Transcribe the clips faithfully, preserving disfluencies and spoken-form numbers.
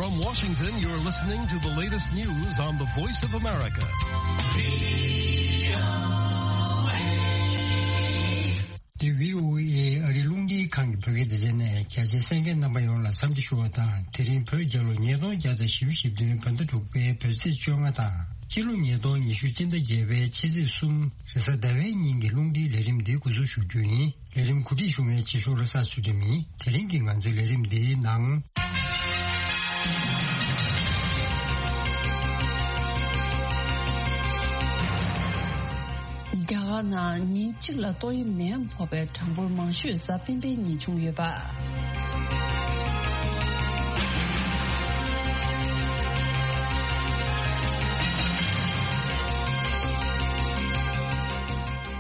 From Washington, you're listening to the latest news on the Voice of America. འདི་བྷི་ཨོ་ཨེ་ཨ་རིའི་རླུང་འཕྲིན་ཁང་གི་བོད་སྐད་སྡེ་ཚན་ནས། རྒྱ་ཆེ་གསན་མཁན་རྣམ་པ་ཡོངས་ལ་འཚམས་འདྲི་ཞུ་བ་དང་། དེ་རིང་བོད་རྒྱལ་ལོ་ཉིས་སྟོང་བརྒྱ་དང་བཞི་བཅུ་ཞེ་བདུན་བོད་ཟླ་དྲུག་པའི་བོད་ཚེས་བཅོ་ལྔ་དང་། སྤྱི་ལོ་ཉིས་སྟོང་ཉི་ཤུ་སྤྱི་ཟླ་བརྒྱད་པའི་ཕྱི་ཚེས་གསུམ་རེས་གཟའ་ཟླ་བའི་ཉིན་གྱི་རླུང་འཕྲིན་ལས་རིམ་འདི་འགོ་འཛུགས་ཞུ་རྒྱུ་ཡིན། ལས་རིམ་གོ་སྒྲིག་ཞུ་མཁན་རྗེས་ཤོག་བློ་བཟང་ཚུལ་ཁྲིམས་ཡིན། དེ་རིང་གི་ང་ཚོའི་ལས་རིམ་འདིའི་ནང་། རྒྱ་གར་ནང་ཉིན་གཅིག་ལ་ཏོག་དབྱིབས་ནད་ཡམས་ཕོག་པའི་གྲངས་འབོར་མང་ཤོས་གཟའ་སྤེན་པའི་ཉིན་བྱུང་ཡོད་པ།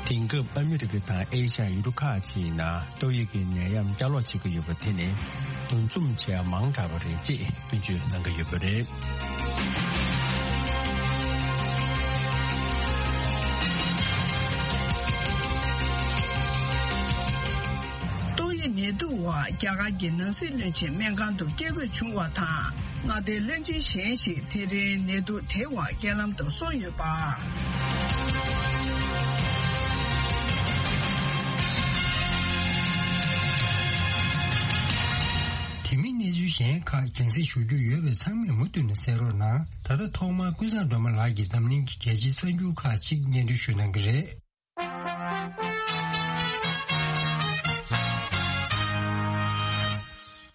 དེང་སྐབས་ཨ་མི་རི་ཀ་དང་ཨེ་ཤ་ཡ་ཡུལ་གྲུ་ཁག་ཅིག་ནང་ཏོག་དབྱིབས་ཀྱི་ནད་ཡམས་བསྐྱར་ལོག་བྱེད་ཀྱི་ཡོད་པ་དེ་ནི་འདུ་འཛོམས་བྱེད་ཡ་མང་དྲགས་པ་རེད་ཅེས་སྐྱོན་བརྗོད་གནང་གི་ཡོད་པ་རེད། ཏོག་དབྱིབས་ནད་དུག་འོག་རྒྱ་གར་གྱི་ནང་སྲིད་བློན་ཆེན་སྨན་ཁང་དུ་བསྐྱལ་དགོས་བྱུང་བ་དང་། མངའ་སྡེའི་བློན་ཆེན་གཞན་ཞིག་དེ་རིང་ནད་དུག་དེའི་འོག་རྐྱེན་ལམ་དུ་སོང་ཡོད་པ། དེ་མིན་གནས་ཚུལ་གཞན་ཁག་རྒྱང་སྲིང་ཞུ་རྒྱུ་ཡོད་པས་ཚང་མས་མུ་མཐུད་ནས་གསན་རོགས་གནང་། ད་ལྟ་ཐོག་མར་ཀུན་བཟང་སྒྲོལ་མ་ལགས་ཀྱིས་འཛམ་གླིང་གི་རྒྱལ་སྤྱིའི་གསར་འགྱུར་ཁག་ཅིག་སྙན་སྒྲོན་ཞུ་གནང་གི་རེད།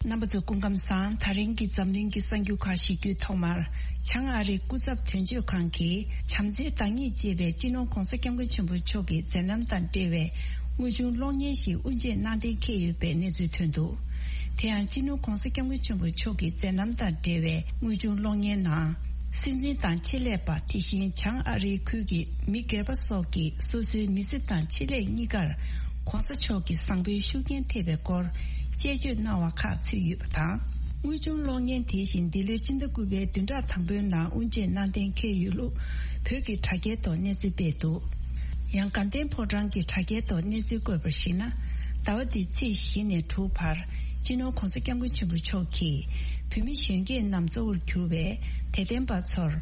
རྣམ་པ་ཚོ་སྐུ་ཁམས་བཟང་། ད་རིང་གི་འཛམ་གླིང་གི་གསར་འགྱུར་ཁག་ཞིག་བརྒྱུད་ཐོག་མར། བྱང་ཨ་རིའི་སྐུ་ཚབ་དོན་གཅོད་ཁང་གིས་བྱམས་བརྩེའི་བདག་ཉིད་ཅེས་པའི་སྤྱི་ནོར་༧གོང་ས་༧སྐྱབས་མགོན་ཆེན་པོ་མཆོག་གི་མཛད་རྣམ་དང་འབྲེལ་བའི་དངོས་བྱུང་གློག་བརྙན་ཞིག་དབུ་འབྱེད་གནང་གཏན་འཁེལ་ཡོད་པའི་གནས་ཚུལ་ཐོན་འདུག་དེ་ཡང་སྤྱི་ནོར་༧གོང་ས་༧སྐྱབས་མགོན་ཆེན་པོ་མཆོག་གི་མཛད་རྣམ་དང་འབྲེལ་བའི་དངོས་བྱུང་གློག་བརྙན་ནང་། སྲིད་འཛིན་དང་ཆེད་ལས་པ། དེ་བཞིན་བྱང་ཨ་རིའི་ཁུལ་གྱི་མི་སྒེར་པ་སོགས་ཀྱིས་སོ་སོའི་མི་ཚེ་དང་ཆེད་ལས་གཉིས་ཀར་༧གོང་ས་མཆོག་གི་བཟང་པོའི་ཤུགས་རྐྱེན་ཐེབས་པའི་སྐོར་དཔྱད་བརྗོད་གནང་བ་ཁག་ཚུད་ཡོད་པ་དང་། དངོས་བྱུང་གློག་བརྙན་དེ་བཞིན་འདི་ལོའི་སྤྱི་ཟླ་དགུ་པའི་བདུན་ཕྲག་དང་པོའི་ནང་དབུ་འབྱེད་གནང་གཏན་འཁེལ་ཡོད་ལུགས་བོད་ཀྱི་དྲ་རྒྱའི་ཐོག་གནས་ཚུལ་སྤེལ་འདུག་ཡང་དགའ་ལྡན་ཕོ་བྲང་གི་དྲ་རྒྱའི་ཐོག་གནས་ཚུལ་བཀོད་པར་གཞིགས་ན། ཟླ་བ་འདིའི་ཚེས་བཞི་ནས་དྲུག་བར་སྤྱི་ནོར་༧གོང་ས་༧སྐྱབས་མགོན་ཆེན་པོ་མཆོག་གིས་བོད་མི་གཞོན་སྐྱེས་རྣམས་གཙོ་བོར་གྱུར་བའི་དད་ལྡན་པ་ཚོར་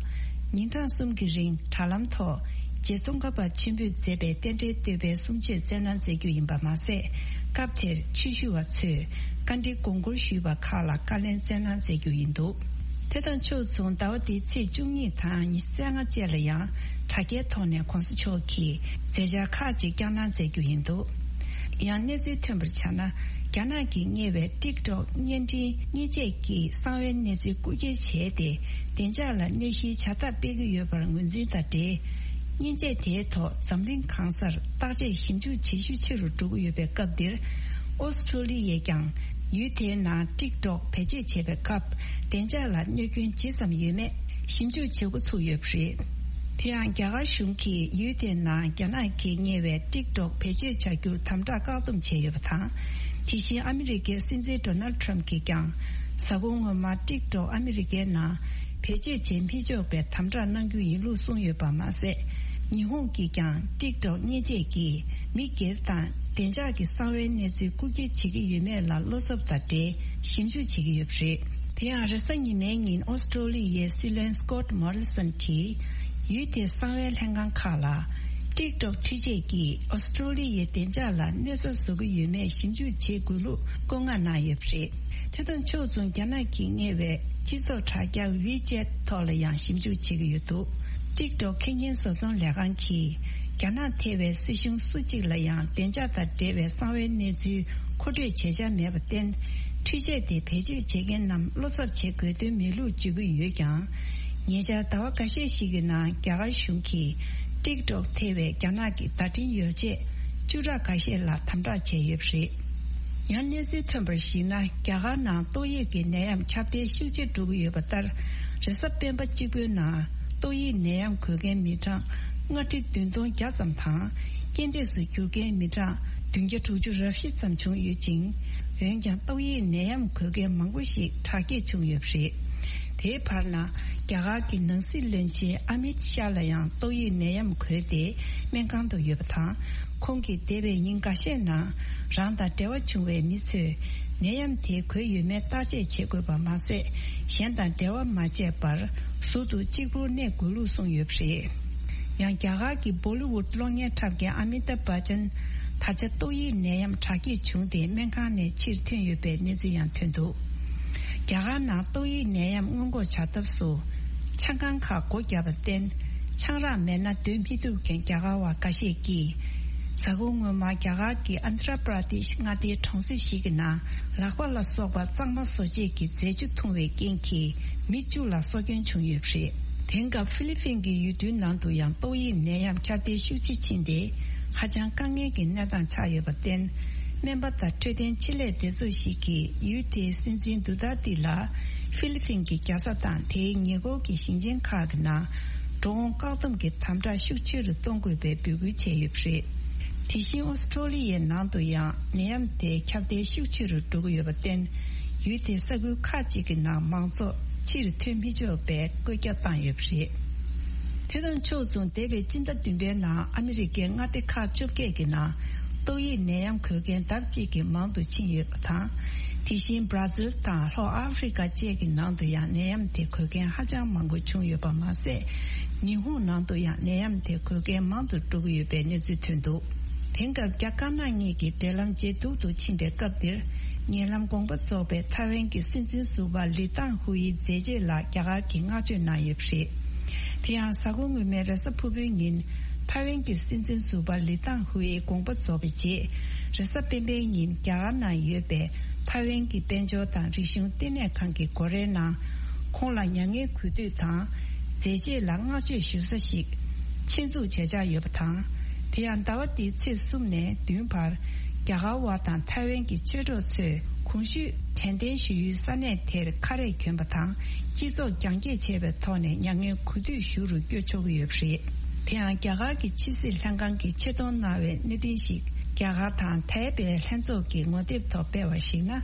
ཉིན་གྲངས་གསུམ་གྱི་རིང་དྲ་ལམ་ཐོག་རྗེ་ཙོང་ཁ་པ་ཆེན་པོས་མཛད་པའི་རྟེན་འབྲེལ་བསྟོད་པའི་གསུང་ཆོས་སྩལ་གནང་མཛད་རྒྱུ་ཡིན་པ་མ་ཟད། སྐབས་དེར་ཆོས་ཞུ་བ་ཚོས་བཀའ་འདྲི་དགོངས་སྐོར་ཞུས་པ་ཁག་ལ་བཀའ་ལན་སྩལ་གནང་མཛད་རྒྱུ་ཡིན་འདུག་དེ་དང་ཕྱོགས་མཚུངས་ཟླ་བ་འདིའི་ཚེས་བཅུ་གཉིས་དང་ཉི་ཤུ་རྩ་ལྔ་བཅས་ལ་ཡང་དྲ་རྒྱའི་ཐོག་ནས་༧གོང་ས་མཆོག་གིས་མཛད་འཆར་ཁག་ཅིག་བསྐྱངས་གནང་མཛད་རྒྱུ་ཡིན་འདུག་ཡང་གནས་ཚུལ་ཐོན་པར་ཆ་ན། རྒྱ་ནག་གིས་གཉེར་བའི་ཊིག་ཊོག་བརྙན་འཕྲིན་བརྙས་བཅོས་ཀྱི་གསང་བའི་གནས་ཚུལ་རྐུ་འཁྱེར་བྱས་ཏེ། བདེ་འཇགས་ལ་གནོད་གཞིའི་བྱ་ཐབས་སྤེལ་གྱི་ཡོད་པར་ངོས་འཛིན་དང་འབྲེལ། བརྙན་བཅད་དེའི་ཐོག་འཛམ་གླིང་གང་སར་བརྟག་དཔྱད་ཞིབ་འཇུག་ཇེ་ཤུགས་ཆེ་རུ་འགྲོ་གི་ཡོད་པའི་སྐབས་འདིར། ཨོ་སི་ཁྲུ་ལི་ཡས་ཀྱང་ཡུལ་དེའི་ནང་ཊིག་ཊོག་བེད་སྤྱོད་བྱེད་པའི་སྐབས་བདེ་འཇགས་ལ་གནོད་སྐྱོན་ཇི་ཙམ་ཡོད་མེད་ཞིབ་འཇུག་བྱེད་འགོ་ཚུགས་ཡོད་པ་རེད། དེ་ཡང་རྒྱ་གར་གཞུང་གིས་ཡུལ་དེའི་ནང་རྒྱ་ནག་གིས་གཉེར་བའི་ཊིག་ཊོག་བེད་སྤྱོད་བྱ་རྒྱུར་དམ་དྲག་བཀག་སྡོམ་བྱས་ཡོད་པ་དང་། དེ་བཞིན་ཨ་མི་རི་ཀའི་སྲིད་འཛིན་ཌོ་ནལ་ཌི་ཊརམ་ཕི་གིས་ཀྱང་། གཟའ་འཁོར་སྔོན་མ་ཊིག་ཊོག་ཨ་མི་རི་ཀའི་ནང་བེད་སྤྱོད་བྱེད་མི་ཆོག་པའི་དམ་དྲག་གནང་རྒྱུ་ཡིན་ལུགས་གསུངས་ཡོད་པ་མ་ཟད། ཉི་ཧོང་གིས་ཀྱང་ཊིག་ཊོག་བརྙས་བཅད་ཀྱིས་མི་སྒེར་དང་བདེ་འཇགས་ཀྱི་གསང་བའི་གནས་ཚུལ་རྐུ་འཁྱེར་བྱེད་ཀྱི་ཡོད་མེད་ལ་བློ་འཚབ་དང་འབྲེལ་ཞིབ་འཇུག་བྱེད་ཀྱི་ཡོད་པ་རེད། དེ་ཡང་རེས་གཟའ་ཉི་མའི་ཉིན་ཨོ་སི་ཁྲུ་ལི་ཡའི་སྲིད་བློན་སི་ཀོད་མོ་རི་སོན་གྱིས། ཡུལ་དེའི་གསང་བའི་ལྷན་ཁང་ཁག་ལ། ཊིག་ཊོག་འཕྲུལ་ཆས་ཀྱིས་ཨོ་སི་ཁྲུ་ལི་ཡའི་བདེ་འཇགས་ལ་གནོད་འཚེ་བཟོ་གི་ཡོད་མེད་ཞིབ་འཇུག་བྱེད་དགོས་ལུགས་བཀོད་མངགས་གནང་ཡོད་པ་རེད། དེ་དང་ཕྱོགས་མཚུངས་རྒྱ་ནག་གིས་གཉེར་བའི་སྤྱི་ཚོགས་དྲ་རྒྱ་ཝི་ཅེད་ཐོག་ལ་ཡང་ཞིབ་འཇུག་བྱེད་ཀྱི་ཡོད་འདུག་ཊིག་ཊོག་ཁེ་ཉིན་བཟོ་ཚོང་ལས་ཁང་གིས་རྒྱ་ནག་ཐེ་བའི་སྲིད་གཞུང་སུ་གཅིག་ལ་ཡང་བདེ་འཇགས་དང་འབྲེལ་བའི་གསང་བའི་གནས་ཚུལ་མཁོ་སྤྲོད་བྱེད་འཆར་མེད་པར་བརྟེན། འཕྲུལ་ཆས་དེ་བེད་སྤྱོད་བྱེད་མཁན་རྣམས་བློ་འཚབ་བྱེད་དགོས་དོན་མེད་ལུགས་བརྗོད་ཀྱི་ཡོད་ཀྱང་། ཉེ་ཆར་ཟླ་བ་འགའ་ཤས་ཤིག་གི་ནང་རྒྱ་གར་གཞུང་གིས་ཊིག་ཊོག་ཐེ་བའི་རྒྱ་ནག་གི་བརྡ་འཕྲིན་ཡོ་བྱད་བཅུ་ཕྲག་འགའ་ཤས་ལ་དམ་དྲག་བྱས་ཡོད་པ་རེད། ཡང་གནས་ཚུལ་ཐོན་པར་གཞིགས་ན། རྒྱ་གར་ནང་ཏོག་དབྱིབས་ཀྱི་ནད་ཡམས་ཁྱབ་གདལ་ཤུགས་ཆེ་འགྲོ་གི་ཡོད་པ་ལྟར། རེས་གཟའ་སྤེན་པ་གཅིག་པུའི་ནང་ཏོག་དབྱིབས་ནད་ཡམས་འགོས་མཁན་མི་གྲངས་ལྔ་ཁྲི་བདུན་སྟོང་བརྒྱ་ཙམ་དང་། རྐྱེན་འདས་སུ་གྱུར་མཁན་མི་གྲངས་བདུན་བརྒྱ་དྲུག་ཅུ་རེ་བཞི་ཙམ་བྱུང་ཡོད་ཅིང་། འོན་ཀྱང་ཏོག་དབྱིབས་ནད་ཡམས་འགོས་མཁན་མང་པོ་ཞིག་དྲག་སྐྱེད་བྱུང་ཡོད་པ་རེད། དེའི་བར་ན། རྒྱ་གར་གྱི་ནང་སྲིད་བློན་ཆེན་ཨ་མིད་ཤཱ་ལ་ཡང་ཏོག་དབྱིབས་ནད་ཡམས་འགོས་ཏེ་སྨན་ཁང་དུ་ཡོད་པ་དང་། ཁོང་གིས་འདས་པའི་ཉིན་འགའ་ཤས་ནང་རང་དང་འབྲེལ་བ་བྱུང་བའི་མི་ཚོས་ ནད་ཡམས་དེ་འགོས་ཡོད་མེད་བརྟག་དཔྱད་བྱེད་དགོས་པ་མ་ཟད། གཞན་དང་འབྲེལ་བ་མ་བྱས་པར་ཟུར་དུ་གཅིག་པུར་གནས་དགོས་ལུགས་གསུངས་ཡོད་པ་རེད། ཡང་རྒྱ་གར་གྱི་བོ་ལི་ཝུད་གློག་བརྙན་འཁྲབ་མཁན་ཨ་མི་ཏཱབ་བྷ་ཅན་ད་ཆ་ཏོག་དབྱིབས་ནད་ཡམས་དྲག་སྐྱེད་བྱུང་སྟེ་སྨན་ཁང་ནས་ཕྱིར་ཐོན་ཡོད་པའི་གནས་ཚུལ་ཡང་ཐོན་འདུག་རྒྱ་གར་ནང་ཏོག་དབྱིབས་ནད་ཡམས་སྔོན་འགོག་བྱ་ཐབས་སུ། ཆང་ཁང་ཁག་སྒོ་བརྒྱབ་པར་བརྟེན། ཆང་རག་མེད་ན་སྡོད་མི་ཐུབ་མཁན་རྒྱ་གར་བ་འགའ་ཤས་ཀྱིས། གཟའ་འཁོར་སྔོན་མ་རྒྱ་གར་གྱི་ཨན་དྷྲ་པྲ་དེཤ་མངའ་སྡེའི་གྲོང་གསེབ་ཞིག་གི་ནང་ལག་པ་ལ་སོགས་པ་གཙང་མ་བཟོ་བྱེད་ཀྱི་རྫས་ཆུ་འཐུང་བའི་རྐྱེན་གྱིས་མི་བཅུ་ལ་སྲོག་སྐྱོན་བྱུང་ཡོད་པ་རེད། དེང་སྐབས་ཧྥི་ལི་ཕིན་གྱི་ཡུལ་གྲུའི་ནང་དུ་ཡང་ཏོག་དབྱིབས་ནད་ཡམས་ཁྱབ་གདལ་ཤུགས་ཆེ་ཕྱིན་ཏེ། ཧ་ཅང་དཀའ་ངལ་གྱི་གནས་སྟངས་ཆགས་ཡོད་པར་བརྟེན། སྨན་པ་དང་འཕྲོད་བསྟེན་ཆེད་ལས་སྡེ་ཚོགས་ཤིག་གིས་ཡུལ་དེའི་སྲིད་འཛིན་དུ་ཏཱ་ཏི་ལ་ཧྥི་ལི་ཕིན་གྱི་རྒྱལ་ས་དང་དེའི་ཉེ་འཁོར་གྱི་ཞིང་ཆེན་ཁག་གི་ནང་འགྲོ་འོང་བཀག་སྡོམ་གྱི་དམ་དྲག་ཤུགས་ཆེ་རུ་གཏོང་དགོས་པའི་འབོད་སྐུལ་བྱས་ཡོད་པ་རེད། དེ་བཞིན་ཨོ་སི་ཀྲོ་ལི་ཡའི་ནང་དུ་ཡང་ནད་ཡམས་དེ་ཁྱབ་གདལ་ཤུགས་ཆེ་རུ་འགྲོ་གི་ཡོད་པར་བརྟེན། ཡུལ་དེའི་ས་ཁུལ་ཁག་ཅིག་གི་ནང་མང་ཚོགས་ཕྱིར་ཐོན་མི་ཆོག་པའི་བཀོད་རྒྱ་བཏང་ཡོད་པ་རེད། དེ་དང་ཕྱོགས་མཚུངས། འདས་པའི་སྤྱི་ཟླ་བདུན་པའི་ནང་ཨ་མི་རི་ཀའི་མངའ་སྡེ་ཁག་བཅོ་བརྒྱད་ཀྱི་ནང་ཏོག་དབྱིབས་ནད་ཡམས་འགོས་མཁན་ལྡབ་གཅིག་གིས་མང་དུ་ཕྱིན་ཡོད་པ་དང་། དེ་བཞིན་བར་ཛིལ་དང་ལྷོ་ཨ་ཧྥེ་རི་ཀ་བཅས་ཀྱི་ནང་དུ་ཡང་ནད་ཡམས་དེ་འགོས་མཁན་ཧ་ཅང་མང་པོ་བྱུང་ཡོད་པ་མ་ཟད། ཉི་ཧོང་ནང་དུ་ཡང་ནད་ཡམས་དེ་འགོས་མཁན་མང་དུ་འགྲོ་གི་ཡོད་པའི་གནས་ཚུལ་ཐོན་འདུག་དེང་སྐབས་རྒྱ་དཀར་ནག་གཉིས་ཀྱི་འབྲེལ་ལམ་ཇེ་སྡུག་ཏུ་ཕྱིན་པའི་སྐབས་འདིར། ཉེ་ལམ་དགོངས་པ་རྫོགས་པའི་ཐའེ་ཝན་གྱི་སྲིད་འཛིན་ཟུར་པ་ལི་ཏང་ཧུའེ་མཛད་རྗེས་ལ་རྒྱ་གར་གྱིས་བསྔགས་བརྗོད་གནང་ཡོད་པ་རེད། དེ་ཡང་གཟའ་འཁོར་སྔོན་མའི་རེས་གཟའ་ཕུར་བུའི་ཉིན། ཐའེ་ཝན་གྱི་སྲིད་འཛིན་ཟུར་པ་ལི་ཏང་ཧུའེ་དགོངས་པ་རྫོགས་པའི་རྗེས། རེས་གཟའ་སྤེན་པའི་ཉིན་རྒྱ་གར་ནང་ཡོད་པའི་ཐའེ་ཝན་གྱི་དཔལ་འབྱོར་དང་རིག་གཞུང་ལྟེ་གནས་ཁང་གི་སྒོ་རའི་ནང་། ཁོང་ལ་མྱ་ངན་གུས་འདུད་དང་། མཛད་རྗེས་ལ་བསྔགས་བརྗོད་ཞུ་ས་ཞིག་ཆེད་འཛུགས་བྱེད་འཆར་ཡོད་པ་དང་། དེ་ཡང་ཟླ་བ་འདིའི་ཚེས་གསུམ་ནས་བདུན་བར། རྒྱ་གར་བ་དང་ཐའེ་ཝན་གྱི་ཆོས་གྲོགས་ཚོས་གོང་ཞུས་དྲན་རྟེན་ཞུ་ཡུལ་ས་གནས་དེར་ཁ་རས་གྱོན་པ་དང་། སྤྱི་ཚོགས་རྒྱང་བཀྱེད་བྱས་པའི་ཐོག་ནས་མྱ་ངན་གུས་འདུད་ཞུ་རུ་བསྐྱོད་ཆོག་གི་ཡོད་པ་རེད། དེ་ཡང་རྒྱ་གར་གྱི་ཕྱི་སྲིད་ལྷན་ཁང་གིས་ཆེད་གཏོང་གནང་བའི་གནས་འཕྲིན་ཞིག་རྒྱ་གར་དང་ཐའེ་པེ་ལྷན་ཚོགས་ཀྱི་ངོ་དེབ་ཐོག་སྤེལ་བར་གཞིགས་ན།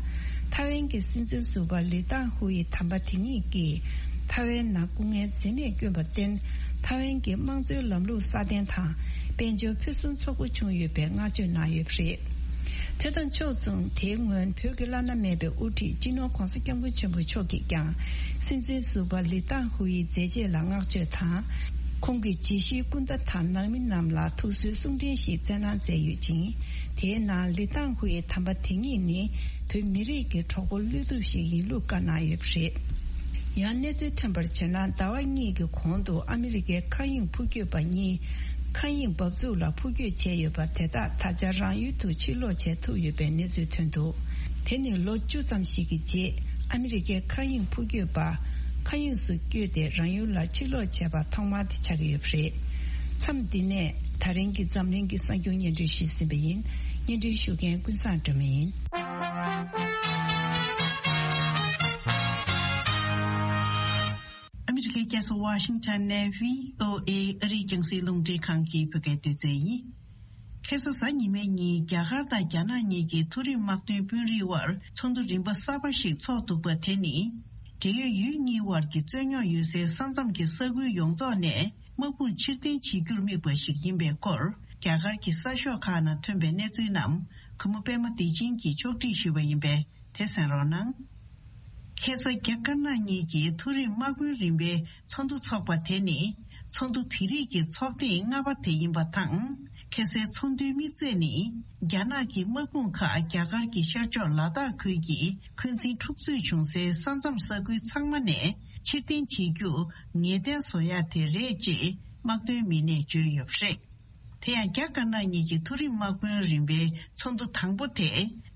ཐའེ་ཝན་གྱི་སྲིད་འཛིན་ཟུར་པ་ལི་ཏང་ཧུའེ་དམ་པ་དེ་ཉིད་ཀྱིས། ཐའེ་ཝན་ནང་སྐུ་ངལ་འཛེམས་མེད་བསྐྱོན་པར་བརྟེན། ཐའེ་ཝན་གྱི་དམངས་གཙོའི་ལམ་ལུགས་སྲ་བརྟན་དང་། དཔལ་འབྱོར་ཕུན་སུམ་ཚོགས་པོ་བྱུང་ཡོད་པའི་བསྔགས་བརྗོད་གནང་ཡོད་པ་རེད། དེ་དང་ཕྱོགས་མཚུངས། དེའི་སྔོན་བོད་ཀྱི་བླ་ན་མེད་པའི་དབུ་ཁྲིད་སྤྱི་ནོར་༧གོང་ས་༧སྐྱབས་མགོན་ཆེན་པོ་མཆོག་གིས་ཀྱང་། སྲིད་འཛིན་ཟུར་པ་ལི་ཏང་ཧུའེ་མཛད་རྗེས་ལ་བསྔགས་བརྗོད་དང་། ཁོང་གི་རྗེས་ཤུལ་སྐུ་ཟླ་དང་ནང་མི་རྣམས་ལ་ཐུགས་གསོའི་གསུང་འཕྲིན་ཞིག་བསྩལ་གནང་མཛད་ཡོད་ཅིང་། དེའི་ནང་ལི་ཏང་ཧུའེ་དམ་པ་དེ་ཉིད་ནི་བོད་མི་རིགས་ཀྱི་གྲོགས་པོ་བློ་གཏུབ་ཞིག་ཡིན་ལུགས་བཀའ་གནང་ཡོད་པ་རེད། ཡང་གནས་ཚུལ་ཐོན་པར་བྱས་ན། ཟླ་བ་གཉིས་ཀྱི་གོང་དུ་ཨ་མི་རི་ཀའི་མཁའ་དབྱིངས་འཕུར་སྐྱོད་པ་གཉིས་མཁའ་དབྱིངས་འབབ་ཚུགས་ལ་འཕུར་སྐྱོད་བྱས་ཡོད་པ་དེ་དག་ད་ཆ་རང་ཡུལ་དུ་ཕྱིར་ལོག་བྱེད་ཐུབ་ཡོད་པའི་གནས་ཚུལ་ཐོན་འདུག་དེ་ནི་ལོ་བཅུ་ཙམ་ཞིག་གི་རྗེས་ཨ་མི་རི་ཀའི་མཁའ་དབྱིངས་འཕུར་སྐྱོད་པ་མཁའ་དབྱིངས་སུ་བསྐྱོད་དེ་རང་ཡུལ་ལ་ཕྱིར་ལོག་བྱས་པ་ཐོག་མ་དེ་ཆགས་ཀྱི་ཡོད་པ་རེད། མཚམས་འདི་ནས་ད་རིང་གི་འཛམ་གླིང་གི་གསར་འགྱུར་སྙན་སྒྲོན་ཞུས་ཟིན་པ་ཡིན། སྙན་སྒྲོན་ཞུ་མཁན་ཀུན་བཟང་སྒྲོལ་མ་ཡིན། ཨ་མི་རི་ཀའི་རྒྱལ་ས་ཝ་ཤིང་ཊོན་ནས་བྷི་ཨོ་ཨེ་ཨ་རིའི་རྒྱང་སྲིང་རླུང་འཕྲིན་ཁང་གི་བོད་སྐད་སྡེ་ཚན་ཡིན། ཁ་སང་གཟའ་ཉི་མའི་ཉིན་རྒྱ་གར་དང་རྒྱ་ནག་གཉིས་ཀྱི་མཐོ་རིམ་དམག་དོན་དཔོན་རིགས་དབར་ཚོགས་འདུ་རིམ་པ་གསར་པ་ཞིག་ཚོགས་འདུག་པ་དེ་ནི། འབྲེལ་ཡོད་ཡུལ་གཉིས་དབར་གྱི་རྩོད་རྙོག་ཡོད་སའི་ས་མཚམས་ཀྱི་ས་ཁུལ་ཡོངས་རྫོགས་ནས་དམག་དཔུང་ཕྱིར་འཐེན་བྱེད་རྒྱུར་དམིགས་པ་ཞིག་ཡིན་པའི་སྐོར། རྒྱ་གར་གྱི་གསར་ཤོག་ཁག་ནང་ཐོན་པའི་གནས་ཚུལ་རྣམས་གུས་མོ་པད་མ་བདེ་ཆེན་གྱིས་ཕྱོགས་སྒྲིག་ཞུས་པ་ཡིན་པས། དེ་གསན་རོགས་གནང་། ཁ་སང་རྒྱ་དཀར་ནག་གཉིས་ཀྱི་མཐོ་རིམ་དམག་དཔོན་རིམ་པའི་ཚོགས་འདུ་འཚོགས་པ་དེ་ནི། ཚོགས་འདུ་དེ་རིགས་ཀྱི་ཚོགས་ཐེངས་ལྔ་པ་དེ་ཡིན་པ་དང་། ཁ་སའི་ཚོགས་འདུའི་དམིགས་ཚད་ནི། རྒྱ་ནག་གི་དམག་དཔུང་ཁག་རྒྱ་གར་གྱི་ཤར་ཕྱོགས་ལ་དྭགས་ཁུལ་གྱི་འཁོན་འཛིན་འཁྲུག་རྩོད་བྱུང་སའི་ས་མཚམས་ས་ཁུལ་ཚང་མ་ནས་ཕྱིར་འཐེན་བྱེད་རྒྱུ་ངེས་གཏན་བཟོ་ཡ་དེ་རེད་ཅེས་དམག་དོན་མི་སྣས་བརྗོད་ཡོད་པ་རེད། དེ་ཡང་རྒྱ་དཀར་ནག་གཉིས་ཀྱི་མཐོ་རིམ་དམག་དཔོན་རིམ་པའི་ཚོགས་འདུ་དང་པོ་དེ་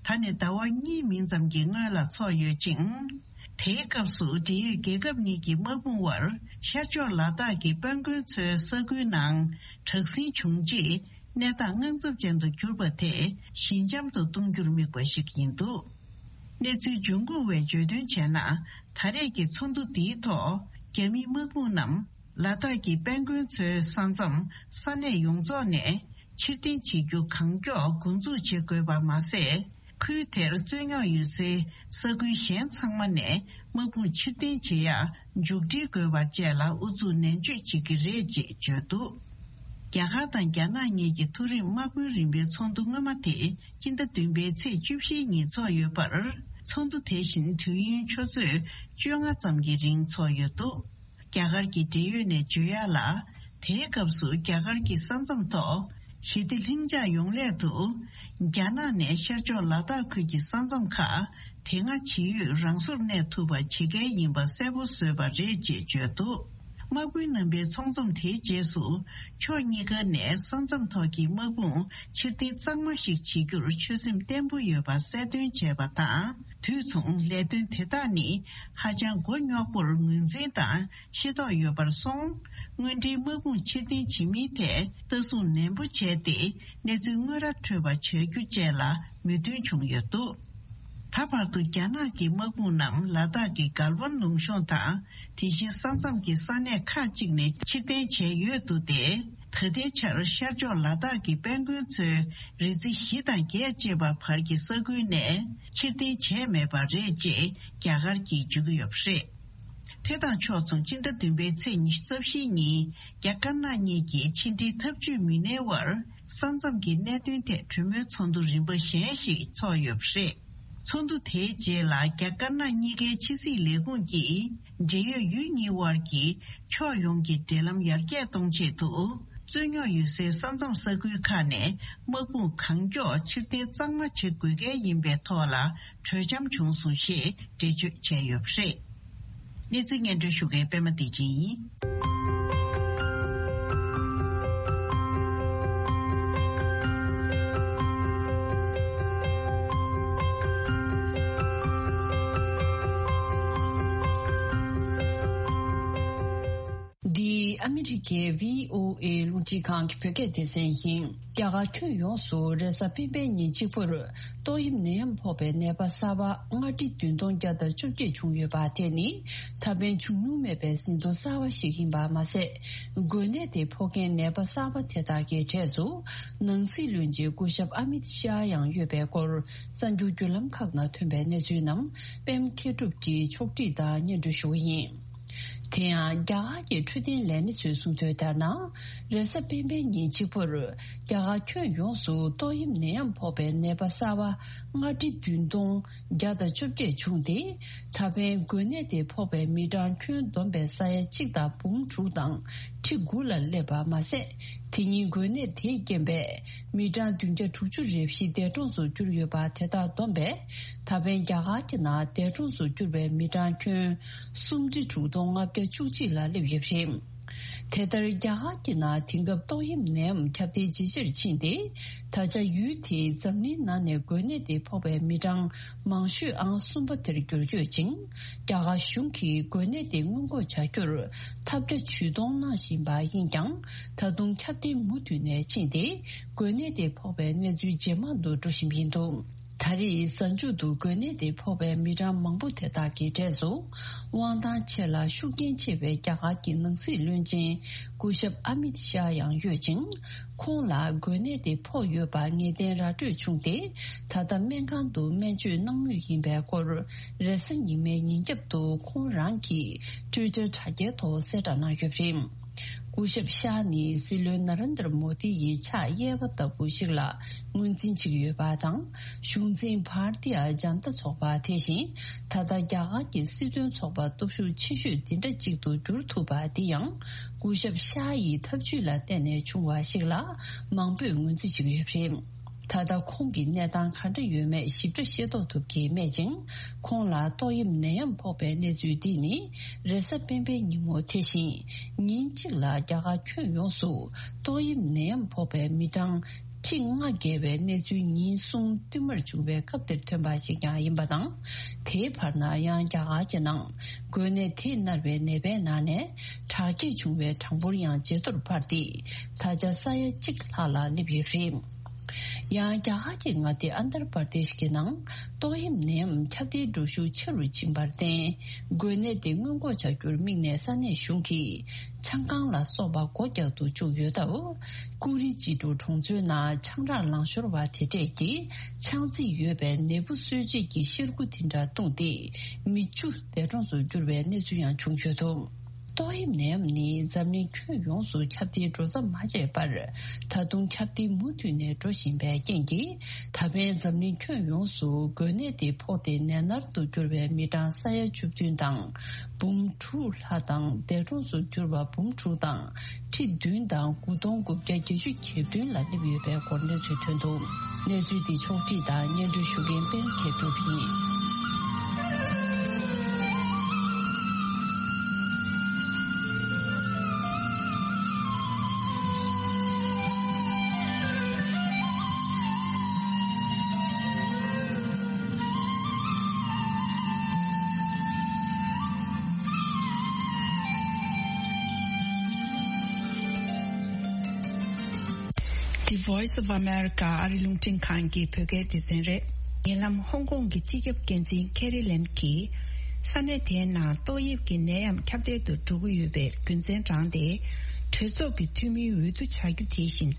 ད་ནས་ཟླ་བ་གཉིས་མིན་ཙམ་གྱི་སྔོན་ལ་ཚོགས་ཡོད་ཅིང་། དེའི་སྐབས་སུ་འབྲེལ་ཡོད་རྒྱལ་ཁབ་གཉིས་ཀྱི་དམག་དཔུང་དབར་ཤར་ཕྱོགས་ལ་དྭགས་ཀྱི་དཔལ་མགོན་ཚོའི་ས་ཁུལ་ནང་དྲག་ཟིང་བྱུང་རྗེས་གནས་སྟངས་དངངས་འཚབ་ཅན་དུ་གྱུར་པ་དེ་ཞི་འཇམ་དུ་གཏོང་རྒྱུར་དམིགས་པ་ཞིག་ཡིན་འདུག་གནས་ཚུལ་འབྱུང་ཁུངས་བས་བརྗོད་དོན་བྱས་ན། ད་རེས་ཀྱི་ཚོགས་འདུ་འདིའི་ཐོག་རྒྱ་མིའི་དམག་དཔུང་རྣམས། ལ་དྭགས་ཀྱི་དཔལ་མགོན་ཚོའི་ས་མཚམས་ས་གནས་ཡོངས་རྫོགས་ནས་ཕྱིར་འཐེན་བྱེད་རྒྱུ་གང་མགྱོགས་འགོ་འཛུགས་བྱེད་དགོས་པ་མ་ཟད། ཁུལ་དེར་རྩོད་རྙོག་ཡོད་སའི་ས་ཁུལ་གཞན་ཚང་མ་ནས་དམག་དཔུང་ཕྱིར་འཐེན་བྱེད་ཡག་མཇུག་སྒྲིལ་དགོས་པ་བཅས་ལ་ཨུ་ཚུགས་ནན་བརྗོད་བྱེད་ཀྱི་རེད་ཅེས་བརྗོད་འདུག་རྒྱ་གར་དང་རྒྱ་ནག་གཉིས་ཀྱི་མཐོ་རིམ་དམག་དཔོན་རིམ་པའི་ཚོགས་འདུ་སྔོན་མ་དེ་སྤྱི་ཟླ་བདུན་པའི་ཚེས་བཅུ་བཞིའི་ཉིན་འཚོགས་ཡོད་པར། ཚོགས་འདུ་དེ་བཞིན་དུས་ཡུན་ཆུ་ཚོད་བཅོ་ལྔ་ཙམ་གྱི་རིང་འཚོགས་ཡོད་འདུག་རྒྱ་གར་གྱི་འབྲེལ་ཡོད་ནས་བརྗོད་ཡག་ལ། དེའི་སྐབས་སུ་རྒྱ་གར་གྱི་ས་མཚམས་ཐོག་ཞི་བདེ་ལྷིང་འཇགས་ཡོང་སླད་དུ། རྒྱ་ནག་ནས་ཤར་ཕྱོགས་ལ་དྭགས་ཁུལ་གྱི་ས་མཚམས་ཁག་དེ་སྔ་ཇི་ཡོད་རང་སོར་གནས་ཐུབ་པ་བྱེད་གལ་ཡིན་པ་གསལ་པོ་བཟོས་པ་རེད་ཅེས་བརྗོད་འདུག་དམག་དཔོན་རྣམ་པའི་ཚོགས་འཛོམས་དེའི་རྗེས་སུ། ཕྱོགས་གཉིས་ཀ་ནས་ས་མཚམས་ཐོག་གི་དམག་དཔུང་ཕྱིར་འཐེན་གཙང་མ་ཞིག་བྱེད་རྒྱུར་ཆོད་སེམས་བརྟན་པོ་ཡོད་པ་གསལ་སྟོན་བྱས་པ་དང་། དུས་མཚུངས་ལས་དོན་དེ་དག་ནི་ཧ་ཅང་མགོ་རྙོག་པོར་ངོས་འཛིན་དང་ཤེས་རྟོགས་ཡོད་པར་སོང་། དངོས་འབྲེལ་དམག་དཔུང་ཕྱིར་འཐེན་བྱེད་མིན་ཐད་ལྟ་སྲུང་ནན་པོ་བྱས་ཏེ། གནས་ཚུལ་དངོས་ར་འཕྲོད་པ་བྱ་རྒྱུ་བཅས་ལ་མོས་མཐུན་བྱུང་ཡོད་འདུག་ད་བར་དུ་རྒྱ་ནག་གི་དམག་དཔུང་རྣམས་ལ་དྭགས་ཀྱི་གལ་ཝན་ལུང་གཤོང་དང་། དེ་བཞིན་ས་མཚམས་ཀྱི་ས་གནས་ཁག་ཅིག་ནས་ཕྱིར་འཐེན་བྱས་ཡོད་འདུག་སྟེ། ད་ལྟའི་ཆར་ཤར་ཕྱོགས་ལ་དྭགས་ཀྱི་དཔལ་མགོན་མཚོའི་རི་རྩེ་བཞི་དང་བརྒྱད་ཅེས་པ་བར་གྱི་ས་ཁུལ་ནས་ཕྱིར་འཐེན་བྱས་མེད་པ་རེད་ཅེས་རྒྱ་གར་གྱིས་བརྗོད་ཀྱི་ཡོད་པ་རེད། དེ་དང་ཕྱོགས་མཚུངས་སྤྱི་ཟླ་བདུན་པའི་ཚེས་ཉི་ཤུ་རྩ་བཞིའི་ཉིན་རྒྱ་དཀར་ནག་གཉིས་ཀྱི་ཕྱི་འབྲེལ་འཐབ་ཇུས་མི་སྣའི་དབར་ས་མཚམས་ཀྱི་གནད་དོན་ཐད་གྲོས་མོལ་ཚོགས་འདུ་རིམ་པ་གཞན་ཞིག་འཚོགས་ཡོད་པ་རེད། ཚོགས་འདུ་དེའི་རྗེས་ལ་རྒྱ་དཀར་ནག་གཉིས་ཀའི་ཕྱི་སྲིད་ལས་ཁུངས་ཀྱིས་འབྲེལ་ཡོད་ཡུལ་གཉིས་དབར་གྱི་ཕྱོགས་ཡོངས་ཀྱི་འབྲེལ་ལམ་ཡར་རྒྱས་གཏོང་ཆེད་དུ་རྩོད་རྙོག་ཡོད་སའི་ས་མཚམས་ས་ཁུལ་ཁག་ནས་དམག་དཔུང་གང་མགྱོགས་ཕྱིར་འཐེན་གཙང་མ་བྱེད་དགོས་གལ་ཡིན་པའི་ཐོག་ལ་གྲོས་འཆམ་བྱུང་སོང་ཞེས་འགྲེལ་བརྗོད་བྱས་ཡོད་པ་རེད། གནས་ཚུལ་སྙན་སྒྲོན་ཞུ་མཁན་པད་མ་བདེ་ཆེན་ཡིན། འདི་ཨ་མི་རི་ཀའི་བྷི་ཨོ་ཨེ་རླུང་འཕྲིན་ཁང་གི་བོད་སྐད་སྡེ་ཚན་ཡིན། རྒྱ་གར་ཁྱོན་ཡོངས་སུ་རེས་གཟའ་སྤེན་པའི་ཉིན་གཅིག་པུར་ཏོག་དབྱིབས་ནད་ཡམས་ཕོག་པའི་ནད་པ་གསར་པ་ལྔ་ཁྲི་བདུན་སྟོང་བརྒྱ་དང་བཅོ་བརྒྱད་བྱུང་ཡོད་པ་དེ་ནི་ད་ཕན་བྱུང་མྱོང་མེད་པའི་ཟིན་ཐོ་གསར་པ་ཞིག་ཡིན་པ་མ་ཟད། འགོས་ནད་དེ་ཕོག་མཁན་ནད་པ་གསར་པ་དེ་དག་གི་གྲས་སུ་ནང་སྲིད་བློན་ཆེན་སྐུ་ཞབས་ཨ་མིད་ཤཱ་ཡང་ཡོད་པའི་སྐོར་གསར་འགྱུར་བརྒྱུད་ལམ་ཁག་ནང་ཐོན་པའི་གནས་ཚུལ་རྣམས་པད་མ་མཁས་གྲུབ་ཀྱིས་ཕྱོགས་སྒྲིག་དང་སྙན་སྒྲོན་ཞུ་གི་ཡིན། དེ་ཡང་རྒྱ་གར་གྱི་འཕྲོད་བསྟེན་ལས་སྣེ་ཚོས་གསུངས་དོན་ལྟར་ན། རེས་གཟའ་སྤེན་པའི་ཉིན་གཅིག་པུར་རྒྱ་གར་ཁྱོན་ཡོངས་སུ་ཏོག་དབྱིབས་ནད་ཡམས་ཕོག་པའི་ནད་པ་གསར་པ་ལྔ་ཁྲི་བདུན་སྟོང་བརྒྱ་དང་བཅོ་བརྒྱད་བྱུང་སྟེ། ད་ཕན་འགོས་ནད་དེ་ཕོག་པའི་མི་གྲངས་ཁྱོན་བསྡོམས་པའི་ས་ཡ་གཅིག་དང་འབུམ་དྲུག་དང་ཁྲི་དགུ་ལ་སླེབས་པ་མ་ཟད། དེ་ཉིན་འགོས་ནད་དེའི་རྐྱེན་པས་མི་གྲངས་བདུན་བརྒྱ་དྲུག་ཅུ་རེ་བཞི་འདས་གྲོངས་སུ་གྱུར་ཡོད་པ་དེ་དག་བསྡོམས་པས། ད་ཕན་རྒྱ་གར་གྱི་ནང་འདས་གྲོངས་སུ་གྱུར་པའི་མི་གྲངས་ཁྱོན་སུམ་ཁྲི་དྲུག་སྟོང་ལྔ་བརྒྱ་བཅུ་གཅིག་ལ་སླེབས་ཡོད་པ་རེད། དེ་ལྟར་རྒྱ་གར་གྱི་ནང་དེང་སྐབས་ཏོག་དབྱིབས་ནད་ཡམས་ཁྱབ་གདལ་ཇེ་ཆེར་ཕྱིན་ཏེ། ད་ཆ་ཡུལ་དེའི་འཛམ་གླིང་ནང་ནས་འགོས་ནད་དེ་ཕོག་པའི་མི་གྲངས་མང་ཤོས་ཨང་གསུམ་པ་དེར་འགྱུར་ཡོད་ཅིང་། རྒྱ་གར་གཞུང་གིས་འགོས་ནད་དེ་སྔོན་འགོག་བྱ་རྒྱུར་ཐབས་བརྒྱ་ཇུས་སྟོང་གནང་བཞིན་པ་ཡིན་ཀྱང་། ད་དུང་ཁྱབ་གདལ་མུ་མཐུད་ནས་ཕྱིན་ཏེ། འགོས་ནད་དེ་ཕོག་པའི་གནས་ཚུལ་ཇེ་མང་དུ་འགྲོ་བཞིན་པ་ཡིན་འདུག་ད་རེས་གཟའ་མཇུག་ཏུ་འགོས་ནད་དེ་ཕོག་པའི་མི་གྲངས་མང་པོ་དེ་དག་གི་གྲས་སུ། དབང་ཐང་ཆེ་ལ་ཤུགས་རྐྱེན་ཆེ་བའི་རྒྱ་གར་གྱི་ནང་སྲིད་བློན་ཆེན་སྐུ་ཞབས་ཨ་མིད་ཤཱ་ཡང་ཡོད་ཅིང་། ཁོང་ལ་འགོས་ནད་དེ་ཕོག་ཡོད་པ་ངེས་གཏན་ར་སྤྲོད་བྱུང་སྟེ། ད་ལྟ་སྨན་ཁང་དུ་སྨན་བཅོས་གནང་མུས་ཡིན་པའི་སྐོར། རེས་གཟའ་ཉི་མའི་ཉིན་རྒྱབ་ཏུ་ཁོང་རང་གིས་ཊུའི་ཊར་དྲ་རྒྱའི་ཐོག་གསལ་བསྒྲགས་གནང་ཡོད་པ་རེད། སྐུ་ཞབས་ཤཱ་ནི་སྲིད་བློན་ན་རེན་དར་མོ་དི་ཡི་ཕྱག་གཡས་པ་ལྟ་བུ་ཞིག་ལ་ངོས་འཛིན་བྱེད་ཀྱི་ཡོད་པ་དང་། གཞུང་འཛིན་བྷར་ཏི་ཡ་ཇན་ཏ་ཚོགས་པ་དེ་བཞིན་ད་ལྟ་རྒྱ་གར་གྱི་སྲིད་དོན་ཚོགས་པ་སྟོབས་ཤུགས་ཆེ་ཤོས་འདི་འདྲ་གཅིག་ཏུ་འགྱུར་ཐུབ་པ་འདི་ཡང་། སྐུ་ཞབས་ཤཱ་ཡི་ཐབས་ཇུས་ལ་བརྟེན་ནས་བྱུང་བ་ཞིག་ལ་མང་པོས་ངོས་འཛིན་བྱེད་ཀྱི་ཡོད་པ་རེད། ད་ལྟ་ཁོང་གི་གནས་སྟངས་ག་འདྲ་ཡོད་མེད་ཞིབ་ཕྲ་ཤེས་རྟོགས་ཐུབ་ཀྱི་མེད་ཅིང་། ཁོང་ལ་ཏོག་དབྱིབས་ནད་ཡམས་ཕོག་པའི་གནས་ཚུལ་འདི་ནི་རེས་གཟའ་སྤེན་པའི་ཉིན་མོ་དེ་བཞིན་ཉིན་གཅིག་ལ་རྒྱ་གར་ཁྱོན་ཡོངས་སུ་ཏོག་དབྱིབས་ནད་ཡམས་ཕོག་པའི་མི་གྲངས་ཁྲི་ལྔ་བརྒལ་བའི་གནས་ཚུལ་ཉིན་གསུམ་བསྟུད་མར་བྱུང་བའི་སྐབས་དེར་ཐོན་པ་ཞིག་ཀྱང་ཡིན་པ་དང་། དེའི་བར་ན་ཡང་རྒྱ་གར་གྱི་ནང་འགོས་ནད་དེས་མནར་བའི་ནད་པའི་ནང་ནས་དྲག་སྐྱེད་བྱུང་བའི་གྲངས་འབོར་ཡང་ཇེ་མཐོར་འཕར་ཏེ། ད་ཆ་ས་ཡ་གཅིག་ལྷག་ལ་སླེབས་ཡོད་པ་རེད། ཡང་རྒྱ་གར་གྱི་མངའ་སྡེ་ཨན་དར་པར་དེཤ་གི་ནང་ཏོག་དབྱིབས་ནད་ཡམས་ཁྱབ་གདལ་འགྲོ་ཤུགས་ཆེ་རུ་ཕྱིན་པར་བརྟེན། འགོས་ནད་དེ་སྔོན་འགོག་བྱ་རྒྱུར་དམིགས་ནས་ས་གནས་གཞུང་གིས་ཆང་ཁང་ལ་སོགས་པ་སྒོ་རྒྱག་ཏུ་བཅུག་ཡོད་སྟབས། ཀུ་རི་ཅི་ཀྲུའུ་གྲོང་ཚོའི་ནང་ཆང་རག་ལང་ཤོར་བ་དེ་འདྲས་ཀྱི་ཆང་རྫས་ཡོད་པའི་ནད་འབུ་གསོད་བྱེད་ཀྱི་གཤེར་ཁུ་དེ་འདྲ་བཏུངས་ཏེ། མི་བཅུ་འདས་གྲོངས་སུ་གྱུར་བའི་གནས་ཚུལ་ཡང་བྱུང་ཡོད་འདུག་ཏོག་དབྱིབས་ནད་ཡམས་ནི་འཛམ་གླིང་ཁྱོན་ཡོངས་སུ་ཁྱབ་གདལ་འགྲོ་མཚམས་མ་ཆད་པར། ད་དུང་ཁྱབ་གདལ་མུ་མཐུད་ནས་འགྲོ་བཞིན་པའི་རྐྱེན་གྱིས། ད་ཕན་འཛམ་གླིང་ཁྱོན་ཡོངས་སུ་འགོས་ནད་དེ་ཕོག་སྟེ་ནད་མནར་དུ་གྱུར་བའི་མི་གྲངས་ས་ཡ་བཅུ་བདུན་དང་འབུམ་དྲུག་ལྷག་དང་། འདས་གྲོངས་སུ་གྱུར་བ་འབུམ་དྲུག་དང་ཁྲི་བདུན་དང་དགུ་སྟོང་དགུ་བརྒྱ་བརྒྱད་ཅུ་གྱ་བདུན་ལ་སླེབས་ཡོད་པའི་སྐོར་གནས་ཚུལ་ཐོན་འདུག་གནས་ཚུལ་འདི་ཕྱོགས་བསྒྲིགས་དང་སྙན་སྒྲོན་ཞུ་མཁན་པད་མ་མཁས་གྲུབ་ཡིན། The Voice of America ཨ་རི་རླུང་འཕྲིན་ཁང་གི་བོད་སྐད་སྡེ་ཚན་རེད། ཉེ་ལམ་ཧོང་ཀོང་གི་སྤྱི་ཁྱབ་འགན་འཛིན་ཁེ་རི་ལེམ་གྱིས། ས་གནས་དེའི་ནང་ཏོག་དབྱིབས་ཀྱི་ནད་ཡམས་ཁྱབ་གདལ་དུ་འགྲོ་གི་ཡོད་པའི་རྒྱུ་མཚན་དྲངས་ཏེ། གྲོས་ཚོགས་ཀྱི་འཐུས་མིའི་འོས་བསྡུ་བྱ་རྒྱུ་དེ་བཞིན་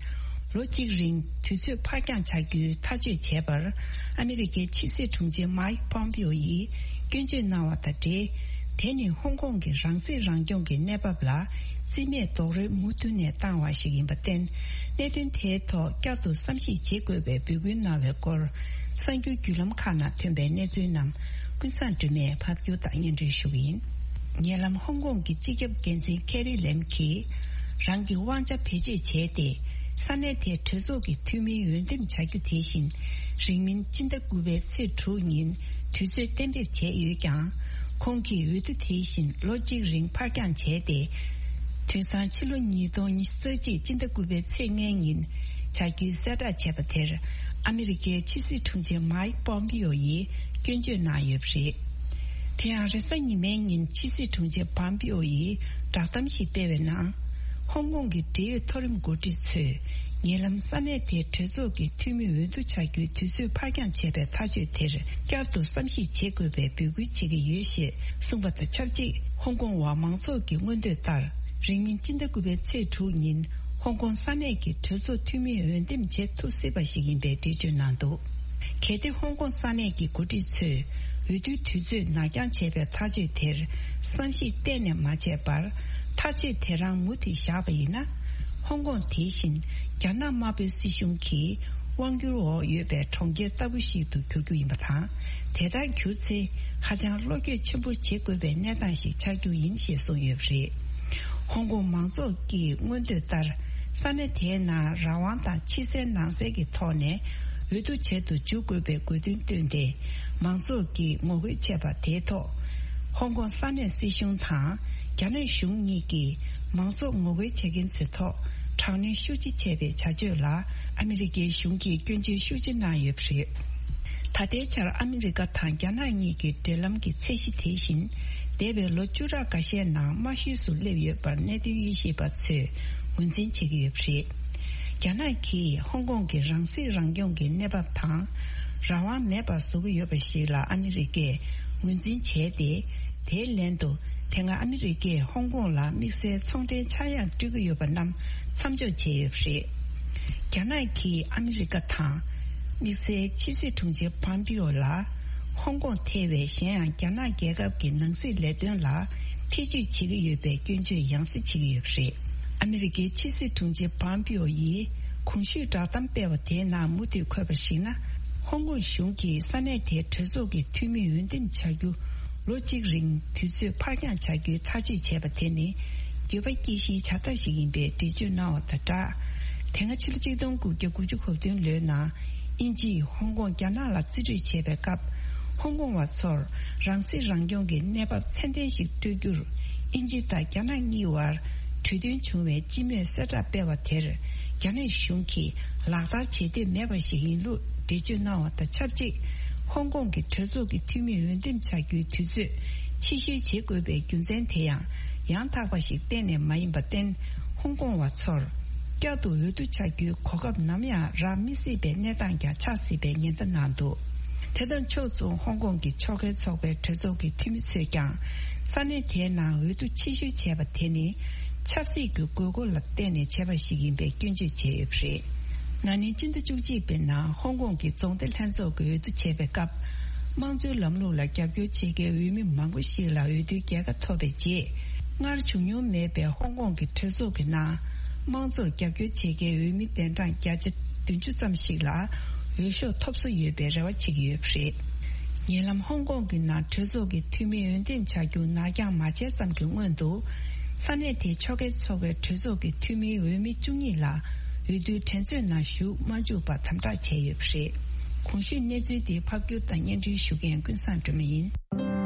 ལོ་གཅིག་རིང་དུས་ཚོད་ཕར་འགྱངས་བྱ་རྒྱུའི་ཐག་གཅོད་བྱས་པར། ཨ་མི་རི་ཀའི་ཕྱི་སྲིད་དྲུང་ཆེ་མཱིག་པོམ་པིའོ་ཡིས་སྐྱོན་བརྗོད་གནང་བ་དང་འབྲེལ། དེ་ནི་ཧོང་ཀོང་གི་རང་སྲིད་རང་སྐྱོང་གི་གནས་བབ་ལ་རྩིས་མེད་རྡོག་རོལ་མུ་མཐུད་ནས་བཏང་བ་ཞིག་ཡིན་པར་བརྟེན། གནད་དོན་དེའི་ཐོག་བསྐྱར་དུ་བསམ་གཞིག་བྱེད་དགོས་པའི་འབོད་སྐུལ་གནང་བའི་སྐོར། གསར་འགྱུར་བརྒྱུད་ལམ་ཁག་ནང་ཐོན་པའི་གནས་ཚུལ་རྣམས་ཀུན་བཟང་སྒྲོལ་མས་ཕབ་སྒྱུར་དང་སྙན་སྒྲོན་ཞུ་གི་ཡིན། ཉེ་ལམ་ཧོང་ཀོང་གི་སྤྱི་ཁྱབ་འགན་འཛིན་ཁེ་རི་ལེམ་གྱིས། རང་གི་དབང་ཆ་བེད་སྤྱོད་བྱས་ཏེ། ས་གནས་དེའི་གྲོས་ཚོགས་ཀྱི་འཐུས་མིའི་འོས་འདེམས་བྱ་རྒྱུ་དེ་བཞིན། རིང་མིན་སྤྱི་ཟླ་དགུ་པའི་ཚེས་དྲུག་ཉིན་དུས་ཚོད་གཏན་འབེབས་བྱས་ཡོད་ཀྱང་། ཁོང་གིས་འོས་བསྡུ་དེ་བཞིན་ལོ་གཅིག་རིང་ཕར་འགྱངས་བྱས་ཏེ། དུས་སང་ཕྱི་ལོ་ཉིས་སྟོང་ཉི་ཤུ་རྩ་གཅིག་སྤྱི་ཟླ་དགུ་པའི་ཚེས་ལྔའི་ཉིན་བྱ་རྒྱུའི་གསལ་བསྒྲགས་བྱས་པ་དེར། ཨ་མི་རི་ཀའི་ཕྱི་སྲིད་དྲུང་ཆེ་མཱིག་པོམ་པིའོ་ཡིས་སྐྱོན་བརྗོད་གནང་ཡོད་པ་རེད། དེ་ཡང་རེས་གཟའ་ཉི་མའི་ཉིན་ཕྱི་སྲིད་དྲུང་ཆེ་པོམ་པིའོ་ཡིས་བསྒྲགས་གཏམ་ཞིག་སྤེལ་བའི་ནང་། ཧོང་ཀོང་གི་འབྲེལ་ཡོད་མཐོ་རིམ་འགོ་ཁྲིད་ཚོས། ཉེ་ལམ་ས་གནས་དེའི་གྲོས་ཚོགས་ཀྱི་འཐུས་མི་འོས་བསྡུ་བྱ་རྒྱུའི་དུས་ཚོད་ཕར་འགྱངས་བྱས་པའི་ཐག་གཅོད་དེར་བསྐྱར་དུ་བསམ་གཞིག་བྱེད་དགོས་པའི་འབོད་སྐུལ་བྱེད་ཀྱི་ཡོད་ཞེས་གསུངས་པ་དང་ཆབས་ཅིག་ཧོང་ཀོང་བ་མང་ཚོགས་ཀྱི་མངོན་འདོད་ལྟར། རིང་མིན་སྤྱི་ཟླ་དགུ་པའི་ཚེས་དྲུག་ཉིན་ཧོང་ཀོང་ས་གནས་ཀྱི་གྲོས་ཚོགས་འཐུས་མིའི་འོས་འདེམས་བྱེད་ཐུབ་སྲིད་པ་ཞིག་ཡིན་པའི་འགྲེལ་བརྗོད་གནང་འདུག་གལ་ཏེ་ཧོང་ཀོང་ས་གནས་ཀྱི་འགོ་ཁྲིད་ཚོས་འོས་བསྡུའི་དུས་ཚོད་ནར་འགྱངས་བྱས་པའི་ཐག་གཅོད་དེར་བསམ་གཞིག་གཏན་ནས་མ་བྱས་པར། ཐག་གཅོད་དེ་རང་མུ་མཐུད་བཞག་པ་ཡིན་ན། ཧོང་ཀོང་དེ་བཞིན་རྒྱ་ནག་དམར་པོའི་སྲིད་གཞུང་གི་དབང་སྒྱུར་འོག་ཡོད་པའི་གྲོང་ཁྱེར་ལྟ་བུ་ཞིག་ཏུ་འགྱུར་རྒྱུ་ཡིན་པ་དང་། དེ་ལྟར་གྱུར་ཚེ། ཧ་ཅང་བློ་འགྱོད་ཆེན་པོ་བྱེད་དགོས་པའི་གནས་སྟངས་ཤིག་ཆགས་རྒྱུ་ཡིན་ཞེས་གསུངས་ཡོད་པ་རེད། ཧོང་ཀོང་མང་ཚོགས་ཀྱི་མངོན་འདོད་ལྟར། ས་གནས་དེའི་ནང་རང་དབང་དང་ཕྱི་གསལ་ནང་གསལ་གྱི་ཐོག་ནས་འོས་བསྡུ་བྱེད་དུ་འཇུག་དགོས་པའི་དགོས་འདུན་བཏོན་ཏེ། མང་ཚོགས་ཀྱིས་ངོ་རྒོལ་བྱས་པ་དེའི་ཐོག་ཧོང་ཀོང་ས་གནས་སྲིད་གཞུང་དང་། རྒྱ་ནག་གཞུང་གཉིས་ཀྱིས་མང་ཚོགས་ངོ་རྒོལ་བྱེད་མཁན་ཚོའི་ཐོག་དྲག་གནོན་ཤུགས་ཆེ་བྱས་པའི་བྱ་སྤྱོད་ལ་ཨ་མི་རི་ཀའི་གཞུང་གིས་སྐྱོན་བརྗོད་ཤུགས་ཆེ་གནང་ཡོད་པ་རེད། ད་ལྟའི་ཆར་ཨ་མི་རི་ཀ་དང་རྒྱ་ནག་གཉིས་ཀྱི་འབྲེལ་ལམ་གྱི་ཚད་གཞི་དེ་བཞིན། འདས་པའི་ལོ་བཅུ་ཕྲག་འགའ་ཤས་ནང་དམའ་ཤོས་སུ་སླེབས་ཡོད་པར་གནད་དོན་དབྱེ་ཞིབ་པ་ཚོས་ངོས་འཛིན་བྱེད་ཀྱི་ཡོད་པ་རེད། རྒྱ་ནག་གིས་ཧོང་ཀོང་གི་རང་སྲིད་རང་སྐྱོང་གི་གནས་བབ་དང་། རང་དབང་མེད་པར་བཟོ་གི་ཡོད་པ་ཞིག་ལ་ཨ་མི་རི་ཀས་ངོས་འཛིན་བྱས་ཏེ། དེའི་ལན་དུ། དེ་སྔ་ཨ་མི་རི་ཀས་ཧོང་ཀོང་ལ་དམིགས་བསལ་ཚོང་འབྲེལ་ཆག་ཡང་སྤྲོད་ཀྱི་ཡོད་པ་རྣམས་མཚམས་འཇོག་བྱས་ཡོད་པ་རེད། རྒྱ་ནག་གིས་ཨ་མི་རི་ཀ་དང་། དམིགས་བསལ་ཕྱི་སྲིད་དྲུང་ཆེ་པོམ་པིའོ་ལ། ཧོང་ཀོང་ཐེ་བའི་གཞན་ཡང་རྒྱ་ནག་རྒྱལ་ཁབ་ཀྱི་ནང་སྲིད་ལས་དོན་ལ་ཐེ་ཇུས་བྱེད་ཀྱི་ཡོད་པའི་སྐྱོན་བརྗོད་ཡང་སེ་བྱེད་ཀྱི་ཡོད་པ་རེད། ཨ་མི་རི་ཀའི་ཕྱི་སྲིད་དྲུང་ཆེ་པོམ་པིའོ་ཡིས་གོང་ཞུས་བསྒྲགས་གཏམ་སྤེལ་བ་དེའི་ནང་མུ་མཐུད་འཁོད་པར་གཞིགས་ན། ཧོང་ཀོང་གཞུང་གིས་ས་གནས་དེའི་གྲོས་ཚོགས་ཀྱི་འཐུས་མིའི་འོས་འདེམས་བྱ་རྒྱུ། ལོ་གཅིག་རིང་དུས་ཚོད་ཕར་འགྱངས་བྱ་རྒྱུའི་ཐག་གཅོད་བྱས་པ་དེ་ནི། འགྱོད་པ་སྐྱེ་གཞིའི་བྱ་ཐབས་ཤིག་ཡིན་པའི་འགྲེལ་བརྗོད་གནང་བ་དང་སྦྲགས། དེ་སྔ་ཕྱི་ལོ་གཅིག་སྟོང་དགུ་བརྒྱ་དགུ་བཅུ་གོ་བདུན་ལོའི་ནང་། དབྱིན་ཇིས་ཧོང་ཀོང་རྒྱ་ནག་ལ་རྩིས་སྤྲོད་བྱས་པའི་སྐབས། ཧོང་ཀོང་བ་ཚོར་རང་སྲིད་རང་སྐྱོང་གི་གནས་བབ་ཚད་ལྡན་ཞིག་སྤྲོད་རྒྱུར། དབྱིན་ཇི་དང་རྒྱ་ནག་གཉིས་བར་གྲོས་མཐུན་བྱུང་བའི་སྤྱི་མོས་གསལ་བསྒྲགས་སྤེལ་བ་དེར། རྒྱ་ནག་གཞུང་གིས་ལག་བསྟར་བྱེད་འདོད་མེད་པ་ཞིག་ཡིན་ལུགས་འགྲེལ་བརྗོད་གནང་བ་དང་ཆབས་ཅིག་ཧོང་ཀོང་གི་གྲོས་ཚོགས་ཀྱི་འཐུས་མིའི་འོས་འདེམས་བྱ་རྒྱུའི་དུས་ཚོད་ཕྱིར་བཤོལ་བྱེད་དགོས་པའི་རྒྱུ་མཚན་དེ་ཡང་ཡང་དག་པ་ཞིག་གཏན་ནས་མ་ཡིན་པར་བརྟེན། ཧོང་ཀོང་བ་ཚོར་བསྐྱར་དུ་འོས་བསྡུ་བྱ་རྒྱུའི་གོ་སྐབས་ནམ་ཡང་རག་མི་སྲིད་པའི་གནས་སྟངས་ཀྱང་ཆགས་སྲིད་པའི་ཉེན་བརྡ་གནང་འདུག་དེ་དང་ཕྱོགས་མཚུངས་ཧོང་ཀོང་གི་ཕྱོགས་འགལ་ཚོགས་པའི་གྲོས་ཚོགས་ཀྱི་འཐུས་མི་ཚོས་ཀྱང་ས་གནས་དེའི་ནང་འོས་བསྡུ་ཕྱིར་བཤོལ་བྱས་པ་དེ་ནི་ཆབ་སྲིད་ཀྱི་དགོས་མཁོ་ལ་བརྟེན་ནས་བྱས་པ་ཞིག་ཡིན་པའི་སྐྱོན་བརྗོད་བྱས་ཡོད་པ་རེད། ན་ནིང་སྤྱི་ཟླ་བཅུ་གཅིག་པའི་ནང་ཧོང་ཀོང་གི་རྫོང་སྡེ་ལྷན་ཚོགས་ཀྱི་འོས་བསྡུ་བྱས་པའི་སྐབས། དམངས་གཙོའི་ལམ་ལུགས་ལ་རྒྱབ་སྐྱོར་བྱེད་མཁན་འོས་མི་མང་པོ་ཞིག་ལ་འོས་བསྡུའི་རྒྱལ་ཁ་ཐོབ་པའི་རྗེས། སྔར་བྱུང་མྱོང་མེད་པའི་ཧོང་ཀོང་གི་གྲོས་ཚོགས་ཀྱི་ནང་། དམངས་གཙོར་རྒྱབ་སྐྱོར་བྱེད་མཁན་འོས་མི་གདན་གྲངས་བརྒྱ་ཆ་བདུན་ཅུ་ཙམ་ཞིག་ལ་འོས་ཤོག་ཐོབ་བསོ་ཡོད་པའི་རེ་བ་བྱེད་ཀྱི་ཡོད་པ་རེད། ཉེ་ལམ་ཧོང་ཀོང་གི་ནང་གྲོས་ཚོགས་ཀྱི་འཐུས་མི་འོས་འདེམས་བྱ་རྒྱུ་ནར་འགྱངས་མ་བྱས་ཙམ་གྱི་སྔོན་དུ། ས་གནས་དེའི་ཕྱོགས་འགལ་ཚོགས་པའི་གྲོས་ཚོགས་ཀྱི་འཐུས་མིའི་འོས་མི་བཅུ་གཉིས་ལ་འོས་བསྡུའི་འགྲན་རྩོད་ནང་ཞུགས་མ་བཅུག་པར་དམ་དྲག་བྱས་ཡོད་པ་རེད། གོང་ཞུས་གནས་ཚུལ་དེ་ཕབ་སྒྱུར་དང་སྙན་སྒྲོན་ཞུ་མཁན་ཀུན་བཟང་སྒྲོལ་མ་ཡིན།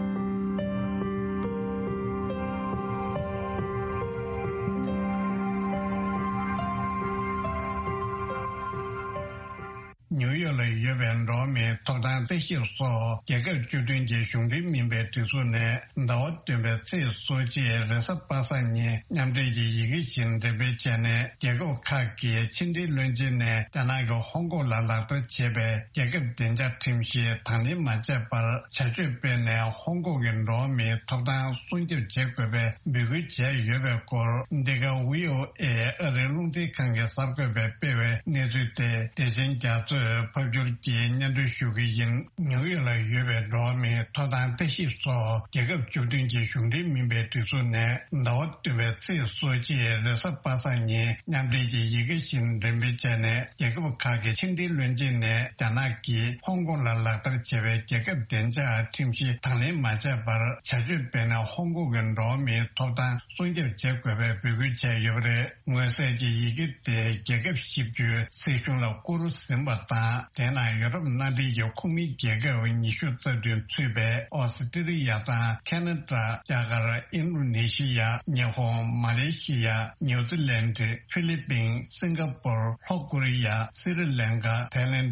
ནིའུ་ཡོག་ལ་ཡོད་པའི་འགྲོ་བ་མིའི་ཐོབ་ཐང་རྩད་ཞིབ་སོགས་རྒྱལ་ཁབ་བཅུ་བདུན་གྱི་གཞུང་འབྲེལ་མིན་པའི་སྒྲིག་འཛུགས་ནས། ཟླ་བ་བདུན་པའི་ཚེས་སོ་གཅིག་རེས་གཟའ་པ་སངས་ཉིན་མཉམ་འབྲེལ་གྱི་ཡི་གེ་ཞིག་འགྲེམས་སྤེལ་བྱས་ནས། རྒྱལ་ཁབ་ཁག་གི་ཕྱི་འབྲེལ་བློན་ཆེན་ནས་རྒྱ་ནག་གིས་ཧོང་ཀོང་ལ་ལག་བསྟར་བྱས་པའི་རྒྱལ་ཁབ་བདེ་འཇགས་ཁྲིམས་གཞི་དང་ལེན་མ་བྱས་པར་བྱ་སྤྱོད་སྤེལ་ནས། ཧོང་ཀོང་གི་འགྲོ་བ་མིའི་ཐོབ་ཐང་སྲུང་སྐྱོབ་བྱེད་དགོས་པའི་འབོད་སྐུལ་བྱས་ཡོད་པའི་སྐོར། འདི་ག་ཝི་ཨོ་ཨེ་ཨ་རིའི་རླུང་འཕྲིན་ཁང་གི་གསར་འགོད་པས་སྤེལ་བའི་གནས་ཚུལ་དེ། བདེ་ཆེན་རྒྱ་མཚོས་ཕབ་སྒྱུར་གྱིས་སྙན་སྒྲོན་ཞུ་གི་ཡིན། ནིའུ་ཡོག་ལ་ཡོད་པའི་འགྲོ་བ་མིའི་ཐོབ་ཐང་ལྟ་ཞིབ་སོགས་རྒྱལ་ཁབ་བཅུ་བདུན་གྱི་གཞུང་འབྲེལ་མིན་པའི་སྒྲིག་འཛུགས་ནས། ཟླ་བ་བདུན་པའི་ཚེས་སོ་གཅིག་རེས་གཟའ་པ་སངས་ཉིན་མཉམ་འབྲེལ་གྱི་ཡི་གེ་ཞིག་འགྲེམས་སྤེལ་བྱས་ནས། རྒྱལ་ཁབ་ཁག་གི་ཕྱི་འབྲེལ་བློན་ཆེན་ནས་རྒྱ་ནག་གིས་ཧོང་ཀོང་ལ་ལག་བསྟར་བྱས་པའི་རྒྱལ་ཁབ་བདེ་འཇགས་ཁྲིམས་གཞི་དང་ལེན་མ་བྱས་པར་བྱ་སྤྱོད་སྤེལ་ནས། ཧོང་ཀོང་གི་འགྲོ་བ་མིའི་ཐོབ་ཐང་སྲུང་སྐྱོབ་བྱེད་དགོས་པའི་འབོད་སྐུལ་བྱས་ཡོད་པ་རེད། མངོན་གསལ་གྱི་ཡི་གེ་དེ་རྒྱལ་ཁབ་བཞི་བཅུའི་སྲིད་གཞུང་ལ་བསྐུར་ཟིན་པ་དང་། དེ་ནང་ཡོ་རོབ་མནའ་འབྲེལ་གྱི་ཁོངས་མི་རྒྱལ་ཁབ་ཉི་ཤུ་རྩ་བདུན་ཚུད་པའི་ཨོ་སི་ཀྲི་ལི་ཡ་དང་། ཁ་ན་ཌ། རྒྱ་གར། ཨིན་རུ་ནེ་ཤི་ཡ། ཉི་ཧོང་། མ་ལེ་ཤི་ཡ། ནིའུ་ཛི་ལན། ཧྥི་ལི་པིན། སིང་ག་པུར། ལྷོ་ཀོ་རི་ཡ། སི་རི་ལན་ཀ། ཐའི་ལན།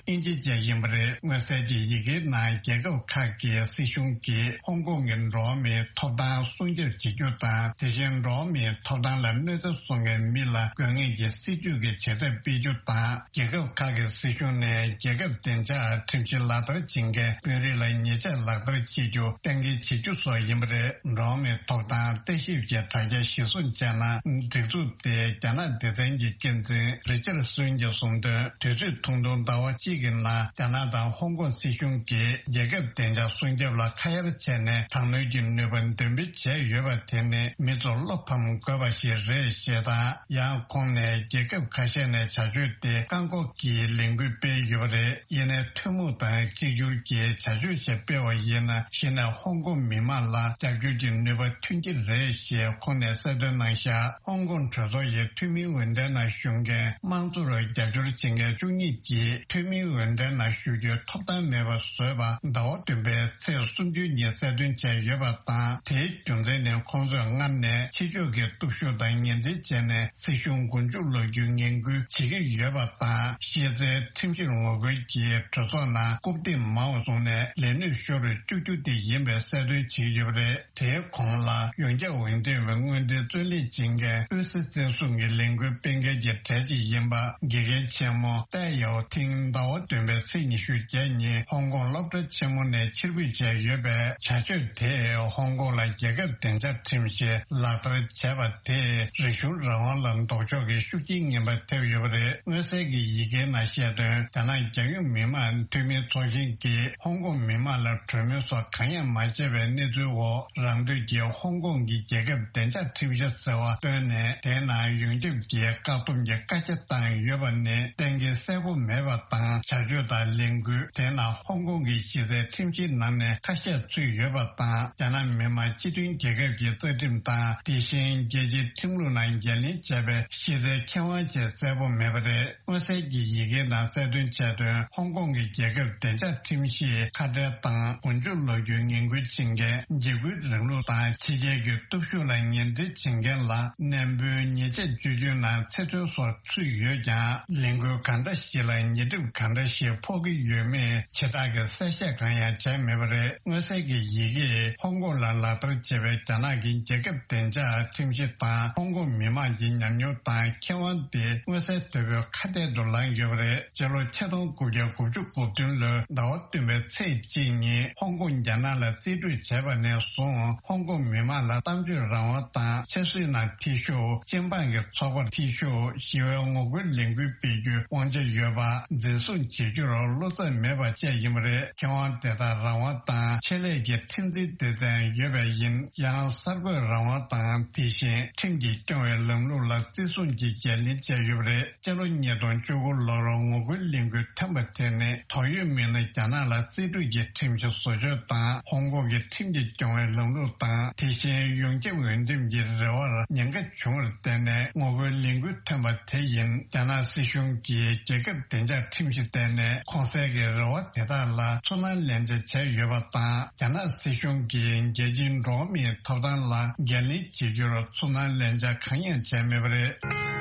ཨིན་ཇི་བཅས་ཡིན་པ་རེད། མངོན་གསལ་གྱི་ཡི་གེའི་ནང་རྒྱལ་ཁབ་ཁག་གི་སྲིད་གཞུང་གིས་ཧོང་ཀོང་གི་འགྲོ་བ་མིའི་ཐོབ་ཐང་སྲུང་སྐྱོབ་བྱེད་རྒྱུ་དང་། དེ་བཞིན་འགྲོ་བ་མིའི་ཐོབ་ཐང་ལ་གནོད་འཚེ་བཟོ་མཁན་མི་ལ་དགོས་ངེས་ཀྱི་སྲིད་ཇུས་ཀྱི་བྱེད་ཐབས་སྤེལ་རྒྱུ་དང་། རྒྱལ་ཁབ་ཁག་གི་སྲིད་གཞུང་ནས་རྒྱལ་ཁབ་བདེ་འཇགས་ཁྲིམས་གཞི་ལག་བསྟར་བྱེད་མཁན་དཔོན་རིགས་ལ་ཉེས་ཆད་ལག་བསྟར་བྱེད་རྒྱུ་གཏན་འཁེལ་བྱེད་རྒྱུ་སོགས་ཡིན་པ་རེད། འགྲོ་བ་མིའི་ཐོབ་ཐང་བརྟག་ཞིབ་ཀྱི་དྲ་རྒྱ་གཞིར་བཟུང་བྱས་ན། སྒྲིག་འཛུགས་དེ་རྒྱ་ནག་སྡེ་ཚན་གྱི་འགན་འཛིན་རི་ཅར་སོན་གྱིས་གསུངས་དོན། དུས་ཚོད་ཐུང་ཐུང་ཟླ་བ་གཅིག་གི་ནང་རྒྱ་ནག་དང་ཧོང་ཀོང་སྲིད་གཞུང་གིས་རྒྱལ་ཁབ་བདེ་འཇགས་སྲུང་སྐྱོབ་ལ་ཁ་གཡར་བྱས་ནས། དྲག་གནོན་གྱི་ནུས་པ་འདོན་སྤེལ་བྱས་ཡོད་པ་དེ་ནི་མི་ཚོར་བློ་ཕམ་དགོས་པ་ཞིག་རེད་ཞེས་དང་། ཡང་ཁོང་ནས་རྒྱལ་ཁབ་ཁ་ཤས་ནས་བྱ་སྤྱོད་དེ་བཀག་འགོག་གི་ལས་འགུལ་སྤེལ་ཡོད་པ་རེད། ཡིན་ནའི་ཐུན་མོང་དང་གཅིག་གྱུར་གྱི་བྱ་སྤྱོད་ཞིག་སྤེལ་བ་ཡིན་ན། གཞི་ནས་ཧོང་ཀོང་མི་མང་ལ་རྒྱབ་སྐྱོར་གྱི་ནུས་པ་ཐོན་གྱི་རེད་ཞེས་ཁོང་ནས་གསལ་སྟོན་གནང་བཞག་ཧོང་ཀོང་གྲོས་ཚོགས་ཀྱི་འཐུས་མིའི་འོས་འགྲན་ནང་ཞུགས་མཁན་དམངས་གཙོར་རྒྱབ་སྐྱོར་བྱེད་མཁན་བཅུ་གཉིས་ཀྱིས་འཐུས་མིའི་འོས་འགྲན་ནང་ཞུགས་རྒྱུའི་ཐོབ་ཐང་མེད་པ་བཟོས་པ་ཟླ་བ་བདུན་པའི་ཚེས་སུམ་ཅུ་ཉིན་གསལ་སྟོན་བྱས་ཡོད་པ་དང་། དེའི་རྒྱུ་མཚན་ནི་ཁོང་ཚོས་སྔར་ནས་ཕྱི་ཕྱོགས་ཀྱི་སྟོབས་ཤུགས་དང་ངན་འབྲེལ་བྱས་ནས་སྲིད་གཞུང་མགོ་མཇུག་སློག་རྒྱུའི་ངན་སྐུལ་བྱེད་ཀྱི་ཡོད་པ་དང་། གཞི་རྩའི་ཁྲིམས་གཞིར་ངོ་རྒོལ་གྱིས་གྲོས་ཚོགས་ནང་རྐུབ་སྟེགས་མང་བ་བཟུང་ནས་ལས་གནས་ཤོར་བཅུག་རྒྱུ་དེ་ཡིན་པའི་གསལ་སྟོན་བྱས་ཡོད་པ་རེད། དེའི་གོང་ལ། ཡོངས་ཁྱབ་འོས་འདེམས་པའི་སྔོན་འགྲོའི་རྩོད་ལེན་བྱེད་མཁན་དབུས་སའི་བཙན་བཟུང་གི་ལས་འགུལ་སྤེལ་མཁན་གྱི་གྲས་གཅིག་ཡིན་པ། དགེ་རྒན་ཆེན་མོ་ཏའེ་ཡའོ་ཐིང་ཟླ་བ་བདུན་པའི་ཚེས་ཉི་ཤུ་བརྒྱད་ཉིན་ཧོང་ཀོང་སློབ་གྲྭ་ཆེན་མོ་ནས་ཕྱིར་འབུད་བྱས་ཡོད་པས། བྱ་སྤྱོད་དེས་ཧོང་ཀོང་ལ་རྒྱལ་ཁབ་བདེ་འཇགས་ཁྲིམས་གཞི་ལག་བསྟར་བྱས་པ་དེས་རིག་གཞུང་རང་དབང་ལ་ལྡོག་ཕྱོགས་ཀྱི་ཤུགས་རྐྱེན་ངན་པ་ཐེབས་ཡོད་པ་རེད། མངོན་གསལ་གྱི་ཡི་གེའི་ནང་བཤད་དོན། རྒྱ་ནག་རྒྱལ་ཡོངས་མི་དམངས་འཐུས་མིའི་ཚོགས་ཆེན་གྱིས་ཧོང་ཀོང་མི་དམངས་ལ་གྲོས་མོལ་སོགས་གང་ཡང་མ་བྱས་པའི་གནས་ཚུལ་འོག་རང་འདོད་ཀྱིས་ཧོང་ཀོང་གི་རྒྱལ་ཁབ་བདེ་འཇགས་ཁྲིམས་གཞི་ཟེར་བ་བཏོན་ནས། དེའི་ནང་ཡོངས་ཁྱབ་ཀྱི་བཀག་སྡོམ་གྱི་བཀའ་རྒྱ་བཏང་ཡོད་པ་ནི་གཏན་འཁེལ་གསལ་པོ་མེད་པ་དང་། བྱ་སྤྱོད་དང་ལས་འགུལ་དེའི་ནང་ཧོང་ཀོང་གི་གཞི་རྩའི་ཁྲིམས་གཞིའི་ནང་ནས་ཁ་ཤས་ཚུད་ཡོད་པ་དང་། རྒྱ་ནག་མི་དམངས་སྤྱི་མཐུན་རྒྱལ་ཁབ་ཀྱི་རྩ་ཁྲིམས་དང་། དེ་བཞིན་རྒྱལ་སྤྱིའི་ཁྲིམས་ལུགས་ནང་འགན་ལེན་བྱས་པའི་གཞི་རྩའི་ཁེ་དབང་བཅས་གསལ་པོ་མེད་པ་རེད། མངོན་གསལ་གྱི་ཡི་གེའི་ནང་གསལ་སྟོན་བྱས་དོན། ཧོང་ཀོང་གི་རྒྱལ་ཁབ་བདེ་འཇགས་ཁྲིམས་གཞིའི་ཁ་བྲལ་དང་མགོ་མཇུག་སློག་རྒྱུའི་ངན་སྐུལ་བྱེད་མཁན། འཇིགས་སྐུལ་རིང་ལུགས་དང་ཕྱི་རྒྱལ་གྱི་སྟོབས་ཤུགས་ལ་ངན་འབྲེལ་བྱེད་མཁན་ལ་ནན་པོའི་ཉེས་ཆད་གཅོད་རྒྱུའི་ནང་ཚེ་བཙོན་སོགས་ཚུད་ཡོད་ཀྱང་། ལས་འགུལ་གང་འདྲ་ཞིག་ལ་ཉེས་སྒྲིབ་གང་འདྲ་ཞིག་ཕོག་གི་ཡོད་མེད་ཇི་ལྟར་གྱི་གསལ་བཤད་གང་ཡང་བྱས་མེད་པ་རེད། མངོན་གསལ་གྱི་ཡི་གེས་ཧོང་ཀོང་ལ་ལག་བསྟར་བྱས་པའི་རྒྱ་ནག་གི་རྒྱལ་ཁབ་བདེ་འཇགས་ཁྲིམས་གཞི་དང་། ཧོང་ཀོང་མི་དམངས་ཀྱི་ཉམས་མྱོང་དང་ཁེ་དབང་དེ་མངོན་གསལ་དོད་པོའི་ཁ་གཏད་དུ་ལངས་ཡོད་པ་རེད། སྤྱི་ལོ་ཆིག་སྟོང་དགུ་བརྒྱ་དགུ་བཅུ་གོ་བདུན་ལོའི་ཟླ་བ་བདུན་པའི་ཚེས་གཅིག་ཉིན་ཧོང་ཀོང་རྒྱ་ནག་ལ་རྩིས་སྤྲོད་བྱས་པ་ནས་བཟུང་ཧོང་ཀོང་མི་མང་ལ་གཏམ་བརྗོད་རང་དབང་དང་ཆབ་སྲིད་ནང་འཐུས་ཤོར། སྤྱི་འབངས་ཀྱི་ཚོགས་པར་འཐུས་ཤོར། ཞི་བའི་ངོ་རྒོལ་ལས་འགུལ་སྤེལ་རྒྱུའི་དབང་ཆ་ཡོད་པ་འཛིན་བཟུང་བྱེད་རྒྱུར་བློ་འཚབ་མེད་པ་བཅས་ཡིན་པ་རེད། ཁེ་དབང་དེ་དག་རང་དབང་དང་ཆེད་ལས་ཀྱི་ཁྲིམས་འཛིན་སྡེ་ཚན་ཡོད་པས་ཡིན། ཡང་གསར་འགོད་རང་དབང་དང་དེ་བཞིན་ཁྲིམས་ཀྱིས་སྐྱོང་བའི་ལམ་ལུགས་ལ་བརྩི་སྲུང་གིས་འགན་ལེན་བྱས་ཡོད་པ་རེད། སྤྱི་ལོ་ཉིས་སྟོང་བཅུ་དགུ་ལོར་ངོ་རྒོལ་ལས་འགུལ་ཐེངས་པ་དེ་ནི་དོགས་ཡོད་མི་སྣ་རྒྱ་ནག་ལ་རྩིས་སྤྲོད་ཀྱི་ཁྲིམས་གཞི་བཟོ་བཅོས་དང་ཧོང་ཀོང་གི་ཁྲིམས་ཀྱིས་སྐྱོང་བའི་ལམ་ལུགས་དང་དེ་བཞིན་ཡོངས་ཁྱབ་འོས་འདེམས་ཀྱི་རེ་བར་ཉེན་ཁ་བྱུང་བར་བརྟེན་ནས་ངོ་རྒོལ་ལས་འགུལ་ཐོན་པ་དེ་ཡིན། རྒྱ་ནག་སྲིད་གཞུང་གིས་རྒྱལ་ཁབ་བདེ་འཇགས་ཁྲིམས་གཞི་བཏོན་ནས་གོང་གསལ་གྱི་རེ་བ་དེ་དག་ལ་ཚུར་སྣང་ལན་འཇལ་བྱས་ཡོད་པ་དང་། རྒྱ་ནག་སྲིད་གཞུང་གིས་རྒྱལ་སྤྱིའི་འགྲོ་བ་མིའི་ཐོབ་ཐང་ལ་འགན་ལེན་བྱེད་རྒྱུར་ཚུར་སྣང་ལན་འཇལ་གང་ཡང་བྱས་མེད་པ་རེད།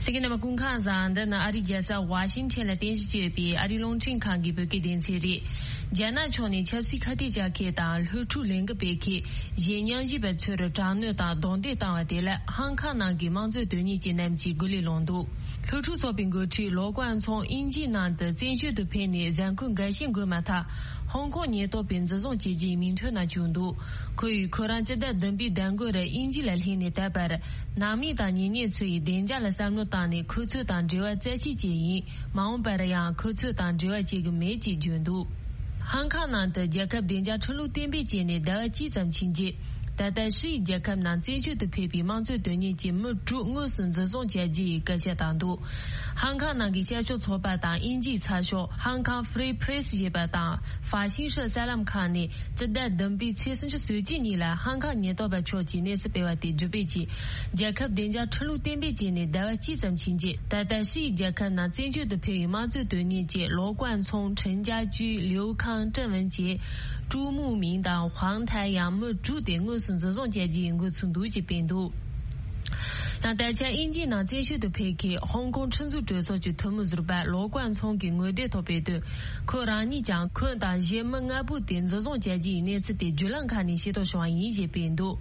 གསན་མཁན་རྣམ་པ་སྐུ་ཁམས་བཟང་། འདི་ནི་ཨ་རིའི་རྒྱལ་ས་ཝ་ཤིང་ཊོན་ལ་རྟེན་གཞི་བྱས་ཡོད་པའི་ཨ་རིའི་རླུང་འཕྲིན་ཁང་གི་བོད་སྐད་སྡེ་ཚན་རེད། རྒྱ་ནག་ཕྱོགས་ནས་ཆབ་སྲིད་ཁ་གཏད་བཅག་མཁན་དང་སློབ་ཕྲུག་ལས་འགུལ་སྤེལ་མཁན་གཞན་མཉམ་ཞུགས་པ་ཚོར་དྲག་གནོན་དང་རྡུང་རྡེག་བཏང་བ་དེ་ལ་ཧང་ཀང་ནང་གི་དམངས་གཙོའི་དོན་གཉེར་ཅན་རྣམས་ཀྱིས་སྒོ་ལས་ལངས་འདུག་སློབ་ཕྲུག་ཚོགས་པའི་འགོ་ཁྲིད་ལོ་ཀོང་ཚོང་དབྱིན་ཇིའི་ནང་དུ་བཙན་བྱོལ་དུ་ཕེབས་ནས་གཟའ་འཁོར་འགའ་ཤས་འགོར་མ་ཐག་ཧོང་ཀོང་ཉེན་རྟོག་པས་འཛིན་བཟུང་བྱས་རྗེས་མིང་ཐོ་ནང་བཅུག་འདུག་ཁོ་ཡིས་ཁོ་རང་སྤྱི་ཟླ་བདུན་པའི་ཟླ་འགོ་རུ་དབྱིན་ཇི་ལ་སླེབས་ནས་ད་བར་ནང་མི་དང་ཉེ་གནས་ཚོ་ཡིས་བདེ་འཇགས་ལ་བསམ་བློ་བཏང་ནས་ཁོ་ཚོ་དང་འབྲེལ་བ་རྩ་ཆད་བྱས་ཡིན། མ་འོངས་པར་ཡང་ཁོ་ཚོ་དང་འབྲེལ་བ་བྱེད་ཀྱི་མེད་ཅེས་བརྗོད་འདུག་ཧང་ཀང་ནང་དུ་རྒྱལ་ཁབ་བདེ་འཇགས་ཁྲིམས་ལུགས་གཏན་འབེབས་བྱས་ནས་ཟླ་བ་གཅིག་ཙམ་ཕྱིན་རྗེས། ད་ལྟ་ཧྲི་ཡི་རྒྱལ་ཁབ་ནང་བཙན་བྱོལ་དུ་ཕེབས་པའི་དམངས་གཙོའི་དོན་གཉེར་གྱི་མི་དྲུག་དངོས་སུ་འཛིན་བཟུང་བྱས་རྗེས་ཡི་སྐད་ཆ་བཏང་འདུག་ཧང་ཀང་ནང་གི་བཤད་ཕྱོགས་ཚོགས་པ་དང་དབྱིན་ཇིའི་ཚགས་ཤོག་Hong Kong Free Press ཞེས་པ་དང་ཧྥ་ཤིང་ཧྲི་གསར་ལམ་ཁང་ནས་སྤྱི་ཟླ་བདུན་པའི་ཚེས་སུམ་ཅུ་སོ་གཅིག་ཉིན་ལ་ཧང་ཀང་ཉེན་རྟོག་པ་ཕྱོགས་ཀྱིས་གནས་ཚུལ་སྤེལ་བ་དེ་བསྒྲུབས་པའི་ཆེད། རྒྱལ་ཁབ་བདེ་འཇགས་ཁྲིམས་ལུགས་གཏན་འབེབས་བྱས་ནས་ཟླ་བ་གཅིག་ཙམ་ཕྱིན་རྗེས། ད་ལྟ་ཧྲི་ཡི་རྒྱལ་ཁབ་ནང་བཙན་བྱོལ་དུ་ཕེབས་པའི་དམངས་གཙོའི་དོན་གཉེར་གྱི་ལོ་ཀོང་ཚོང་ཁྲིན་ཅཱ་ཅུས་ལིའུ་ཁང་ཀྲེང་ཝུན་བཅས་ཀྲུའུ་མུའུ་མིང་དང་ཧུང་ཐའེ་ཡང་མི་དྲུག་དེ་དངོས་སུ་འཛིན་བཟུང་བྱས་རྗེས་འགོ་ཚུགས་འདུག་ཅེས་སྤེལ་འདུག་ཡང་ད་ཆ་དབྱིན་ཇིའི་ནང་བཙན་བྱོལ་དུ་ཕེབས་མཁན་ཧོང་ཀོང་ཁྲིམས་བཟོ་གྲོས་ཚོགས་ཀྱི་འཐུས་མི་ཟུར་པ་ལོ་ཀོང་ཚོང་གིས་ངོ་དེབ་ཐོག་སྤེལ་དོན། ཁོ་རང་ཉིད་ཀྱང་ཁོ་དང་གཞན་མི་ལྔ་པོ་དེ་འཛིན་བཟུང་བྱས་རྗེས་གནས་ཚུལ་དེ་བརྒྱུད་ལམ་ཁག་ནས་ཤེས་རྟོགས་བྱུང་བ་ཡིན་ཞེས་སྤེལ་འདུག་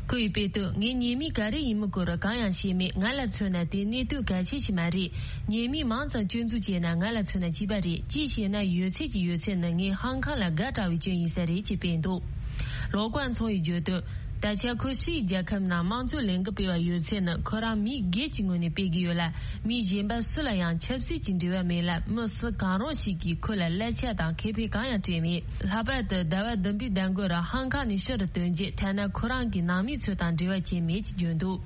ཁོ་ཡིས་སྤེལ་དོན། ངའི་ཉེས་མིང་ག་རེ་ཡིན་མིན་སྐོར་གང་ཡང་ཤེས་མེད། ང་ལ་མཚོན་ན་དེ་གནད་དོན་གལ་ཆེ་ཞིག་མ་རེད། ཉེས་མིང་མང་ཙམ་སྐྱོན་འཛུགས་བྱས་ན་ང་ལ་མཚོན་ན་གཅིག་པ་རེད། གཅིག་བྱས་ན་ཡོད་ཚད་ཀྱི་ཡོད་ཚད་ནི་ངས་ཧང་ཀང་ལ་དགའ་དྲགས་པའི་སྐྱོན་ཡིན་ས་རེད་ཅེས་སྤེལ་འདུག་ལོ་ཀོང་ཚོང་ཡིས་བརྗོད་དོན། ད་ཆ་ཁོ་ཧྲི་ཡི་རྒྱལ་ཁབ་ནང་དམངས་གཙོའི་ལས་འགུལ་སྤེལ་བ་ཡོད་ཚད་ནི་ཁོ་རང་མི་སྒེར་གྱི་ངོས་ནས་སྤེལ་གྱི་ཡོད་ལ། མི་གཞན་པ་སུ་ལ་ཡང་ཆབ་སྲིད་ཀྱི་འབྲེལ་བ་མེད་ལ། མི་སུ་གང་རུང་ཞིག་གིས་ཁོ་ལ་གླད་ཆ་དང་ཁེ་ཕན་གང་ཡང་སྤྲད་མེད། ལྷག་པར་དུ་ཟླ་བ་བདུན་པའི་ཟླ་འགོར་ཧང་ཀང་ནས་ཕྱིར་ཐོན་རྗེས་ཐ་ན་ཁོ་རང་གི་ནང་མི་ཚོ་དང་འབྲེལ་བ་བྱས་མེད་ཅེས་བརྗོད་འདུག་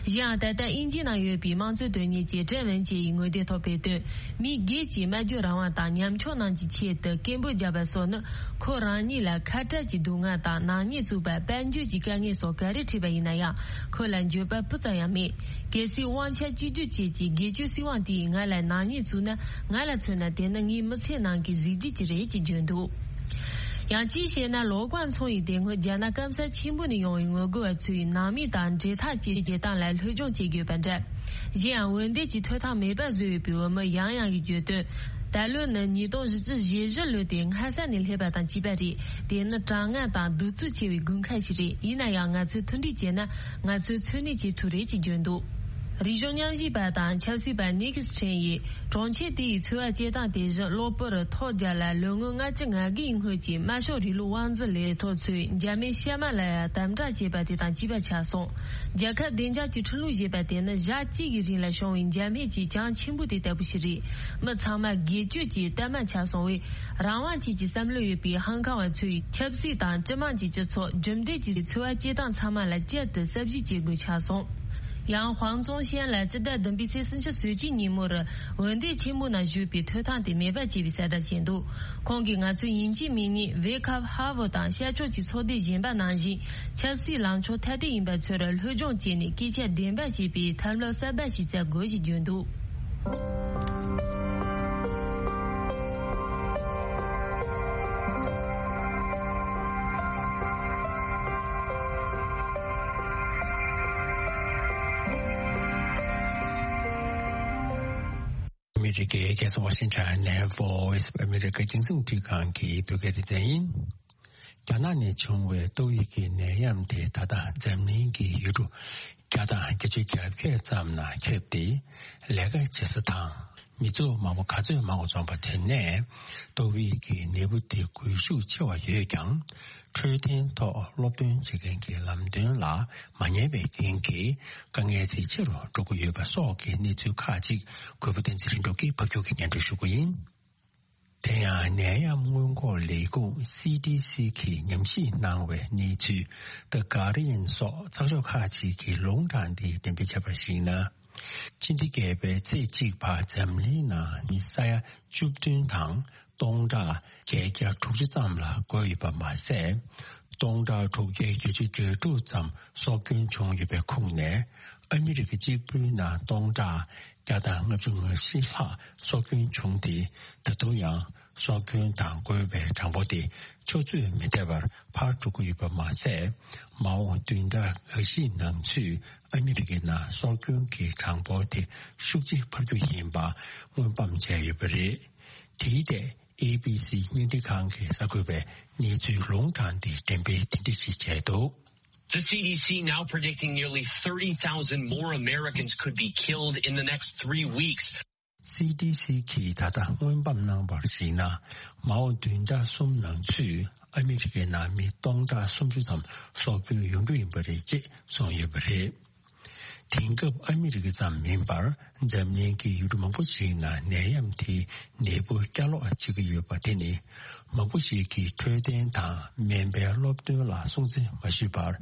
གཞན་ཡང་ད་ལྟ་དབྱིན་ཇི་ནང་ཡོད་པའི་དམངས་གཙོའི་དོན་གཉེར་གྱི་ཀྲེང་ཝུན་ཅེ་ཡིས་ངོ་དེབ་ཐོག་སྤེལ་དོན། མི་སྒེར་གྱི་སྨྲ་བརྗོད་རང་དབང་དང་ཉམ་ཆུང་རྣམས་ཀྱི་ཆེད་དུ་སྐད་འབོད་བརྒྱབ་པ་སོགས་ནི་ཁོ་རང་ཉིད་ལ་ཁ་བྲལ་གྱི་སྡུག་བསྔལ་དང་ནག་ཉེས་བཙུགས་པ། དཔལ་འབྱོར་གྱི་དཀའ་ངལ་སོགས་ག་རེ་འཕྲད་པ་ཡིན་ན་ཡང་ཁོ་ལ་འགྱོད་པ་སྤུ་ཙམ་ཡང་མེད། གལ་སྲིད་དབང་ཆ་གཅིག་གྱུར་བཅས་ཀྱི་སྒེར་གཅོད་སྲིད་དབང་དེས་ང་ལ་ནག་ཉེས་བཙུགས་ན། ང་ལ་མཚོན་ན་དེ་ནི་ངའི་མི་ཚེ་ནང་གི་གཟི་བརྗིད་ཅིག་རེད་ཅེས་བརྗོད་འདུག་ཡང་གཅིག་བཤད་ན་ལོ་ཀོང་ཚོང་ཡིས་དེ་སྔོན་རྒྱ་ནག་སྐམ་ས་ཆེན་པོ་ནས་ཡོང་བའི་ངོ་རྒོལ་བ་ཚོའི་ནང་མི་དང་འབྲེལ་ཐག་བཅད་བྱེད་སྟངས་ལ་སློབ་སྦྱོང་བྱེད་དགོས་པ་འདྲ། གཞན་ཡང་འོན་ཏེ་ཀྱི་ཐོབ་ཐང་མེད་པ་བཟོས་ཡོད་པའི་འོས་མི་ཡང་ཡང་གིས་བརྗོད་དོན། ད་ལོ་ནི་ཉིས་སྟོང་བཞི་བཅུ་ཞེ་བཞི་ལོ་དེ་སྔ་ས་ནས་སླེབས་པ་དང་གཅིག་པ་རེད། དེ་ནི་གྲང་ངར་དང་གདུག་རྩུབ་ཆེ་བའི་དགུན་ཁ་ཞིག་རེད། ཡིན་ན་ཡང་ང་ཚོས་མཐུན་སྒྲིལ་བྱས་ན་ང་ཚོས་འཚོ་གནས་བྱེད་ཐུབ་རེད་ཅེས་བརྗོད་འདུག་རིག་གཞུང་ཉམས་ཞིབ་པ་དང་ཆབ་སྲིད་པ་ནིག་སི་ཁྲེན་ཡིས་གྲོང་ཁྱེར་དེ་ཡི་འཚོ་བ་སྐྱེལ་སྟངས་དེ་བཞིན་གློ་བུར་ཐོལ་རྒྱག་ལ་ལོ་ངོ་ལྔ་བཅུ་ང་དགུའི་སྔོན་གྱི་དམར་ཤོག་རིང་ལུགས་དབང་འཛིན་ལས་ཐོག་ཚོས་འཇར་མན་ཤར་མ་ལ་ཡ་དམ་དྲག་བྱས་པ་དེ་དང་གཅིག་པ་ཆགས་སོང་། རྒྱལ་ཁབ་བདེ་འཇགས་ཀྱི་ཁྲིམས་ལུགས་ཞེས་པ་དེ་ནི་ཞག་གཅིག་གི་རིང་ལ་བྱུང་བའི་འཇར་མན་གྱི་གྱང་ཆེན་པོ་དེ་ལྟ་བུ་ཞིག་རེད། མི་ཚང་མ་སྒེར་གཅོད་ཀྱི་གཏའ་མ་ཆགས་སོང་བས། རང་དབང་ཅན་གྱི་བསམ་བློ་ཡོད་པའི་ཧང་ཀང་བ་ཚོས་ཆབ་སྲིད་དང་སྤྱི་དམངས་ཀྱི་སྤྱི་ཚོགས་རྒྱུན་ལྡན་གྱི་འཚོ་བ་སྐྱེལ་སྟངས་ཚང་མ་ལ་བསྐྱར་དུ་གསར་བརྗེ་བྱེད་དགོས་ཆགས་སོང་། ཡང་ཧུའང་ཙུང་ཤན་ལ་སྤྱི་ཟླ་བདུན་པའི་ཚེས་སུམ་ཅུ་སོ་གཅིག་ཉིན་མོར་འོས་འདེམས་ཆེན་མོ་ནང་ཞུགས་པའི་ཐོབ་ཐང་དེ་མེད་པ་བྱས་པའི་གསལ་བསྒྲགས་བྱས་འདུག་ཁོང་གིས་ང་ཚོའི་ཡིན་གཅིག་མིན་གཉིས་ཝེ་ཁབ་ཧ་ཝུ་དང་ཤར་ཕྱོགས་ཀྱི་ཚོགས་སྡེ་གཞན་པ་ནང་བཞིན་ཆབ་སྲིད་ལངས་ཕྱོགས་ཐ་དད་ཡིན་པ་ཚོར་སློབ་སྦྱོང་བྱས་ནས་སྐད་ཆ་བདེན་པ་བྱེད་པའི་ཐབས་ལམ་གསར་པ་ཞིག་བཙལ་དགོས་ཞེས་བརྗོད་འདུག་ཨ་མི་རི་ཀའི་རྒྱལ་ས་ཝ་ཤིང་ཊོན་ནས་Voice of America་རྒྱང་སྲིང་རླུང་འཕྲིན་ཁང་གི་བོད་སྐད་སྡེ་ཚན་ཡིན། རྒྱ་ནག་ནས་བྱུང་བའི་ཏོག་དབྱིབས་ཀྱི་ནད་ཡམས་དེ་ད་ལྟ་འཛམ་གླིང་གི་ཡུལ་གྲུ་བརྒྱ་དང་བརྒྱད་ཅུ་གྱ་བརྒྱད་ཙམ་ན་ཁྱབ་སྟེ། ལས་ཀ་བྱེད་ས་དང་མི་ཚོགས་མང་པོ་ག་ཚོད་མང་བ་འཛོམས་པ་དེ་ནས་ཏོག་དབྱིབས་ཀྱི་ནད་འབུ་དེ་འགོས་ཤུགས་ཆེ་བ་ཡོད་ཀྱང་། འཕྲོད་བསྟེན་ཐོག་སློབ་སྟོན་བྱེད་མཁན་གྱི་ལམ་སྟོན་ལ་མ་ཉན་པའི་རྐྱེན་གྱིས་དཀའ་ངལ་དེ་ཆེ་རུ་འགྲོ་གི་ཡོད་པ་སོགས་ཀྱི་གནས་ཚུལ་ཁག་ཅིག་གུས་པ་བསྟན་འཛིན་ལྷུན་གྲུབ་ཀྱིས་ཕབ་སྒྱུར་གྱིས་སྙན་སྒྲོན་ཞུ་གི་ཡིན། དེ་ཡང་ནད་ཡམས་སྔོན་འགོག་ལས་ཁུངས་སི་ཌི་སི་གིས་ཉམས་ཞིབ་གནང་བའི་གནས་ཚུལ། The Guardian སོགས་ཚགས་ཤོག་ཁག་ཅིག་གིས་ལུང་དྲངས་ཏེ་འགྲེམས་སྤེལ་བྱས་པར་གཞིགས་ན། ཕྱི་ཟླ་བརྒྱད་པའི་ཚེས་གཅིག་བར་འཛམ་གླིང་ནང་མི་ས་ཡ་བཅུ་བདུན་དང་སྟོང་ཕྲག་བརྒྱད་བརྒྱ་དྲུག་ཅུ་ཙམ་ལ་འགོས་ཡོད་པ་མ་ཟད། སྟོང་ཕྲག་དྲུག་བརྒྱ་བརྒྱད་ཅུ་གྱ་དྲུག་ཙམ་སྲོག་སྐྱོན་བྱུང་ཡོད་པའི་ཁོངས་ནས་ཨ་མི་རི་ཀ་གཅིག་པུའི་ནང་སྟོང་ཕྲག་བརྒྱ་དང་ལྔ་བཅུ་ང་བཞི་ལྷག་སྲོག་སྐྱོན་བྱུང་སྟེ། ད་དུང་ཡང་སྲོག་སྐྱོན་དང་འགོས་པའི་གྲངས་འབོར་དེ་ཆུ་ཚོད་མི་འདས་པར་འཕར་འགྲོ་གི་ཡོད་པ་མ་ཟད། མ་འོངས་བདུན་ཕྲག་འགའ་ཞིག་ནང་ཚུད་ཨ་མི་རི་ཀའི་ནང་སྲོག་སྐྱོན་གྱི་གྲངས་འབོར་དེ་ཤུགས་ཆེ་འཕར་རྒྱུ་ཡིན་པ་སྔོན་དཔག་བྱས་ཡོད་པ་རེད། དེའི་ཐད་ཨེ་བི་སི་བརྙན་འཕྲིན་ཁང་གིས་གསར་འགོད་པའི་གནས་ཚུལ་ལུང་དྲངས་ཏེ་འགྲེམས་སྤེལ་དེ་འདྲ་ཞིག་བྱས་འདུག། The C D C now predicting nearly thirty thousand more Americans could be killed in the next three weeks. སི་ཌི་སི་གིས་ད་ལྟ་སྔོན་དཔག་གནང་བར་གཞིགས་ན། མ་འོངས་བདུན་ཕྲག་གསུམ་ནང་ཚུད་ཨ་མི་རི་ཀའི་ནང་མི་སྟོང་ཕྲག་སུམ་ཅུ་ཙམ་སྲོག་སྐྱོན་ཡོང་རྒྱུ་ཡིན་པ་རེད་ཅེས་གསུངས་ཡོད་པ་རེད། དེང་སྐབས་ཨ་མི་རི་ཀ་ཙམ་མིན་པར་འཛམ་གླིང་གི་ཡུལ་གྲུ་མང་པོ་ཞིག་ནང་ནད་ཡམས་དེའི་ནད་འབུ་བསྐྱར་ལོག་བྱེད་ཀྱི་ཡོད་པ་དེ་ནི། མང་པོ་ཞིག་གིས་འཕྲོད་བསྟེན་དང་སྨན་པའི་སློབ་སྟོན་ལ་སྲུང་བརྩི་མ་ཞུས་པར།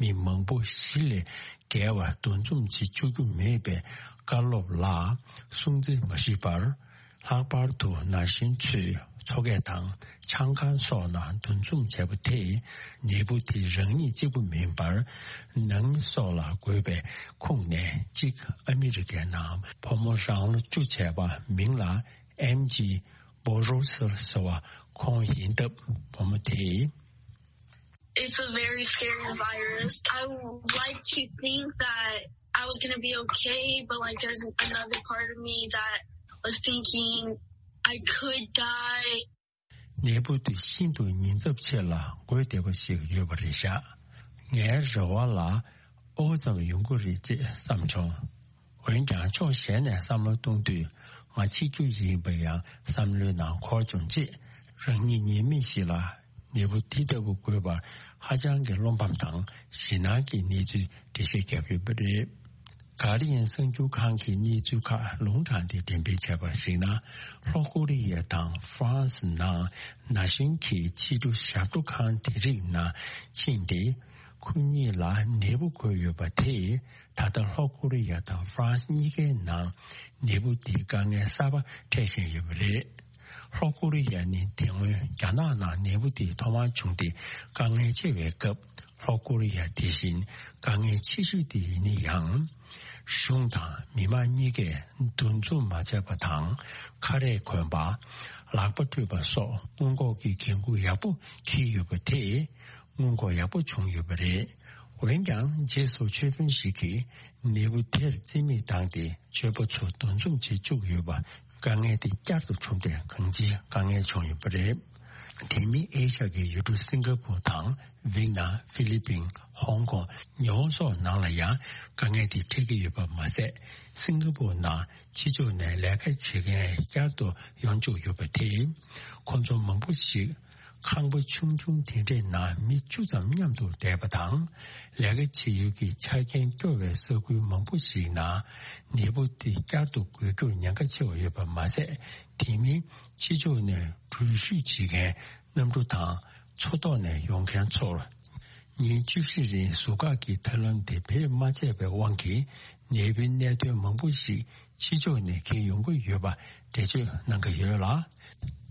མི་མང་པོ་བཞི་ལས་བརྒལ་བ་འདུ་འཛོམས་བྱེད་བཅུག་རྒྱུ་མེད་པའི་བཀའ་སློབ་ལ་སྲུང་བརྩི་མ་ཞུས་པར། ལྷག་པར་དུ་ན་གཞོན་ཚོས་མཚོ་སྐས་དང་ཆང་ཁང་སོགས་ནང་འདུ་འཛོམས་བྱས་པ་དེས་ནད་འབུ་དེ་རང་ཉིད་གཅིག་པུ་མིན་པར། ནང་མི་སོགས་ལ་འགོས་པའི་ཁོངས་ནས་གཅིག་ཨ་མི་རི་ཀའི་ནང་བུ་མོ་རང་ལོ་བཅུ་བྱས་པ་མིང་ལ་ཨེམ་ཇི་བོ་རོ་སེལ་ཟེར་བ་ཁོང་ཡིན་སྟབས། བུ་མོ་དེས། It's a very scary virus. I would like to think that I was gonna be okay, but, like, there's another part of me that was thinking I could die. ནད་འབུ་དེ་ཤིན་ཏུ་ཉེན་ཚབས་ཆེ་ལ་འགོས་བསྡད་པ་ཞིག་ཡོད་པ་རེད་ཤག། ངའི་རེ་བ་ལ་ཨོ་ཙམ་ཡོང་གི་རེད་ཅེས་བསམ་བྱུང་། འོན་ཀྱང་ཕྱོགས་གཞན་ནས་བསམ་བློ་གཏོང་དུས། ང་འཆི་རྒྱུ་ཡིན་པ་ཡང་བསམ་བློའི་ནང་འཁོར་བྱུང་རྗེས། རང་ཉིད་ཉེས་མེད་ཞིག་ལ་ནད་འབུ་འདི་ལྟ་བུ་འགོས་པར་ཧ་ཅང་གི་བློ་ཕམ་དང་ཞེད་སྣང་གི་གནས་ཚུལ་འགྲེལ་བཤད་བརྒྱབ་ཡོད་པ་རེད། གྷར་ཌི་ཡན་གསར་འགྱུར་ཁང་གིས་གནས་ཚུལ་ཁག་ལུང་དྲངས་ཏེ་འགྲེམས་སྤེལ་བྱས་པར་གཞིགས་ན། ལྷོ་ཀོ་རི་ཡ་དང་ཧྥ་རན་སི་ནང་ན་གཞོན་གྱི་ཕྱི་དྲོ་ཞབས་བྲོ་ཁང་དེ་རིགས་ནང་ཕྱིན་ཏེ། ཁོ་གཉིས་ལ་ནད་འབུ་འགོས་ཡོད་པ་དེས། ད་ལྟ་ལྷོ་ཀོ་རི་ཡ་དང་ཧྥ་རན་སི་གཉིས་ཀའི་ནང་ནད་འབུ་འདིའི་དཀའ་ངལ་གསར་པ་འཕྲད་བཞིན་ཡོད་པ་རེད། ལྷོ་ཀོ་རི་ཡ་ནི་དེ་སྔོན་རྒྱ་ནག་ནང་ནད་འབུ་འདི་ཐོག་མར་བྱུང་སྟེ་དཀའ་ངལ་ཆེ་བའི་སྐབས། ལྷོ་ཀོ་རི་ཡ་དེ་བཞིན་དཀའ་ངལ་ཆེ་ཤོས་དེ་ཡིན་ན་ཡང་། གཞུང་དང་མི་མང་གཉིས་ཀས་འདུ་འཛོམས་མ་བྱས་པ་དང་། ཁ་རས་གོན་པ། ལག་པ་བཀྲུས་པ་སོགས་སྔོན་འགོག་གི་འགན་འཁུར་ཡག་པོ་འཁྱེར་ཡོད་པ་དེས། སྔོན་འགོག་ཡག་པོ་བྱུང་ཡོད་པ་རེད། འོན་ཀྱང་། རྗེས་སུ་ཆོས་དཔོན་ཞིག་གིས་ནད་འབུ་དེར་རྩིས་མེད་བཏང་སྟེ། ཆོས་པ་ཚོ་འདུ་འཛོམས་བྱེད་བཅུག་ཡོད་པ། དཀའ་ངལ་དེ་བསྐྱར་དུ་བྱུང་སྟེ། གང་ཅིའི་དཀའ་ངལ་བྱུང་ཡོད་པ་རེད། དེ་མིན་ཨེ་ཤ་ཡའི་ཡུལ་གྲུ་སིང་ག་པུར་དང་། ཝིའེ་ནམ། ཧྥི་ལི་པིན། ཧོང་ཀོང་། ཉི་ཧོང་སོགས་ནང་ལ་ཡང་དཀའ་ངལ་དེ་འཕྲད་ཀྱི་ཡོད་པ་མ་ཟད། སིང་ག་པུར་ནང་ཕྱི་ཕྱོགས་ནས་ལས་ཀ་བྱེད་མཁན་བསྐྱར་དུ་ཡོང་བཅུག་ཡོད་པ་དེས། ཁོང་ཚོ་མང་པོ་ཞིག་ཁང་པ་ཆུང་ཆུང་དེ་འདྲའི་ནང་མི་བཅུ་ཙམ་མཉམ་དུ་བསྡད་པ་དང་། ལས་ཀ་བྱེད་ཡུལ་གྱི་ཆ་རྐྱེན་སྐྱོ་བའི་ས་ཁུལ་མང་པོ་ཞིག་ནང་ནད་འབུ་དེ་བསྐྱར་དུ་འགོས་རྒྱུར་ཉེན་ཁ་ཆེ་བ་ཡོད་པ་མ་ཟད། དེ་མིན་ཕྱི་ཕྱོགས་ནས་འགྲུལ་བཞུད་བྱེད་མཁན་གནམ་གྲུ་དང་མཚོ་ཐོག་ནས་ཡོང་མཁན་ཚོར། ཉིན་བཅུ་བཞི་རིང་ཟུར་བཀག་གི་ཐབས་ལམ་དེ་བེད་མ་སྤྱད་པའི་དབང་གིས། ནད་འབུའི་གནད་དོན་མང་པོ་ཞིག་ཕྱི་ཕྱོགས་ནས་འཁྱེར་ཡོང་གི་ཡོད་པ་འགྲེལ་བརྗོད་གནང་གི་ཡོད་ལ།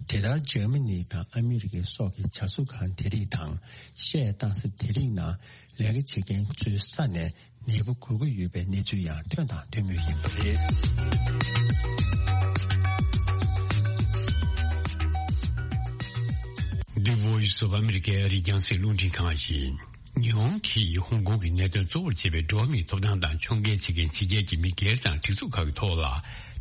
དེ་ལྟར་འཇར་མ་ནི་དང་ཨ་མི་རི་ཀ་སོགས་ཀྱི་བྱ་གསོ་ཁང་དེ་རིགས་དང་། བཤས་གཏོང་ས་དེ་རིགས་ནང་ལས་ཀ་བྱེད་མཁན་ཚོའི་ས་ནས་ནད་འབུ་འགོས་ཀྱི་ཡོད་པའི་གནས་ཚུལ་ཡང་ཐོན་དང་ཐོན་མུས་ཡིན་པ་རེད། The Voice of America ཨ་རིའི་རྒྱང་སྲིང་རླུང་འཕྲིན་ཁང་ཡིན། ཉི་ཧོང་གིས་ཧོང་ཀོང་གི་གནད་དོན་གཙོ་བོར་བྱེད་པའི་འགྲོ་བ་མིའི་ཐོབ་ཐང་དང་ཕྱོགས་འགལ་བྱེད་མཁན་ཕྱི་རྒྱལ་གྱི་མི་སྒེར་དང་སྒྲིག་འཛུགས་ཁག་གི་ཐོག་ལ།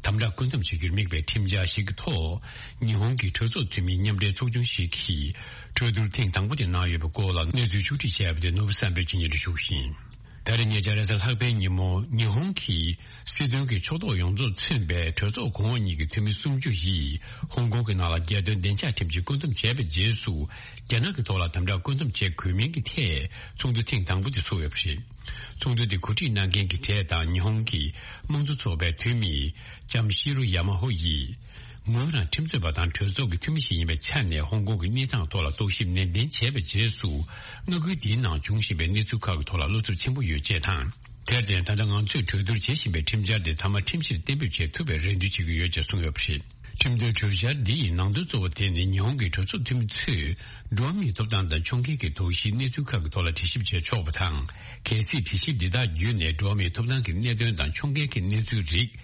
དམ་དྲག་བཀོད་འདོམས་བྱེད་རྒྱུར་དམིགས་པའི་ཁྲིམས་འཆར་ཞིག་གི་ཐོག་ཉི་ཧོང་གི་གྲོས་ཚོགས་འཐུས་མིའི་མཉམ་འབྲེལ་ཚོགས་ཆུང་ཞིག་གིས་གྲོས་བསྡུར་ཐེངས་དང་པོ་དེ་གནང་ཡོད་པའི་སྐོར་ལ་གནས་ཚུལ་ཕྱོགས་སྒྲིག་བྱས་པ་དེ་ནོར་བུ་བསམ་འཕེལ་གྱིས་སྙན་སྒྲོན་ཞུ་གི་ཡིན། ད་རེས་ཉེ་ཆར་རེས་གཟའ་ལྷག་པའི་ཉིན་མོ་ཉི་ཧོང་གི་སྲིད་དོན་གྱི་ཕྱོགས་གཏོགས་ཡོངས་རྫོགས་མཚོན་པའི་གྲོས་ཚོགས་གོང་འོག་གཉིས་ཀྱི་འཐུས་མི་སུམ་ཅུ་ཡིས་ཧོང་ཀོང་གི་ནང་ལ་རྒྱལ་དོན་བདེ་འཇགས་ཁྲིམས་ཀྱིས་བཀོད་འདོམས་བྱས་པའི་རྗེས་སུ་རྒྱ་ནག་གི་ཐོག་ལ་དམ་དྲག་བཀོད་འདོམས་བྱེད་དགོས་མིན་གྱི་ཐད་ཚོགས་འདུ་ཐེངས་དང་པོ་དེ་ཚོགས་ཡོད་པ་རེད། ཚོགས་འདུ་དེ་གོ་སྒྲིག་གནང་མཁན་གྱི་གྲས་དང་ཉི་ཧོང་གི་དམངས་གཙོ་ཚོགས་པའི་འཐུས་མི་ལྕམ་ཤི་རོ་ཡ་མ་ཧོ་ཡིས། ངོས་རང་ཁྲིམས་རྩོད་པ་དང་གྲོས་ཚོགས་ཀྱི་འཐུས་མི་ཞིག་ཡིན་པའི་ཆ་ནས་ཧོང་ཀོང་གི་གནས་སྟངས་ཐོག་ལ་རྟོག་ཞིབ་ནན་ཏན་བྱས་པའི་རྗེས་སུ། མངའ་ཁུལ་འདིའི་ནང་འབྱུང་བཞིན་པའི་གནས་ཚུལ་ཁག་གི་ཐོག་ལ་བློ་འཚབ་ཆེན་པོ་ཡོད་ཅེས་དང་། དེར་བརྟེན་ད་ལྟ་ང་ཚོས་གྲོས་བསྡུར་བྱེད་བཞིན་པའི་ཁྲིམས་འཆར་དེ་མཐའ་མ་ཁྲིམས་གཞིར་གཏན་འབེབས་བྱེད་ཐུབ་པའི་རེ་འདུན་བྱེད་ཀྱི་ཡོད་ཅེས་གསུངས་ཡོད་པ་རེད། ཁྲིམས་དོན་གྲོས་འཆར་འདི་ཡི་ནང་དོན་གཙོ་བོ་དེ་ནི་ཉི་ཧོང་གི་གྲོས་ཚོགས་འཐུས་མི་ཚོས་འགྲོ་བ་མིའི་ཐོབ་ཐང་དང་ཕྱོགས་འགལ་གྱི་དོགས་གཞིའི་གནས་ཚུལ་ཁག་གི་ཐོག་ལ་དྲི་ཞིབ་བྱེད་ཆོག་པ་དང་། གལ་སྲིད་དྲི་ཞིབ་འདི་དག་བརྒྱུད་ནས་འགྲོ་བ་མིའི་ཐོབ་ཐང་གི་གནད་དོན་དང་ཕྱོགས་འགལ་གྱི་གནས་ཚུལ་རིགས་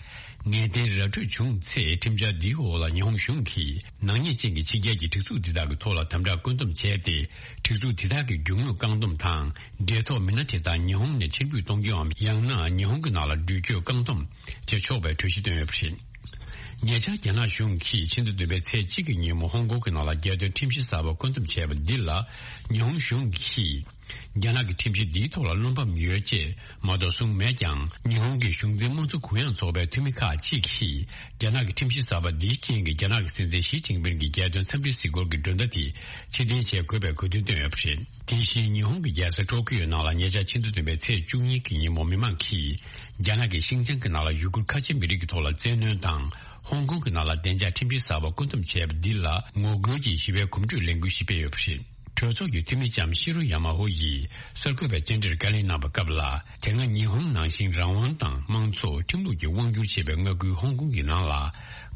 ངེས་གཏན་ར་འཕྲོད་བྱུང་ཚེ། ཁྲིམས་འཆར་འདིའི་འོག་ལ་ཉི་ཧོང་གཞུང་གིས་ནག་ཉེས་ཅན་གྱི་ཕྱི་རྒྱལ་གྱི་སྒྲིག་འཛུགས་འདི་དག་གི་ཐོག་ལ་དམ་དྲག་བཀོད་འདོམས་བྱས་ཏེ། སྒྲིག་འཛུགས་འདི་དག་གི་རྒྱུ་དངོས་བཀག་སྡོམ་དང་འབྲེལ་ཐོགས་མི་སྣ་དེ་དག་ཉི་ཧོང་ནས་ཕྱིར་འབུད་གཏོང་རྒྱུའམ་ཡང་ན་ཉི་ཧོང་གི་ནང་ལ་འགྲུལ་སྐྱོད་བཀག་སྡོམ་བྱེད་ཆོག་པའི་གྲོས་གཞི་བཏོན་ཡོད་པ་རེད། ཉེ་ཆར་རྒྱ་ནག་གཞུང་གིས་ཕྱི་ཟླ་བདུན་པའི་ཚེས་གཅིག་གི་ཉིན་མོ་ཧོང་ཀོང་གི་ནང་ལ་རྒྱལ་དོན་ཁྲིམས་གཞི་གསར་པ་བཀོད་འདོམས་བྱས་པ་འདི་ལ་ཉི་ཧོང་གཞུང་གིས་རྒྱ་ནག་གི་ཁྲིམས་གཞི་འདིའི་ཐོག་ལ་བློ་ཕམ་ཡོད་ཅེས་མ་གཏོགས་གསུངས་མེད་ཀྱང་། ཉི་ཧོང་གི་གཞུང་འཛིན་དམངས་གཙོ་གུ་ཡངས་ཚོགས་པའི་འཐུས་མི་ཁག་ཅིག་གིས་རྒྱ་ནག་གི་ཁྲིམས་གཞི་གསར་པ་འདིའི་རྐྱེན་གྱིས་རྒྱ་ནག་གི་སྲིད་འཛིན་ཞི་ཅིན་ཕིན་གྱི་རྒྱལ་དོན་འཚམས་འདྲིའི་གཟིགས་སྐོར་གྱི་མགྲོན་བརྡ་དེ་ཕྱིར་འཐེན་བྱེད་དགོས་པའི་དགོས་འདུན་བཏོན་ཡོད་པ་རེད། དེ་བཞིན་ཉི་ཧོང་གི་རྒྱལ་ས་ཊོ་ཀི་ཡོ་ནང་ལ་ཉེ་ཆར་ཕྱི་ཟླ་བདུན་པའི་ཚེས་བཅུ་གཉིས་ཀྱི་ཉིན་མོ་མི་མང་གིས་རྒྱ་ནག་གིས་ཤིང་ཅང་གི་ནང་ལ་ཡུ་གུར་ཁ་ཆེ་མི་རིགས་ཀྱི་ཐོག་ལ་བཙན་གནོན་དང་། ཧོང་ཀོང་གི་ནང་ལ་བདེ་འཇགས་ཁྲིམས་གཞི་གསར་པ་བཀོད་འདོམས་བྱས་པ་འདི་ལ་ངོ་རྒོལ་གྱིས་ཞི་བའི་གོམ་བགྲོད་ལས་འགུལ་ཞིག་སྤེལ་ཡོད་པ་རེད། གྲོས་ཚོགས་ཀྱི་འཐུས་མི་ལྕམ་ཤི་རོ་ཡ་མ་ཧོ་ཡིས་གསར་འགོད་པའི་བཅར་འདྲིར་བཀའ་ལན་གནང་བའི་སྐབས་ལ། དེ་སྔ་ཉི་ཧོང་ནང་བཞིན་རང་དབང་དང་དམངས་གཙོ་ཁྲིམས་ལུགས་ཀྱིས་དབང་སྒྱུར་བྱེད་པའི་མངའ་ཁུལ་ཧོང་ཀོང་གི་ནང་ལ།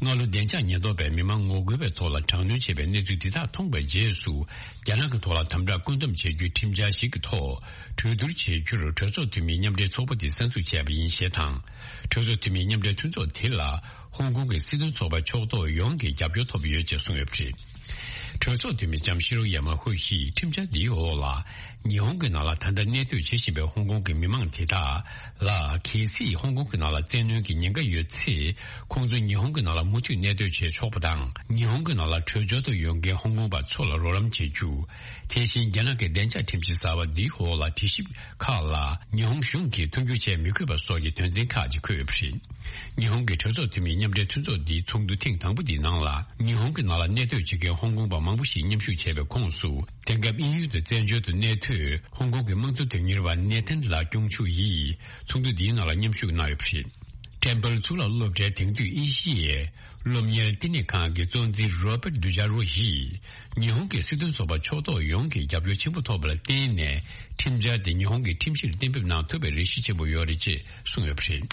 སྔ་ལོ་བདེ་འཇགས་ཉེན་རྟོག་པས་མི་མང་ངོ་རྒོལ་བའི་ཐོག་ལ་དྲག་གནོན་བྱས་པའི་གནས་ཚུལ་འདི་དག་མཐོང་བའི་རྗེས་སུ། རྒྱ་ནག་གི་ཐོག་ལ་དམ་དྲག་བཀོད་འདོམས་བྱེད་རྒྱུའི་ཁྲིམས་འཆར་ཞིག་གི་ཐོག་གྲོས་བསྡུར་བྱེད་རྒྱུར་གྲོས་ཚོགས་འཐུས་མིའི་མཉམ་འབྲེལ་ཚོགས་པ་དེ་གསར་འཛུགས་བྱས་པ་ཡིན་ཞེས་དང་། གྲོས་ཚོགས་འཐུས་མིའི་མཉམ་འབྲེལ་མཐུན་ཚོགས་དེ་ལ་ཧོང་ཀོང་གི་སྲིད་དོན་ཚོགས་པའི་ཕྱོགས་གཏོགས་ཡོངས་ཀྱི་རྒྱབ་སྐྱོར་ཐོབ་ཡོད་ཅེས་གསུངས་ཡོད་པ་རེད། གྲོས་ཚོགས་འཐུས་མི་ལྕམ་ཤི་རོ་ཡ་མ་ཧུ་ཡིས་ཁྲིམས་འཆར་འདིའི་འོག་ལ། ཉི་ཧོང་གི་ནང་ལ་ད་ལྟ་གནས་སྡོད་བྱེད་བཞིན་པའི་ཧོང་ཀོང་གི་མི་མང་དེ་དག་ལ། གལ་སྲིད་ཧོང་ཀོང་གི་ནང་ལ་བཙན་གནོན་གྱི་ཉེན་ཁ་ཡོད་ཚེ། ཁོང་ཚོ་ཉི་ཧོང་གི་ནང་ལ་མུ་མཐུད་གནས་སྡོད་བྱེད་ཆོག་པ་དང་། ཉི་ཧོང་གི་ནང་ལ་བྲོས་བྱོལ་དུ་ཡོང་མཁན་ཧོང་ཀོང་པ་ཚོ་ལ་རོགས་རམ་བྱེད་རྒྱུ། དེ་བཞིན་རྒྱ་ནག་གི་བདེ་འཇགས་ཁྲིམས་གཞི་གསར་པ་འདིའི་འོག་ལ་དྲི་ཞིབ་ཁག་ལ་ཉི་ཧོང་གཞུང་གིས་མཐུན་འགྱུར་བྱེད་མི་དགོས་པ་སོགས་ཀྱི་དོན་ཚན་ཁག་ཅིག་འཁོད་ཡོད་པ་རེད། ཉི་ཧོང་གི་གྲོས་ཚོགས་འཐུས་མིའི་མཉམ་འབྲེལ་མཐུན་ཚོགས་འདིའི་ཚོགས་འདུ་ཐེངས་དང་པོ་འདིའི་ནང་ལ། ཉི་ཧོང་གི་ནང་ལ་གནས་སྡོད་བྱེད་མཁན་ཧོང་ཀོང་པ་མང་པོ་ཞིག་མཉམ་ཞུགས་བྱས་པའི་ཁོངས་སུ། དེང་སྐབས་དབྱིན་ཡུལ་དུ་བཙན་བྱོལ་དུ་གནས་སྡོད་ཧོང་ཀོང་གི་དམངས་གཙོ་དོན་གཉེར་བ་ནེ་ཐན་ལགས་སྐྱོང་ཆུ་ཡིས་ཚོགས་འདུ་འདིའི་ནང་ལ་མཉམ་ཞུགས་གནང་ཡོད་པ་རེད། ཊེམ་པལ་གཙུག་ལག་སློབ་གྲྭའི་དེང་དུས་ཨེ་ཤི་ཡའི་སློབ་གཉེར་བསྟི་གནས་ཁང་གི་གཙོ་འཛིན་རོ་པར་ཏི་ཌུ་ཇཱ་རོ་ཡིས། ཉི་ཧོང་གི་སྲིད་དོན་ཚོགས་པ་ཕྱོགས་གཏོགས་ཡོངས་ཀྱི་རྒྱབ་སྐྱོར་ཆེན་པོ་ཐོབ་པ་ལ་བརྟེན་ནས། ཁྲིམས་འཆར་དེ་ཉི་ཧོང་གི་ཁྲིམས་གཞིར་གཏན་འབེབས་གནང་ཐུབ་པའི་རེ་ཞུ་ཆེན་པོ་ཡོད་རེད་ཅེས་གསུངས་ཡོད་པ་རེད།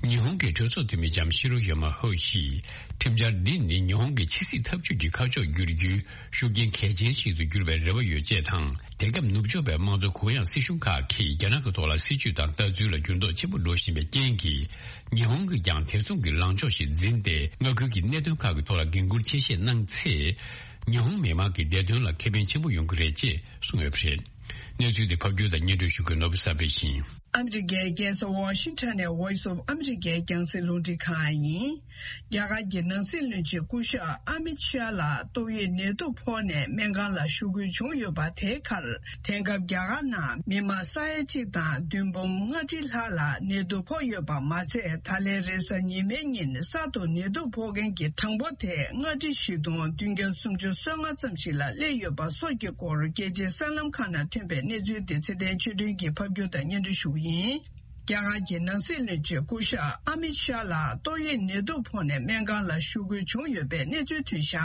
ཉི་ཧོང་གི་གྲོས་ཚོགས་འཐུས་མི་ལྕམ་ཤི་རོ་ཡ་མ་ཧོ་ཡིས། ཁྲིམས་འཆར་འདི་ནི་ཉི་ཧོང་གི་ཕྱི་སྲིད་འཐབ་ཇུས་ཀྱི་ཁ་ཕྱོགས་བསྒྱུར་རྒྱུའི་ཤུགས་རྐྱེན་གལ་ཆེན་ཞིག་ཏུ་འགྱུར་བའི་རེ་བ་ཡོད་ཅེས་དང་། དེང་སྐབས་ནུབ་ཕྱོགས་པའི་དམངས་གཙོ་གུ་ཡངས་སྲིད་གཞུང་ཁག་གིས་རྒྱ་ནག་གི་ཐོག་ལ་སྲིད་ཇུས་དང་ལྟ་ཚུལ་ལ་འགྱུར་ལྡོག་ཆེན་པོ་འགྲོ་བཞིན་པའི་རྐྱེན་གྱིས། ཉི་ཧོང་གིས་ཀྱང་དེ་མཚུངས་ཀྱི་ལངས་ཕྱོགས་ཤིག་འཛིན་ཏེ། མངའ་ཁུལ་གྱི་གནད་དོན་ཁག་གི་ཐོག་ལ་འགན་འཁུར་ཆེ་བཞེས་གནང་ཚེ། ཉི་ཧོང་མི་དམངས་ཀྱི་བདེ་དོན་ལ་ཁེ་ཕན་ཆེན་པོ་ཡོང་གི་རེད་ཅེས་གསུངས་ཡོད་པ་རེད། གནས་ཚུལ་དེ་ཕབ་སྒྱུར་དང་སྙན་སྒྲོན་ཞུ་མཁན་ནོར་བུ་བསམ་འཕེལ་ཡིན། ཨ་མི་རི་ཀའི་རྒྱལ་ས་ཝ་ཤིང་ཊོན་ནས་Voice of America་རྒྱང་སྲིང་རླུང་འཕྲིན་ཁང་ཡིན། རྒྱ་གར་གྱི་ནང་སྲིད་བློན་ཆེན་སྐུ་ཞབས་ཨ་མིད་ཤཱ་ལ་ཏོག་དབྱིབས་ནད་དུག་ཕོག་ནས་སྨན་ཁང་ལ་བཞུགས་དགོས་བྱུང་ཡོད་པ། དེའི་ཁར་དེང་སྐབས་རྒྱ་གར་ནང་མི་མང་ས་ཡ་གཅིག་དང་བདུན་འབུམ་ལྔ་ཁྲི་ལྷག་ལ་ནད་དུག་ཕོག་ཡོད་པ་མ་ཚད། ད་ལན་རེས་གཟའ་ཉི་མའི་ཉིན་གསར་དུ་ནད་དུག་ཕོག་མཁན་གྱི་གྲངས་འབོར་དེ་ལྔ་ཁྲི་བཞི་སྟོང་བདུན་བརྒྱ་སུམ་ཅུ་སོ་ལྔ་ཙམ་ཞིག་ལ་སླེབས་ཡོད་པ་སོགས་ཀྱི་སྐོར། རྒྱལ་སྤྱིའི་གསར་ལམ་ཁག་ནང་ཐོན་པའི་གནས་ཚུལ་དེ་ཚེ་བརྟན་ཆོས་སྒྲོན་གྱིས་ཕབ་སྒྱུར་དང་སྙན་སྒྲོན་ཞུ་གི་ཡིན། རྒྱ་གར་གྱི་ནང་སྲིད་བློན་ཆེན་སྐུ་ཞབས་ཨ་མིད་ཤཱ་ལགས་ཏོག་དབྱིབས་ནད་དུག་ཕོག་ནས་སྨན་ཁང་ལ་བཞུགས་དགོས་བྱུང་ཡོད་པའི་གནས་ཚུལ་ཐོན་བཞག་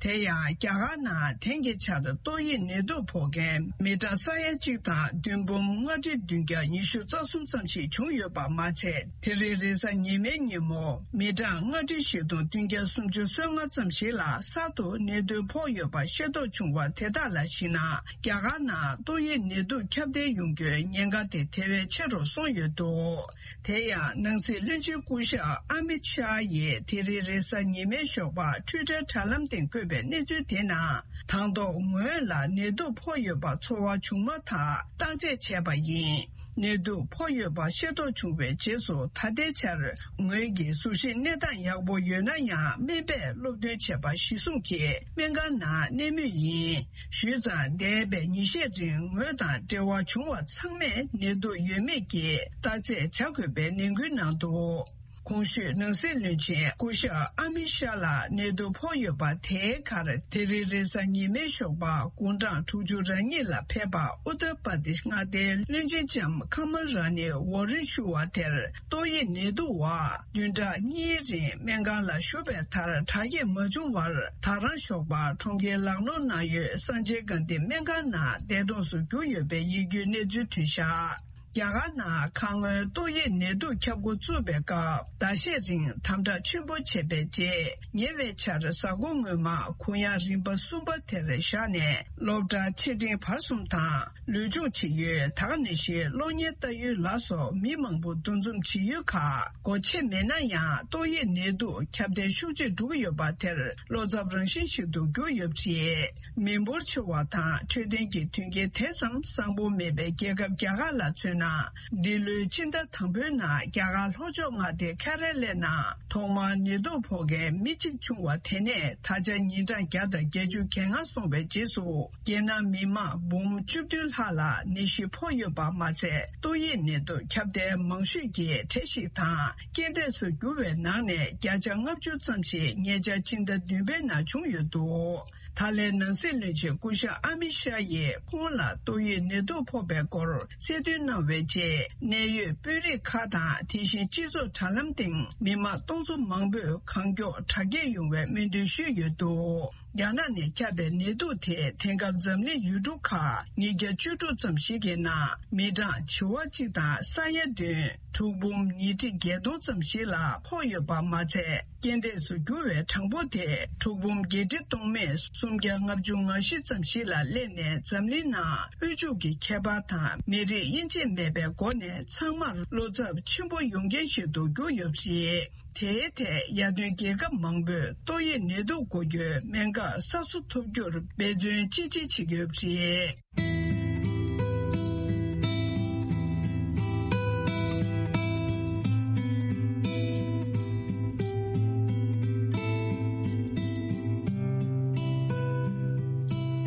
དེ་ཡང་རྒྱ་གར་ནང་དེང་གི་ཆར་ཏོག་དབྱིབས་ནད་དུག་ཕོག་མཁན་མི་གྲངས་ས་ཡ་གཅིག་དང་བདུན་འབུམ་ལྔ་ཁྲི་བདུན་བརྒྱ་ཉི་ཤུ་རྩ་གསུམ་ཙམ་ཞིག་བྱུང་ཡོད་པ་མ་ཚད། དེ་རིང་རེས་གཟའ་ཉི་མའི་ཉིན་མོ་མི་གྲངས་ལྔ་ཁྲི་བཞི་སྟོང་བདུན་བརྒྱ་སུམ་ཅུ་སོ་ལྔ་ཙམ་ཞིག་ལ་གསར་དུ་ནད་དུག་ཕོག་ཡོད་པ་ཤེས་རྟོགས་བྱུང་བ་དེ་དག་ལ་གཞིགས་ན། རྒྱ་གར་ནང་ཏོག་དབྱིབས་ནད་དུག་ཁྱབ་གདལ་ཡོང་རྒྱུའི་ཉེན་ཁ་དེ་དེ་བས་ཆེ་རུ་སོང་ཡོད་འདུག་དེ་ཡང་ནང་སྲིད་བློན་ཆེན་སྐུ་ཞབས་ཨ་མིད་ཤཱ་ཡིས་དེ་རིང་རེས་གཟའ་ཉི་མའི་ཞོགས་པར་ཊུའི་ཊར་དྲ་ལམ་སྟེང་བཀོད་པའི་གནས་ཚུལ་དེ་ནང་། དང་ཐོག་ངོས་ལ་ནད་དུག་ཕོག་ཡོད་པ་ཚོར་བ་བྱུང་མ་ཐག་བརྟག་དཔྱད་བྱས་པ་ཡིན། ནད་དུག་ཕོག་ཡོད་པ་ཤེས་རྟོགས་བྱུང་བའི་རྗེས་སུ། ད་ལྟའི་ཆར་ངོས་ཀྱི་གཟུགས་གཞི་གནས་སྟངས་ཡག་པོ་ཡོད་ན་ཡང་། སྨན་པས་སློབ་སྟོན་བྱས་པ་གཞིར་བཟུང་གིས་སྨན་ཁང་ནང་གནས་མུས་ཡིན། ཞུས་ཙང་། འདས་པའི་ཉིན་ཤས་རིང་ངོས་དང་འབྲེལ་བ་བྱུང་བ་ཚང་མས་ནད་དུག་ཡོད་མེད་ཀྱི་བརྟག་དཔྱད་བྱ་དགོས་པའི་ནན་སྐུལ་གནང་འདུག། གོང་ཞུས་ནང་སྲིད་བློན་ཆེན་སྐུ་ཞབས་ཨ་མི་ཤཱ་ལགས་ནད་དུག་ཕོག་ཡོད་པ་དེའི་ཁར། དེ་རིང་རེས་གཟའ་ཉི་མའི་ཞོགས་པ་དགུང་གྲངས་དྲུག་ཅུ་རེ་གཉིས་ལ་ཕེབས་པ་ཨུ་ཏར་པར་དེཤ་མངའ་སྡེའི་བློན་ཆེན་ལྕམ་ཁ་མ་ར་ནི་ཝོ་རན་ཞུ་བ་དེར་ཏོག་དབྱིབས་ནད་དུག་བ་བདུན་ཕྲག་གཉིས་རིང་སྨན་ཁང་ལ་བཞུགས་པའི་མཐར་དྲག་སྐྱེད་མ་བྱུང་བར། ད་རང་ཞོགས་པ་གྲོང་ཁྱེར་ལག་ནོར་ནང་ཡོད་སངས་ཆེན་དགའ་ལྡན་སྨན་ཁང་ནང་འདས་གྲོངས་སུ་གྱུར་ཡོད་པའི་ཡིད་སྐྱོའི་གནས་ཚུལ་ཐོན་བཞག། རྒྱ་གར་ནང་ཁ་སྔོན་ཏོག་དབྱིབས་ནད་དུག་ཁྱབ་འགོ་བཙུགས་པའི་སྐབས། ཟླ་ཤས་རིང་དམ་དྲག་ཆེན་པོ་བྱས་པའི་རྗེས། ཉེ་བའི་ཆར་གཟའ་འཁོར་སྔོན་མ་གུང་ཡང་རིམ་པ་གསུམ་པ་དེར་བཞག་ནས། སློབ་གྲྭ་ཆེ་འབྲིང་བར་གསུམ་དང་ལུས་སྦྱོང་བྱེད་ཡུལ། ད་ག་ནང་བཞིན་གློག་བརྙན་ལྟ་ཡུལ་ལ་སོགས་མི་མང་པོ་འདུ་འཛོམས་བྱེད་ཡུལ་ཁག་སྒོ་ཕྱེ་མེད་ན་ཡང་། ཏོག་དབྱིབས་ནད་དུག་ཁྱབ་གདལ་ཤུགས་ཆེ་འགྲོ་གི་ཡོད་པ་དེར་བློ་འཚབ་རང་བཞིན་ཞིག་ཏུ་གྱུར་ཡོད་པ་རེད། མི་འབོར་ཆེ་བ་དང་འཕྲོད་བསྟེན་གྱི་མཐུན་རྐྱེན་དེ་ཙམ་བཟང་པོ་མེད་པའི་རྒྱལ་ཁབ་རྒྱ་གར་ལ་མཚོན་ན། འདི་ལོའི་སྤྱི་ཟླ་དང་པོའི་ནང་རྒྱ་གར་ལྷོ་ཕྱོགས་མངའ་སྡེ་ཁེ་ར་ལའི་ནང་ཐོག་མར་ནད་དུག་ཕོག་མཁན་མི་གཅིག་བྱུང་བ་དེ་ནས་ད་ཆ་ཉིན་གྲངས་བརྒྱ་དང་བརྒྱད་ཅུ་གྱ་ལྔ་སོང་བའི་རྗེས་སུ། རྒྱལ་ནང་མི་མང་འབུམ་བཅུ་བདུན་ལྷག་ལ་ནད་གཞི་ཕོག་ཡོད་པ་མ་ཚད། ཏོག་དབྱིབས་ནད་དུག་ཁྱབ་གདལ་མང་ཤོས་ཀྱི་གྲས་ཤིག་དང་། རྐྱེན་འདས་སུ་གྱུར་བའི་ནང་ནས་བརྒྱ་ཆ་ལྔ་བཅུ་ཙམ་ཞིག་ཉེ་ཆར་ཕྱི་ཟླ་བདུན་པའི་ནང་བྱུང་ཡོད་འདུག། ད་ལན་ནང་སྲིད་བློན་ཆེན་སྐུ་ཞབས་ཨ་མི་ཤཱ་ཡིས་ཁོང་ལ་ཏོག་དབྱིབས་ནད་དུག་ཕོག་པའི་སྐོར་གསལ་སྟོན་གནང་བའི་རྗེས། གནད་ཡོད་དཔོན་རིགས་ཁག་དང་། དེ་བཞིན་སྤྱི་ཚོགས་དྲ་ལམ་སྟེང་མི་མང་སྟོང་ཚོ་མང་པོས་གང་མགྱོགས་དྲག་སྐྱེད་ཡོང་བའི་སྨོན་འདུན་ཞུས་ཡོད་འདུག། རྒྱ་ནག་ནས་ཁྱབ་པའི་ནད་དུག་དེས་དེང་སྐབས་འཛམ་གླིང་ཡུལ་གྲུ་ཁག་ཉིས་བརྒྱ་བཅུ་དྲུག་ཙམ་ཞིག་གི་ནང་མི་གྲངས་བྱེ་བ་གཅིག་དང་ས་ཡ་བདུན། གྲུག་འབུམ་ཉིས་ཁྲི་བརྒྱད་སྟོང་ཙམ་ཞིག་ལ་ཕོག་ཡོད་པ་མ་ཚད། རྐྱེན་འདས་སུ་གྱུར་བའི་གྲངས་འབོར་དེ་གྲུག་འབུམ་བརྒྱད་ཁྲི་སྟོང་མེད་སུམ་བརྒྱ་ལྔ་བཅུ་ང་བཞི་ཙམ་ཞིག་ལ་སླེབས་ནས། འཛམ་གླིང་ནང་དབུལ་ཕྱུག་གི་ཁྱད་པར་དང་མི་རིགས་དབྱེ་འབྱེད་མེད་པའི་སྒོ་ནས་ཚང་མར་བློ་འཚབ་ཆེན་པོ་ཡོང་རྐྱེན་ཞིག་ཏུ་གྱུར་ཡོད་པ་རེད། དེའི་ཐད་ཡར་ཐོན་རྒྱལ་ཁབ་མང་པོས་ཏོག་དབྱིབས་ནད་དུག་འགོག་རྒྱུའི་སྨན་ཁབ་གསར་བཟོ་ཐུབ་རྒྱུར་འབད་བརྩོན་ཅི་ཆེ་བྱེད་ཀྱི་ཡོད་པ་རེད།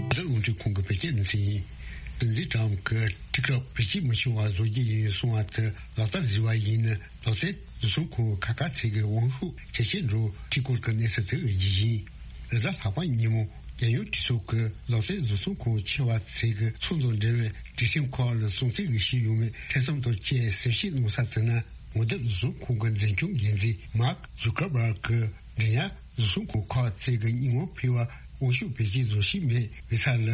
འདི་རླུང་འཕྲིན་ཁང་གི་བོད་སྐད་སྡེ་ཚན་ཡིན། སྲིད་འཛིན་ཀྲམ་གྱིས་ཊིག་ཊོག་བེད་སྤྱོད་མི་ཆོག་པ་བཟོ་རྒྱུ་ཡིན་གསུང་བ་དེ་ལག་བསྟར་བཟོས་པ་ཡིན་ན། ལག་རྩལ་བཟོ་ཚོང་ཁང་ཁག་ཁག་ཚོས་ཀྱི་དབང་ཤུགས་ཇེ་ཆེར་འགྲོ་འཕྲུལ་འཁོར་གྱི་གནས་ཚུལ་དེ་ཡིན། རེས་གཟའ་ལྷག་པ་ཉིན་མོ་རྒྱལ་ཡོངས་གྲོས་ཚོགས་ཀྱི་ལག་རྩལ་བཟོ་ཚོང་ཁང་ཆེ་བ་ཚོས་ཀྱི་ཚོགས་འདུ་འབྲེལ་བའི་དུས་ཆེན་ཁག་ལ་སྲུང་བརྩི་གི་ཞུས་ཡོད་མེད་ཐེ་ཚོམ་དང་བཅས་གསལ་བཤད་གནང་ས་དེ་ནི། ངོ་དེབ་བཟོ་ཚོང་ཁང་གི་འཛིན་སྐྱོང་འགན་འཛིན་མཱག་ཛུ་ཀར་བྷར་གྱིས་འབྲེལ་ཡག་བཟོ་ཚོང་ཁང་ཁག་ཚོས་ཀྱི་སྙན་ངག་ཕུལ་བར་དབང་ཤུགས་བེད་སྤྱོད་བཟོ་བཞིན་མེད་པའི་ས་ལ།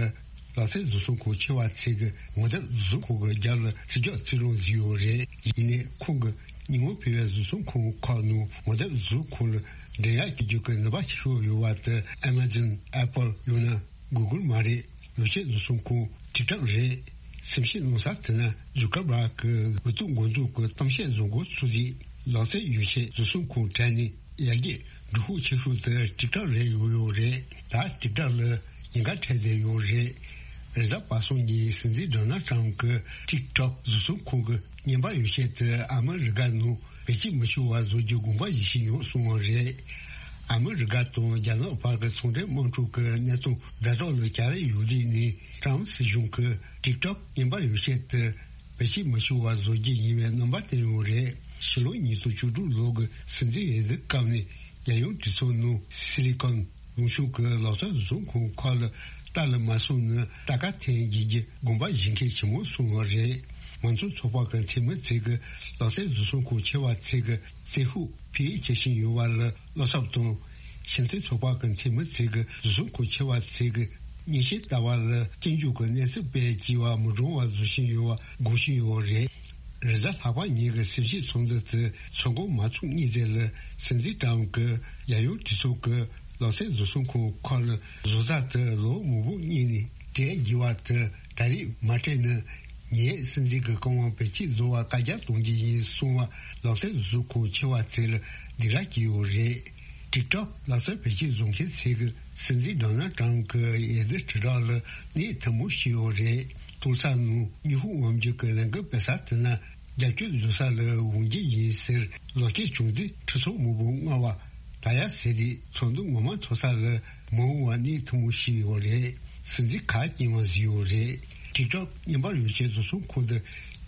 ལག་རྩལ་བཟོ་ཚོང་ཁང་ཆེ་བ་ཚོས་ཀྱི་ངོ་དེབ་བཟོ་ཁང་གི་རྒྱབ་ལ་རྩིས་རྒྱག་རྩིས་རང་བཟོས་ཡོད་རེད། ཡིན་ནའི་ཁོང་གི་སྙན་ངག་ཕུལ་བའི་བཟོ་ཚོང་ཁང་ཁག་ནང་ངོ་དེབ་བཟོ་ཁང་ལ་འབྲེལ་ཡག་བྱེད་རྒྱུ་གི་ནུས་པ་ཆེ་ཤོས་ཡོད་པ་དེ་ཨ་མ་ཛོན། ཨེ་པལ། ཡང་ན་གུ་གུལ་མ་རེད། ཡོ་ཆས་བཟོ་ཚོང་ཁང་ཊིག་ཊོག་རེད། སེམས་ཤེས་གནང་ས་དེ་ན་ཛུ་ཀར་བྷར་གྱི་འུ་ཐུག་འགོ་འཛུགས་ཀྱི་གཏམ་བཤད་བཟོ་འགོ་ཚུགས་རྗེས། ལག་རྩལ་ཡོ་ཆས་བཟོ་ཚོང་ཁང་གྲས་ནས་ཡར་རྒྱས་འགྲོ་ཤུགས་ཆེ་ཤོས་དེ་ཊིག་ཊོག་རེད་ཡོད་ཡོད་རེད། ད་ཊིག་ཊོག་ལ་ཉེན་ཁ་འཕྲད་བསྡད་ཡོད་རེད། རེས་གཟའ་པ་སངས་ཉིན་སྲིད་འཛིན་ཌོ་ནལ་ཊམ་གྱིས་ཊིག་ཊོག་བཟོ་ཚོང་ཁང་གི་བརྙན་པར་ཡོ་ཆས་དེ་ཨ་མི་རི་ཀ་ནང་བེད་སྤྱོད་མི་ཆོག་པ་བཟོ་རྒྱུ་དགོངས་པ་བཞེས་བཞིན་ཡོད་གསུངས་པ་རེད། ཨ་མི་རི་ཀ་དང་རྒྱ་ནག་བར་གྱི་ཚོང་འབྲེལ་དམག་འཁྲུག་གི་གནས་སྟངས་ཛ་དྲག་ལ་གྱར་ཡོད་དུས་ནས། ཀྲམ་སྲིད་གཞུང་གིས་ཊིག་ཊོག་བརྙན་པར་ཡོ་ཆས་དེ་བེད་སྤྱོད་མི་ཆོག་པ་བཟོ་རྒྱུ་ཡིན་པའི་རྣམ་པ་བསྟན་ཡོད་རེད། ཕྱི་ལོ་ཉིས་སྟོང་བཅུ་དྲུག་ལོ་གི་སྲིད་འཛིན་འོས་བསྡུ་སྐབས་ནས་རྒྱལ་ཡོངས་གྲོས་ཚོགས་ནང་སི་ལི་ཀོན་ལུང་ཕྱོགས་ཀྱི་ལག་རྩལ་བཟོ་ཚོང་ཁང་ཁག་ལ་ལྟ་ལ་མ་སོང་ན་རྟ་ཁ་འཐེན་བགྱིད་རྒྱུ་དགོངས་པ་བཞེས་མཁན་ཆེན་མོ་སོང་བ་རེད། མང་གཙོ་ཚོགས་པ་གི་འཐུས་མི་ཚོས་ཀྱི་ལག་རྩལ་བཟོ་ཚོང་ཁང་ཆེ་བ་ཚོས་ཀྱི་རྩིས་ཤོག་ཕུལ་བྱེད་བཞིན་ཡོད་པ་ལ་བློ་འཚབ་དང་། ཕྱི་འཐེན་ཚོགས་པ་གི་འཐུས་མི་ཚོས་ཀྱི་བཟོ་ཚོང་ཁང་ཆེ་བ་ཚོས་ཀྱི་མཉེས་ཆས་ལྟ་བ་ལ་སྐྱོན་བརྗོད་ཀྱི་གནས་ཚུལ་སྤེལ་བྱས་པ་མི་འགྲོ་བ་བཟོ་བཞིན་ཡོད་པ་འགོག་བཞིན་ཡོད་རེད། རེས་གཟའ་ལྷག་པ་ཉིན་གྱི་སེམས་ཤེས་ཚོགས་འདུ་དེ་ཚོགས་འགོ་མ་ཚུགས་གཉིས་ཙམ་ལ་སྲིད་འཛིན་ཀྲམ་གྱིས་རྒྱལ་ཡོངས་གྲོས་ཚོགས་ཀྱི་ལག་རྩལ་བཟོ་ཚོང་ཁང་ཁག་ལ་བཟོ་ལྟ་དེ་ལོ་མང་པོ་གཉིས་ནས་སྤྲད་བགྱིས་པ་དེ་ད་རེས་མ་སྤྲད་ན། ངས་སྲིད་འཛིན་གྱི་བཀའ་དབང་བེད་སྤྱོད་བཟོ་བར་བཀའ་རྒྱ་གཏོང་རྒྱུ་ཡིན་གསུངས་པ་ལག་རྩལ་བཟོ་ཚོང་ཁང་ཆེ་བ་ཚོ་ལ་སྡིགས་ར་སྐྱེས་ཡོད་རེད། ཊིག་ཊོག་ལག་རྩལ་བེད་སྤྱོད་བཟོ་མཁན་ཚོས་ཀྱིས་སྲིད་འཛིན་ཌོ་ནལ་ཊམ་གྱི་འོས་བསྡུ་དྲིལ་བསྒྲགས་ལ་གནོད་ཐུབ་མོ་བྱས་ཡོད་རེད། གཏོར་ས་ནང་ཉི་ཧོང་དབང་འཛིན་གྱི་ལས་འགུལ་སྤེལ་ས་དེ་ན་རྒྱབ་སྐྱོར་བཟོ་ས་ལ་འོང་རྒྱུ་ཡིན་ཟེར་ལོ་རྒྱུས་བྱུང་དུས་ཁྲི་ཚོ་མང་པོ་སྔོན་བ་ད་ཡ་ཟེར་དུས་ཚོགས་འདུ་ངོ་མ་ཚོགས་ས་ལ་མ་འོངས་པ་གནས་ཐུབ་མོ་ཞིག་ཡོད་རེད། སྲིད་འཛིན་ག་རྐྱེན་པ་ཟིག་ཡོད་རེད། ཊིག་ཊོག་བརྙན་པར་ཡོ་ཆས་བཟོ་ཚོང་ཁང་དུ་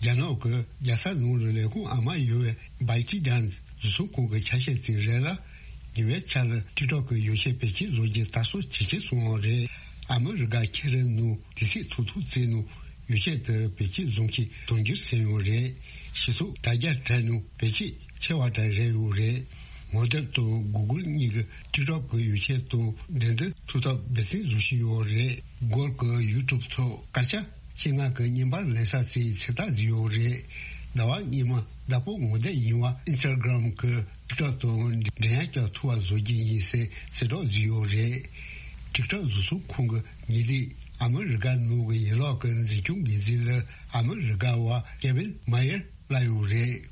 རྒྱ་ནག་གི་རྒྱལ་ས་ནང་ལ་ལས་ཁུངས་ཨ་མ་ཡོད་པའི་བའི་ཀི་ཌན་བཟོ་ཚོང་ཁང་གི་ཆ་ཤས་ཅིག་རེད་ལ། ཉེ་བའི་ཆར་ལ་ཊིག་ཊོག་གི་ཡོ་ཆས་བེད་སྤྱོད་བཟོ་རྒྱུ་དར་སྲོལ་ཇེ་ཆེར་སོང་བ་རེད། ཨ་མི་རི་ཀ་ཁེ་རི་ནང་དུས་ཚོད་ཐུང་ཐུང་ཙམ་ནང་ཡོ་ཆས་དེ་བེད་སྤྱོད་བཟོ་མཁན་དུང་འགྱུར་ཟིན་ཡོད་རེད། ཞེ་ཚོགས་དྲ་རྒྱ་དྲ་ནང་བེད་སྤྱོད་ཆེ་བ་དྲ་རེད་ཡོད་རེད། ངོ་དེབ་དང་གུ་གུལ་གཉིས་ཀྱི་ཊིག་ཊོག་གི་ཡོ་ཆས་དང་འགྲན་བསྡུར་ཐུབ་ཐབས་འབད་བརྩོན་བཟོ་བཞིན་ཡོད་རེད། གུ་གུལ་གྱི་ཡུ་ཊུབ་ཐོག་སྐར་ཆ་ཆེད་མངགས་ཀྱི་བརྙན་པར་ལེན་ས་ཚོའི་ཚོད་ལྟ་བཟོས་ཡོད་རེད། ཟླ་བ་སྔོན་མ་བདག་པོ་ངོ་དེབ་ཡིན་པ་ཨིན་སི་ཊ་གྷི་རམ་གྱི་ཊིག་ཊོག་དང་འགྲན་ཡ་རྒྱག་ཐུབ་པ་བཟོ་རྒྱུ་ཡིན་ཟེར་གསལ་བསྒྲགས་བཟོས་ཡོད་རེད། ཊིག་ཊོག་བཟོ་ཚོང་ཁང་གི་ཉེ་དུས་ཨ་མི་རི་ཀ་ནང་གི་ཡན་ལག་གི་འཛིན་སྐྱོང་འགན་འཛིན་ལ་ཨ་མི་རི་ཀ་བ་ཀེ་ཝིན་མ་ཡར་སླེབས་ཡོད་རེད།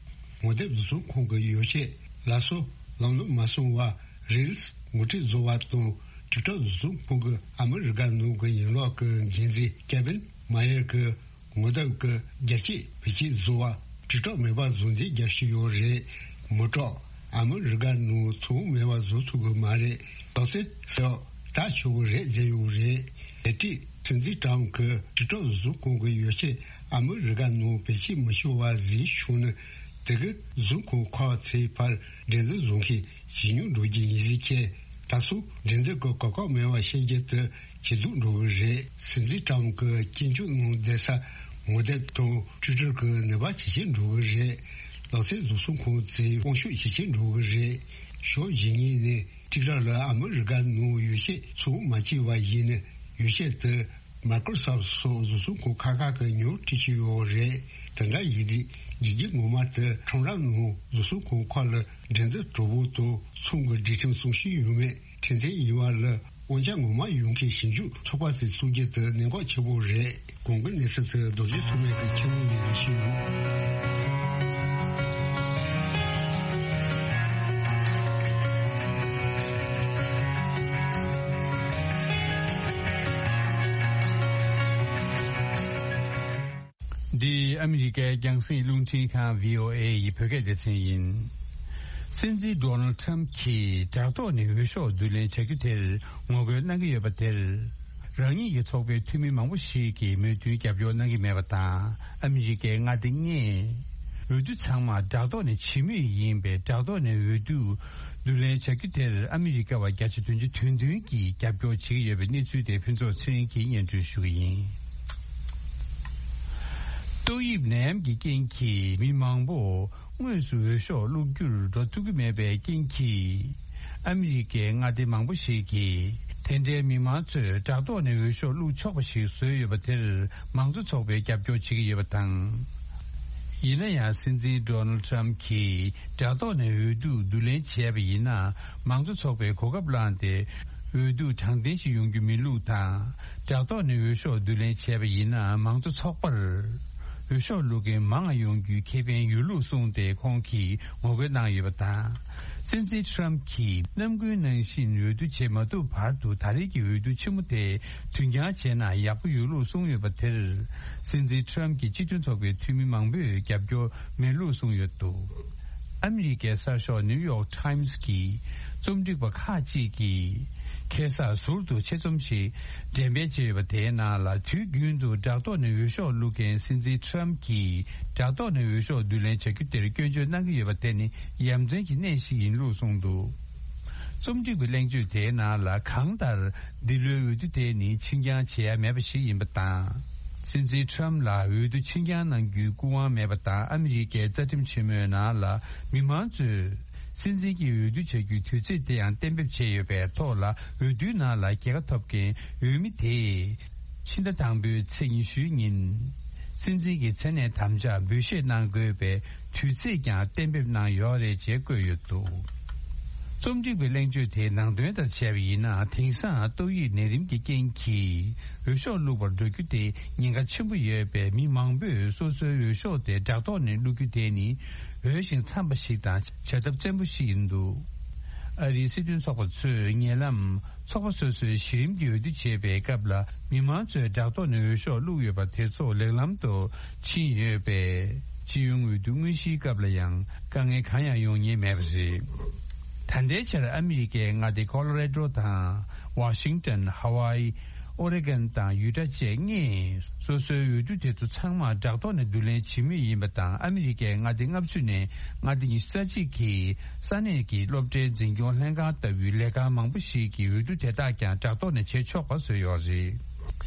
ངོ་དེབ་བཟོ་ཚོང་ཁང་གི་ཡོ་ཆས་ལགས་སོ་ལམ་ལྷོང་མ་སོང་བ་རིལ་སི་ངོ་སྤྲོད་བཟོ་བ་དང་ཊིག་ཊོག་བཟོ་ཚོང་ཁང་གི་ཨ་མི་རི་ཀ་ནང་གི་ཡན་ལག་གི་འགན་འཛིན་ཀེ་ཝིན་མ་ཡར་གྱིས། ངོ་དེབ་ཀྱི་རྒྱ་སྐྱེད་བེད་སྤྱོད་བཟོ་བ་ཊིག་ཊོག་མེད་པ་བཟོ་འདེད་རྒྱག་བཞིན་ཡོད་རེད། མི་སྐྲག་ཨ་མི་རི་ཀ་ནང་ཚོང་མེད་པ་བཟོ་ཐུབ་ཀྱི་མ་རེད། ལག་རྩལ་ཟེར་བ་ད་ཆོག་གི་རེད་ཟེར་ཡོད་རེད། དེ་དུས་སྲིད་འཛིན་ཀྲམ་གྱིས་ཊིག་ཊོག་བཟོ་ཁང་གི་ཡོ་ཆས་ཨ་མི་རི་ཀ་ནང་བེད་སྤྱོད་མི་ཆོག་པ་ཟིག་བྱུང་ན་དེ་གི་བཟོ་ཁང་ཁག་ཚོའི་བར་འགྲན་བསྡུར་བཟོ་མཁན་ཇེ་ཉུང་འགྲོ་རྒྱུ་ཡིན་ཟེར་མཁན། ད་སོ་འགྲན་བསྡུར་གྱི་གོ་སྐབས་མེད་པ་བཤད་རྒྱུ་དེ་ཇེ་སྡུག་འགྲོ་གི་རེད། སྲིད་འཛིན་ཀྲམ་གྱི་སྐྱོན་བརྗོད་གནང་བསྡད་ས་ངོ་དེབ་དང་ཊུའི་ཊར་གྱི་ནུས་པ་ཇེ་ཆེར་འགྲོ་གི་རེད། ལག་རྩལ་བཟོ་ཚོང་ཁང་ཚོའི་དབང་ཤུགས་ཇེ་ཆེར་འགྲོ་གི་རེད། ཕྱོགས་གཞན་ངོས་ནས་ཊིག་ཊོག་ལ་ཨ་མི་རི་ཀ་ནང་ཡོ་ཆས་ཚོང་མ་བྱས་པ་ཡིན་ན་ཡོ་ཆས་དེ་མའི་ཀྲོ་སོབ་སོགས་བཟོ་ཚོང་ཁང་ཁག་ཁག་གིས་ཉོ་སྤྲད་ཀྱི་ཡོད་རེད། དེ་འདྲ་ཡིན་དུས་རྒྱལ་སྤྱི་ངོ་མ་དེ་ཁྲོམ་ར་ནང་བཟོ་ཚོང་ཁང་ཁག་ལ་འགྲན་བསྡུར་གྲོགས་པོ་དང་ཚོང་གི་སྒྲིག་ཁྲིམས་སྲུང་བཞིན་ཡོད་མེད་ཁྲིམས་མཐུན་ཡིན་པ་ལ་དབང་ཆ་ངོ་མ་ཡོད་མཁན་ཞིབ་འཇུག་ཚོགས་པ་དེ་བཙུགས་རྒྱུ་དེ་གནད་འགག་ཆེན་པོ་རེད། གོང་གི་གནས་ཚུལ་དེ་རྡོ་རྗེ་ཐོགས་མེད་ཀྱིས་ཁྱེད་རང་ལ་ཞུས་ཡོད། འདི་ཨ་མི་རི་ཀའི་རྒྱང་སྲིང་རླུང་འཕྲིན་ཁང་བྷི་ཨོ་ཨེ་ཡི་བོད་སྐད་སྡེ་ཚན་ཡིན། སྲིད་འཛིན་ཌོ་ནལ་ཊམ་གྱིས་དྲག་ཐོག་ནས་འོས་ཤོག་བསྡུ་ལེན་བྱ་རྒྱུ་དེར་ངོ་རྒོལ་གནང་གི་ཡོད་པ་དེར། རང་ཉིད་ཀྱི་ཚོགས་པའི་འཐུས་མི་མང་པོ་ཞིག་གིས་མོས་མཐུན་རྒྱབ་སྐྱོར་གནང་གི་མེད་པ་དང་། ཨ་མི་རི་ཀའི་མངའ་སྡེ་ལྔས་འོས་བསྡུ་ཚང་མ་དྲག་ཐོག་ནས་བྱེད་མུས་ཡིན་པས། དྲག་ཐོག་ནས་འོས་བསྡུ་བསྡུ་ལེན་བྱ་རྒྱུ་དེར་ཨ་མི་རི་ཀ་བ་བརྒྱ་ཆ་བདུན་ཅུ་དོན་བདུན་གྱིས་རྒྱབ་སྐྱོར་བྱེད་ཀྱི་ཡོད་པའི་གནས་ཚུལ་དེ་ཕུན་ཚོགས་ཚེ་རིང་གིས་སྙན་སྒྲོན་ཞུ་གི་ཡིན། ཏོག་དབྱིབས་ནད་ཡམས་ཀྱི་རྐྱེན་གྱིས་མི་མང་པོ་དངོས་སུ་འོས་ཤོག་བླུག་རྒྱུར་འགྲོ་ཐུབ་ཀྱི་མེད་པའི་རྐྱེན་གྱིས། ཨ་མི་རི་ཀའི་མངའ་སྡེ་མང་པོ་ཞིག་གིས་དེ་འདྲའི་མི་མང་ཚོས་དྲག་ཐོག་ནས་འོས་ཤོག་བླུག་ཆོག་པ་ཞིག་བཟོས་ཡོད་པ་དེར་མང་གཙོ་ཚོགས་པས་རྒྱབ་སྐྱོར་བྱེད་ཀྱི་ཡོད་པ་དང་། ཡིན་ན་ཡང་སྲིད་འཛིན་ཌོ་ནལ་ཊམ་གྱིས་དྲག་ཐོག་ནས་འོས་བསྡུ་བསྡུ་ལེན་བྱས་པ་ཡིན་ན། མང་གཙོ་ཚོགས་པས་གོ་སྐབས་བླངས་ཏེ་འོས་བསྡུ་དྲང་བདེན་ཞིག་ཡོང་རྒྱུ་མིན་ལུགས་དང་། དྲག་ཐོག་ནས་འོས་ཤོག་བསྡུ་ལེན་བྱས་པ་ཡིན་ན་མང་གཙོ་ཚོགས་པར་འོས་ཤོག་བླུག་མཁན་མང་ང་ཡོང་རྒྱུའི་ཁེ་ཕན་ཡོད་ལུགས་གསུངས་ཏེ་ཁོང་གིས་ངོ་རྒོལ་གནང་ཡོད་པ་དང་། སྲིད་འཛིན་ཊམ་གྱིས་ནམ་རྒྱུན་ནང་བཞིན་འོས་བསྡུ་བྱེད་མ་ཐུབ་བར་དུ་ད་རེས་ཀྱི་འོས་བསྡུ་ཆེན་མོ་དེ་དུས་འགྱངས་བྱས་ན་ཡག་པོ་ཡོད་ལུགས་གསུངས་ཡོད་པ་དེར། སྲིད་འཛིན་ཊམ་གྱི་སྤྱི་མཐུན་ཚོགས་པའི་འཐུས་མི་མང་པོས་རྒྱབ་སྐྱོར་མེད་ལུགས་གསུངས་ཡོད་འདུག་ཨ་མི་རི་ཀའི་གསར་ཤོག་ནིའུ་ཡོག་ཊམ་གྱི་རྩོམ་སྒྲིག་པ་ཁག་ཅིག་གིས་ཁ་སང་ཟུར་དུ་ཆེད་རྩོམ་ཞིག་འགྲེམས་སྤེལ་བྱས་ཡོད་པ་དེའི་ནང་ལ། དུས་རྒྱུན་དུ་དྲག་ཐོག་ནས་འོས་ཤོག་བླུག་མཁན་སྲིད་འཛིན་ཊམ་གྱིས་དྲག་ཐོག་ནས་འོས་ཤོག་བསྡུ་ལེན་བྱ་རྒྱུ་དེར་སྐྱོན་བརྗོད་གནང་གི་ཡོད་པ་དེ་ནི་ཡ་མཚན་གྱི་གནས་ཤིག་ཡིན་ལུགས་གསུངས་འདུག་རྩོམ་སྒྲིག་པའི་གླེང་བརྗོད་དེའི་ནང་ལ། གང་ལྟར་འདི་ལོའི་འོས་བསྡུ་དེ་ནི་ཕྱིར་འགྱངས་བྱེད་ཡ་མེད་པ་ཞིག་ཡིན་པ་དང་། སྲིད་འཛིན་ཊམ་ལ་འོས་བསྡུ་ཕྱིར་འགྱངས་གནང་རྒྱུའི་སྐུ་དབང་མེད་པ་དང་། ཨ་མི་རི་ཀའི་རྩ་ཁྲིམས་ཆེན་མོའི་ནང་ལ་མི་མང་ཚོས་སྲིད་འཛིན་གྱི་འོས་བསྡུ་བྱ་རྒྱུའི་དུས་ཚོད་དེ་ཡང་གཏན་འབེབས་བྱས་ཡོད་པའི་ཐོག་ལ། འོས་བསྡུའི་ནང་ལ་རྒྱལ་ཁ་ཐོབ་མཁན་འོས་མི་དེས། ཕྱི་ཟླ་དང་པོའི་ཚེས་ཉི་ཤུའི་ཉིན། སྲིད་འཛིན་གྱི་མཚན་གནས་དམ་བཅའ་འབུལ་བཞེས་གནང་དགོས་པའི་དུས་ཚེས་ཀྱང་གཏན་འབེབས་གནང་ཡོད་རེད་ཅེས་བཀོད་ཡོད་འདུག་རྩོམ་སྒྲིག་པའི་གླེང་བརྗོད་དེའི་ནང་དོན་ལྟར་བྱས་པ་ཡིན་ན། དེང་སང་ཏོག་དབྱིབས་ནད་རིམས་ཀྱི་རྐྱེན་གྱིས་འོས་ཤོག་བླུག་པར་འགྲོ་རྒྱུ་དེ་ཉེན་ཁ་ཆེན་པོ་ཡོད་པས། མི་མང་པོས་སོ་སོའི་འོས་ཤོག་དེ་དྲག་ཐོག་ནས་བླུག་རྒྱུ་དེ་ནི་འོས་ཤིང་འཚམས་པ་ཞིག་དང་བྱ་ཐབས་བཙན་པོ་ཞིག་ཡིན་འདུག་ཨ་རིའི་སྲིད་དོན་ཚོགས་པ་ཚོས་ཉེ་ལམ། ཚོགས་པ་སོ་སོས་གཞི་རིམ་གྱི་འོས་བསྡུ་བྱེད་པའི་སྐབས་ལ། མི་མང་ཚོས་བྲག་ཐོག་ནས་འོས་ཤོག་བླུགས་ཡོད་པ་དེ་ཚོ་ལེགས་ལམ་དུ་ཕྱིན་ཡོད་པས། སྤྱི་ཡོངས་འོས་བསྡུ་དངོས་གཞིའི་སྐབས་ལ་ཡང་དཀའ་ངལ་གང་ཡང་ཡོང་ཉེན་མེད་པ་རེད། ད་ལྟའི་ཆར་ཨ་མི་རི་ཀའི་མངའ་སྡེ་ཁོ་ལོ་རེ་ཌོ་དང་། ཝ་ཤིང་ཏོན། ཧ་ཝཱ་ཨི། ཨོ་རེ་གོན་དང་ཡུ་ཊ་བཅས་ལྔས་སོ་སོའི་འོས་བསྡུ་དེ་ཚོ་ཚང་མ་བྲག་ཐོག་ནས་བསྡུ་ལེན་བྱེད་མུས་ཡིན་པ་དང་། ཨ་མི་རི་ཀའི་མངའ་སྡེ་ལྔ་བཅུ་ནས་མངའ་སྡེ་ཉི་ཤུ་རྩ་གཅིག་གིས་ས་གནས་ཀྱི་སློབ་གྲྭའི་འཛིན་སྐྱོང་ལྷན་ཁང་ལྟ་བུའི་ལས་ཁང་མང་པོ་ཞིག་གི་འོས་བསྡུ་དེ་དག་ཀྱང་བྲག་ཐོག་ནས་བྱེད་ཆོག་པ་བཟོས་ཡོད་རེད།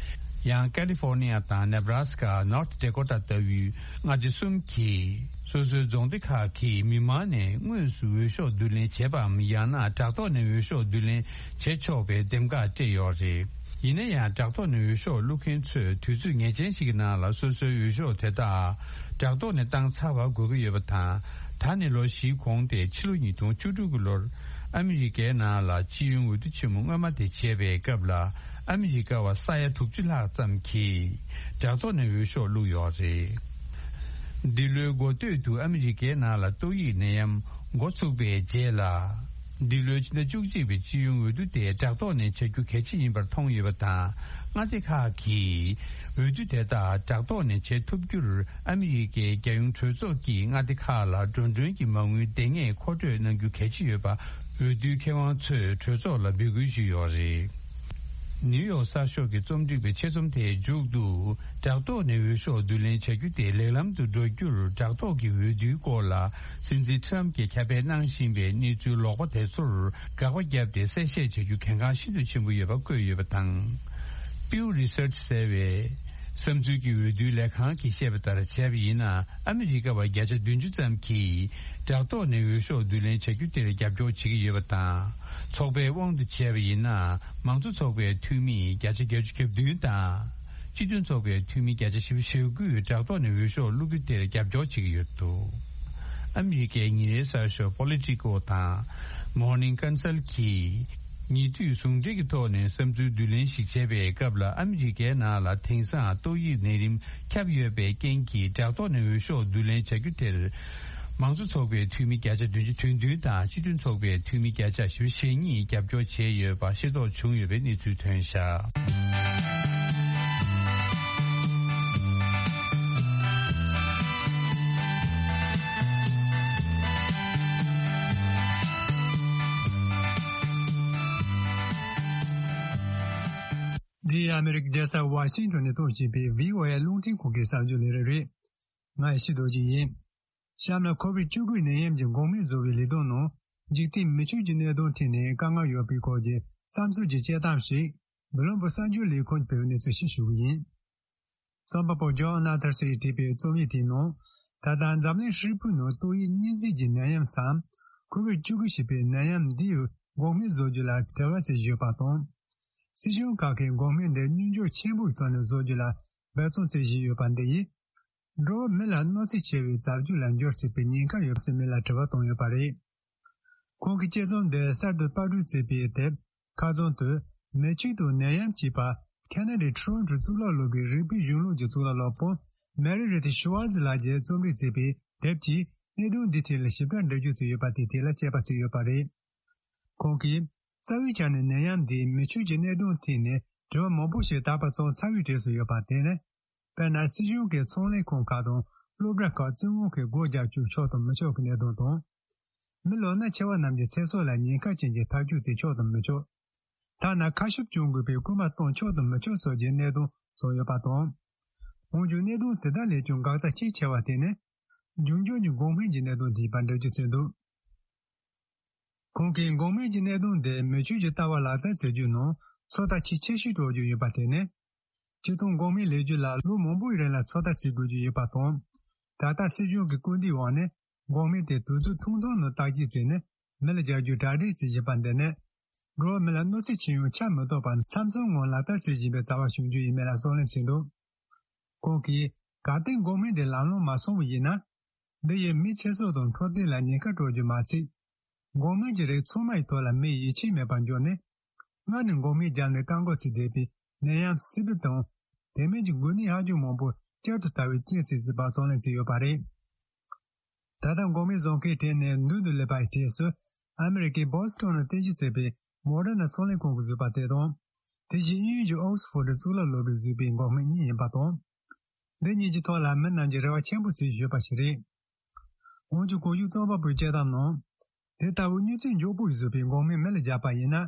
ཡང་ཀ་ལི་ཧྥོར་ནི་ཡ་དང་ནེ་བྷ་ར་སི་ཀ། ནོར་ཐི་ཌེ་ཀོ་ཊ་ལྟ་བུའི་མངའ་སྡེ་གསུམ་གྱིས་སོ་སོའི་རྫོང་སྡེ་ཁག་གི་མི་མང་ནས་དངོས་སུ་འོས་ཤོག་བསྡུ་ལེན་བྱེད་པའམ། ཡང་ན་བྲག་ཐོག་ནས་འོས་ཤོག་བསྡུ་ལེན་བྱེད་ཆོག་པའི་འདེམས་ཀ་སྤྲད་ཡོད་རེད། ཡིན་ན་ཡང་བྲག་ཐོག་ནས་འོས་ཤོག་བླུག་མཁན་ཚོས་དུས་ཚོད་ངེས་ཅན་ཞིག་གི་ནང་ལ་སོ་སོའི་འོས་ཤོག་དེ་དག་བྲག་ཐོག་ནས་བཏང་ཚར་བ་དགོས་ཀྱི་ཡོད་པ་དང་། ད་ནི་ལོ་བཞིའི་གོང་སྟེ་ཕྱི་ལོ་ཉིས་སྟོང་བཅུ་དྲུག་གི་ལོར་ཨ་མི་རི་ཀའི་ནང་ལ་སྤྱི་ཡོངས་འོས་བསྡུ་ཆེན་མོ་སྔོན་མ་དེ་བྱས་པའི་སྐབས་ལ། ཨ་མི་རི་ཀ་བ་ས་ཡ་དྲུག་ཅུ་ལྷག་ཙམ་གྱིས་བྲག་ཐོག་ནས་འོས་ཤོག་བླུགས་ཡོད་རེད། འདི་ལོའི་འགོ་སྟོད་དུ་ཨ་མི་རི་ཀའི་ནང་ལ་ཏོག་དབྱིབས་ནད་ཡམས་འགོ་ཚུགས་པའི་རྗེས་ལ། འདི་ལོའི་ཕྱི་ཟླ་བཅུ་གཅིག་པའི་སྤྱི་ཡོངས་འོས་བསྡུ་དེ་བྲག་ཐོག་ནས་བྱ་རྒྱུ་གལ་ཆེ་ཡིན་པར་མཐོང་ཡོད་པ་དང་། མངའ་སྡེ་ཁག་གིས་འོས་བསྡུ་དེ་དག་བྲག་ཐོག་ནས་བྱེད་ཐུབ་རྒྱུར། ཨ་མི་རི་ཀའི་རྒྱལ་ཡོངས་གྲོས་ཚོགས་ཀྱིས་མངའ་སྡེ་ཁག་ལ་འགྲོ་གྲོན་གྱི་མ་དངུལ་འདང་ངེས་མཁོ་སྤྲོད་གནང་རྒྱུ་གལ་ཆེ་ཡོད་པ། འོས་བསྡུའི་མཁས་དབང་ཚོས་གྲོས་ཚོགས་ལ་འབོད་སྐུལ་ཞུས་ཡོད་རེད། ནིའུ་ཡོག་གསར་ཤོག་གི་རྩོམ་སྒྲིག་པའི་ཆེད་རྩོམ་དེའི་མཇུག་ཏུ། བྲག་ཐོག་ནས་འོས་ཤོག་བསྡུ་ལེན་བྱ་རྒྱུ་དེ་ལེགས་ལམ་དུ་འགྲོ་རྒྱུར། བྲག་ཐོག་གི་འོས་བསྡུའི་སྐོར་ལ་སྲིད་འཛིན་ཊམ་གྱིས་ཁྱབ་སྤེལ་གནང་བཞིན་པའི་གནས་ཚུལ་ལོག་པ་དེ་ཚོར་དགག་པ་བརྒྱབ་སྟེ། གསལ་བཤད་བྱ་རྒྱུ་གལ་འགངས་ཤིན་ཏུ་ཆེན་པོ་ཡོད་པ་བཀོད་ཡོད་པ་དང་། Pew Research ཟེར་བས། བསམ་ཚུལ་གྱི་འོས་བསྡུའི་ལས་ཁང་གིས་བཤད་པ་ལྟར་བྱས་པ་ཡིན་ན། ཨ་མི་རི་ཀ་བ་བརྒྱ་ཆ་བདུན་ཅུ་ཙམ་གྱིས་བྲག་ཐོག་ནས་འོས་ཤོག་བསྡུ་ལེན་བྱ་རྒྱུ་དེར་རྒྱབ་སྐྱོར་བྱེད་ཀྱི་ཡོད་པ་དང་། ཚོགས་པའི་དབང་དུ་བྱས་པ་ཡིན་ན། མང་གཙོ་ཚོགས་པའི་འཐུས་མི་བརྒྱ་ཆ་བརྒྱད་ཅུ་གྱ་བདུན་དང་། སྤྱི་མཐུན་ཚོགས་པའི་འཐུས་མི་བརྒྱ་ཆ་བཞི་བཅུ་ཞེ་དགུས་བྲག་ཐོག་ནས་འོས་ཤོག་བླུག་རྒྱུ་དེར་རྒྱབ་སྐྱོར་བྱེད་ཀྱི་ཡོད་འདུག་ཨ་མི་རི་ཀའི་ཉིན་རེའི་གསར་ཤོག་Politico དང་Morning Consult གིས། ཉེ་དུས་ཟུང་འབྲེལ་གྱི་ཐོག་ནས་བསམ་ཚུལ་བསྡུ་ལེན་ཞིག་བྱས་པའི་སྐབས་ལ། ཨ་མི་རི་ཀའི་ནང་ལ་དེང་སང་ཏོག་དབྱིབས་ནད་རིམས་ཁྱབ་ཡོད་པའི་རྐྱེན་གྱིས། བྲག་ཐོག་ནས་འོས་ཤོག་བསྡུ་ལེན་བྱ་རྒྱུ་དེར། མང་གཙོ་ཚོགས་པའི་འཐུས་མི་བརྒྱ་ཆ་བདུན་ཅུ་དོན་བདུན་དང་། སྤྱི་མཐུན་ཚོགས་པའི་འཐུས་མི་བརྒྱ་ཆ་བཞི་བཅུ་ཞེ་གཉིས་རྒྱབ་སྐྱོར་བྱས་ཡོད་པ་ཤེས་རྟོགས་བྱུང་ཡོད་པའི་གནས་ཚུལ་ཐོན་བཞག་འདི་ཨ་མེ་རི་ཀའི་རྒྱལ་ས་ཝ་ཤིང་ཊོན་ནས་གཏོང་བཞིན་པའི་བྷི་ཨོ་ཨེ་རླུང་འཕྲིན་ཁང་གི་གསར་འགྱུར་ལས་རིམ་རེད། ང་ཡེ་ཤེས་རྡོ་རྗེ་ཡིན། གཤམ་ལ་ཁོ་བིད་བཅུ་དགུ་ནད་ཡམས་ཀྱི་འགོག་སྨན་བཟོ་བའི་ལས་དོན་ནང་འཇིག་རྟེན་མི་ཆོས་ཀྱི་གནད་དོན་ཐད་ནས་དཀའ་ངལ་ཡོད་པའི་སྐོར་གྱི་བསམ་ཚུལ་གྱི་དཔྱད་གཏམ་ཞིག་བློན་པོ་གསར་འགྱུར་ལས་ཁུངས་ཀྱིས་སྤེལ་བའི་གནས་ཚུལ་ཞིག་ཞུ་གི་ཡིན། རྩོམ་པ་པོ་ཇོན་ནཱ་ཐར་སི་ཡིས་བྲིས་པའི་རྩོམ་ཡིག་དེའི་ནང་། ད་ལྟ་འཛམ་གླིང་ཧྲིལ་པོའི་ནང་ཏོག་དབྱིབས་གཉན་གཟིགས་ཀྱི་ནད་ཡམས་སམ། ཁོ་བིད་བཅུ་དགུ་ཞེས་པའི་ནད་ཡམས་འདི་ཡི་འགོག་སྨན་བཟོ་རྒྱུ་ལ་བྲེལ་བ་ཆེ་བཞིན་ཡོད་པ་དང་། སྲིད་གཞུང་ཁག་གིས་འགོག་སྨན་འདི་སྙོམས་འཇུག་ཆེན་པོའི་ཐོག་ནས་བཟོ་རྒྱུ་ལ་འབད་བརྩོན་བྱེད་བཞིན་ཡོད་པ་འདི་ཡིས། འགྲོ་བ་མི་ལ་གནོད་འཚེ་ཆེ་བའི་རྩ་བརྒྱུད་ལ་འགྱུར་སྲིད་པའི་ཉེན་ཁ་ཡོད་པ་སེམས་མེད་ལ་དྲི་བ་བཏང་ཡོད་པ་རེད། ཁོང་གིས་དཔྱད་རྩོམ་འདི་གསར་དུ་པར་སྐྲུན་བྱས་པའི་དེབ་ཁ་རྩང་དུ། མི་ཆོས་དང་ནད་ཡམས་ཅེས་པ། ཁ་ན་ཌའི་ཊོ་རོན་ཊོའི་གཙུག་ལག་སློབ་གྲྭའི་རིག་པའི་གཞུང་ལུགས་ཀྱི་གཙུག་ལག་སློབ་དཔོན་མེ་རི་རི་ཐི་ཤུ་ཝར་ཛི་ལགས་ཀྱིས་རྩོམ་སྒྲིག་བྱས་པའི་དེབ་ཀྱིས་གནད་དོན་འདིའི་ཐད་ལ་ཞིབ་ཕྲ་འགྲེལ་བརྗོད་བྱས་ཡོད་པ་དེའི་ཐད་ལ་དཔྱད་པ་བྱས་ཡོད་པ་རེད། ཁོང་གིས། རྩ་བའི་ཆ་ནས་ནད་ཡམས་འདིས་མི་ཆོས་ཀྱི་གནད་དོན་ཐད་ནས་དྲི་བ་མང་པོ་ཞིག་ད་བར་བྱུང་ཚར་བའི་གྲས་སུ་ཡོད་པ་དེ་ནི། དཔེར་ན། སྲིད་གཞུང་གི་ཚོང་ལས་ཁང་ཁག་དང་སློབ་གྲྭ་ཁག་བཙན་དབང་གིས་སྒོ་རྒྱག་བཅུག་ཆོག་དང་མི་ཆོག་གི་གནད་དོན་དང་། མི་ལོ་ན་ཆེ་བ་རྣམས་ཀྱི་ཚེ་སྲོག་ལ་ཉེན་ཁ་ཅན་གྱི་ཐག་གཅོད་བྱེད་ཆོག་དང་མི་ཆོག་ཐ་ན་ཁ་ཤུབས་གྱོན་དགོས་པའི་སྐུལ་མ་གཏོང་ཆོག་དང་མི་ཆོག་སོགས་ཀྱི་གནད་དོན་སོགས་ཡོད་པ་དང་། འོན་ཀྱང་གནད་དོན་དེ་དག་ལས་ཀྱང་འགག་རྩ་ཆེས་ཆེ་བ་དེ་ནི། འབྱུང་འགྱུར་གྱི་འགོག་སྨན་གྱི་གནད་དོན་དེ་ཡིན་པ་འགྲེལ་བརྗོད་བྱས་འདུག་ཁོང་གིས་འགོག་སྨན་གྱི་གནད་དོན་དེ་མི་ཆོས་ཀྱི་ལྟ་བ་ལག་བསྟར་བྱེད་རྒྱུའི་ནང་ཚོད་ལྟ་ཆེས་ཆེ་ཤོས་སྤྲོད་རྒྱུ་ཡིན་པ་དེ་ནི། སྤྱིར་བཏང་འགོག་སྨན་ལས་རྒྱུ་ལ་ལོ་མང་པོའི་རིང་ལ་ཚོད་ལྟ་བྱེད་དགོས་རྒྱུ་ཡོད་པ་དང་། ད་ལྟ་སྲིད་གཞུང་གི་སྐུལ་འདེད་འོག་ནས་འགོག་སྨན་དེ་དུས་ཚོད་ཐུང་ཐུང་ནང་བརྟག་དཔྱད་བྱས་ནས་མི་ལ་སྦྱར་རྒྱུའི་གྲ་སྒྲིག་བྱེད་བཞིན་པ་འདི་ནི། འགྲོ་བ་མི་ལ་གནོད་འཚེ་ཆེ་ཡང་ཆ་མི་གཏོགས་པར་མཚམས་མཚམས་ངང་ལག་བསྟར་བྱེད་བཞིན་པའི་རྩ་བ་ཤོང་རྒྱུ་ཡིན་མིན་ལ་གསུང་གླེང་བྱས་འདུག་ཁོང་གིས་གལ་ཏེ་འགོག་སྨན་དེ་ལམ་ལྷོང་མ་སོང་བ་ཡིན་ན། འདི་ཡིས་མིའི་ཚེ་སྲོག་དང་འཕྲོད་བསྟེན་ལ་ཉེན་ཁ་སྤྲོད་རྒྱུ་མ་ཚད། འགོག་སྨན་གྱི་རིགས་ཚང་མ་ཡི་ཐོག་ལ་མིའི་ཡིད་ཆེས་མེད་པར་འགྱུར་ནས། སྔར་ནས་འགོག་སྨན་བརྒྱབ་ནས་བཀག་འགོག་བྱེད་བསྡད་པའི་ནད་ཡམས་སི་ཕིལ་དང་། དེ་མིན་གྱི་འགོས་ནད་ཧ་ཅང་མང་པོ་བསྐྱར་དུ་དར་བའི་རྐྱེན་ཟེར་སྲིད་པ་གསུང་གླེང་བྱས་ཡོད་པ་རེད། ད་ལྟ་འགོག་སྨན་བཟོ་མཁན་གྲས་ནས་མདུན་དུ་སླེབས་པའི་གྲས་སུ། ཨ་མེ་རི་ཀའི་བྷོ་སི་ཊོན་ནང་རྟེན་གཞི་བྱས་པའི་ མོ་ཌར་ན་ཚོང་ལས་ཁང་གིས་བཟོས་པ་དེ་དང་། དེ་བཞིན་དབྱིན་ཡུལ་གྱི་ཨོག་སི་ཕོར་ཌི་གཙུག་ལག་སློབ་གྲྭས་བཟོས་པའི་འགོག་སྨན་གཉིས་ཡིན་པ་དང་། འདི་གཉིས་ཀྱི་ཐོག་ལ་མི་རྣམས་ཀྱིས་རེ་བ་ཆེན་པོ་བྱས་ཡོད་པ་ཞིག་རེད། འོན་ཀྱང་གོང་ཞུས་རྩོམ་པ་པོའི་དཔྱད་གཏམ་ནང་། དེ་ལྟ་བུའི་མྱུར་ཚད་མགྱོགས་པོས་བཟོས་པའི་འགོག་སྨན་མི་ལ་བརྒྱབ་པ་ཡིན་ན།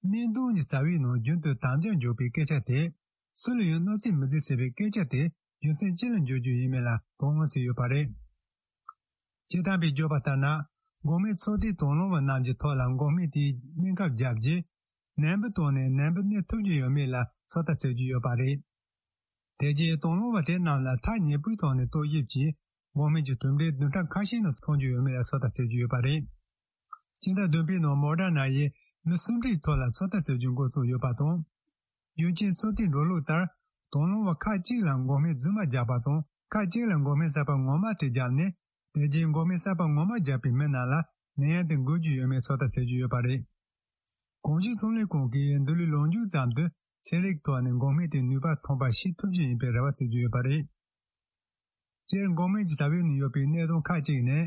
སྨན་དོན་གྱི་རྩ་བའི་ནང་རྒྱུན་དུ་དམ་བཅའ་འཇོག་པའི་སྐད་ཆ་དེ། སུ་ལ་ཡང་གནོད་འཚེ་མི་མཛད་ཟེར་བའི་སྐད་ཆ་དེ་རྒྱུ་མཚན་ཅི་ལ་འཇོག་རྒྱུ་ཡིན་མིན་ལ་དོ་སྣང་བྱས་ཡོད་པ་རེད། སྤྱིར་བཏང་པས་བརྗོད་པ་ལྟར་ན། འགོག་སྨན་ཚོད་ལྟའི་དང་བླངས་པ་རྣམས་ཀྱི་ཐོག་ལ་འགོག་སྨན་དེའི་སྨན་ཁབ་བརྒྱབ་རྗེས། ནད་འབུ་བཏང་ནས་ནད་འབུ་གནས་ཐུབ་ཀྱི་ཡོད་མེད་ལ་ཚོད་ལྟ་བྱེད་ཀྱི་ཡོད་པ་རེད། དེ་རྗེས་དང་བླངས་པ་དེ་རྣམས་ལ་ཐག་ཉེ་པོའི་ཐོག་ནས་ལྟ་ཞིབ་ཀྱིས། འགོག་སྨན་གྱི་གྲུབ་འབྲས་བདུན་ཕྲག་ཁ་ཤས་ནང་མཐོང་རྒྱུ་ཡོད་མེད་ལ་ཚོད་ལྟ་བྱེད་ཀྱི་ཡོད་པ་རེད། སྤྱི་ཟླ་བདུན་པའི་ནང་མོ་ཌར་ན་ཡིས་མི་སུམ་ཁྲིའི་ཐོག་ལ་ཚོད་ལྟ་བྱེད་རྒྱུ་འགོ་བཙུགས་ཡོད་པ་དང་། རྒྱུན་གཅིག་ཚོད་ལྟའི་འགྲོ་ལུགས་ལྟར། དང་བླངས་པ་ཁག་ཅིག་ལ་འགོག་སྨན་རྫུན་མ་བརྒྱབ་པ་དང་། ཁག་ཅིག་ལ་འགོག་སྨན་གསར་པ་ངོ་མ་དེ་བརྒྱབ་ནས། དེ་རྗེས་འགོག་སྨན་གསར་པ་ངོ་མ་བརྒྱབ་པའི་མི་རྣམས་ལ་ནད་ཡམས་དེ་འགོས་ཀྱི་ཡོད་མེད་ཚོད་ལྟ་བྱེད་ཀྱི་ཡོད་པ་རེད། གོང་ཞུས་ཚོང་ལས་ཁང་གིས་འདི་ལོའི་ལོ་མཇུག་ཙམ་དུ་ཚན་རིག་ཐོག་ནས་འགོག་སྨན་དེའི་ནུས་པ་ཐོན་པ་ཞིག་ཐུབ་རྒྱུ་ཡིན་པའི་རེ་བ་བྱེད་ཀྱི་ཡོད་པ་རེད། སྤྱིར་འགོག་སྨན་གྱི་རྩ་བའི་ནང་ཡོད་པའི་གནད་དོན་ཁག་ཅིག་ནི།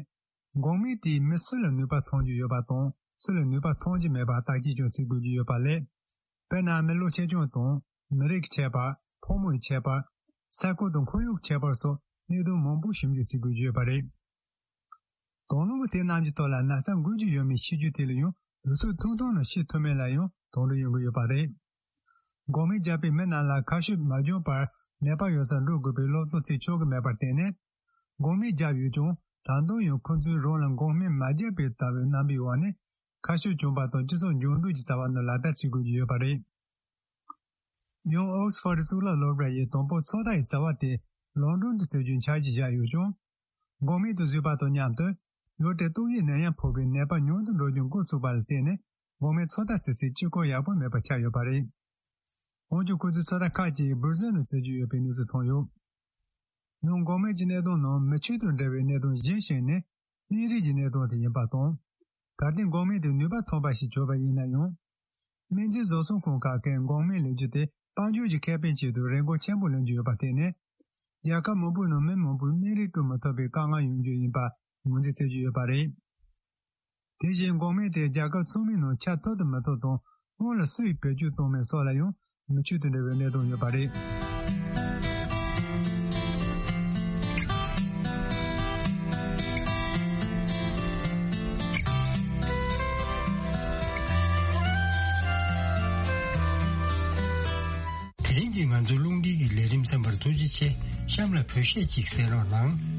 འགོག་སྨན་དེས་མི་སུ་ལ་ནུས་པ་ཐོན་རྒྱུ་ཡོད་པ་དང་སུ་ལ་ནུས་པ་ཐོན་གྱི་མེད་པ་བརྟག་དཔྱད་ཀྱང་བྱེད་དགོས་ཀྱི་ཡོད་པ་ལས། དཔེར་ན་མི་ལོ་ཆེ་ཆུང་དང་མི་རིགས་ཁྱད་པར། ཕོ་མོའི་ཁྱད་པར། ས་ཁུལ་དང་ཁོར་ཡུག་ཁྱད་པར་སོགས་གནད་དོན་མང་པོ་ཞིབ་འཇུག་བྱེད་དགོས་ཀྱི་ཡོད་པ་རེད། དང་བླངས་པ་དེ་རྣམས་ཀྱི་ཐོག་ལ་ན་ཚ་འགོས་ཀྱི་ཡོད་མེད་ཤེས་རྒྱུ་དེ་ལ་ཡང་དུས་ཚོད་ཐུང་ཐུང་ནང་ཤེས་ཐུབ་མིན་ལ་ཡང་དོགས་འདྲི་ཡོང་གི་ཡོད་པ་རེད། འགོག་སྨན་བརྒྱབ་པའི་མི་རྣམས་ལ་ཁ་ཤས་མ་འགྱངས་པར་ནད་པ་ཡོད་སར་འགྲོ་དགོས་པའི་སློབ་སྟོན་བྱེད་ཆོག་གི་མེད་པར་བརྟེན་ནས། འགོག་སྨན་བརྒྱབ་ཡོད་ཀྱང་ད་དུང་ཡང་ཁོ་ཚོས་རང་ལ་འགོག་སྨན་མ་བརྒྱབ་པའི་ལྟ་བའི་རྣམ་པའི་འོག་ནས་ཁ་ཤས་གྱོང་པ་དང་སྤྱི་ཚོགས་འགྱུར་འགྲོས་ཀྱི་རྩ་བ་ནས་ལག་བསྟར་བྱེད་དགོས་ཀྱི་ཡོད་པ་རེད། ཡང་ཨོག་སི་ཕོར་ཌི་གཙུག་ལག་སློབ་གྲྭ་ཡིས་དང་པོ་ཚོད་ལྟ་ཡི་རྩ་བ་དེ་ལོན་ཌོན་དུ་བྱེད་རྒྱུའི་འཆར་གཞི་བཞག་ཡོད་ཀྱང་། འགོག་སྨན་དུ་བཟོས་པ་དང་མཉམ་དུ་ཡུལ་དེར་ཏོག་དབྱིབས་ནད་ཡམས་ཕོག་པའི་ནད་པ་ཉུང་དུ་འགྲོ་རྒྱུ་འགོ་ཚུགས་པ་ལ་བརྟེན་ནས་འགོག་སྨན་ཚོད་ལྟ་བྱེད་སའི་དཀྱིལ་འཁོར་ཡག་པོ་མེད་པ་ཆགས་ཡོད་པ་རེད། འོན་ཀྱང་ཁོ་ཚོས་ཚོད་ལྟ་ཁག་ཅིག་སྦུར་ཟེར་ནང་བྱེད་རྒྱུ་ཡོད་པའི་གནས་ཚུལ་ཐོན་ཡོད། ཡང་འགོག་སྨན་གྱི་གནད་དོན་ནང་མི་ཆོས་དང་འབྲེལ་བའི་གནད་དོན་གཞན་ཞིག་ནི། སྨན་རིགས་ཀྱི་གནད་དོན་དེ་ཡིན་པ་དང་། གལ་ཏེ་འགོག་སྨན་དེ་ནུས་པ་ཐོན་པ་ཞིག་བྱུང་བ་ཡིན་ན་ཡང་། སྨན་རྫས་བཟོ་ཚོང་ཁང་ཁག་གིས་འགོག་སྨན་ལེན་རྒྱུ་དེ་དཔལ་འབྱོར་གྱི་ཁེ་ཕན་ཆེད་དུ་རིན་གོང་ཆེན་པོ་ལེན་རྒྱུ་ཡོད་པར་བརྟེན་ནས། རྒྱལ་ཁབ་མང་པོའི་ནང་མི་མང་པོས་སྨན་རིགས་སྤྲོད་མི་ཐུབ་པའི་དཀའ་ངལ་ཡོང་རྒྱུ་ཡིན་པ་ངོས་འཛིན་བྱེད་ཀྱི་ཡོད་པ་རེད། དེ་བཞིན་འགོག་སྨན་དེ་རྒྱལ་ཁབ་ཚང་མའི་ནང་ཁྱབ་ཐུབ་དང་མི་ཐུབ་དང་སྔོན་ལ་སུས་བེད་སྤྱོད་གཏོང་མིན་སོགས་ལ་ཡང་། མི་ཆོས་དང་འབྲེལ་བའི་གནད་དོན་ཡོད་པ་རེད། དེ་རིང་གི་ང་ཚོའི་རླུང་འཕྲིན་གྱི་ལས་རིམ་གསན་པར་ཐུགས་རྗེ་ཆེ། གཤམ་ལ་བོད་གཞས་ཅིག་གསན་རོགས་གནང་།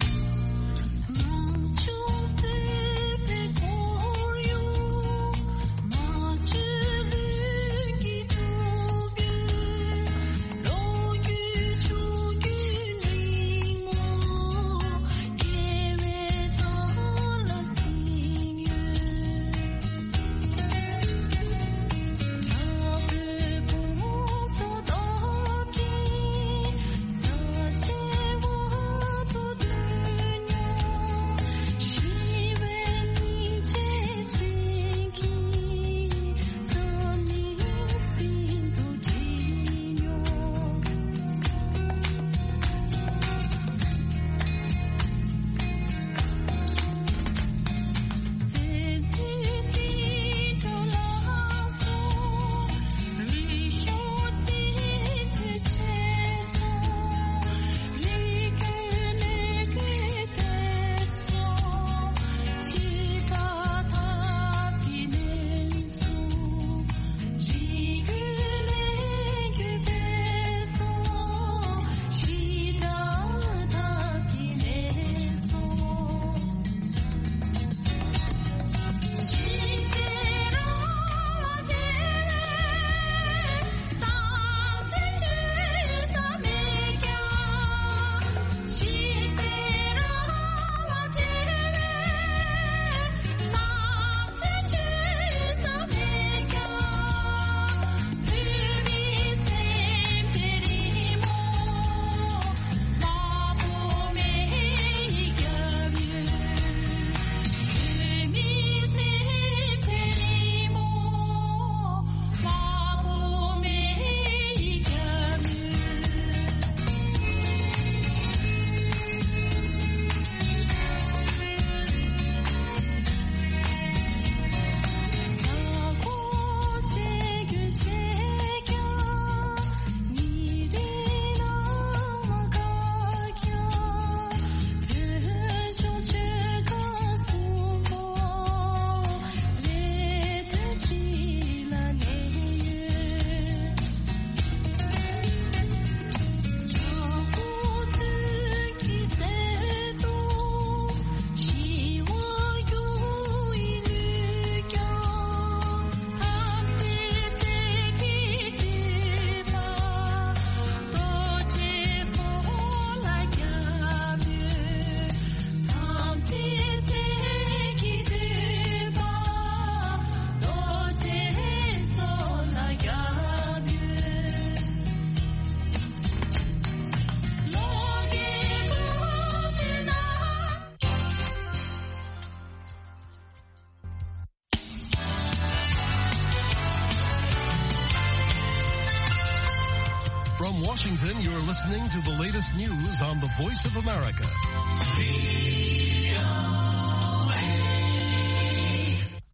Washington, you're listening to the latest news on the Voice of America.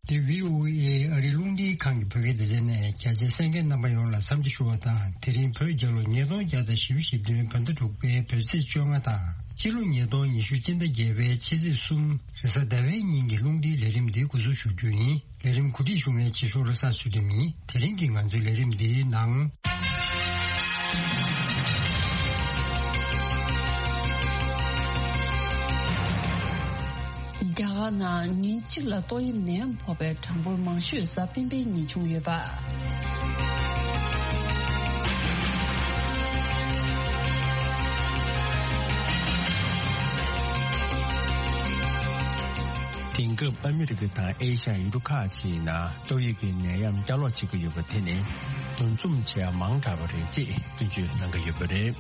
འདི་བྷི་ཨོ་ཨེ་ཨ་རིའི་རླུང་འཕྲིན་ཁང་གི་བོད་སྐད་སྡེ་ཚན་ནས། རྒྱ་ཆེ་གསན་མཁན་རྣམ་པ་ཡོངས་ལ་འཚམས་འདྲི་ཞུ་བ་དང་། དེ་རིང་བོད་རྒྱལ་ལོ་ཉིས་སྟོང་བརྒྱ་དང་བཞི་བཅུ་ཞེ་བདུན། བོད་ཟླ་དྲུག་པའི་བོད་ཚེས་བཅོ་ལྔ་དང་། སྤྱི་ལོ་ཉིས་སྟོང་ཉི་ཤུ་སྤྱི་ཟླ་བརྒྱད་པའི་ཕྱི་ཚེས་གསུམ། རེས་གཟའ་ཟླ་བའི་ཉིན་གྱི་རླུང་འཕྲིན་ལས་རིམ་འདི་འགོ་འཛུགས་ཞུ་རྒྱུ་ཡིན། ལས་རིམ་གོ་སྒྲིག་ཞུ་མཁན་བྱེད་ཤོག་རེས་གཟའ་ཚུལ་ཁྲིམས་ཡིན། དེ་རིང་གི་ང་ཚོའི་ལས་རིམ་འདིའི་ནང་། རྒྱ་གར་ནང་ཉིན་གཅིག་ལ་ཏོག་དབྱིབས་ནད་ཡམས་ཕོག་པའི་གྲངས་འབོར་མང་ཤོས་གཟའ་སྤེན་པའི་ཉིན་བྱུང་ཡོད་པ། དེང་སྐབས་ཨ་མི་རི་ཀ་དང་ཨེ་ཤ་ཡ་ཡུལ་གྲུ་ཁག་ཅིག་ནང་ཏོག་དབྱིབས་ཀྱི་ནད་ཡམས་བསྐྱར་ལོག་བྱེད་ཀྱི་ཡོད་པ་དེ་ནི་འདུ་འཛོམས་བྱེད་ཡ་མང་དྲགས་པ་རེད་ཅེས་སྐྱོན་བརྗོད་གནང་གི་ཡོད་པ་རེད།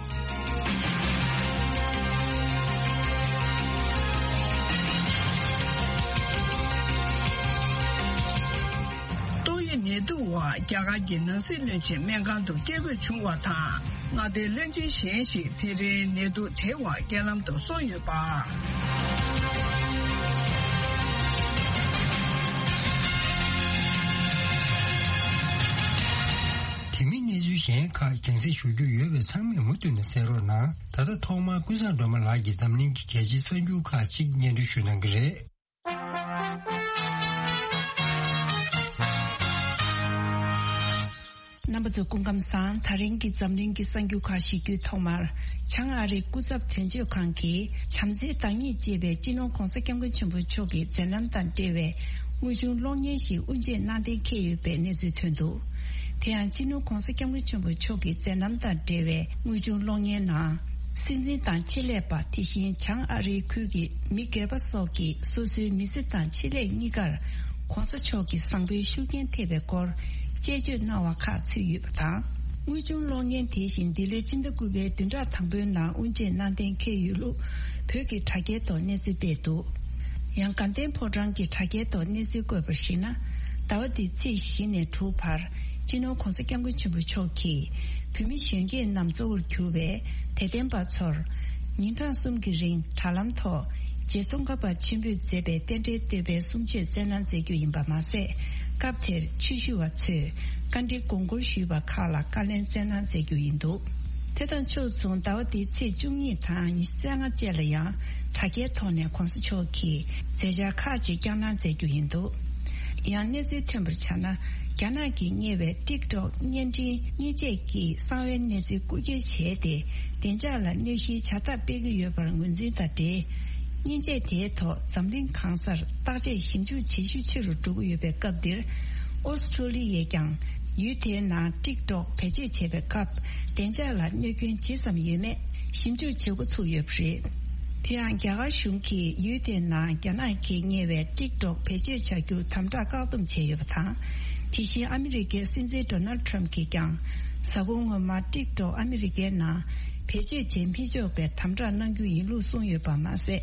ཏོག་དབྱིབས་ནད་དུག་འོག་རྒྱ་གར་གྱི་ནང་སྲིད་བློན་ཆེན་སྨན་ཁང་དུ་སྐྱེལ་དགོས་བྱུང་བ་དང་། མངའ་སྡེའི་བློན་ཆེན་གཞན་ཞིག་དེ་རིང་ནད་དུག་དེའི་འོག་རྐྱེན་ལམ་དུ་སོང་ཡོད་པ། དེ་མིན་གནས་ཚུལ་གཞན་ཁག་རྒྱང་སྲིང་ཞུ་རྒྱུ་ཡོད་པས་ཚང་མས་མུ་མཐུད་ནས་གསན་རོགས་གནང་། ད་ལྟ་ཐོག་མར་ཀུན་བཟང་སྒྲོལ་མ་ལགས་ཀྱིས་འཛམ་གླིང་གི་རྒྱལ་སྤྱིའི་གསར་འགྱུར་ཁག་ཅིག་སྙན་སྒྲོན་ཞུ་གནང་གི་རེད། རྣམ་པ་ཚོ་སྐུ་ཁམས་བཟང་། ད་རིང་གི་འཛམ་གླིང་གི་གསར་འགྱུར་ཁག་ཞུ་རྒྱུའི་ཐོག་མར། བྱང་ཨ་རིའི་སྐུ་ཚབ་དོན་གཅོད་ཁང་གིས་བྱམས་བརྩེའི་བདག་ཉིད་ཅེས་པའི་སྤྱི་ནོར་༧གོང་ས་༧སྐྱབས་མགོན་ཆེན་པོ་མཆོག་གི་མཛད་རྣམ་དང་འབྲེལ་བའི་དངོས་བྱུང་གློག་བརྙན་ཞིག་དབུ་འབྱེད་གནང་གཏན་འཁེལ་ཡོད་པའི་གནས་ཚུལ་ཐོན་འདུག་དེ་ཡང་སྤྱི་ནོར་༧གོང་ས་༧སྐྱབས་མགོན་ཆེན་པོ་མཆོག་གི་མཛད་རྣམ་དང་འབྲེལ་བའི་དངོས་བྱུང་གློག་བརྙན་ནང་། སྲིད་འཛིན་དང་ཆེད་ལས་པ། དེ་བཞིན་བྱང་ཨ་རིའི་ཁུལ་གྱི་མི་སྒེར་པ་སོགས་ཀྱིས་སོ་སོའི་མི་ཚེ་དང་ཆེད་ལས་གཉིས་ཀར་༧གོང་ས་མཆོག་གི་བཟང་པོའི་ཤུགས་རྐྱེན་ཐེབས་པའི་སྐོར་དཔྱད་བརྗོད་གནང་བ་ཁག་ཚུད་ཡོད་པ་དང་། དངོས་བྱུང་གློག་བརྙན་དེ་བཞིན་འདི་ལོའི་སྤྱི་ཟླ་དགུ་པའི་བདུན་ཕྲག་དང་པོའི་ནང་དབུ་འབྱེད་གནང་གཏན་འཁེལ་ཡོད་ལུགས་བོད་ཀྱི་དྲ་རྒྱའི་ཐོག་གནས་ཚུལ་སྤེལ་འདུག་ཡང་དགའ་ལྡན་ཕོ་བྲང་གི་དྲ་རྒྱའི་ཐོག་གནས་ཚུལ་བཀོད་པར་གཞིགས་ན། ཟླ་བ་འདིའི་ཚེས་བཞི་ནས་དྲུག་བར་སྤྱི་ནོར་༧གོང་ས་༧སྐྱབས་མགོན་ཆེན་པོ་མཆོག་གིས་བོད་མི་གཞོན་སྐྱེས་རྣམས་གཙོ་བོར་གྱུར་བའི་དད་ལྡན་པ་ཚོར་ཉིན་གྲངས་གསུམ་གྱི་རིང་དྲ་ལམ་ཐོག་རྗེ་ཙོང་ཁ་པ་ཆེན་པོས་མཛད་པའི་རྟེན་འབྲེལ་བསྟོད་པའི་གསུང་ཆོས་སྩལ་གནང་མཛད་རྒྱུ་ཡིན་པ་མ་ཟད། སྐབས་དེར་ཆོས་ཞུ་བ་ཚོས་བཀའ་འདྲི་དགོངས་སྐོར་ཞུས་པ་ཁག་ལ་བཀའ་ལན་སྩལ་གནང་མཛད་རྒྱུ་ཡིན་འདུག་དེ་དང་ཕྱོགས་མཚུངས་ཟླ་བ་འདིའི་ཚེས་བཅུ་གཉིས་དང་ཉི་ཤུ་རྩ་ལྔ་བཅས་ལ་ཡང་དྲ་རྒྱའི་ཐོག་ནས་༧གོང་ས་མཆོག་གིས་མཛད་འཆར་ཁག་ཅིག་བསྐྱངས་གནང་མཛད་རྒྱུ་ཡིན་འདུག་ཡང་གནས་ཚུལ་ཐོན་པར་ཆ་ན། རྒྱ་ནག་གིས་གཉེར་བའི་ཊིག་ཊོག་བརྙན་འཕྲིན་བརྙས་བཅོས་ཀྱི་གསང་བའི་གནས་ཚུལ་རྐུ་འཁྱེར་བྱས་ཏེ། བདེ་འཇགས་ལ་གནོད་གཞིའི་བྱ་ཐབས་སྤེལ་གྱི་ཡོད་པར་ངོས་འཛིན་དང་འབྲེལ། བརྙན་བཅོས་དེའི་ཐོག་འཛམ་གླིང་གང་སར་བརྟག་དཔྱད་ཞིབ་འཇུག་བྱེད་ཤུགས་ཆེ་རུ་འགྲོ་གི་ཡོད་པའི་སྐབས་འདིར། ཨོ་སི་ཁྲུ་ལི་ཡས་ཀྱང་ཡུལ་དེའི་ནང་ཊིག་ཊོག་བེད་སྤྱོད་བྱེད་པའི་སྐབས་བདེ་འཇགས་ལ་གནོད་སྐྱོན་ཇི་ཙམ་ཡོད་མེད་ཞིབ་འཇུག་བྱེད་འགོ་ཚུགས་ཡོད་པ་རེད། དེ་ཡང་རྒྱ་གར་གཞུང་གིས་ཡུལ་དེའི་ནང་རྒྱ་ནག་གིས་གཉེར་བའི་ཊིག་ཊོག་བེད་སྤྱོད་བྱ་རྒྱུར་དམ་དྲག་བཀག་སྡོམ་བྱས་ཡོད་པ་དང་། དེ་བཞིན་ཨ་མི་རི་ཀའི་སྲིད་འཛིན་ཌོ་ནལ་ཊྲམ་གྱིས་ཀྱང་གཟའ་འཁོར་སྔོན་མ་ཊིག་ཊོག་ཨ་མི་རི་ཀའི་ནང་བེད་སྤྱོད་བྱེད་མི་ཆོག་པའི་དམ་དྲག་གནང་རྒྱུ་ཡིན་ལུགས་གསུངས་ཡོད་པ་མ་ཟད།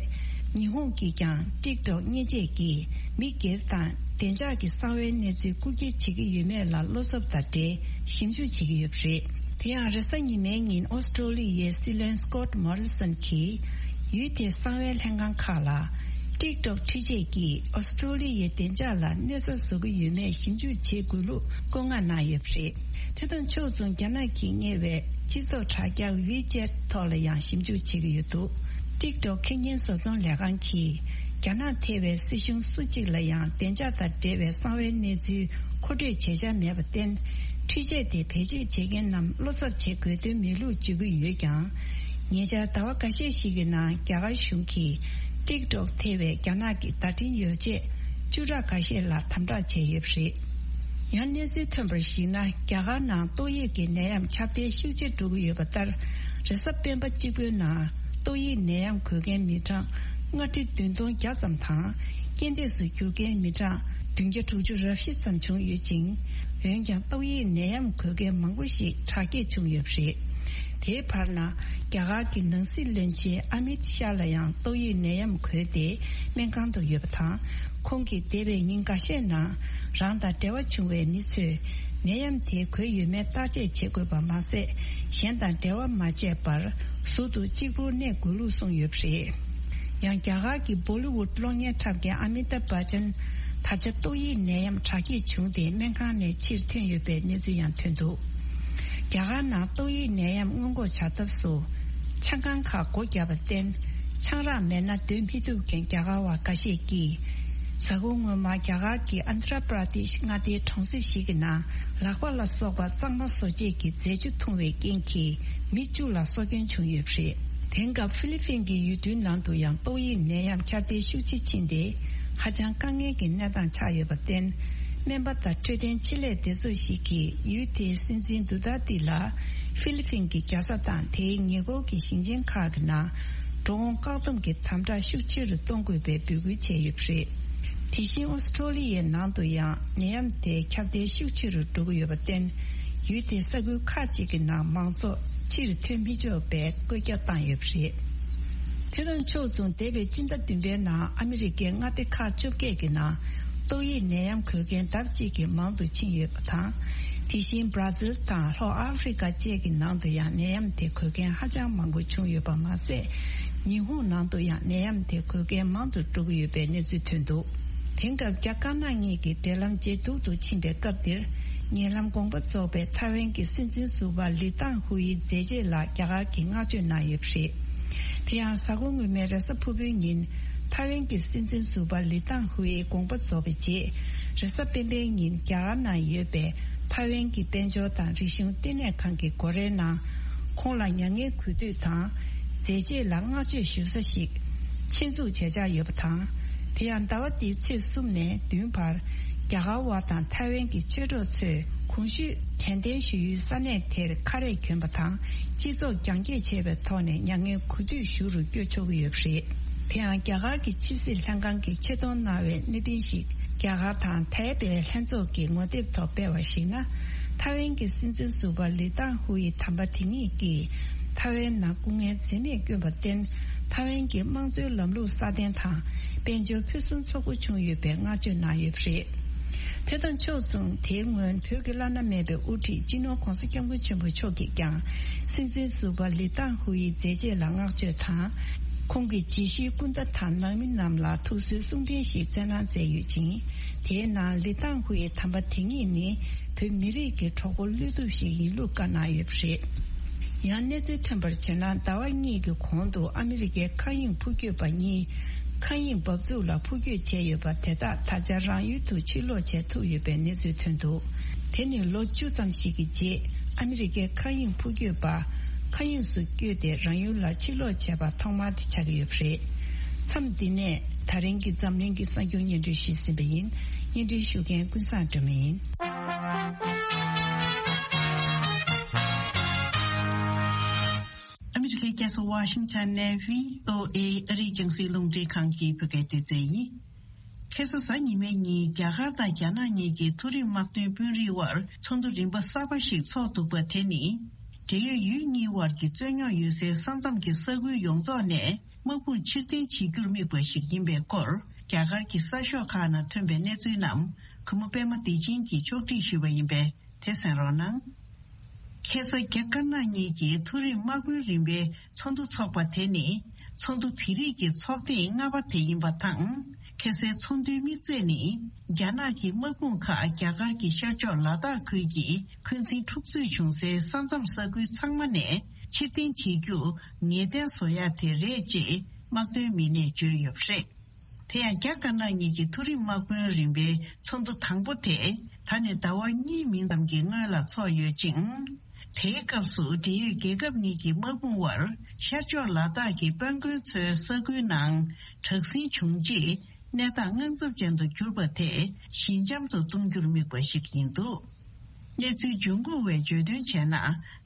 ཉི་ཧོང་གིས་ཀྱང་ཊིག་ཊོག་བརྙས་བཅོས་ཀྱིས་མི་སྒེར་དང་བདེ་འཇགས་ཀྱི་གསང་བའི་གནས་ཚུལ་རྐུ་འཁྱེར་བྱེད་ཀྱི་ཡོད་མེད་ལ་བློ་འཚབ་དང་འབྲེལ་ཞིབ་འཇུག་བྱེད་ཀྱི་ཡོད་པ་རེད། དེ་ཡང་རེས་གཟའ་ཉི་མའི་ཉིན་ཨོ་སི་ཀྲོ་ལི་ཡའི་སྲིད་བློན་སི་ཀོད་མོ་རི་སོན་གྱིས་ཡུལ་དེའི་གསང་བའི་ལྷན་ཁང་ཁག་ལ་ཊིག་ཊོག་འཕྲུལ་ཆས་ཀྱིས་ཨོ་སི་ཀྲོ་ལི་ཡའི་བདེ་འཇགས་ལ་གནོད་འཚེ་བཟོ་གི་ཡོད་མེད་ཞིབ་འཇུག་བྱེད་དགོས་ལུགས་བཀོད་མངགས་གནང་ཡོད་པ་རེད། དེ་དང་ཕྱོགས་མཚུངས་རྒྱ་ནག་གིས་གཉེར་བའི་སྤྱི་ཚོགས་དྲ་རྒྱ་ཝི་ཅེད་ཐོག་ལ་ཡང་ཞིབ་འཇུག་བྱེད་ཀྱི་ཡོད་འདུག་ཊིག་ཊོག་ཁེ་ཉིན་བཟོ་ཚོང་ལས་ཁང་གིས་རྒྱ་ནག་ཐེ་བའི་སྲིད་གཞུང་སུ་གཅིག་ལ་ཡང་བདེ་འཇགས་དང་འབྲེལ་བའི་གསང་བའི་གནས་ཚུལ་མཁོ་སྤྲོད་བྱེད་འཆར་མེད་པར་བརྟེན། འཕྲུལ་ཆས་དེ་བེད་སྤྱོད་བྱེད་མཁན་རྣམས་བློ་འཚབ་བྱེད་དགོས་དོན་མེད་ལུགས་བརྗོད་ཀྱི་ཡོད་ཀྱང་། ཉེ་ཆར་ཟླ་བ་འགའ་ཤས་ཤིག་གི་ནང་རྒྱ་གར་གཞུང་གིས་ཊིག་ཊོག་ཐེ་བའི་རྒྱ་ནག་གི་བརྡ་འཕྲིན་ཡོ་བྱད་བཅུ་ཕྲག་འགའ་ཤས་ལ་དམ་དྲག་བྱས་ཡོད་པ་རེད། ཡང་གནས་ཚུལ་ཐོན་པར་གཞིགས་ན། རྒྱ་གར་ནང་ཏོག་དབྱིབས་ཀྱི་ནད་ཡམས་ཁྱབ་གདལ་ཤུགས་ཆེ་འགྲོ་གི་ཡོད་པ་ལྟར། རེས་གཟའ་སྤེན་པ་གཅིག་པུའི་ནང་ཏོག་དབྱིབས་ནད་ཡམས་འགོས་མཁན་མི་གྲངས་ལྔ་ཁྲི་བདུན་སྟོང་བརྒྱ་ཙམ་དང་། རྐྱེན་འདས་སུ་གྱུར་མཁན་མི་གྲངས་བདུན་བརྒྱ་དྲུག་ཅུ་རེ་བཞི་ཙམ་བྱུང་ཡོད་ཅིང་། འོན་ཀྱང་ཏོག་དབྱིབས་ནད་ཡམས་འགོས་མཁན་མང་པོ་ཞིག་དྲག་སྐྱེད་བྱུང་ཡོད་པ་རེད། དེའི་བར་ན། རྒྱ་གར་གྱི་ནང་སྲིད་བློན་ཆེན་ཨ་མིད་ཤཱ་ལ་ཡང་ཏོག་དབྱིབས་ནད་ཡམས་འགོས་ཏེ་སྨན་ཁང་དུ་ཡོད་པ་དང་། ཁོང་གིས་འདས་པའི་ཉིན་འགའ་ཤས་ནང་རང་དང་འབྲེལ་བ་བྱུང་བའི་མི་ཚོས་ ནད་ཡམས་དེ་འགོས་ཡོད་མེད་བརྟག་དཔྱད་བྱེད་དགོས་པ་མ་ཟད། གཞན་དང་འབྲེལ་བ་མ་བྱས་པར་ཟུར་དུ་གཅིག་པུར་གནས་དགོས་ལུགས་གསུངས་ཡོད་པ་རེད། ཡང་རྒྱ་གར་གྱི་བོ་ལི་ཝུཌ་གློག་བརྙན་འཁྲབ་མཁན་ཨ་མི་ཏཱབ་བྷ་ཅན་ད་ཆ་ཏོག་དབྱིབས་ནད་ཡམས་དྲག་སྐྱེད་བྱུང་སྟེ་སྨན་ཁང་ནས་ཕྱིར་ཐོན་ཡོད་པའི་གནས་ཚུལ་ཡང་ཐོན་འདུག་རྒྱ་གར་ནང་ཏོག་དབྱིབས་ནད་ཡམས་སྔོན་འགོག་བྱ་ཐབས་སུ། ཆང་ཁང་ཁག་སྒོ་བརྒྱབ་པར་བརྟེན། ཆང་རག་མེད་ན་སྡོད་མི་ཐུབ་མཁན་རྒྱ་གར་བ་འགའ་ཤས་ཀྱིས། གཟའ་འཁོར་སྔོན་མ་རྒྱ་གར་གྱི་ཨན་དྷྲ་པྲ་དེཤ་མངའ་སྡེའི་གྲོང་གསེབ་ཞིག་གི་ནང་ལག་པ་ལ་སོགས་པ་གཙང་མ་བཟོ་བྱེད་ཀྱི་རྫས་ཆུ་འཐུང་བའི་རྐྱེན་གྱིས་མི་བཅུ་ལ་སྲོག་སྐྱོན་བྱུང་ཡོད་པ་རེད། དེང་སྐབས་ཧྥི་ལི་ཕིན་གྱི་ཡུལ་གྲུའི་ནང་དུ་ཡང་ཏོག་དབྱིབས་ནད་ཡམས་ཁྱབ་གདལ་ཤུགས་ཆེ་ཕྱིན་ཏེ། ཧ་ཅང་དཀའ་ངལ་གྱི་གནས་སྟངས་ཆགས་ཡོད་པར་བརྟེན། སྨན་པ་དང་འཕྲོད་བསྟེན་ཆེད་ལས་སྡེ་ཚོགས་ཤིག་གིས་ཡུལ་དེའི་སྲིད་འཛིན་དུ་ཏཱ་ཏི་ལ་ཧྥི་ལི་ཕིན་གྱི་རྒྱལ་ས་དང་དེའི་ཉེ་འཁོར་གྱི་ཞིང་ཆེན་ཁག་གི་ནང་འགྲོ་འོང་བཀག་སྡོམ་གྱི་དམ་དྲག་ཤུགས་ཆེ་རུ་གཏོང་དགོས་པའི་འབོད་སྐུལ་བྱས་ཡོད་པ་རེད། དེ་བཞིན་ཨོ་སི་ཁྲོ་ལི་ཡའི་ནང་དུ་ཡང་ནད་ཡམས་དེ་ཁྱབ་གདལ་ཤུགས་ཆེ་རུ་འགྲོ་གི་ཡོད་པར་བརྟེན། ཡུལ་དེའི་ས་ཁུལ་ཁག་ཅིག་གི་ནང་མང་ཚོགས་ཕྱིར་ཐོན་མི་ཆོག་པའི་བཀོད་ཁྱབ་བཏང་ཡོད་པ་རེད། དེ་དང་ཕྱོགས་མཚུངས། འདས་པའི་སྤྱི་ཟླ་བདུན་པའི་ནང་ཨ་མི་རི་ཀའི་མངའ་སྡེ་ཁག་བཅོ་བརྒྱད་ཀྱི་ནང་ཏོག་དབྱིབས་ནད་ཡམས་འགོས་མཁན་ལྡབ་གཅིག་གིས་མང་དུ་ཕྱིན་ཡོད་པ་དང་། དེ་བཞིན་བྷ་ར་ཟིལ་དང་ལྷོ་ཨ་ཧྥེ་རི་ཀ་བཅས་ཀྱི་ནང་དུ་ཡང་ནད་ཡམས་དེ་འགོས་མཁན་ཧ་ཅང་མང་པོ་བྱུང་ཡོད་པ་མ་ཟད། ཉི་ཧོང་ནང་དུ་ཡང་ནད་ཡམས་དེ་འགོས་མཁན་མང་དུ་འགྲོ་གི་ཡོད་པའི་གནས་ཚུལ་ཐོན་འདུག་དེང་སྐབས་རྒྱ་དཀར་ནག་གཉིས་ཀྱི་འབྲེལ་ལམ་ཇེ་སྡུག་ཏུ་ཕྱིན་པའི་སྐབས་འདིར། ཉེ་ལམ་དགོངས་པ་རྫོགས་པའི་ཐའེ་ཝན་གྱི་སྲིད་འཛིན་ཟུར་པ་ལི་ཏང་ཧུའེ་མཛད་རྗེས་ལ་རྒྱ་གར་གྱིས་བསྔགས་བརྗོད་གནང་ཡོད་པ་རེད། དེ་ཡང་གཟའ་འཁོར་སྔོན་མའི་རེས་གཟའ་ཕུར་བུའི་ཉིན། ཐའེ་ཝན་གྱི་སྲིད་འཛིན་ཟུར་པ་ལི་ཏང་ཧུའེ་དགོངས་པ་རྫོགས་པའི་རྗེས། རེས་གཟའ་སྤེན་པའི་ཉིན་རྒྱ་གར་ནང་ཡོད་པའི་ཐའེ་ཝན་གྱི་དཔལ་འབྱོར་དང་རིག་གཞུང་ལྟེ་གནས་ཁང་གི་སྒོ་རའི་ནང་། ཁོང་ལ་མྱ་ངན་གུས་འདུད་དང་། མཛད་རྗེས་ལ་བསྔགས་བརྗོད་ཞུ་ས་ཞིག་ཆེད་འཛུགས་བྱེད་འཆར་ཡོད་པ་དང་། དེ་ཡང་ཟླ་བ་འདིའི་ཚེས་གསུམ་ནས་བདུན་བར། རྒྱ་གར་བ་དང་ཐའེ་ཝན་གྱི་ཆོས་གྲོགས་ཚོས་གོང་ཞུས་དྲན་རྟེན་ཞུ་ཡུལ་ས་གནས་དེར་ཁ་རས་གྱོན་པ་དང་། སྤྱི་ཚོགས་རྒྱང་བཀྱེད་བྱས་པའི་ཐོག་ནས་མྱ་ངན་གུས་འདུད་ཞུ་རུ་བསྐྱོད་ཆོག་གི་ཡོད་པ་རེད། དེ་ཡང་རྒྱ་གར་གྱི་ཕྱི་སྲིད་ལྷན་ཁང་གིས་ཆེད་གཏོང་གནང་བའི་གནས་འཕྲིན་ཞིག་རྒྱ་གར་དང་ཐའེ་པེ་ལྷན་ཚོགས་ཀྱི་ངོ་དེབ་ཐོག་སྤེལ་བར་གཞིགས་ན། ཐའེ་ཝན་གྱི་སྲིད་འཛིན་ཟུར་པ་ལི་ཏང་ཧུའེ་དམ་པ་དེ་ཉིད་ཀྱིས། ཐའེ་ཝན་ནང་སྐུ་ངལ་འཛེམས་མེད་བསྐྱོན་པར་བརྟེན། ཐའེ་ཝན་གྱི་དམངས་གཙོའི་ལམ་ལུགས་སྲ་བརྟན་དང་། དཔལ་འབྱོར་ཕུན་སུམ་ཚོགས་པོ་བྱུང་ཡོད་པའི་བསྔགས་བརྗོད་གནང་ཡོད་པ་རེད། དེ་དང་ཕྱོགས་མཚུངས། དེའི་སྔོན་བོད་ཀྱི་བླ་ན་མེད་པའི་དབུ་ཁྲིད་སྤྱི་ནོར་༧གོང་ས་༧སྐྱབས་མགོན་ཆེན་པོ་མཆོག་གིས་ཀྱང་། སྲིད་འཛིན་ཟུར་པ་ལི་ཏང་ཧུའེ་མཛད་རྗེས་ལ་བསྔགས་བརྗོད་དང་། ཁོང་གི་རྗེས་ཤུལ་སྐུ་ཟླ་དང་ནང་མི་རྣམས་ལ་ཐུགས་གསོའི་གསུང་འཕྲིན་ཞིག་བསྩལ་གནང་མཛད་ཡོད་ཅིང་། དེའི་ནང་ལི་ཏང་ཧུའེ་དམ་པ་དེ་ཉིད་ནི། བོད་མི་རིགས་ཀྱི་གྲོགས་པོ་བློ་གཏུབ་ཞིག་ཡིན་ལུགས་བཀའ་གནང་ཡོད་པ་རེད། ཡང་གནས་ཚུལ་ཐོན་པར་བྱས་ན། ཟླ་བ་གཉིས་ཀྱི་གོང་དུ་ཨ་མི་རི་ཀའི་མཁའ་དབྱིངས་འཕུར་སྐྱོད་པ་གཉིས། མཁའ་དབྱིངས་འབབ་ཚུགས་ལ་འཕུར་སྐྱོད་བྱས་ཡོད་པ་དེ་དག་ད་ཆ་རང་ཡུལ་དུ་ཕྱིར་ལོག་བྱེད་ཐུབ་ཡོད་པའི་གནས་ཚུལ་ཐོན་འདུག་དེ་ནི་ལོ་བཅུ་ཙམ་ཞིག་གི་རྗེས། ཨ་མི་རི་ཀའི་མཁའ་དབྱིངས་འཕུར་སྐྱོད་པ། མཁའ་དབྱིངས་སུ་བསྐྱོད་དེ་རང་ཡུལ་ལ་ཕྱིར་ལོག་བྱས་པ་ཐོག་མ་དེ་ཆགས་ཀྱི་ཡོད་པ་རེད། མཚམས་འདི་ནས་ད་རིང་གི་འཛམ་གླིང་གི་གསར་འགྱུར་སྙན་སྒྲོན་ཞུས་ཟིན་པ་ཡིན། སྙན་སྒྲོན་ཞུ་མཁན་ཀུན་བཟང་སྒྲོལ་མ་ཡིན། ཨ་མི་རི་ཀའི་རྒྱལ་ས་ཝ་ཤིང་ཊོན་ནས་བྷི་ཨོ་ཨེ་ཨ་རིའི་རྒྱང་སྲིང་རླུང་འཕྲིན་ཁང་གི་བོད་སྐད་སྡེ་ཚན་ཡིན། ཁ་སང་གཟའ་ཉི་མའི་ཉིན་རྒྱ་གར་དང་རྒྱ་ནག་གཉིས་ཀྱི་མཐོ་རིམ་དམག་དོན་དཔོན་རིགས་དབར་ཚོགས་འདུ་རིམ་པ་གསར་པ་ཞིག་འཚོགས་འདུག་པ་དེ་ནི། འབྲེལ་ཡོད་ཡུལ་གཉིས་དབར་གྱི་རྩོད་རྙོག་ཡོད་སའི་ས་མཚམས་ཀྱི་ས་ཁུལ་ཡོངས་རྫོགས་ནས་དམག་དཔུང་ཕྱིར་འཐེན་བྱེད་རྒྱུར་དམིགས་པ་ཞིག་ཡིན་པའི་སྐོར། རྒྱ་གར་གྱི་གསར་ཤོག་ཁག་ནང་ཐོན་པའི་གནས་ཚུལ་རྣམས་གུས་མོ་པད་མ་བདེ་ཆེན་གྱིས་ཕྱོགས་སྒྲིག་ཞུས་པ་ཡིན་པས། དེ་གསན་རོགས་གནང་། ཁ་སང་རྒྱ་དཀར་ནག་གཉིས་ཀྱི་མཐོ་རིམ་དམག་དཔོན་རིམ་པའི་ཚོགས་འདུ་འཚོགས་པ་དེ་ནི། ཚོགས་འདུ་དེ་རིགས་ཀྱི་ཚོགས་ཐེངས་ལྔ་པ་དེ་ཡིན་པ་དང་། ཁ་སའི་ཚོགས་འདུའི་དམིགས་ཚད་ནི། རྒྱ་ནག་གི་དམག་དཔུང་ཁག་རྒྱ་གར་གྱི་ཤར་ཕྱོགས་ལ་དྭགས་ཁུལ་གྱི་འཁོན་འཛིན་འཁྲུག་རྩོད་བྱུང་སའི་ས་མཚམས་ས་ཁུལ་ཚང་མ་ནས་ཕྱིར་འཐེན་བྱེད་རྒྱུ་ངེས་གཏན་བཟོ་ཡག་དེ་རེད་ཅེས་དམག་དོན་མི་སྣས་བརྗོད་ཡོད་པ་རེད། དེ་ཡང་རྒྱ་དཀར་ནག་གཉིས་ཀྱི་མཐོ་རིམ་དམག་དཔོན་རིམ་པའི་ཚོགས་འདུ་དང་པོ་དེ་ད་ནས་ཟླ་བ་གཉིས་མིན་ཙམ་གྱི་སྔོན་ལ་འཚོགས་ཡོད་ཅིང་། དེའི་སྐབས་སུ་འབྲེལ་ཡོད་རྒྱལ་ཁབ་གཉིས་ཀྱི་དམག་དཔུང་དབར་ཤར་ཕྱོགས་ལ་དྭགས་ཀྱི་དཔལ་མགོན་མཚོའི་ས་ཁུལ་ནང་དྲག་ཟིང་བྱུང་རྗེས་གནས་སྟངས་དངངས་འཚབ་ཅན་དུ་གྱུར་པ་དེ་ཞི་འཇམ་དུ་གཏོང་རྒྱུར་དམིགས་པ་ཞིག་ཡིན་འདུག་གནས་ཚུལ་འབྱུང་ཁུངས་བས་བརྗོད་དོན་བྱས་ན།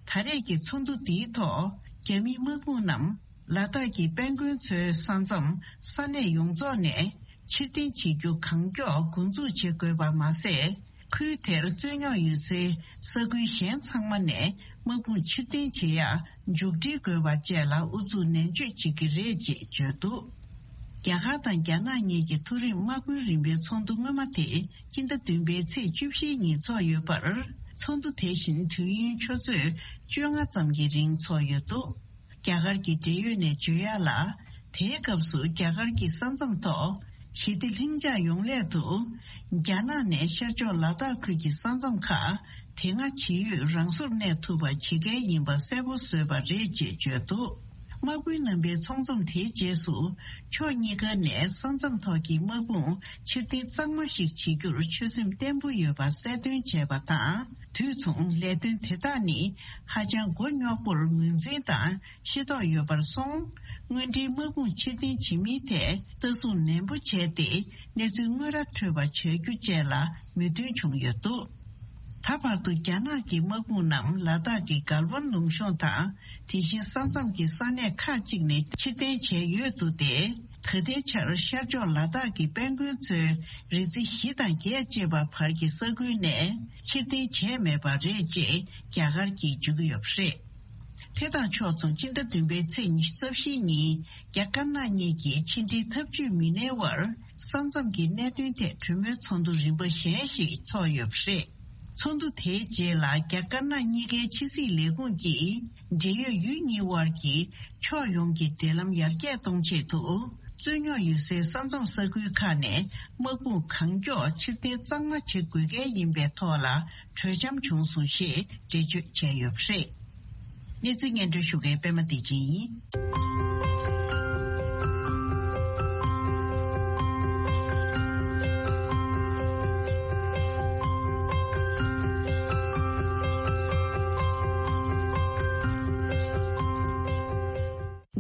ད་རེས་ཀྱི་ཚོགས་འདུ་འདིའི་ཐོག་རྒྱ་མིའི་དམག་དཔུང་རྣམས་ལ་དྭགས་ཀྱི་དཔལ་མགོན་མཚོའི་ས་མཚམས་ས་གནས་ཡོངས་རྫོགས་ནས་ཕྱིར་འཐེན་བྱེད་རྒྱུ་གང་མགྱོགས་འགོ་འཛུགས་བྱེད་དགོས་པ་མ་ཟད། ཁུལ་དེར་རྩོད་རྙོག་ཡོད་སའི་ས་ཁུལ་གཞན་ཚང་མ་ནས་དམག་དཔུང་ཕྱིར་འཐེན་བྱེད་ཡག་མཇུག་སྒྲིལ་དགོས་པ་བཅས་ལ་ཨུ་ཚུགས་ནན་བརྗོད་བྱེད་ཀྱི་རེད་ཅེས་བརྗོད་འདུག་རྒྱ་གར་དང་རྒྱ་ནག་གཉིས་ཀྱི་མཐོ་རིམ་དམག་དཔོན་རིམ་པའི་ཚོགས་འདུ་སྔོན་མ་དེ་སྤྱི་ཟླ་བདུན་པའི་ཚེས་བཅུ་བཞིའི་ཉིན་འཚོགས་ཡོད་པར། ཚོགས་འདུ་དེ་བཞིན་དུས་ཡུན་ཆུ་ཚོད་བཅོ་ལྔ་ཙམ་གྱི་རིང་འཚོགས་ཡོད་འདུག་རྒྱ་གར་གྱི་འབྲེལ་ཡོད་ནས་བརྗོད་ཡག་ལ། དེའི་སྐབས་སུ་རྒྱ་གར་གྱི་ས་མཚམས་ཐོག་ཞི་བདེ་ལྷིང་འཇགས་ཡོང་སླད་དུ། རྒྱ་ནག་ནས་ཤར་ཕྱོགས་ལ་དྭགས་ཁུལ་གྱི་ས་མཚམས་ཁག་དེ་སྔ་ཇི་ཡོད་རང་སོར་གནས་ཐུབ་པ་བྱེད་གལ་ཡིན་པ་གསལ་པོ་བཟོས་པ་རེད་ཅེས་བརྗོད་འདུག་དམག་དཔོན་རྣམ་པའི་ཚོགས་འཛོམས་དེའི་རྗེས་སུ། ཕྱོགས་གཉིས་ཀ་ནས་ས་མཚམས་ཐོག་གི་དམག་དཔུང་ཕྱིར་འཐེན་གཙང་མ་ཞིག་བྱེད་རྒྱུར་ཆོད་སེམས་བརྟན་པོ་ཡོད་པ་གསལ་སྟོན་བྱས་པ་དང་། དུས་མཚུངས་ལས་དོན་དེ་དག་ནི་ཧ་ཅང་མགོ་རྙོག་པོར་ངོས་འཛིན་དང་ཤེས་རྟོགས་ཡོད་པར་སོང་། དངོས་འབྲེལ་དམག་དཔུང་ཕྱིར་འཐེན་བྱེད་མིན་ཐད་ལྟ་སྲུང་ནན་པོ་བྱས་ཏེ། གནས་ཚུལ་དངོས་ར་འཕྲོད་པ་བྱ་རྒྱུ་བཅས་ལ་མོས་མཐུན་བྱུང་ཡོད་འདུག་ད་བར་དུ་རྒྱ་ནག་གི་དམག་དཔུང་རྣམས་ལ་དྭགས་ཀྱི་གལ་ཝན་ལུང་གཤོང་དང་། དེ་བཞིན་ས་མཚམས་ཀྱི་ས་གནས་ཁག་ཅིག་ནས་ཕྱིར་འཐེན་བྱས་ཡོད་འདུག་སྟེ། ད་ལྟའི་ཆར་ཤར་ཕྱོགས་ལ་དྭགས་ཀྱི་དཔལ་མགོན་མཚོའི་རི་རྩེ་བཞི་དང་བརྒྱད་ཅེས་པ་བར་གྱི་ས་ཁུལ་ནས་ཕྱིར་འཐེན་བྱས་མེད་པ་རེད་ཅེས་རྒྱ་གར་གྱིས་བརྗོད་ཀྱི་ཡོད་པ་རེད། དེ་དང་ཕྱོགས་མཚུངས་སྤྱི་ཟླ་བདུན་པའི་ཚེས་ཉི་ཤུ་རྩ་བཞིའི་ཉིན་རྒྱ་དཀར་ནག་གཉིས་ཀྱི་ཕྱི་འབྲེལ་འཐབ་ཇུས་མི་སྣའི་དབར་ས་མཚམས་ཀྱི་གནད་དོན་ཐད་གྲོས་མོལ་ཚོགས་འདུ་རིམ་པ་གཞན་ཞིག་འཚོགས་ཡོད་པ་རེད། ཚོགས་འདུ་དེའི་རྗེས་ལ་རྒྱ་དཀར་ནག་གཉིས་ཀའི་ཕྱི་སྲིད་ལས་ཁུངས་ཀྱིས་འབྲེལ་ཡོད་ཡུལ་གཉིས་དབར་གྱི་ཕྱོགས་ཡོངས་ཀྱི་འབྲེལ་ལམ་ཡར་རྒྱས་གཏོང་ཆེད་དུ་རྩོད་རྙོག་ཡོད་སའི་ས་མཚམས་ས་ཁུལ་ཁག་ནས་དམག་དཔུང་གང་མགྱོགས་ཕྱིར་འཐེན་གཙང་མ་བྱེད་དགོས་གལ་ཡིན་པའི་ཐོག་ལ་གྲོས་འཆམ་བྱུང་སོང་ཞེས་འགྲེལ་བརྗོད་བྱས་ཡོད་པ་རེད། གནས་ཚུལ་སྙན་སྒྲོན་ཞུ་མཁན་པད་མ་བདེ་ཆེན་ཡིན།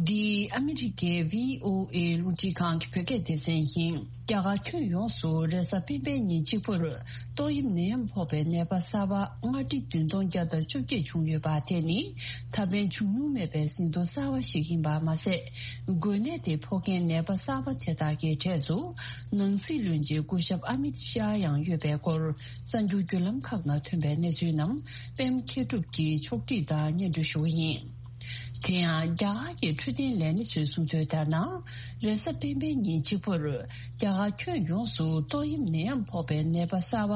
འདི་ཨ་མི་རི་ཀའི་བྷི་ཨོ་ཨེ་རླུང་འཕྲིན་ཁང་གི་བོད་སྐད་སྡེ་ཚན་ཡིན། རྒྱ་གར་ཁྱོན་ཡོངས་སུ་རེས་གཟའ་སྤེན་པའི་ཉིན་གཅིག་པུར་ཏོག་དབྱིབས་ནད་ཡམས་ཕོག་པའི་ནད་པ་གསར་པ་ལྔ་ཁྲི་བདུན་སྟོང་བརྒྱ་དང་བཅོ་བརྒྱད་བྱུང་ཡོད་པ་དེ་ནི་ད་ཕན་བྱུང་མྱོང་མེད་པའི་ཟིན་ཐོ་གསར་པ་ཞིག་ཡིན་པ་མ་ཟད། འགོས་ནད་དེ་ཕོག་མཁན་ནད་པ་གསར་པ་དེ་དག་གི་གྲས་སུ་ནང་སྲིད་བློན་ཆེན་སྐུ་ཞབས་ཨ་མིད་ཤཱ་ཡང་ཡོད་པའི་སྐོར་གསར་འགྱུར་བརྒྱུད་ལམ་ཁག་ནང་ཐོན་པའི་གནས་ཚུལ་རྣམས་པད་མ་མཁས་གྲུབ་ཀྱིས་ཕྱོགས་སྒྲིག་དང་སྙན་སྒྲོན་ཞུ་གི་ཡིན། དེ་ཡང་རྒྱ་གར་གྱི་འཕྲོད་བསྟེན་ལས་སྣེ་ཚོས་གསུངས་དོན་ལྟར་ན། རེས་གཟའ་སྤེན་པའི་ཉིན་གཅིག་པུར་རྒྱ་གར་ཁྱོན་ཡོངས་སུ་ཏོག་དབྱིབས་ནད་ཡམས་ཕོག་པའི་ནད་པ་གསར་པ་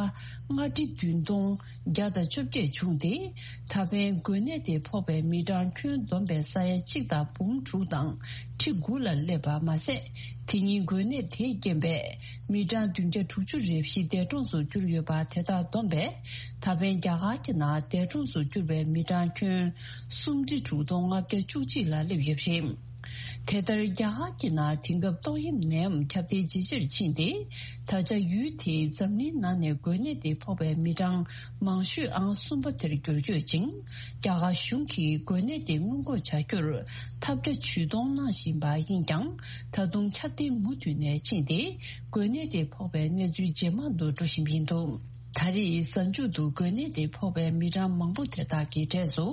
ལྔ་ཁྲི་བདུན་སྟོང་བརྒྱ་དང་བཅོ་བརྒྱད་བྱུང་སྟེ། ད་ཕན་འགོས་ནད་དེ་ཕོག་པའི་མི་གྲངས་ཁྱོན་བསྡོམས་པའི་ས་ཡ་གཅིག་དང་འབུམ་དྲུག་དང་ཁྲི་དགུ་ལ་སླེབས་པ་མ་ཟད། དེ་ཉིན་འགོས་ནད་དེའི་རྐྱེན་པས་མི་གྲངས་བདུན་བརྒྱ་དྲུག་ཅུ་རེ་བཞི་འདས་གྲོངས་སུ་གྱུར་ཡོད་པ་དེ་དག་བསྡོམས་པས། ད་ཕན་རྒྱ་གར་གྱི་ནང་འདས་གྲོངས་སུ་གྱུར་པའི་མི་གྲངས་ཁྱོན་སུམ་ཁྲི་དྲུག་སྟོང་ལྔ་བརྒྱ་བཅུ་གཅིག་ལ་སླེབས་ཡོད་པ་རེད། དེ་ལྟར་རྒྱ་གར་གྱི་ནང་དེང་སྐབས་ཏོག་དབྱིབས་ནད་ཡམས་ཁྱབ་གདལ་ཇེ་ཆེར་ཕྱིན་ཏེ། ད་ཆ་ཡུལ་དེའི་འཛམ་གླིང་ནང་ནས་འགོས་ནད་དེ་ཕོག་པའི་མི་གྲངས་མང་ཤོས་ཨང་གསུམ་པ་དེར་འགྱུར་ཡོད་ཅིང་། རྒྱ་གར་གཞུང་གིས་འགོས་ནད་དེ་སྔོན་འགོག་བྱ་རྒྱུར་ཐབས་བརྒྱ་ཇུས་སྟོང་གནང་བཞིན་པ་ཡིན་ཀྱང་། ད་དུང་ཁྱབ་གདལ་མུ་མཐུད་ནས་ཕྱིན་ཏེ། འགོས་ནད་དེ་ཕོག་པའི་གནས་ཚུལ་ཇེ་མང་དུ་འགྲོ་བཞིན་པ་ཡིན་འདུག་ད་རེས་གཟའ་མཇུག་ཏུ་འགོས་ནད་དེ་ཕོག་པའི་མི་གྲངས་མང་པོ་དེ་དག་གི་གྲས་སུ།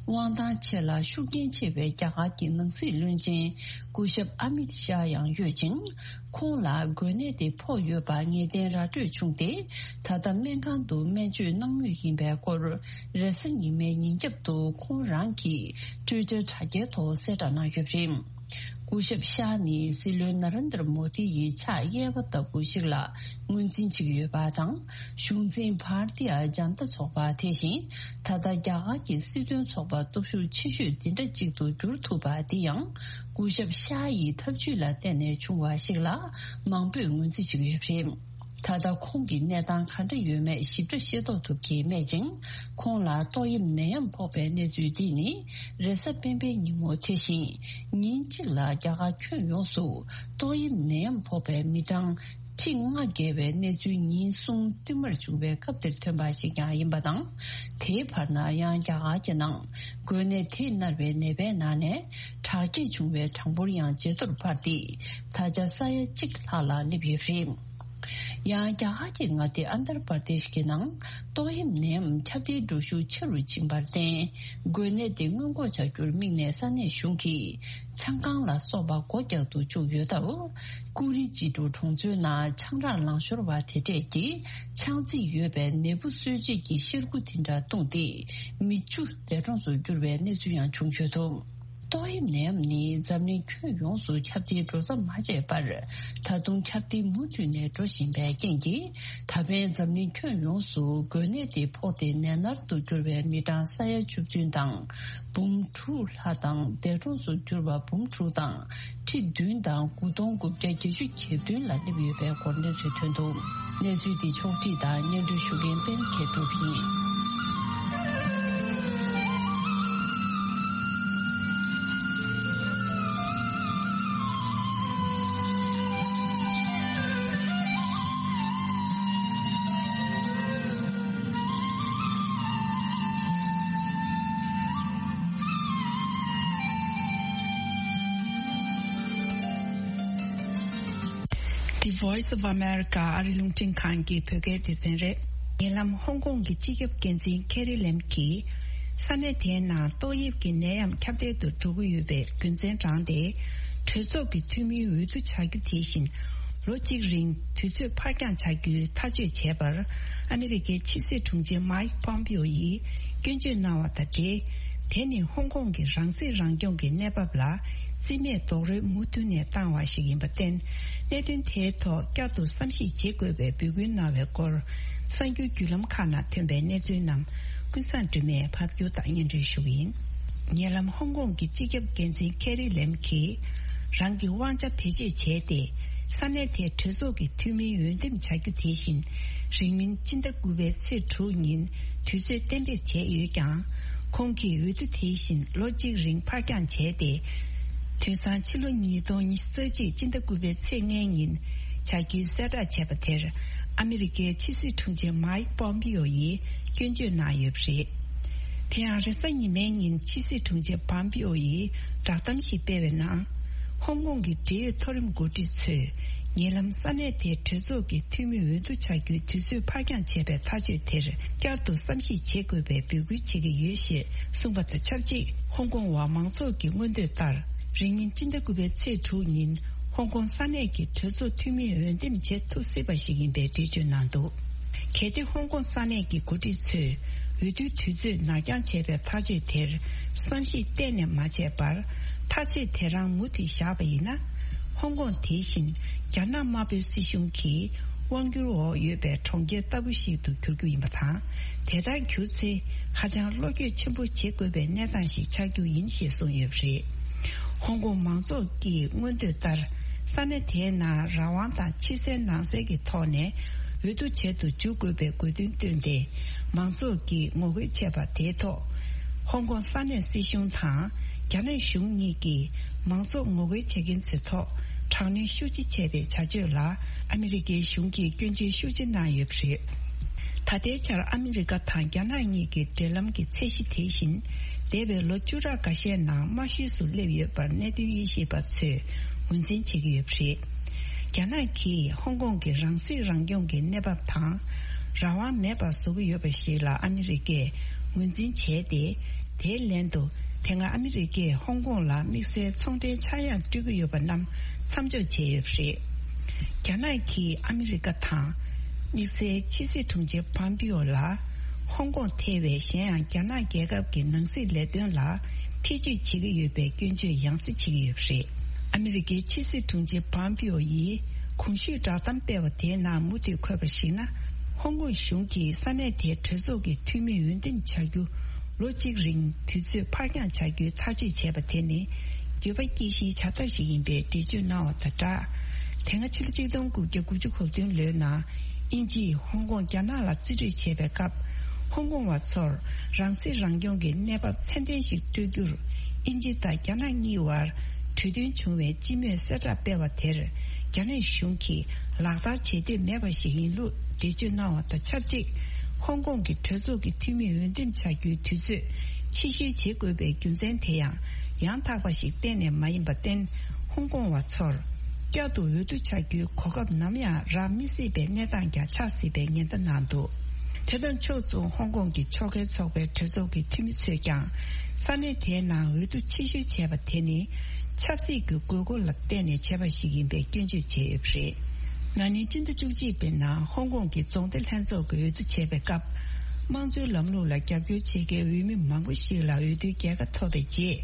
དབང་ཐང་ཆེ་ལ་ཤུགས་རྐྱེན་ཆེ་བའི་རྒྱ་གར་གྱི་ནང་སྲིད་བློན་ཆེན་སྐུ་ཞབས་ཨ་མིད་ཤཱ་ཡང་ཡོད་ཅིང་། ཁོང་ལ་འགོས་ནད་དེ་ཕོག་ཡོད་པ་ངེས་གཏན་ར་སྤྲོད་བྱུང་སྟེ། ད་ལྟ་སྨན་ཁང་དུ་སྨན་བཅོས་གནང་མུས་ཡིན་པའི་སྐོར། རེས་གཟའ་ཉི་མའི་ཉིན་རྒྱབ་ཏུ་ཁོང་རང་གིས་ཊུའི་ཊར་དྲ་རྒྱའི་ཐོག་གསལ་བསྒྲགས་གནང་ཡོད་པ་རེད། སྐུ་ཞབས་ཤཱ་ནི་སྲིད་བློན་ན་རེན་དར་མོ་དི་ཡི་ཕྱག་གཡས་པ་ལྟ་བུ་ཞིག་ལ་ངོས་འཛིན་བྱེད་ཀྱི་ཡོད་པ་དང་། གཞུང་འཛིན་བྷར་ཏི་ཡ་ཇན་ཏ་ཚོགས་པ་དེ་བཞིན་ད་ལྟ་རྒྱ་གར་གྱི་སྲིད་དོན་ཚོགས་པ་སྟོབས་ཤུགས་ཆེ་ཤོས་འདི་འདྲ་གཅིག་ཏུ་གྱུར་ཐུབ་པ་འདི་ཡང་། སྐུ་ཞབས་ཤཱ་ཡི་ཐབས་ཇུས་ལ་བརྟེན་ནས་བྱུང་བ་ཞིག་ལ་མང་པོས་ངོས་འཛིན་བྱེད་ཀྱི་ཡོད་པ་རེད། ད་ལྟ་ཁོང་གི་གནས་སྟངས་ག་འདྲ་ཡོད་མེད་ཞིབ་ཕྲ་ཤེས་རྟོགས་ཐུབ་ཀྱི་མེད་ཅིང་། ཁོང་ལ་ཏོག་དབྱིབས་ནད་ཡམས་ཕོག་པའི་གནས་ཚུལ་འདི་ནི་རེས་གཟའ་སྤེན་པའི་ཉིན་མོ་དེ་བཞིན་ཉིན་གཅིག་ལ་རྒྱ་གར་ཁྱོན་ཡོངས་སུ་ཏོག་དབྱིབས་ནད་ཡམས་ཕོག་པའི་མི་གྲངས་ཁྲི་ལྔ་བརྒལ་བའི་གནས་ཚུལ་ཉིན་གསུམ་བསྟུད་མར་བྱུང་བའི་སྐབས་དེར་ཐོན་པ་ཞིག་ཀྱང་ཡིན་པ་དང་། དེའི་བར་ན་ཡང་རྒྱ་གར་གྱི་ནང་འགོས་ནད་དེས་མནར་བའི་ནད་པའི་ནང་ནས་དྲག་སྐྱེད་བྱུང་བའི་གྲངས་འབོར་ཡང་ཇེ་མཐོར་འཕར་ཏེ། ད་ཆ་ས་ཡ་གཅིག་ལྷག་ལ་སླེབས་ཡོད་པ་རེད། ཡང་རྒྱ་གར་གྱི་མངའ་སྡེ་ཨན་དར་པར་དེཤ་གི་ནང་ཏོག་དབྱིབས་ནད་ཡམས་ཁྱབ་གདལ་འགྲོ་ཤུགས་ཆེ་རུ་ཕྱིན་པར་བརྟེན། འགོས་ནད་དེ་སྔོན་འགོག་བྱ་རྒྱུར་དམིགས་ནས་ས་གནས་གཞུང་གིས་ཆང་ཁང་ལ་སོགས་པ་སྒོ་རྒྱག་ཏུ་བཅུག་ཡོད་སྟབས། ཀུ་རི་ཅི་ཀྲུའུ་གྲོང་ཚོའི་ནང་ཆང་རག་ལང་ཤོར་བ་དེ་འདྲས་ཀྱི་ཆང་རྫས་ཡོད་པའི་ནད་འབུ་གསོད་བྱེད་ཀྱི་གཤེར་ཁུ་དེ་འདྲ་བཏུངས་ཏེ། མི་བཅུ་འདས་གྲོངས་སུ་གྱུར་བའི་གནས་ཚུལ་ཡང་བྱུང་ཡོད་འདུག་ཏོག་དབྱིབས་ནད་ཡམས་ནི་འཛམ་གླིང་ཁྱོན་ཡོངས་སུ་ཁྱབ་གདལ་འགྲོ་ས་མ་ཆད་པར། ད་དུང་ཁྱབ་གདལ་མུ་མཐུད་ནས་འགྲོ་བཞིན་པའི་རྐྱེན་གྱིས། ད་ཕན་འཛམ་གླིང་ཁྱོན་ཡོངས་སུ་འགོས་ནད་དེ་ཕོག་སྟེ་ནད་མནར་དུ་གྱུར་བའི་མི་གྲངས་ས་ཡ་བཅུ་བདུན་དང་འབུམ་དྲུག་ལྷག་དང་། འདས་གྲོངས་སུ་གྱུར་བ་འབུམ་དྲུག་དང་ཁྲི་བདུན་དང་དགུ་སྟོང་དགུ་བརྒྱ་བརྒྱད་ཅུ་གྱ་བདུན་ལ་སླེབས་ཡོད་པའི་སྐོར་གནས་ཚུལ་ཐོན་འདུག་གནས་ཚུལ་འདི་ཕྱོགས་བསྒྲིགས་དང་སྙན་སྒྲོན་ཞུ་མཁན་པད་མ་མཁས་གྲུབ་ཡིན། The Voice of America ཨ་རི་རླུང་འཕྲིན་ཁང་གི་བོད་སྐད་སྡེ་ཚན་རེད། ཉེ་ལམ་ཧོང་ཀོང་གི་སྤྱི་ཁྱབ་འགན་འཛིན་ཁེ་རི་ལེམ་གྱིས། ས་གནས་དེའི་ནང་ཏོག་དབྱིབས་ཀྱི་ནད་ཡམས་ཁྱབ་གདལ་དུ་འགྲོ་གི་ཡོད་པའི་རྒྱུ་མཚན་དྲངས་ཏེ། གྲོས་ཚོགས་ཀྱི་འཐུས་མིའི་འོས་བསྡུ་བྱ་རྒྱུ་དེ་བཞིན། ལོ་གཅིག་རིང་དུས་ཚོད་ཕར་འགྱངས་བྱ་རྒྱུའི་ཐག་གཅོད་བྱས་པར། ཨ་མི་རི་ཀའི་ཕྱི་སྲིད་དྲུང་ཆེ་མཱིག་པོམ་པིའོ་ཡིས་སྐྱོན་བརྗོད་གནང་བ་དང་འབྲེལ། དེ་ནི་ཧོང་ཀོང་གི་རང་སྲིད་རང་སྐྱོང་གི་གནས་བབ་ལ་རྩིས་མེད་རྡོག་རོལ་མུ་མཐུད་ནས་བཏང་བ་ཞིག་ཡིན་པར་བརྟེན། གནད་དོན་དེའི་ཐོག་བསྐྱར་དུ་བསམ་གཞིག་བྱེད་དགོས་པའི་འབོད་སྐུལ་གནང་བའི་སྐོར། གསར་འགྱུར་བརྒྱུད་ལམ་ཁག་ནང་ཐོན་པའི་གནས་ཚུལ་རྣམས་ཀུན་བཟང་སྒྲོལ་མས་ཕབ་སྒྱུར་དང་སྙན་སྒྲོན་ཞུ་གི་ཡིན། ཉེ་ལམ་ཧོང་ཀོང་གི་སྤྱི་ཁྱབ་འགན་འཛིན་ཁེ་རི་ལེམ་གྱིས། རང་གི་དབང་ཆ་བེད་སྤྱོད་བྱས་ཏེ། ས་གནས་དེའི་གྲོས་ཚོགས་ཀྱི་འཐུས་མིའི་འོས་འདེམས་བྱ་རྒྱུ་དེ་བཞིན། རིང་མིན་སྤྱི་ཟླ་དགུ་པའི་ཚེས་དྲུག་ཉིན་དུས་ཚོད་གཏན་འབེབས་བྱས་ཡོད་ཀྱང་། ཁོང་གིས་འོས་བསྡུ་དེ་བཞིན་ལོ་གཅིག་རིང་ཕར་འགྱངས་བྱས་ཏེ། དུས་སང་ཕྱི་ལོ་ཉིས་སྟོང་ཉི་ཤུ་རྩ་གཅིག་སྤྱི་ཟླ་དགུ་པའི་ཚེས་ལྔའི་ཉིན་བྱ་རྒྱུའི་གསལ་བསྒྲགས་བྱས་པ་དེར། ཨ་མི་རི་ཀའི་ཕྱི་སྲིད་དྲུང་ཆེ་མཱིག་པོམ་པིའོ་ཡིས་སྐྱོན་བརྗོད་གནང་ཡོད་པ་རེད། དེ་ཡང་རེས་གཟའ་ཉི་མའི་ཉིན་ཕྱི་སྲིད་དྲུང་ཆེ་པོམ་པིའོ་ཡིས་བསྒྲགས་གཏམ་ཞིག་སྤེལ་བའི་ནང་། ཧོང་ཀོང་གི་འབྲེལ་ཡོད་མཐོ་རིམ་འགོ་ཁྲིད་ཚོས། ཉེ་ལམ་ས་གནས་དེའི་གྲོས་ཚོགས་ཀྱི་འཐུས་མི་འོས་བསྡུ་བྱ་རྒྱུའི་དུས་ཚོད་ཕར་འགྱངས་བྱས་པའི་ཐག་གཅོད་དེར་བསྐྱར་དུ་བསམ་གཞིག་བྱེད་དགོས་པའི་འབོད་སྐུལ་བྱེད་ཀྱི་ཡོད་ཞེས་གསུངས་པ་དང་ཆབས་ཅིག་ཧོང་ཀོང་བ་མང་ཚོགས་ཀྱི་མངོན་འདོད་ལྟར། རིང་མིན་སྤྱི་ཟླ་དགུ་པའི་ཚེས་དྲུག་ཉིན་ཧོང་ཀོང་ས་གནས་ཀྱི་གྲོས་ཚོགས་འཐུས་མིའི་འོས་འདེམས་བྱེད་ཐུབ་སྲིད་པ་ཞིག་ཡིན་པའི་འགྲེལ་བརྗོད་གནང་འདུག་གལ་ཏེ་ཧོང་ཀོང་ས་གནས་ཀྱི་འགོ་ཁྲིད་ཚོས་འོས་བསྡུའི་དུས་ཚོད་ནར་འགྱངས་བྱས་པའི་ཐག་གཅོད་དེར་བསམ་གཞིག་གཏན་ནས་མ་བྱས་པར། ཐག་གཅོད་དེ་རང་མུ་མཐུད་བཞག་པ་ཡིན་ན། ཧོང་ཀོང་དེ་བཞིན་རྒྱ་ནག་དམར་པོའི་སྲིད་གཞུང་གི་དབང་སྒྱུར་འོག་ཡོད་པའི་གྲོང་ཁྱེར་ལྟ་བུ་ཞིག་ཏུ་འགྱུར་རྒྱུ་ཡིན་པ་དང་། དེ་ལྟར་གྱུར་ཚེ། ཧ་ཅང་བློ་འགྱོད་ཆེན་པོ་བྱེད་དགོས་པའི་གནས་སྟངས་ཤིག་ཆགས་རྒྱུ་ཡིན་ཞེས་གསུངས་ཡོད་པ་རེད། ཧོང་ཀོང་མང་ཚོགས་ཀྱི་མངོན་འདོད་ལྟར། ས་གནས་དེའི་ནང་རང་དབང་དང་ཕྱི་གསལ་ནང་གསལ་གྱི་ཐོག་ནས་འོས་བསྡུ་བྱེད་དུ་འཇུག་དགོས་པའི་དགོས་འདུན་བཏོན་ཏེ། མང་ཚོགས་ཀྱིས་ངོ་རྒོལ་བྱས་པ་དེའི་ཐོག་ཧོང་ཀོང་ས་གནས་སྲིད་གཞུང་དང་། རྒྱ་ནག་གཞུང་གཉིས་ཀྱིས་མང་ཚོགས་ངོ་རྒོལ་བྱེད་མཁན་ཚོའི་ཐོག་དྲག་གནོན་ཤུགས་ཆེ་བྱས་པའི་བྱ་སྤྱོད་ལ་ཨ་མི་རི་ཀའི་གཞུང་གིས་སྐྱོན་བརྗོད་ཤུགས་ཆེ་གནང་ཡོད་པ་རེད། ད་ལྟའི་ཆར་ཨ་མི་རི་ཀ་དང་རྒྱ་ནག་གཉིས་ཀྱི་འབྲེལ་ལམ་གྱི་ཚད་གཞི་དེ་བཞིན། འདས་པའི་ལོ་བཅུ་ཕྲག་འགའ་ཤས་ནང་དམའ་ཤོས་སུ་སླེབས་ཡོད་པར་གནད་དོན་དབྱེ་ཞིབ་པ་ཚོས་ངོས་འཛིན་བྱེད་ཀྱི་ཡོད་པ་རེད། རྒྱ་ནག་གིས་ཧོང་ཀོང་གི་རང་སྲིད་རང་སྐྱོང་གི་གནས་བབ་དང་། རང་དབང་མེད་པར་བཟོ་གི་ཡོད་པ་ཞིག་ལ་ཨ་མི་རི་ཀས་ངོས་འཛིན་བྱས་ཏེ། དེའི་ལན་དུ། དེ་སྔ་ཨ་མི་རི་ཀས་ཧོང་ཀོང་ལ་དམིགས་བསལ་ཚོང་འབྲེལ་ཆག་ཡང་སྤྲོད་ཀྱི་ཡོད་པ་རྣམས་མཚམས་འཇོག་བྱས་ཡོད་པ་རེད། རྒྱ་ནག་གིས་ཨ་མི་རི་ཀ་དང་། དམིགས་བསལ་ཕྱི་སྲིད་དྲུང་ཆེ་པོམ་པིའོ་ལ། ཧོང་ཀོང་ཐེ་བའི་གཞན་ཡང་རྒྱ་ནག་རྒྱལ་ཁབ་ཀྱི་ནང་སྲིད་ལས་དོན་ལ་ཐེ་ཇུས་བྱེད་ཀྱི་ཡོད་པའི་སྐྱོན་བརྗོད་ཡང་སེ་བྱེད་ཀྱི་ཡོད་པ་རེད། ཨ་མི་རི་ཀའི་ཕྱི་སྲིད་དྲུང་ཆེ་པོམ་པིའོ་ཡིས་གོང་ཞུས་བསྒྲགས་གཏམ་སྤེལ་བ་དེའི་ནང་མུ་མཐུད་འཁོད་པར་གཞིགས་ན། ཧོང་ཀོང་གཞུང་གིས་ས་གནས་དེའི་གྲོས་ཚོགས་ཀྱི་འཐུས་མི་འོས་འདེམས་བྱ་རྒྱུ། ལོ་གཅིག་རིང་དུས་ཚོད་ཕར་འགྱངས་བྱ་རྒྱུའི་ཐག་གཅོད་བྱས་པ་དེ་ནི། འགྱོད་པ་སྐྱེ་གཞིའི་བྱ་ཐབས་ཤིག་ཡིན་པའི་འགྲེལ་བརྗོད་གནང་བ་དང་སྦྲགས། དེ་སྔ་ཕྱི་ལོ་གཅིག་སྟོང་དགུ་བརྒྱ་དགུ་བཅུ་གོ་བདུན་ལོའི་ནང་། དབྱིན་ཇིས་ཧོང་ཀོང་རྒྱ་ནག་ལ་རྩིས་སྤྲོད་བྱས་པའི་སྐབས། ཧོང་ཀོང་བ་ཚོར་རང་སྲིད་རང་སྐྱོང་གི་གནས་བབ་ཚད་ལྡན་ཞིག་སྤྲོད་རྒྱུར། དབྱིན་ཇི་དང་རྒྱ་ནག་གཉིས་བར་གྲོས་མཐུན་བྱུང་བའི་སྤྱི་མོས་གསལ་བསྒྲགས་སྤེལ་བ་དེར། རྒྱ་ནག་གཞུང་གིས་ལག་བསྟར་བྱེད་འདོད་མེད་པ་ཞིག་ཡིན་ལུགས་འགྲེལ་བརྗོད་གནང་བ་དང་ཆབས་ཅིག་ཧོང་ཀོང་གི་གྲོས་ཚོགས་ཀྱི་འཐུས་མི་འོས་འདེམས་བྱ་རྒྱུའི་དུས་ཚོད་ཕྱིར་བཤོལ་བྱེད་དགོས་པའི་རྒྱུ་མཚན་དེ་ཡང་ཡང་དག་པ་ཞིག་གཏན་ནས་མ་ཡིན་པར་བརྟེན། ཧོང་ཀོང་བ་ཚོར་བསྐྱར་དུ་འོས་བསྡུ་བྱ་རྒྱུའི་གོ་སྐབས་ནམ་ཡང་རག་མི་སྲིད་པའི་གནས་སྟངས་ཀྱང་ཆགས་སྲིད་པའི་ཉེན་བརྡ་གནང་འདུག་དེ་དང་ཕྱོགས་མཚུངས་ཧོང་ཀོང་གི་ཕྱོགས་འགལ་ཚོགས་པའི་གྲོས་ཚོགས་ཀྱི་འཐུས་མི་ཚོས་ཀྱང་ས་གནས་དེའི་ནང་འོས་བསྡུ་ཕྱིར་བཤོལ་བྱས་པ་དེ་ནི་ཆབ་སྲིད་ཀྱི་དགོས་མཁོ་ལ་བརྟེན་ནས་བྱས་པ་ཞིག་ཡིན་པའི་སྐྱོན་བརྗོད་བྱས་ཡོད་པ་རེད། ན་ནིང་སྤྱི་ཟླ་བཅུ་གཅིག་པའི་ནང་ཧོང་ཀོང་གི་རྫོང་སྡེ་ལྷན་ཚོགས་ཀྱི་འོས་བསྡུ་བྱས་པའི་སྐབས། དམངས་གཙོའི་ལམ་ལུགས་ལ་རྒྱབ་སྐྱོར་བྱེད་མཁན་འོས་མི་མང་པོ་ཞིག་ལ་འོས་བསྡུའི་རྒྱལ་ཁ་ཐོབ་པའི་རྗེས།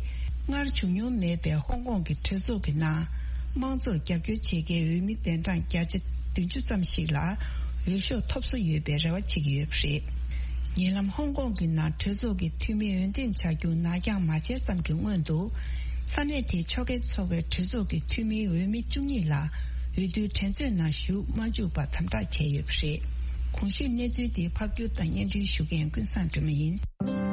སྔར་བྱུང་མྱོང་མེད་པའི་ཧོང་ཀོང་གི་གྲོས་ཚོགས་ཀྱི་ནང་། དམངས་གཙོར་རྒྱབ་སྐྱོར་བྱེད་མཁན་འོས་མི་གདན་གྲངས་བརྒྱ་ཆ་བདུན་ཅུ་ཙམ་ཞིག་ལ་འོས་ཤོག་ཐོབ་བསོ་ཡོད་པའི་རེ་བ་བྱེད་ཀྱི་ཡོད་པ་རེད། ཉེ་ལམ་ཧོང་ཀོང་གི་ནང་གྲོས་ཚོགས་ཀྱི་འཐུས་མི་འོས་འདེམས་བྱ་རྒྱུ་ནར་འགྱངས་མ་བྱས་ཙམ་གྱི་སྔོན་དུ། ས་གནས་དེའི་ཕྱོགས་འགལ་ཚོགས་པའི་གྲོས་ཚོགས་ཀྱི་འཐུས་མིའི་འོས་མི་བཅུ་གཉིས་ལ་འོས་བསྡུའི་འགྲན་རྩོད་ནང་ཞུགས་མ་བཅུག་པར་དམ་དྲག་བྱས་ཡོད་པ་རེད། གོང་ཞུས་གནས་ཚུལ་དེ་ཕབ་སྒྱུར་དང་སྙན་སྒྲོན་ཞུ་མཁན་ཀུན་བཟང་སྒྲོལ་མ་ཡིན།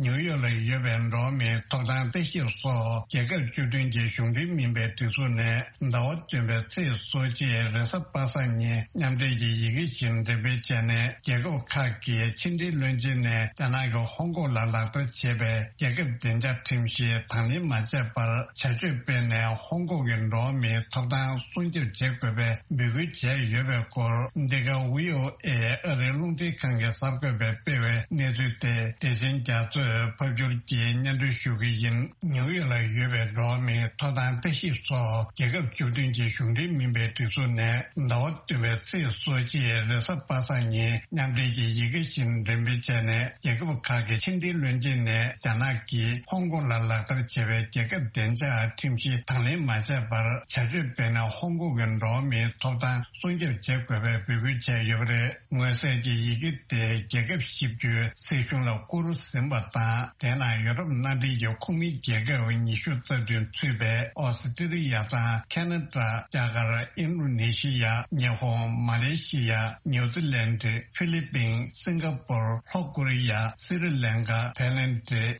ནིའུ་ཡོག་ལ་ཡོད་པའི་འགྲོ་བ་མིའི་ཐོབ་ཐང་རྩད་ཞིབ་སོགས་རྒྱལ་ཁབ་བཅུ་བདུན་གྱི་གཞུང་འབྲེལ་མིན་པའི་སྒྲིག་འཛུགས་ནས་ཟླ་བ་བདུན་པའི་ཚེས་སོ་གཅིག་རེས་གཟའ་པ་སངས་ཉིན་མཉམ་འབྲེལ་གྱི་ཡི་གེ་ཞིག་འགྲེམས་སྤེལ་བྱས་ནས། རྒྱལ་ཁབ་ཁག་གི་ཕྱི་འབྲེལ་བློན་ཆེན་ནས་རྒྱ་ནག་གིས་ཧོང་ཀོང་ལ་ལག་བསྟར་བྱས་པའི་རྒྱལ་ཁབ་བདེ་འཇགས་ཁྲིམས་གཞི་དང་ལེན་མ་བྱས་པར་བྱ་སྤྱོད་སྤེལ་ནས། ཧོང་ཀོང་གི་འགྲོ་བ་མིའི་ཐོབ་ཐང་སྲུང་སྐྱོབ་བྱེད་དགོས་པའི་འབོད་སྐུལ་བྱས་ཡོད་པའི་སྐོར། འདི་ག་ཝི་ཨོ་ཨེ་ཨ་རིའི་རླུང་འཕྲིན་ཁང་གི་གསར་འགོད་པས་སྤེལ་བའི་གནས་ཚུལ་དེ། བདེ་ཆེན་རྒྱ་མཚོས་ཕབ་སྒྱུར་གྱིས་སྙན་སྒྲོན་ཞུ་གི་ཡིན། ནིའུ་ཡོག་ལ་ཡོད་པའི་འགྲོ་བ་མིའི་ཐོབ་ཐང་ལྟ་ཞིབ་སོགས་རྒྱལ་ཁབ་བཅུ་བདུན་གྱི་གཞུང་འབྲེལ་མིན་པའི་སྒྲིག་འཛུགས་ནས། ཟླ་བ་བདུན་པའི་ཚེས་སོ་གཅིག་རེས་གཟའ་པ་སངས་ཉིན་མཉམ་འབྲེལ་གྱི་ཡི་གེ་ཞིག་འགྲེམས་སྤེལ་བྱས་ནས། རྒྱལ་ཁབ་ཁག་གི་ཕྱི་འབྲེལ་བློན་ཆེན་ནས་རྒྱ་ནག་གིས་ཧོང་ཀོང་ལ་ལག་བསྟར་བྱས་པའི་རྒྱལ་ཁབ་བདེ་འཇགས་ཁྲིམས་གཞི་དང་ལེན་མ་བྱས་པར་བྱ་སྤྱོད་སྤེལ་ནས། ཧོང་ཀོང་གི་འགྲོ་བ་མིའི་ཐོབ་ཐང་སྲུང་སྐྱོབ་བྱེད་དགོས་པའི་འབོད་སྐུལ་བྱས་ཡོད་པ་རེད། མངོན་གསལ་གྱི་ཡི་གེ་དེ་རྒྱལ་ཁབ་བཞི་བཅུའི་སྲིད་གཞུང་ལ་བསྐུར་ཟིན་པ་དང་། དེ་ནང་ཡོ་རོབ་མནའ་འབྲེལ་གྱི་ཁོངས་མི་རྒྱལ་ཁབ་ཉི་ཤུ་རྩ་བདུན་ཚུད་པའི་ཨོ་སི་ཀྲི་ལི་ཡ་དང་། ཁ་ན་ཌ། རྒྱ་གར། ཨིན་རུ་ནེ་ཤི་ཡ། ཉི་ཧོང་། མ་ལེ་ཤི་ཡ། ནིའུ་ཛི་ལན། ཧྥི་ལི་པིན། སིང་ག་པུར། ལྷོ་ཀོ་རི་ཡ། སི་རི་ལན་ཀ། ཐའི་ལན།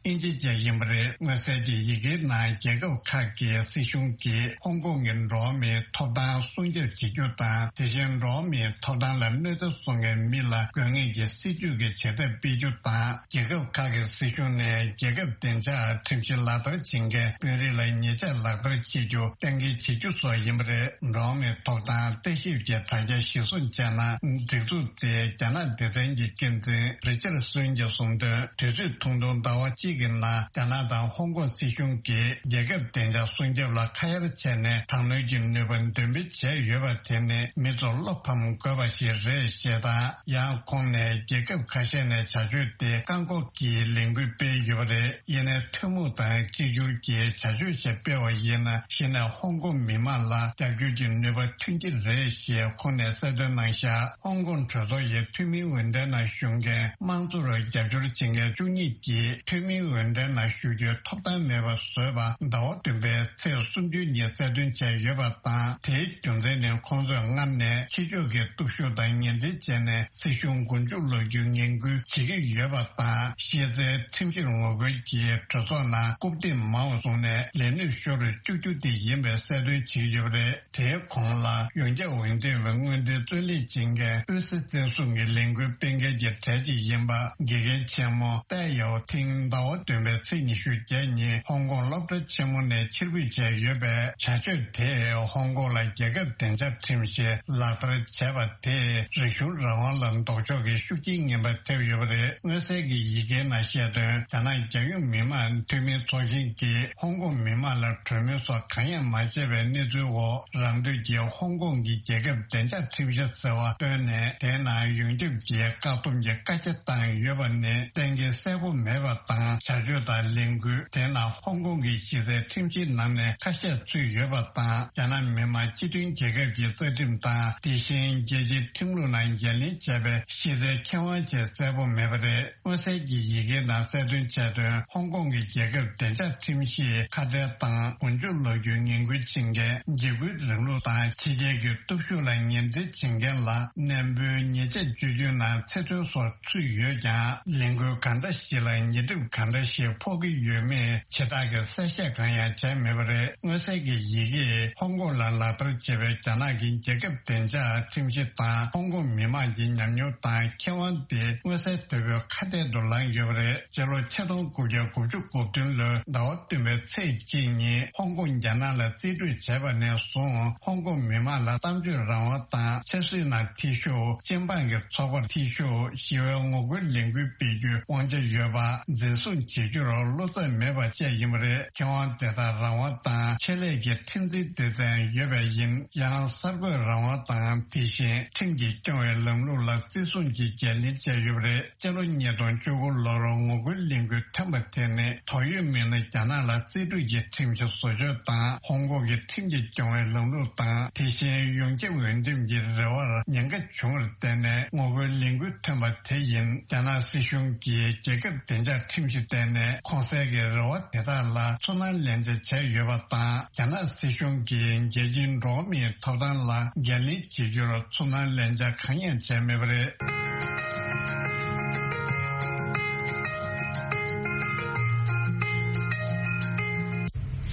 ཨིན་ཇི་བཅས་ཡིན་པ་རེད། མངོན་གསལ་གྱི་ཡི་གེའི་ནང་རྒྱལ་ཁབ་ཁག་གི་སྲིད་གཞུང་གིས་ཧོང་ཀོང་གི་འགྲོ་བ་མིའི་ཐོབ་ཐང་སྲུང་སྐྱོབ་བྱེད་རྒྱུ་དང་། དེ་བཞིན་འགྲོ་བ་མིའི་ཐོབ་ཐང་ལ་གནོད་འཚེ་བཟོ་མཁན་མི་ལ་དགོས་ངེས་ཀྱི་སྲིད་ཇུས་ཀྱི་བྱེད་ཐབས་སྤེལ་རྒྱུ་དང་། རྒྱལ་ཁབ་ཁག་གི་སྲིད་གཞུང་ནས་རྒྱལ་ཁབ་བདེ་འཇགས་ཁྲིམས་གཞི་ལག་བསྟར་བྱེད་མཁན་དཔོན་རིགས་ལ་ཉེས་ཆད་ལག་བསྟར་བྱེད་རྒྱུ་གཏན་འཁེལ་བྱེད་རྒྱུ་སོགས་ཡིན་པ་རེད། འགྲོ་བ་མིའི་ཐོབ་ཐང་ལྟ་ཞིབ་ཀྱི་དྲ་རྒྱ་གཞིར་བཟུང་བྱས་ན། སྒྲིག་འཛུགས་དེའི་རྒྱ་ནག་སྡེ་ཚན་གྱི་འགན་འཛིན་རི་ཅར་སོན་གྱིས་གསུངས་དོན། དུས་ཚོད་ཐུང་ཐུང་ཟླ་བ་གཅིག་གི་ནང་རྒྱ་ནག་དང་ཧོང་ཀོང་སྲིད་གཞུང་གིས་རྒྱལ་ཁབ་བདེ་འཇགས་སྲུང་སྐྱོབ་ལ་ཁ་གཡར་བྱས་ནས། དྲག་གནོན་གྱི་ནུས་པ་འདོན་སྤེལ་བྱས་ཡོད་པ་དེ་ནི་མི་ཚོར་བློ་ཕམ་དགོས་པ་ཞིག་རེད་ཞེས་དང་། ཡང་ཁོང་ནས་རྒྱལ་ཁབ་ཁ་ཤས་ནས་བྱ་སྤྱོད་དེ་བཀག་འགོག་གི་ལས་འགུལ་སྤེལ་ཡོད་པ་རེད། ཡིན་ནའི་ཐུན་མོང་དང་གཅིག་གྱུར་གྱི་བྱ་སྤྱོད་ཞིག་སྤེལ་བ་ཡིན་ན། གཞི་ནས་ཧོང་ཀོང་མི་མང་ལ་རྒྱབ་སྐྱོར་གྱི་ནུས་པ་ཐོན་གྱི་རེད་ཞེས་ཁོང་ནས་གསལ་སྟོན་གནང་བཞག་ཧོང་ཀོང་གྲོས་ཚོགས་ཀྱི་འཐུས་མིའི་འོས་འགྲན་ནང་ཞུགས་མཁན་དམངས་གཙོར་རྒྱབ་སྐྱོར་བྱེད་མཁན་བཅུ་གཉིས་ཀྱིས་འཐུས་མིའི་འོས་འགྲན་ནང་ཞུགས་རྒྱུའི་ཐོབ་ཐང་མེད་པ་བཟོས་པ་ཟླ་བ་བདུན་པའི་ཚེས་སུམ་ཅུ་ཉིན་གསལ་སྟོན་བྱས་ཡོད་པ་དང་། དེའི་རྒྱུ་མཚན་ནི་ཁོང་ཚོས་སྔར་ནས་ཕྱི་ཕྱོགས་ཀྱི་སྟོབས་ཤུགས་དང་ངན་འབྲེལ་བྱས་ནས་སྲིད་གཞུང་མགོ་མཇུག་སློག་རྒྱུའི་ངན་སྐུལ་བྱེད་ཀྱི་ཡོད་པ་དང་། གཞི་རྩའི་ཁྲིམས་གཞིར་ངོ་རྒོལ་གྱིས་གྲོས་ཚོགས་ནང་རྐུབ་སྟེགས་མང་བ་བཟུང་ནས་ལས་གནས་ཤོར་བཅུག་རྒྱུ་དེ་ཡིན་པའི་གསལ་སྟོན་བྱས་ཡོད་པ་རེད། དེའི་གོང་ལ་ཡོངས་ཁྱབ་འོས་འདེམས་པའི་སྔོན་ཐོན་རྩོད་ལེན་བྱེད་མཁན་ཨུ་སི་བཙན་བཟུང་གི་ལས་འགུལ་སྤེལ་མཁན་གྱི་གྲས་གཅིག་ཡིན་པ་དགེ་རྒན་ཆེན་མོ་ཏའེ་ཡའོ་ཐིང་ཟླ་བ་བདུན་པའི་ཚེས་ཉི་ཤུ་བརྒྱད་ཉིན་ཧོང་ཀོང་སློབ་གྲྭ་ཆེན་མོ་ནས་ཕྱིར་འབུད་བྱས་ཡོད་པས། བྱ་སྤྱོད་དེས་ཧོང་ཀོང་ལ་རྒྱལ་ཁབ་བདེ་འཇགས་ཁྲིམས་གཞི་ལག་བསྟར་བྱས་པ་དེས་རིག་གཞུང་རང་དབང་ལ་ལྡོག་ཕྱོགས་ཀྱི་ཤུགས་རྐྱེན་ངན་པ་ཐེབས་ཡོད་པ་རེད། མངོན་གསལ་གྱི་ཡི་གེའི་ནང་བཤད་དོན། རྒྱ་ནག་རྒྱལ་ཡོངས་མི་དམངས་འཐུས་མིའི་ཚོགས་ཆེན་གྱིས་ཧོང་ཀོང་མི་དམངས་ལ་གྲོས་མོལ་སོགས་གང་ཡང་མ་བྱས་པའི་གནས་ཚུལ་འོག་རང་འདོད་ཀྱིས་ཧོང་ཀོང་གི་རྒྱལ་ཁབ་བདེ་འཇགས་ཁྲིམས་གཞི་ཟེར་བ་བཏོན་ནས། དེའི་ནང་ཡོངས་ཁྱབ་ཀྱི་བཀག་སྡོམ་གྱི་བཀའ་རྒྱ་བཏང་ཡོད་པ་ནི་གཏན་འཁེལ་གསལ་པོ་མེད་པ་དང་། བྱ་སྤྱོད་དང་ལས་འགུལ་དེའི་ནང་ཧོང་ཀོང་གི་གཞི་རྩའི་ཁྲིམས་གཞིའི་ནང་ནས་ཁ་ཤས་ཚུད་ཡོད་པ་དང་། རྒྱ་ནག་མི་དམངས་སྤྱི་མཐུན་རྒྱལ་ཁབ་ཀྱི་རྩ་ཁྲིམས་དང་། དེ་བཞིན་རྒྱལ་སྤྱིའི་ཁྲིམས་ལུགས་ནང་འགན་ལེན་བྱས་པའི་གཞི་རྩའི་ཁེ་དབང་བཅས་གསལ་པོ་མེད་པ་རེད། མངོན་གསལ་གྱི་ཡི་གེའི་ནང་གསལ་སྟོན་བྱས་དོན། ཧོང་ཀོང་གི་རྒྱལ་ཁབ་བདེ་འཇགས་ཁྲིམས་གཞིའི་ཁ་བྲལ་དང་མགོ་མཇུག་སློག་རྒྱུའི་ངན་སྐུལ་བྱེད་མཁན། འཇིགས་སྐུལ་རིང་ལུགས་དང་ཕྱི་རྒྱལ་གྱི་སྟོབས་ཤུགས་ལ་ངན་འབྲེལ་བྱེད་མཁན་ལ་ནན་པོའི་ཉེས་ཆད་གཅོད་རྒྱུའི་ནང་ཚེ་བཙོན་སོགས་ཚུད་ཡོད་ཀྱང་། ལས་འགུལ་གང་འདྲ་ཞིག་ལ་ཉེས་སྒྲིབ་གང་འདྲ་ཞིག་ཕོག་གི་ཡོད་མེད་ཇི་ལྟར་གྱི་གསལ་བཤད་གང་ཡང་བྱས་མེད་པ་རེད། མངོན་གསལ་གྱི་ཡི་གེས་ཧོང་ཀོང་ལ་ལག་བསྟར་བྱས་པའི་རྒྱ་ནག་གི་རྒྱལ་ཁབ་བདེ་འཇགས་ཁྲིམས་གཞི་དང་། ཧོང་ཀོང་མི་དམངས་ཀྱི་ཉམས་མྱོང་དང་ཁེ་དབང་དེ་མངོན་གསལ་དོད་པོའི་ཁ་གཏད་དུ་ལངས་ཡོད་པ་རེད། སྤྱི་ལོ་ཆིག་སྟོང་དགུ་བརྒྱ་དགུ་བཅུ་གོ་བདུན་ལོའི་ཟླ་བ་བདུན་པའི་ཚེས་གཅིག་ཉིན་ཧོང་ཀོང་རྒྱ་ནག་ལ་རྩིས་སྤྲོད་བྱས་པ་ནས་བཟུང་ཧོང་ཀོང་མི་མང་ལ་གཏམ་བརྗོད་རང་དབང་དང་ཆབ་སྲིད་ནང་འཐུས་ཤོར། སྤྱི་འབངས་ཀྱི་ཚོགས་པར་འཐུས་ཤོར། ཞི་བའི་ངོ་རྒོལ་ལས་འགུལ་སྤེལ་རྒྱུའི་དབང་ཆ་ཡོད་པ་འཛིན་བཟུང་བྱེད་རྒྱུར་བློ་འཚབ་མེད་པ་བཅས་ཡིན་པ་རེད། ཁེ་དབང་དེ་དག་རང་དབང་དང་ཆེད་ལས་ཀྱི་ཁྲིམས་འཛིན་སྡེ་ཚན་ཡོད་པས་ཡིན། ཡང་གསར་འགོད་རང་དབང་དང་དེ་བཞིན་ཁྲིམས་ཀྱིས་སྐྱོང་བའི་ལམ་ལུགས་ལ་བརྩི་སྲུང་གིས་འགན་ལེན་བྱས་ཡོད་པ་རེད། སྤྱི་ལོ་ཉིས་སྟོང་བཅུ་དགུ་ལོར་ངོ་རྒོལ་ལས་འགུལ་ཐོན་པ་དེ་ནི་དོགས་ཡོད་མི་སྣ་རྒྱ་ནག་ལ་རྩིས་སྤྲོད་ཀྱི་ཁྲིམས་གཞི་བཟོ་བཅོས་དང་ཧོང་ཀོང་གི་ཁྲིམས་ཀྱིས་སྐྱོང་བའི་ལམ་ལུགས་དང་དེ་བཞིན་ཡོངས་ཁྱབ་འོས་འདེམས་ཀྱི་རེ་བར་ཉེན་ཁ་བྱུང་བར་བརྟེན་ནས་ངོ་རྒོལ་ལས་འགུལ་ཐོན་པ་དེ་ཡིན། རྒྱ་ནག་སྲིད་གཞུང་གིས་རྒྱལ་ཁབ་བདེ་འཇགས་ཁྲིམས་གཞི་བཏོན་ནས་གོང་གསལ་གྱི་རེ་བ་དེ་དག་ལ་ཚུར་སྣང་ལེན་བྱ་བྱས་ཡོད་པ་དང་། རྒྱ་ནག་སྲིད་གཞུང་གིས་རྒྱལ་སྤྱིའི་འགྲོ་བ་མིའི་ཐོབ་ཐང་ལ་འགན་ལེན་བྱེད་རྒྱུར་ཚུར་སྣང་ལེན་བྱ་གང་ཡང་བྱས་མེད་པ་རེད།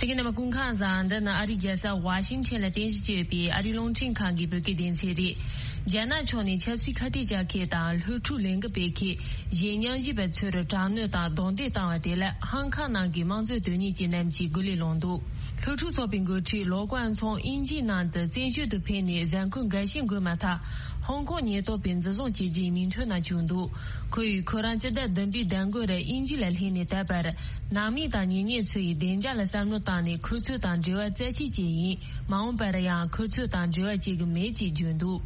གསན་མཁན་རྣམ་པ་སྐུ་ཁམས་བཟང་། འདི་ནི་ཨ་རིའི་རྒྱལ་ས་ཝ་ཤིང་ཊོན་ལ་རྟེན་གཞི་བྱས་ཡོད་པའི་ཨ་རིའི་རླུང་འཕྲིན་ཁང་གི་བོད་སྐད་སྡེ་ཚན་རེད། རྒྱ་ནག་ཕྱོགས་ནས་ཆབ་སྲིད་ཁ་གཏད་བཅག་མཁན་དང་སློབ་ཕྲུག་ལས་འགུལ་སྤེལ་མཁན་གཞན་ཉམས་ཞིབ་པ་ཚོར་དྲག་གནོན་དང་རྡུང་རྡེག་བཏང་བ་དེ་ལ་ཧང་ཀང་ནང་གི་དམངས་གཙོའི་དོན་གཉེར་ཅན་རྣམས་ཀྱིས་སྒོ་ལས་ལངས་འདུག་སློབ་ཕྲུག་ཚོགས་པའི་འགོ་ཁྲིད་ལོ་ཀོན་ཚོང་དབྱིན་ཇིའི་ནང་དུ་བཙན་བྱོལ་དུ་ཕེབས་ནས་གཟའ་འཁོར་འགའ་ཤས་འགོར་མ་ཐག་ཧོང་ཀོང་ཉེན་རྟོག་པས་འཛིན་བཟུང་བྱས་རྗེས་མིང་ཐོ་ནང་བཅུག་འདུག་ཁོ་ཡིས་ཁོ་རང་སྤྱི་ཟླ་བདུན་པའི་ཟླ་འགོ་རུ་དབྱིན་ཇི་ལ་སླེབས་ནས་ད་བར་ནང་མི་དང་ཉེ་གནས་ཚོ་ཡིས་བདེ་འཇགས་ལ་བསམ་བློ་བཏང་ནས་ཁོ་ཚོ་དང་འབྲེལ་བ་རྩ་ཆད་བྱས་ཡིན། མ་འོངས་པར་ཡང་ཁོ་ཚོ་དང་འབྲེལ་བ་བྱེད་ཀྱི་མེད་ཅེས་བརྗོད་འདུག་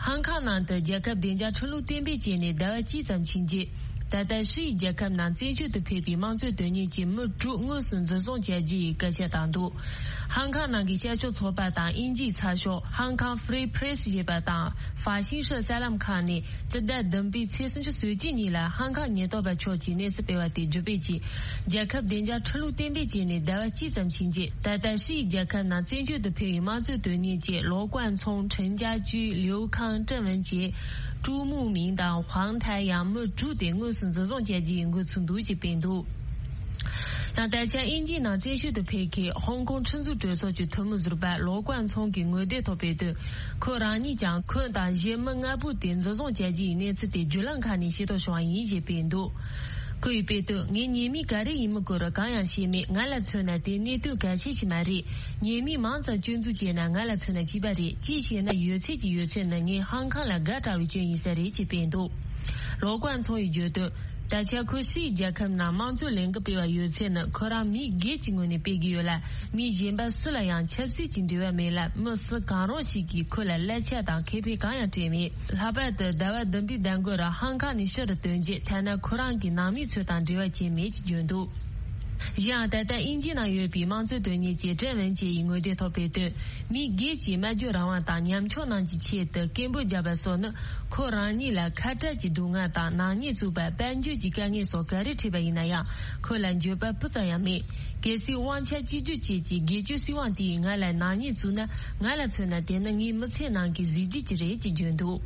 ཧང་ཀང་ནང་དུ་རྒྱལ་ཁབ་བདེ་འཇགས་ཁྲིམས་ལུགས་གཏན་འབེབས་བྱས་ནས་ཟླ་བ་གཅིག་ཙམ་ཕྱིན་རྗེས། ད་ལྟ་ཧྲི་ཡི་རྒྱལ་ཁབ་ནང་བཙན་བྱོལ་དུ་ཕེབས་པའི་དམངས་གཙོའི་དོན་གཉེར་གྱི་མི་དྲུག་དངོས་སུ་འཛིན་བཟུང་བྱ་རྒྱུ་ཡི་སྐུལ་ལྕག་བཏང་འདུག་ཧང་ཀང་ནང་གི་བཤད་ཕྱོགས་ཚོགས་པ་དང་དབྱིན་ཇིའི་ཚགས་ཤོག་Hong Kong Free Press ཞེས་པ་དང་ཧྥ་ཤིང་ཧྲི་གསར་ལམ་ཁང་ནས་སྤྱི་ཟླ་བདུན་པའི་ཚེས་སུམ་ཅུ་སོ་གཅིག་ཉིན་ལ་ཧང་ཀང་ཉེན་རྟོག་པ་ཕྱོགས་ཀྱིས་གནས་ཚུལ་སྤེལ་བ་དེ་བརྒྱུད་སྤེལ་གྱིས། རྒྱལ་ཁབ་བདེ་འཇགས་ཁྲིམས་ལུགས་གཏན་འབེབས་བྱས་ནས་ཟླ་བ་གཅིག་ཙམ་ཕྱིན་རྗེས། ད་ལྟ་ཧྲི་ཡི་རྒྱལ་ཁབ་ནང་བཙན་བྱོལ་དུ་ཕེབས་པའི་དམངས་གཙོའི་དོན་གཉེར་གྱི་ལོ་ཀོན་ཚོང་ཁྲིན་ཅཱ་ཅུའི་ལིའུ་ཁང་ཀྲེང་ཝུན་བཅས་ཀྲུའུ་མུའུ་མིང་དང་ཧུང་ཐའེ་ཡང་མི་དྲུག་དེ་དངོས་སུ་འཛིན་བཟུང་བྱ་རྒྱུ་ཡི་འགོ་ཚུགས་འདུག་ཅེས་སྤེལ་འདུག་ཡང་ད་ཆ་དབྱིན་ཇིའི་ནང་བཙན་བྱོལ་དུ་ཕེབས་མཁན་ཧོང་ཀོང་ཁྲིམས་བཟོ་གྲོས་ཚོགས་ཀྱི་འཐུས་མི་ཟུར་པ་ལོ་ཀོན་ཚོང་གིས་ངོ་དེབ་ཐོག་སྤེལ་དོན། ཁོ་རང་ཉིད་ཀྱང་ཁོ་དང་གཞན་མི་ལྔ་པོ་དེ་འཛིན་བཟུང་བྱ་རྒྱུ་ཡི་གནས་ཚུལ་དེ་བརྒྱུད་ལམ་ཁག་ནས་ཤེས་རྟོགས་བྱུང་བ་ཡིན་ཞེས་སྤེལ་འདུག་ཁོ་ཡིས་སྤེལ་དོན། ངའི་ཉེ་མི་ག་རེ་ཡིན་མིན་སྐོར་གང་ཡང་ཤེས་མེད། ང་ལ་མཚོན་ན་དེ་གནད་དོན་གལ་ཆེ་ཞིག་མ་རེད། ཉེ་མི་མང་ཙམ་སྐྱོན་འཛུགས་བྱས་ན་ང་ལ་མཚོན་ན་གཅིག་པ་རེད། གཅིག་བྱས་ན་ཡོད་ཚད་ཀྱི་ཡོད་ཚད་ནི་ངས་ཧང་ཀང་ལ་དགའ་དྲགས་པའི་སྐྱོན་ཡིན་ས་རེད་ཅེས་སྤེལ་འདུག་ལོ་ཀོན་ཚོང་ཡིས་བརྗོད་དོན། ད་ཆ་ཁོས་ཧྲི་ཡི་རྒྱལ་ཁབ་ནང་དམངས་གཙོའི་ལས་འགུལ་སྤེལ་བ་ཡོད་ཚད་ནི་ཁོ་རང་མི་སྒེར་གྱི་ངོས་ནས་སྤེལ་གྱི་ཡོད་ལ། མི་གཞན་པ་སུ་ལ་ཡང་ཆབ་སྲིད་ཀྱི་འབྲེལ་བ་མེད་ལ། མི་སུ་གང་རུང་ཞིག་གིས་ཁོ་ལ་གླ་ཆ་དང་ཁེ་ཕན་གང་ཡང་སྤྲད་མེད། ལྷག་པར་དུ་ཟླ་བ་བདུན་པའི་ཟླ་འགོར་ཧང་ཀང་ནས་ཕྱིར་ཐོན་རྗེས་ཐ་ན་ཁོ་རང་གི་ནང་མི་ཚོ་དང་འབྲེལ་བ་བྱས་མེད་ཅེས་བརྗོད་འདུག་གཞན་ཡང་ད་ལྟ་དབྱིན་ཇི་ནང་ཡོད་པའི་དམངས་གཙོའི་དོན་གཉེར་གྱི་ཀྲེན་ཝུན་ཅེ་ཡིས་ངོ་དེབ་ཐོག་སྤེལ་དོན། མི་སྒེར་གྱི་སྨྲ་བརྗོད་རང་དབང་དང་ཉམ་ཆུང་རྣམས་ཀྱི་ཆེད་དུ་སྐད་འབོད་བརྒྱབ་པ་སོགས་ནི་ཁོ་རང་ཉིད་ལ་ཁ་བྲལ་གྱི་སྡུག་བསྔལ་དང་ནག་ཉེས་བཙུགས་པ། དཔལ་འབྱོར་གྱི་དཀའ་ངལ་སོགས་ག་རེ་འཕྲད་པ་ཡིན་ན་ཡང་ཁོ་ལ་འགྱོད་པ་སྤུ་ཙམ་ཡང་མེད། གལ་སྲིད་དབང་ཆ་གཅིག་གྱུར་བཅས་ཀྱི་སྒེར་གཅོད་སྲིད་དབང་དེས་ང་ལ་ནག་ཉེས་བཙུགས་ན། ང་ལ་མཚོན་ན་དེ་ནི་ངའི་མི་ཚེ་ནང་གི་གཟི་བརྗིད་ཅིག་རེད་ཅེས་བརྗོད་འདུག་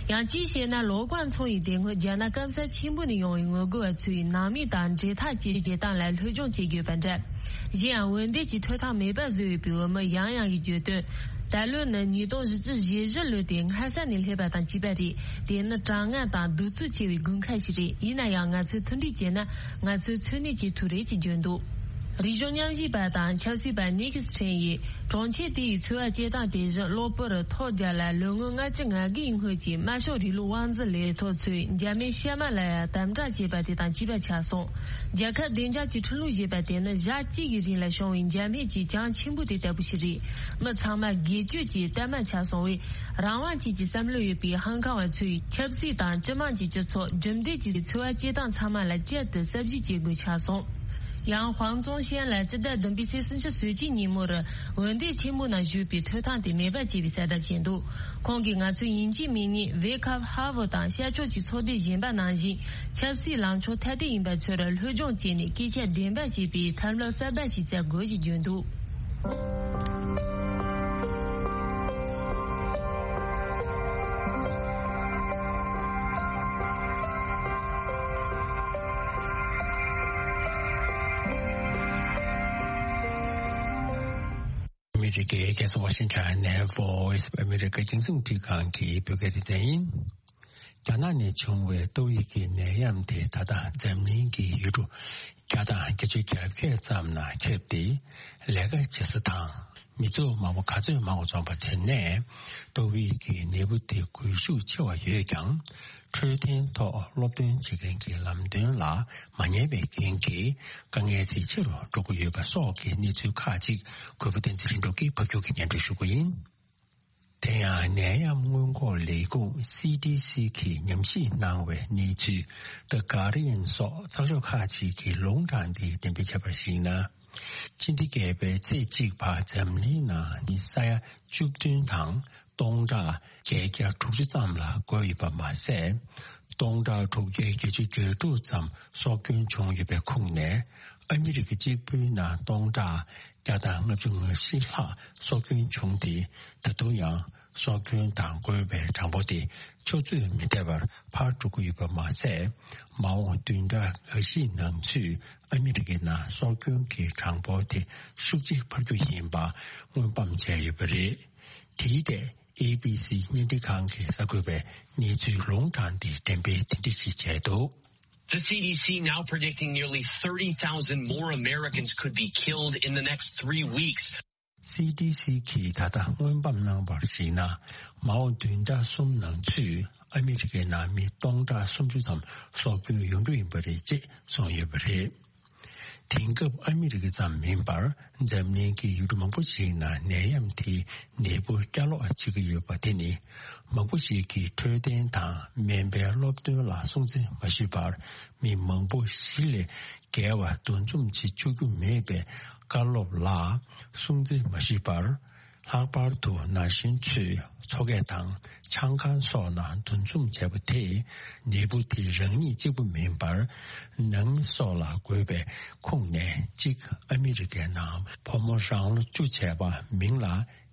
ཡང་གཅིག་བཤད་ན་ལོ་ཀོན་ཚོང་ཡིས་དེ་སྔོན་རྒྱ་ནག་སྐམ་ས་ཆེན་པོ་ནས་ཡོང་བའི་ངོ་རྒོལ་བ་ཚོའི་ནང་མི་དང་འབྲེལ་ཐག་བཅད་བྱེད་སྟངས་ལ་སློབ་སྦྱོང་བྱེད་དགོས་པ་འདྲ། གཞན་ཡང་འོས་འདེམས་ཀྱི་ཐོབ་ཐང་མེད་པ་བཟོས་ཡོད་པའི་འོས་མི་ཡང་ཡང་གིས་བརྗོད་དོན། ད་ལོ་ནི་ཉིས་སྟོང་བཞི་བཅུ་ཞེ་བཞི་ལོ་དེ་སྔ་ས་ནས་སླེབས་པ་དང་གཅིག་པ་རེད། དེ་ནི་གྲང་ངར་དང་གདུག་རྩུབ་ཆེ་བའི་དགུན་ཁ་ཞིག་རེད། ཡིན་ན་ཡང་ང་ཚོས་མཐུན་སྒྲིལ་བྱས་ན་ང་ཚོས་འཚོ་གནས་བྱེད་ཐུབ་རེད་ཅེས་བརྗོད་འདུག་རིག་གཞུང་ཉམས་ཞིབ་པ་དང་ཆབ་སྲིད་པ་ནིག་སི་ཁྲེན་ཡིས་གྲོང་ཁྱེར་དེ་ཡི་འཚོ་བ་སྐྱེལ་སྟངས་དེ་བཞིན་གློ་བུར་ཐོལ་རྒྱག་ལ་ལོ་ངོ་ལྔ་བཅུ་ང་དགུའི་སྔོན་གྱི་དམར་ཤོག་རིང་ལུགས་དབང་འཛིན་ལས་ཐོག་ཚོས་འཇར་མན་གཤའ་མ་ལ་ཡང་དམ་དྲག་བྱས་པ་དེ་དང་གཅིག་པ་ཆགས་སོང་། རྒྱལ་ཁབ་བདེ་འཇགས་ཀྱི་ཁྲིམས་ལུགས་ཞེས་པ་དེ་ནི་ཞག་གཅིག་གི་རིང་ལ་བྱུང་བའི་འཇར་མན་གྱི་གྱང་ཆེན་པོ་དེ་ལྟ་བུ་ཞིག་རེད། མི་ཚང་མ་སྒེར་གཅོད་ཀྱི་གཏའ་མ་ཆགས་སོང་བས། རང་དབང་བཅས་ཀྱི་བསམ་བློ་ཡོད་པའི་ཧང་ཀང་བ་ཚོས་ཆབ་སྲིད་དང་སྤྱི་དམངས་ཀྱི་སྤྱི་ཚོགས། རྒྱུན་ལྡན་གྱི་འཚོ་བ་སྐྱེལ་སྟངས་ཚང་མ་ལ་བསྐྱར་དུ་གསར་བརྗེ་བྱེད་དགོས་ཆགས་སོང་། ཡང་ཧུའང་ཙུང་ཤན་ལ་སྤྱི་ཟླ་བདུན་པའི་ཚེས་སུམ་ཅུ་སོ་གཅིག་ཉིན་མོར་འོས་འདེམས་ཆེན་མོ་ནང་ཞུགས་པའི་ཐོབ་ཐང་དེ་མེད་པ་བྱས་པའི་གསལ་བསྒྲགས་བྱས་འདུག་ཁོང་གིས་ང་ཚོ་ཡིན་གཅིག་མིན་གཉིས་ཝེ་ཁབ་ཧ་ཝུ་དང་ཤར་ཕྱོགས་ཀྱི་ཚོགས་སྡེ་གཞན་པ་ནང་བཞིན་ཆབ་སྲིད་ལངས་ཕྱོགས་ཐ་དད་ཡིན་པ་ཚོར་སློབ་སྦྱོང་བྱས་ནས་སྐད་ཆ་བདེན་པ་བྱེད་པའི་ཐབས་ལམ་གསར་པ་ཞིག་བཙལ་དགོས་ཞེས་བརྗོད་འདུག་ཨ་མི་རི་ཀའི་རྒྱལ་ས་ཝ་ཤིང་ཊོན་ནས་Voice of America་རྒྱང་སྲིང་རླུང་འཕྲིན་ཁང་གི་བོད་སྐད་སྡེ་ཚན་ཡིན། རྒྱ་ནག་ནས་བྱུང་བའི་ཏོག་དབྱིབས་ཀྱི་ནད་ཡམས་དེ་ད་ལྟ་འཛམ་གླིང་གི་ཡུལ་གྲུ་བརྒྱ་དང་བརྒྱད་ཅུ་གྱ་བརྒྱད་ཙམ་ན་ཁྱབ་སྟེ། ལས་ཀ་བྱེད་ས་དང་མི་ཚོགས་མང་པོ་ག་ཚོད་མང་བ་འཛོམས་པ་དེ་ནས་ཏོག་དབྱིབས་ཀྱི་ནད་འབུ་དེ་འགོས་ཤུགས་ཆེ་བ་ཡོད་ཀྱང་། འཕྲོད་བསྟེན་ཐོག་སློབ་སྟོན་བྱེད་མཁན་གྱི་ལམ་སྟོན་ལ་མ་ཉན་པའི་རྐྱེན་གྱིས་དཀའ་ངལ་དེ་ཆེ་རུ་འགྲོ་གི་ཡོད་པ་སོགས་ཀྱི་གནས་ཚུལ་ཁག་ཅིག་གུས་པ་བསྟན་འཛིན་ལྷུན་གྲུབ་ཀྱིས་ཕབ་སྒྱུར་གྱིས་སྙན་སྒྲོན་ཞུ་གི་ཡིན། དེ་ཡང་ནད་ཡམས་སྔོན་འགོག་ལས་ཁུངས་སི་ཌི་སི་གིས་ཉམས་ཞིབ་གནང་བའི་གནས་ཚུལ། The Guardian སོགས་ཚགས་ཤོག་ཁག་ཅིག་གིས་ལུང་དྲངས་ཏེ་འགྲེམས་སྤེལ་བྱས་པར་གཞིགས་ན། ཕྱི་ཟླ་བརྒྱད་པའི་ཚེས་གཅིག་བར་འཛམ་གླིང་ནང་མི་ས་ཡ་བཅུ་བདུན་དང་སྟོང་ཕྲག་བརྒྱད་བརྒྱ་དྲུག་ཅུ་ཙམ་ལ་འགོས་ཡོད་པ་མ་ཟད། སྟོང་ཕྲག་དྲུག་བརྒྱ་བརྒྱད་ཅུ་གྱ་དྲུག་ཙམ་སྲོག་སྐྱོན་བྱུང་ཡོད་པའི་ཁོངས་ནས། ཨ་མི་རི་ཀ་གཅིག་པུའི་ནང་སྟོང་ཕྲག་བརྒྱ་དང་ལྔ་བཅུ་ང་བཞི་ལྷག་སྲོག་སྐྱོན་བྱུང་སྟེ། ད་དུང་ཡང་སྲོག་སྐྱོན་དང་འགོས་པའི་གྲངས་འབོར་དེ་ཆུ་ཚོད་མི་འདས་པར་འཕར་འགྲོ་གི་ཡོད་པ་མ་ཟད། མ་འོངས་བདུན་ཕྲག་འགའ་ཤས་ནང་ཚུད་ཨ་མི་རི་ཀའི་ནང་སྲོག་སྐྱོན་གྱི་གྲངས་འབོར་དེ་ཤུགས་ཆེ་འཕར་རྒྱུ་ཡིན་པ་སྔོན་དཔག་བྱས་ཡོད་པ་རེད། དེའི་ཐད་ཨེ་བི་སི་བརྙན་འཕྲིན་ཁང་གིས་གསར་འགོད་པའི་གནས་ཚུལ་ལུང་དྲངས་ཏེ་འགྲེམས་སྤེལ་དེ་འདྲ་ཞིག་བྱས་འདུག། The C D C now predicting nearly thirty thousand more Americans could be killed in the next three weeks. སི་ཌི་སི་གིས་ད་ལྟ་སྔོན་དཔག་གནང་བར་གཞིགས་ན། མ་འོངས་བདུན་ཕྲག་གསུམ་ནང་ཚུད་ཨ་མི་རི་ཀའི་ནང་མི་སྟོང་ཕྲག་སུམ་ཅུ་ཙམ་སྲོག་སྐྱོན་ཡོང་རྒྱུ་ཡིན་པ་རེད་ཅེས་གསུངས་ཡོད་པ་རེད། དེང་སྐབས་ཨ་མི་རི་ཀ་ཙམ་མིན་པར་འཛམ་གླིང་གི་ཡུལ་གྲུ་མང་པོ་ཞིག་ནང་ནད་ཡམས་དེའི་ནད་འབུ་བསྐྱར་ལོག་བྱེད་ཀྱི་ཡོད་པ་དེ་ནི། མང་པོ་ཞིག་གིས་འཕྲོད་བསྟེན་དང་སྨན་པའི་སློབ་སྟོན་ལ་སྲུང་བརྩི་མ་ཞུས་པར། མི་མང་པོ་བཞི་ལས་བརྒལ་བ་འདུ་འཛོམས་བྱེད་བཅུག་རྒྱུ་མེད་པའི་བཀའ་སློབ་ལ་སྲུང་བརྩི་མ་ཞུས་པར། ལྷག་པར་དུ་ན་གཞོན་ཚོས་མཚོ་སྐས་དང་ཆང་ཁང་སོགས་ནང་འདུ་འཛོམས་བྱས་པ་དེས་ནད་འབུ་དེ་རང་ཉིད་གཅིག་པུ་མིན་པར། ནང་མི་སོགས་ལ་འགོས་པའི་ཁོངས་ནས་གཅིག་ཨ་མི་རི་ཀའི་ནང་བུ་མོ་རང་ལོ་བཅུ་བྱས་པ་མིང་ལ་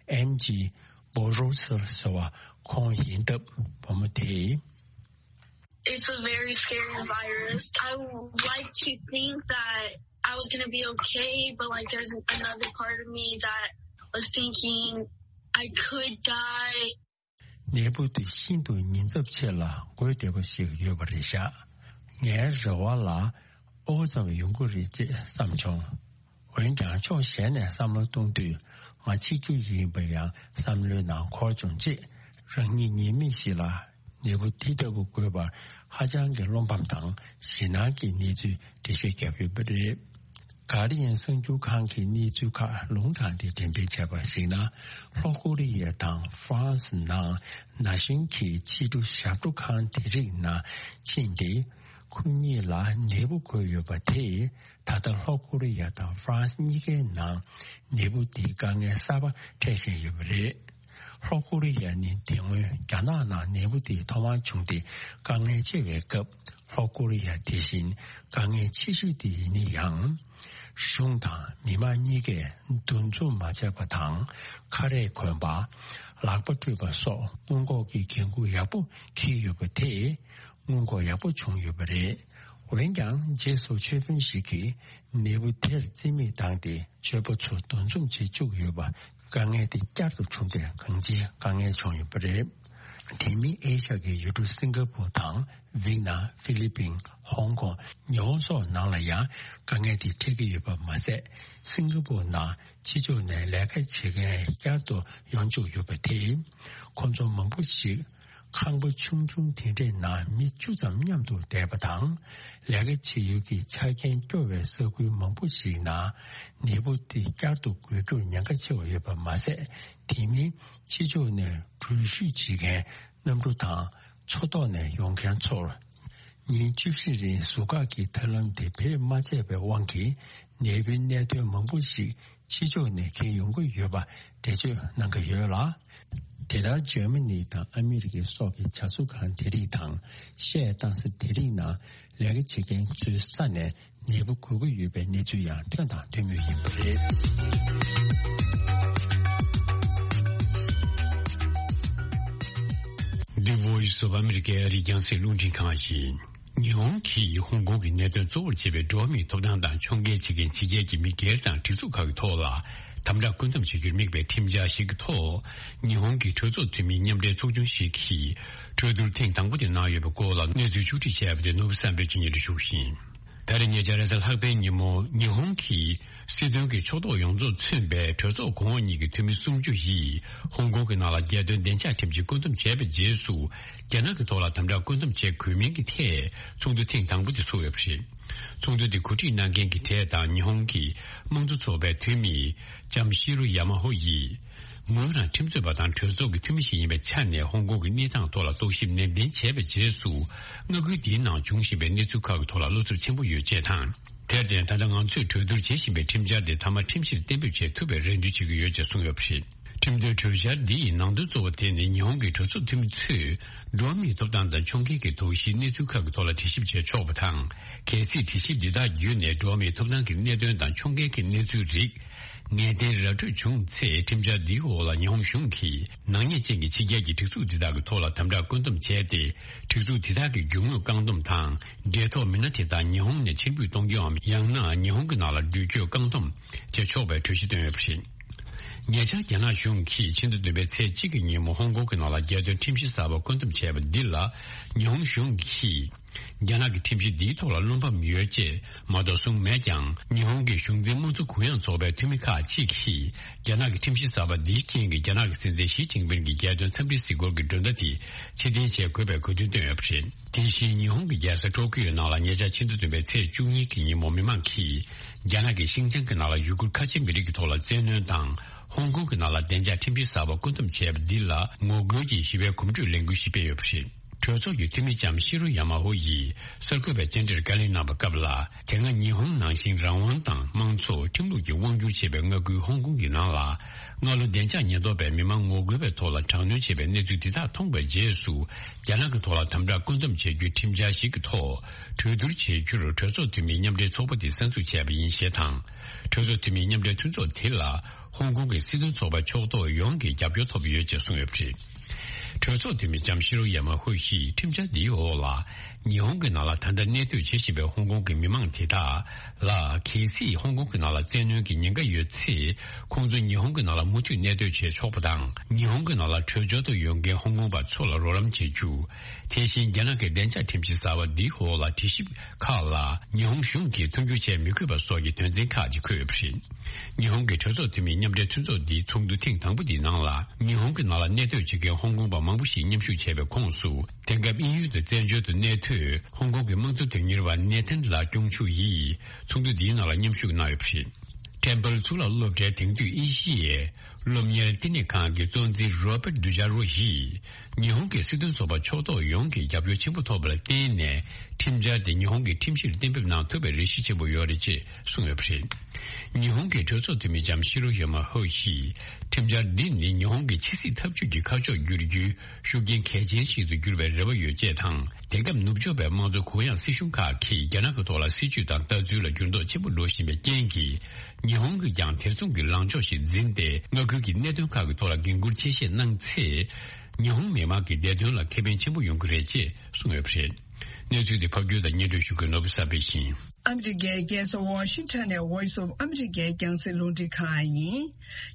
ཨེམ་ཇི་བོ་རོ་སར་ཟེར་བ་ཁོང་ཡིན་སྟབས། བུ་མོ་དེས། It's a very scary virus. I would like to think that I was gonna be okay, but, like, there's another part of me that was thinking I could die. ནད་འབུ་དེ་ཤིན་ཏུ་ཉེན་ཚབས་ཆེ་ལ་འགོས་བསྡད་པ་ཞིག་ཡོད་པ་རེད་ཤག། ངའི་རེ་བ་ལ་ཨོ་ཙམ་ཡོང་གི་རེད་ཅེས་བསམ་བྱུང་། འོན་ཀྱང་ཕྱོགས་གཞན་ནས་བསམ་བློ་གཏོང་དུས། ང་འཆི་རྒྱུ་ཡིན་པ་ཡང་བསམ་བློའི་ནང་འཁོར་བྱུང་རྗེས། རང་ཉིད་ཉེས་མེད་ཞིག་ལ་ནད་འབུ་འདི་ལྟ་བུ་འགོས་པར་ཧ་ཅང་གི་བློ་ཕམ་དང་ཞེད་སྣང་གི་གནས་ཚུལ་འགྲེལ་བཤད་བརྒྱབ་ཡོད་པ་རེད། གྷར་ཌི་ཡན་གསར་འགྱུར་ཁང་གི་གནས་ཚུལ་ཁག་ལུང་དྲངས་ཏེ་འགྲེམས་སྤེལ་བྱས་པར་གཞིགས་ན། ལྷོ་ཀོ་རི་ཡ་དང་ཧྥ་རན་སི་ནང་ན་གཞོན་གྱི་ཕྱི་དྲོ་ཞབས་བྲོ་ཁང་དེ་རིགས་ནང་ཕྱིན་ཏེ། ཁོ་གཉིས་ལ་ནད་འབུ་འགོས་ཡོད་པ་དེས། ད་ལྟ་ལྷོ་ཀོ་རི་ཡ་དང་ཧྥ་རན་སི་གཉིས་ཀའི་ནང་ནད་འབུ་འདིའི་དཀའ་ངལ་གསར་པ་འཕྲད་བཞིན་ཡོད་པ་རེད། ལྷོ་ཀོ་རི་ཡ་ནི་དེ་སྔོན་རྒྱ་ནག་ནང་ནད་འབུ་དེ་ཐོག་མར་བྱུང་སྟེ་དཀའ་ངལ་ཆེ་བའི་སྐབས། ལྷོ་ཀོ་རི་ཡ་དེ་བཞིན་དཀའ་ངལ་ཆེ་ཤོས་དེ་ཡིན་ན་ཡང་། གཞུང་དང་མི་མང་གཉིས་ཀས་འདུ་འཛོམས་མ་བྱས་པ་དང་། ཁ་རས་གོན་པ། ལག་པ་བཀྲུས་པ་སོགས་སྔོན་འགོག་གི་འགན་འཁུར་ཡག་པོ་འཁྱེར་ཡོད་པ་དེས། སྔོན་འགོག་ཡག་པོ་བྱུང་ཡོད་པ་རེད། འོན་ཀྱང་། རྗེས་སུ་ཆོས་དཔོན་ཞིག་གིས་ནད་འབུ་དེར་རྩིས་མེད་བཏང་སྟེ། ཆོས་པ་ཚོ་འདུ་འཛོམས་བྱེད་བཅུག་ཡོད་པ། དཀའ་ངལ་དེ་བསྐྱར་དུ་བྱུང་སྟེ། གང་ཅིའི་དཀའ་ངལ་བྱུང་ཡོད་པ་རེད། དེ་མིན་ཨེ་ཤ་ཡའི་ཡུལ་གྲུ་སིང་ག་པུར་དང་། ཝི་ཡེད་ནམ། ཧྥི་ལི་པིན། ཧོང་ཀོང་། ཉི་ཧོང་སོགས་ནང་ལ་ཡང་དཀའ་ངལ་དེ་འཕྲད་ཀྱི་ཡོད་པ་མ་ཟད། སིང་ག་པུར་ནང་ཕྱི་ཕྱོགས་ནས་ལས་ཀ་བྱེད་མཁན་བསྐྱར་དུ་ཡོང་བཅུག་ཡོད་པ་དེས། ཁོང་ཚོ་མང་པོ་ཞིག་ཁང་པ་ཆུང་ཆུང་དེ་འདྲའི་ནང་མི་བཅུ་ཙམ་མཉམ་དུ་བསྡད་པ་དང་། ལས་ཀ་བྱེད་ཡུལ་གྱི་ཆ་རྐྱེན་སྐྱོ་བའི་ས་ཁུལ་མང་པོ་ཞིག་ནང་ནད་འབུ་དེ་བསྐྱར་དུ་འགོས་རྒྱུར་ཉེན་ཁ་ཆེ་བ་ཡོད་པ་མ་ཟད། དེ་མིན་ཕྱི་ཕྱོགས་ནས་འགྲུལ་བཞུད་བྱེད་མཁན་གནམ་གྲུ་དང་མཚོ་ཐོག་ནས་ཡོང་མཁན་ཚོར། ཉིན་བཅུ་བཞི་རིང་ཟུར་བཀག་གི་ཐབས་ལམ་དེ་བེད་མ་ཆད་པའི་དབང་གིས། ནད་འབུའི་གནད་དོན་མང་པོ་ཞིག་ཕྱི་ཕྱོགས་ནས་འཁྱེར་ཡོང་གི་ཡོད་པ་འགྲེལ་བརྗོད་གནང་གི་ཡོད་ལ། དེ་ལྟར་འཇར་མ་ནི་དང་ཨ་མི་རི་ཀའི་སོགས་ཀྱི་བྱ་གསོ་ཁང་དེ་རིགས་དང་། བཤས་གཏང་ས་དེ་རིགས་ནང་ལས་ཀ་བྱེད་མཁན་ཚོའི་ས་ནས་ནད་འབུ་འགོས་ཀྱི་ཡོད་པའི་གནས་ཚུལ་ཡང་ཐོན་དང་ཐོན་མུས་ཡིན་པ་རེད། The Voice of America ཨ་རིའི་རྒྱང་སྲིང་རླུང་འཕྲིན་ཁང་ཡིན། ཉི་ཧོང་གིས་ཧོང་ཀོང་གི་གནད་དོན་གཙོ་བོར་བྱས་པའི་འགྲོ་བ་མིའི་ཐོབ་ཐང་དང་ཕྱོགས་འགལ་བྱེད་མཁན་ཕྱི་རྒྱལ་གྱི་མི་སྒེར་དང་སྒྲིག་འཛུགས་ཁག་གི་ཐོག་ལ་དམ་དྲག་བཀོད་འདོམས་བྱ་རྒྱུར་དམིགས་པའི་ཁྲིམས་འཆར་ཞིག་གི་ཐོག་ཉི་ཧོང་གི་གྲོས་ཚོགས་འཐུས་མིའི་མཉམ་འབྲེལ་ཚོགས་ཆུང་ཞིག་གིས་གྲོས་བསྡུར་ཐེངས་དང་པོ་དེ་གནང་ཡོད་པའི་སྐོར་ལ་གནས་ཚུལ་ཕྱོགས་སྒྲིག་བྱས་པ་དེ་ནོར་བུ་བསམ་འཕེལ་གྱིས་སྙན་སྒྲོན་ཞུ་གི་ཡིན། ད་རེས་ཉེ་ཆར་རེས་གཟའ་ལྷག་པའི་ཉིན་མོ་ཉི་ཧོང་གི་སྲིད་དོན་གྱི་ཕྱོགས་གཏོགས་ཡོངས་རྫོགས་མཚོན་པའི་གྲོས་ཚོགས་གོང་འོག་གཉིས་ཀྱི་འཐུས་མི་སུམ་ཅུ་ཡིས་ཧོང་ཀོང་གི་ནང་ལ་རྒྱལ་དོན་བདེ་འཇགས་ཁྲིམས་ཀྱི་བཀོད་འདོམས་བྱས་པའི་རྗེས་སུ། རྒྱ་ནག་གི་ཐོག་ལ་དམ་དྲག་བཀོད་འདོམས་བྱེད་དགོས་མིན་གྱི་ཐད་ཚོགས་འདུ་ཐེངས་དང་པོ་དེ་ཚོགས་ཡོད་པ་རེད། ཚོགས་འདུ་དེ་གོ་སྒྲིག་གནང་མཁན་གྱི་གྲས་དང་ཉི་ཧོང་གི་དམངས་གཙོ་ཚོགས་པའི་འཐུས་མི་ལྕམ་ཤི་རུ་ཡ་མ་ཧོ་ཡིས། ངོས་རང་ཁྲིམས་རྩོད་པ་དང་གྲོས་ཚོགས་ཀྱི་འཐུས་མི་ཞིག་ཡིན་པའི་ཆ་ནས་ཧོང་ཀོང་གི་གནས་སྟངས་ཐོག་ལ་རྟོག་ཞིབ་ནན་ཏན་བྱས་པའི་རྗེས་སུ། མངའ་ཁུལ་འདིའི་ནང་འབྱུང་བཞིན་པའི་གནས་ཚུལ་ཁག་གི་ཐོག་ལ་བློ་འཚབ་ཆེན་པོ་ཡོད་ཅེས་དང་། དེར་བརྟེན་ད་ལྟ་ང་ཚོས་གྲོས་བསྡུར་བྱེད་བཞིན་པའི་ཁྲིམས་འཆར་དེ་མཐའ་མ་ཁྲིམས་གཞིར་གཏན་འབེབས་བྱེད་ཐུབ་པའི་རེ་འདུན་བྱེད་ཀྱི་ཡོད་ཅེས་གསུངས་ཡོད་པ་རེད། ཁྲིམས་དོན་གྲོས་འཆར་འདི་ཡི་ནང་དོན་གཙོ་བོ་དེ་ནི་ཉི་ཧོང་གི་གྲོས་ཚོགས་འཐུས་མི་ཚོས་འགྲོ་བ་མིའི་ཐོབ་ཐང་དང་ཕྱོགས་འགལ་གྱི་དོགས་གཞིའི་གནས་ཚུལ་ཁག་གི་ཐོག་ལ་དྲི་ཞིབ་བྱེད་ཆོག་པ་དང་། གལ་སྲིད་དྲི་ཞིབ་འདི་དག་བརྒྱུད་ནས་འགྲོ་བ་མིའི་ཐོབ་ཐང་གི་གནད་དོན་དང་ཕྱོགས་འགལ་གྱི་གནས་ཚུལ་རིགས་ངེས་གཏན་ར་འཕྲོད་བྱུང་ཚེ། ཁྲིམས་འཆར་འདིའི་འོག་ལ་ཉི་ཧོང་གཞུང་གིས་ནག་ཉེས་ཅན་གྱི་ཕྱི་རྒྱལ་གྱི་སྒྲིག་འཛུགས་འདི་དག་གི་ཐོག་ལ་དམ་དྲག་བཀོད་འདོམས་བྱས་ཏེ། སྒྲིག་འཛུགས་འདི་དག་གི་རྒྱུ་དངོས་བཀག་སྡོམ་དང་། འབྲེལ་ཐོགས་མི་སྣ་དེ་དག་ཉི་ཧོང་ནས་ཕྱིར་འབུད་གཏོང་རྒྱུའམ། ཡང་ན་ཉི་ཧོང་གི་ནང་ལ་འགྲུལ་སྐྱོད་བཀག་སྡོམ་བྱེད་ཆོག་པའི་གྲོས་གཞི་བཏོན་ཡོད་པ་རེད། ཉེ་ཆར་རྒྱ་ནག་གཞུང་གིས་ཕྱི་ཟླ་བདུན་པའི་ཚེས་གཅིག་གི་ཉིན་མོ་ཧོང་ཀོང་གི་ནང་ལ་རྒྱལ་དོན་ཁྲིམས་གཞི་གསར་པ་བཀོད་འདོམས་བྱས་པ་འདི་ལ། ཉི་ཧོང་གཞུང་གིས་རྒྱ་ནག་གི་ཁྲིམས་གཞི་འདིའི་ཐོག་ལ་བློ་ཕམ་ཡོད་ཅེས་མ་གཏོགས་གསུངས་མེད་ཀྱང་། ཉི་ཧོང་གི་གཞུང་འཛིན་དམངས་གཙོ་གུ་ཡངས་ཚོགས་པའི་འཐུས་མི་ཁག་ཅིག་གིས། རྒྱ་ནག་གི་ཁྲིམས་གཞི་གསར་པ་འདིའི་རྐྱེན་གྱིས་རྒྱ་ནག་གི་སྲིད་འཛིན་ཞི་ཅིན་ཕིན་གྱི་རྒྱལ་དོན་འཚམས་འདྲིའི་གཟིགས་སྐོར་གྱི་མགྲོན་བརྡ་དེ་ཕྱིར་འཐེན་བྱེད་དགོས་པའི་དགོས་འདུན་བཏོན་ཡོད་པ་རེད། དེ་བཞིན་ཉི་ཧོང་གི་རྒྱལ་ས་ཊོ་ཀི་ཡོ་ནང་ལ་ཉེ་ཆར་ཕྱི་ཟླ་བདུན་པའི་ཚེས་བཅུ་གཉིས་ཀྱི་ཉིན་མོ་མི་མང་གིས། རྒྱ་ནག་གི་ཤིན་ཅང་གི་ནང་ལ་ཡུ་གུར་ཁ་ཆེ་མི་རིགས་ཀྱི་ཐོག་ལ་བཙན་གནོན་དང་། ཧོང་ཀོང་གི་ནང་ལ་བདེ་འཇགས་ཁྲིམས་གཞི་གསར་པ་བཀོད་འདོམས་བྱས་པ་འདི་ལ་ངོ་རྒོལ་གྱིས་ཞི་བའི་གོམ་བགྲོད་ལས་འགུལ་ཞིག་སྤེལ་ཡོད་པ་རེད། གྲོས་ཚོགས་ཀྱི་འཐུས་མི་ལྕམ་ཤི་རུ་ཡ་མ་ཧོ་ཡིས་གསར་འགོད་པའི་བཅར་འདྲིར་བཀའ་ལན་གནང་བའི་སྐབས་ལ། དེ་སྔ་ཉི་ཧོང་ནང་བཞིན་རང་དབང་དང་དམངས་གཙོ། ཁྲིམས་ལུགས་ཀྱི་དབང་སྒྱུར་བྱེད་པའི་མངའ་ཁུལ་ཧོང་ཀོང་གི་ནང་ལ། སྔ་ལོ་བདེ་འཇགས་ཉེན་རྟོག་པས་མི་མང་ངོ་རྒོལ་བའི་ཐོག་ལ་དྲག་གནོན་བྱས་པའི་གནས་ཚུལ་འདི་དག་མཐོང་བའི་རྗེས་སུ། རྒྱ་ནག་གི་ཐོག་ལ་དམ་དྲག་བཀོད་འདོམས་བྱེད་རྒྱུའི་ཁྲིམས་འཆར་ཞིག་གི་ཐོག་གྲོས་བསྡུར་བྱེད་རྒྱུར་གྲོས་ཚོགས་འཐུས་མིའི་མཉམ་འབྲེལ་ཚོགས་པ་དེས་གསར་འཛུགས་བྱས་པ་ཡིན་ཞེས་དང་། གྲོས་ཚོགས་འཐུས་མིའི་མཉམ་འབྲེལ་མཐུན་ཚོགས་དེ་ལ་ཧོང་ཀོང་གི་སྲིད་དོན་ཚོགས་པའི་ཕྱོགས་གཏོགས་ཡོངས་ཀྱིས་རྒྱབ་སྐྱོར་ཐོབ་ཡོད་ཅེས་གསུངས་ཡོད་པ་རེད། གྲོས་ཚོགས་འཐུས་མི་ལྕམ་ཤི་རོ་ཡ་མ་ཧུ་ཡིས་ཁྲིམས་འཆར་འདིའི་འོག་ལ། ཉི་ཧོང་གི་ནང་ལ་ད་ལྟ་གནས་སྡོད་བྱེད་བཞིན་པའི་ཧོང་ཀོང་གི་མི་མང་དེ་དག་ལ། གལ་སྲིད་ཧོང་ཀོང་གི་ནང་ལ་བཙན་གནོན་གྱི་ཉེན་ཁ་ཡོད་ཚེ། ཁོང་ཚོ་ཉི་ཧོང་གི་ནང་ལ་མུ་མཐུད་གནས་སྡོད་བྱེད་ཆོག་པ་དང་། ཉི་ཧོང་གི་ནང་ལ་བྲོས་བྱོལ་དུ་ཡོང་མཁན་ཧོང་ཀོང་པ་ཚོ་ལ་རོགས་རམ་བྱེད་རྒྱུ། དེ་བཞིན་རྒྱ་ནག་གི་བདེ་འཇགས་ཁྲིམས་གཞི་གསར་བ་འདིའི་འོག་ལ་དྲི་ཞིབ་ཁག་ལ་ཉི་ཧོང་གཞུང་གིས་མཐུན་འགྱུར་བྱེད་མི་དགོས་པ་སོགས་ཀྱི་དོན་ཚན་ཁག་ཅིག་འཁོད་ཡོད་པ་རེད། ཉི་ཧོང་གི་གྲོས་ཚོགས་འཐུས་མིའི་མཉམ་འབྲེལ་མཐུན་ཚོགས་འདིའི་ཚོགས་འདུ་ཐེངས་དང་པོ་འདིའི་ནང་ལ། ཉི་ཧོང་གི་ནང་ལ་གནས་སྡོད་བྱེད་མཁན་ཧོང་ཀོང་པ་མང་པོ་ཞིག་མཉམ་ཞུགས་བྱས་པའི་ཁོངས་སུ། དེང་སྐབས་དབྱིན་ཡུལ་དུ་བཙན་བྱོལ་དུ་གནས་སྡོད་ཧོང་ཀོང་གི་དམངས་གཙོ་དོན་གཉེར་བ་ནེ་ཐན་ལགས་སྐྱོང་ཕྱུག་ཡིས་ཚོགས་འདུ་འདིའི་ནང་ལ་མཉམ་ཞུགས་གནང་ཡོད་པ་རེད། ཊེམ་པལ་གཙུག་ལག་སློབ་གྲྭའི་དེང་དུས་ཨེ་ཤི་ཡའི་སློབ་གཉེར་བསྟི་གནས་ཁང་གི་གཙོ་འཛིན་རོ་པར་ཌུ་ཇཱ་རོ་ཡིས། ཉི་ཧོང་གི་སྲིད་དོན་ཚོགས་པ་ཕྱོགས་གཏོགས་ཡོངས་ཀྱིས་རྒྱབ་སྐྱོར་ཆེན་པོ་ཐོབ་པ་ལ་བརྟེན་ནས། ཁྲིམས་འཆར་དེ་ཉི་ཧོང་གི་ཁྲིམས་གཞིར་གཏན་འབེབས་གནང་ཐུབ་པའི་རེ་ཞུ་ཆེན་པོ་ཡོད་རེད་ཅེས་གསུངས་ཡོད་པ་རེད། ཉི་ཧོང་གི་གྲོས་ཚོགས་འཐུས་མི་ལྕམ་ཤི་རོ་ཡ་མ་ཧོ་ཡིས། ཁྲིམས་འཆར་འདི་ནི་ཉི་ཧོང་གི་ཕྱི་སྲིད་འཐབ་ཇུས་ཀྱི་ཁ་ཕྱོགས་བསྒྱུར་རྒྱུའི་ཤུགས་རྐྱེན་གལ་ཆེན་ཞིག་ཏུ་འགྱུར་བའི་རེ་བ་ཡོད་ཅེས་དང་། དེང་སྐབས་ནུབ་ཕྱོགས་པའི་དམངས་གཙོ་གུ་ཡངས་སྲིད་གཞུང་ཁག་གིས་རྒྱ་ནག་གི་ཐོག་ལ་སྲིད་ཇུས་དང་ལྟ་ཚུལ་ལ་འགྱུར་ལྡོག་ཆེན་པོ་འགྲོ་བཞིན་པའི་རྐྱེན་གྱིས། ཉི་ཧོང་གིས་ཀྱང་དེ་མཚུངས་ཀྱི་ལངས་ཕྱོགས་ཤིག་འཛིན་ཏེ། མངའ་ཁུལ་གྱི་གནད་དོན་ཁག་གི་ཐོག་ལ་འགན་འཁུར་ཆེ་བཞེས་གནང་ཚེ། ཉི་ཧོང་མི་དམངས་ཀྱི་བདེ་དོན་ལ་ཁེ་ཕན་ཆེན་པོ་ཡོང་གི་རེད་ཅེས་གསུངས་ཡོད་པ་རེད། གནས་ཚུལ་དེ་ཕབ་སྒྱུར་དང་སྙན་སྒྲོན་ཞུ་མཁན་ནོར་བུ་བསམ་འཕེལ་ཡིན། ཨ་མི་རི་ཀའི་རྒྱལ་ས་ཝ་ཤིང་ཊོན་ནས་Voice of America་རྒྱང་སྲིང་རླུང་འཕྲིན་ཁང་ཡིན།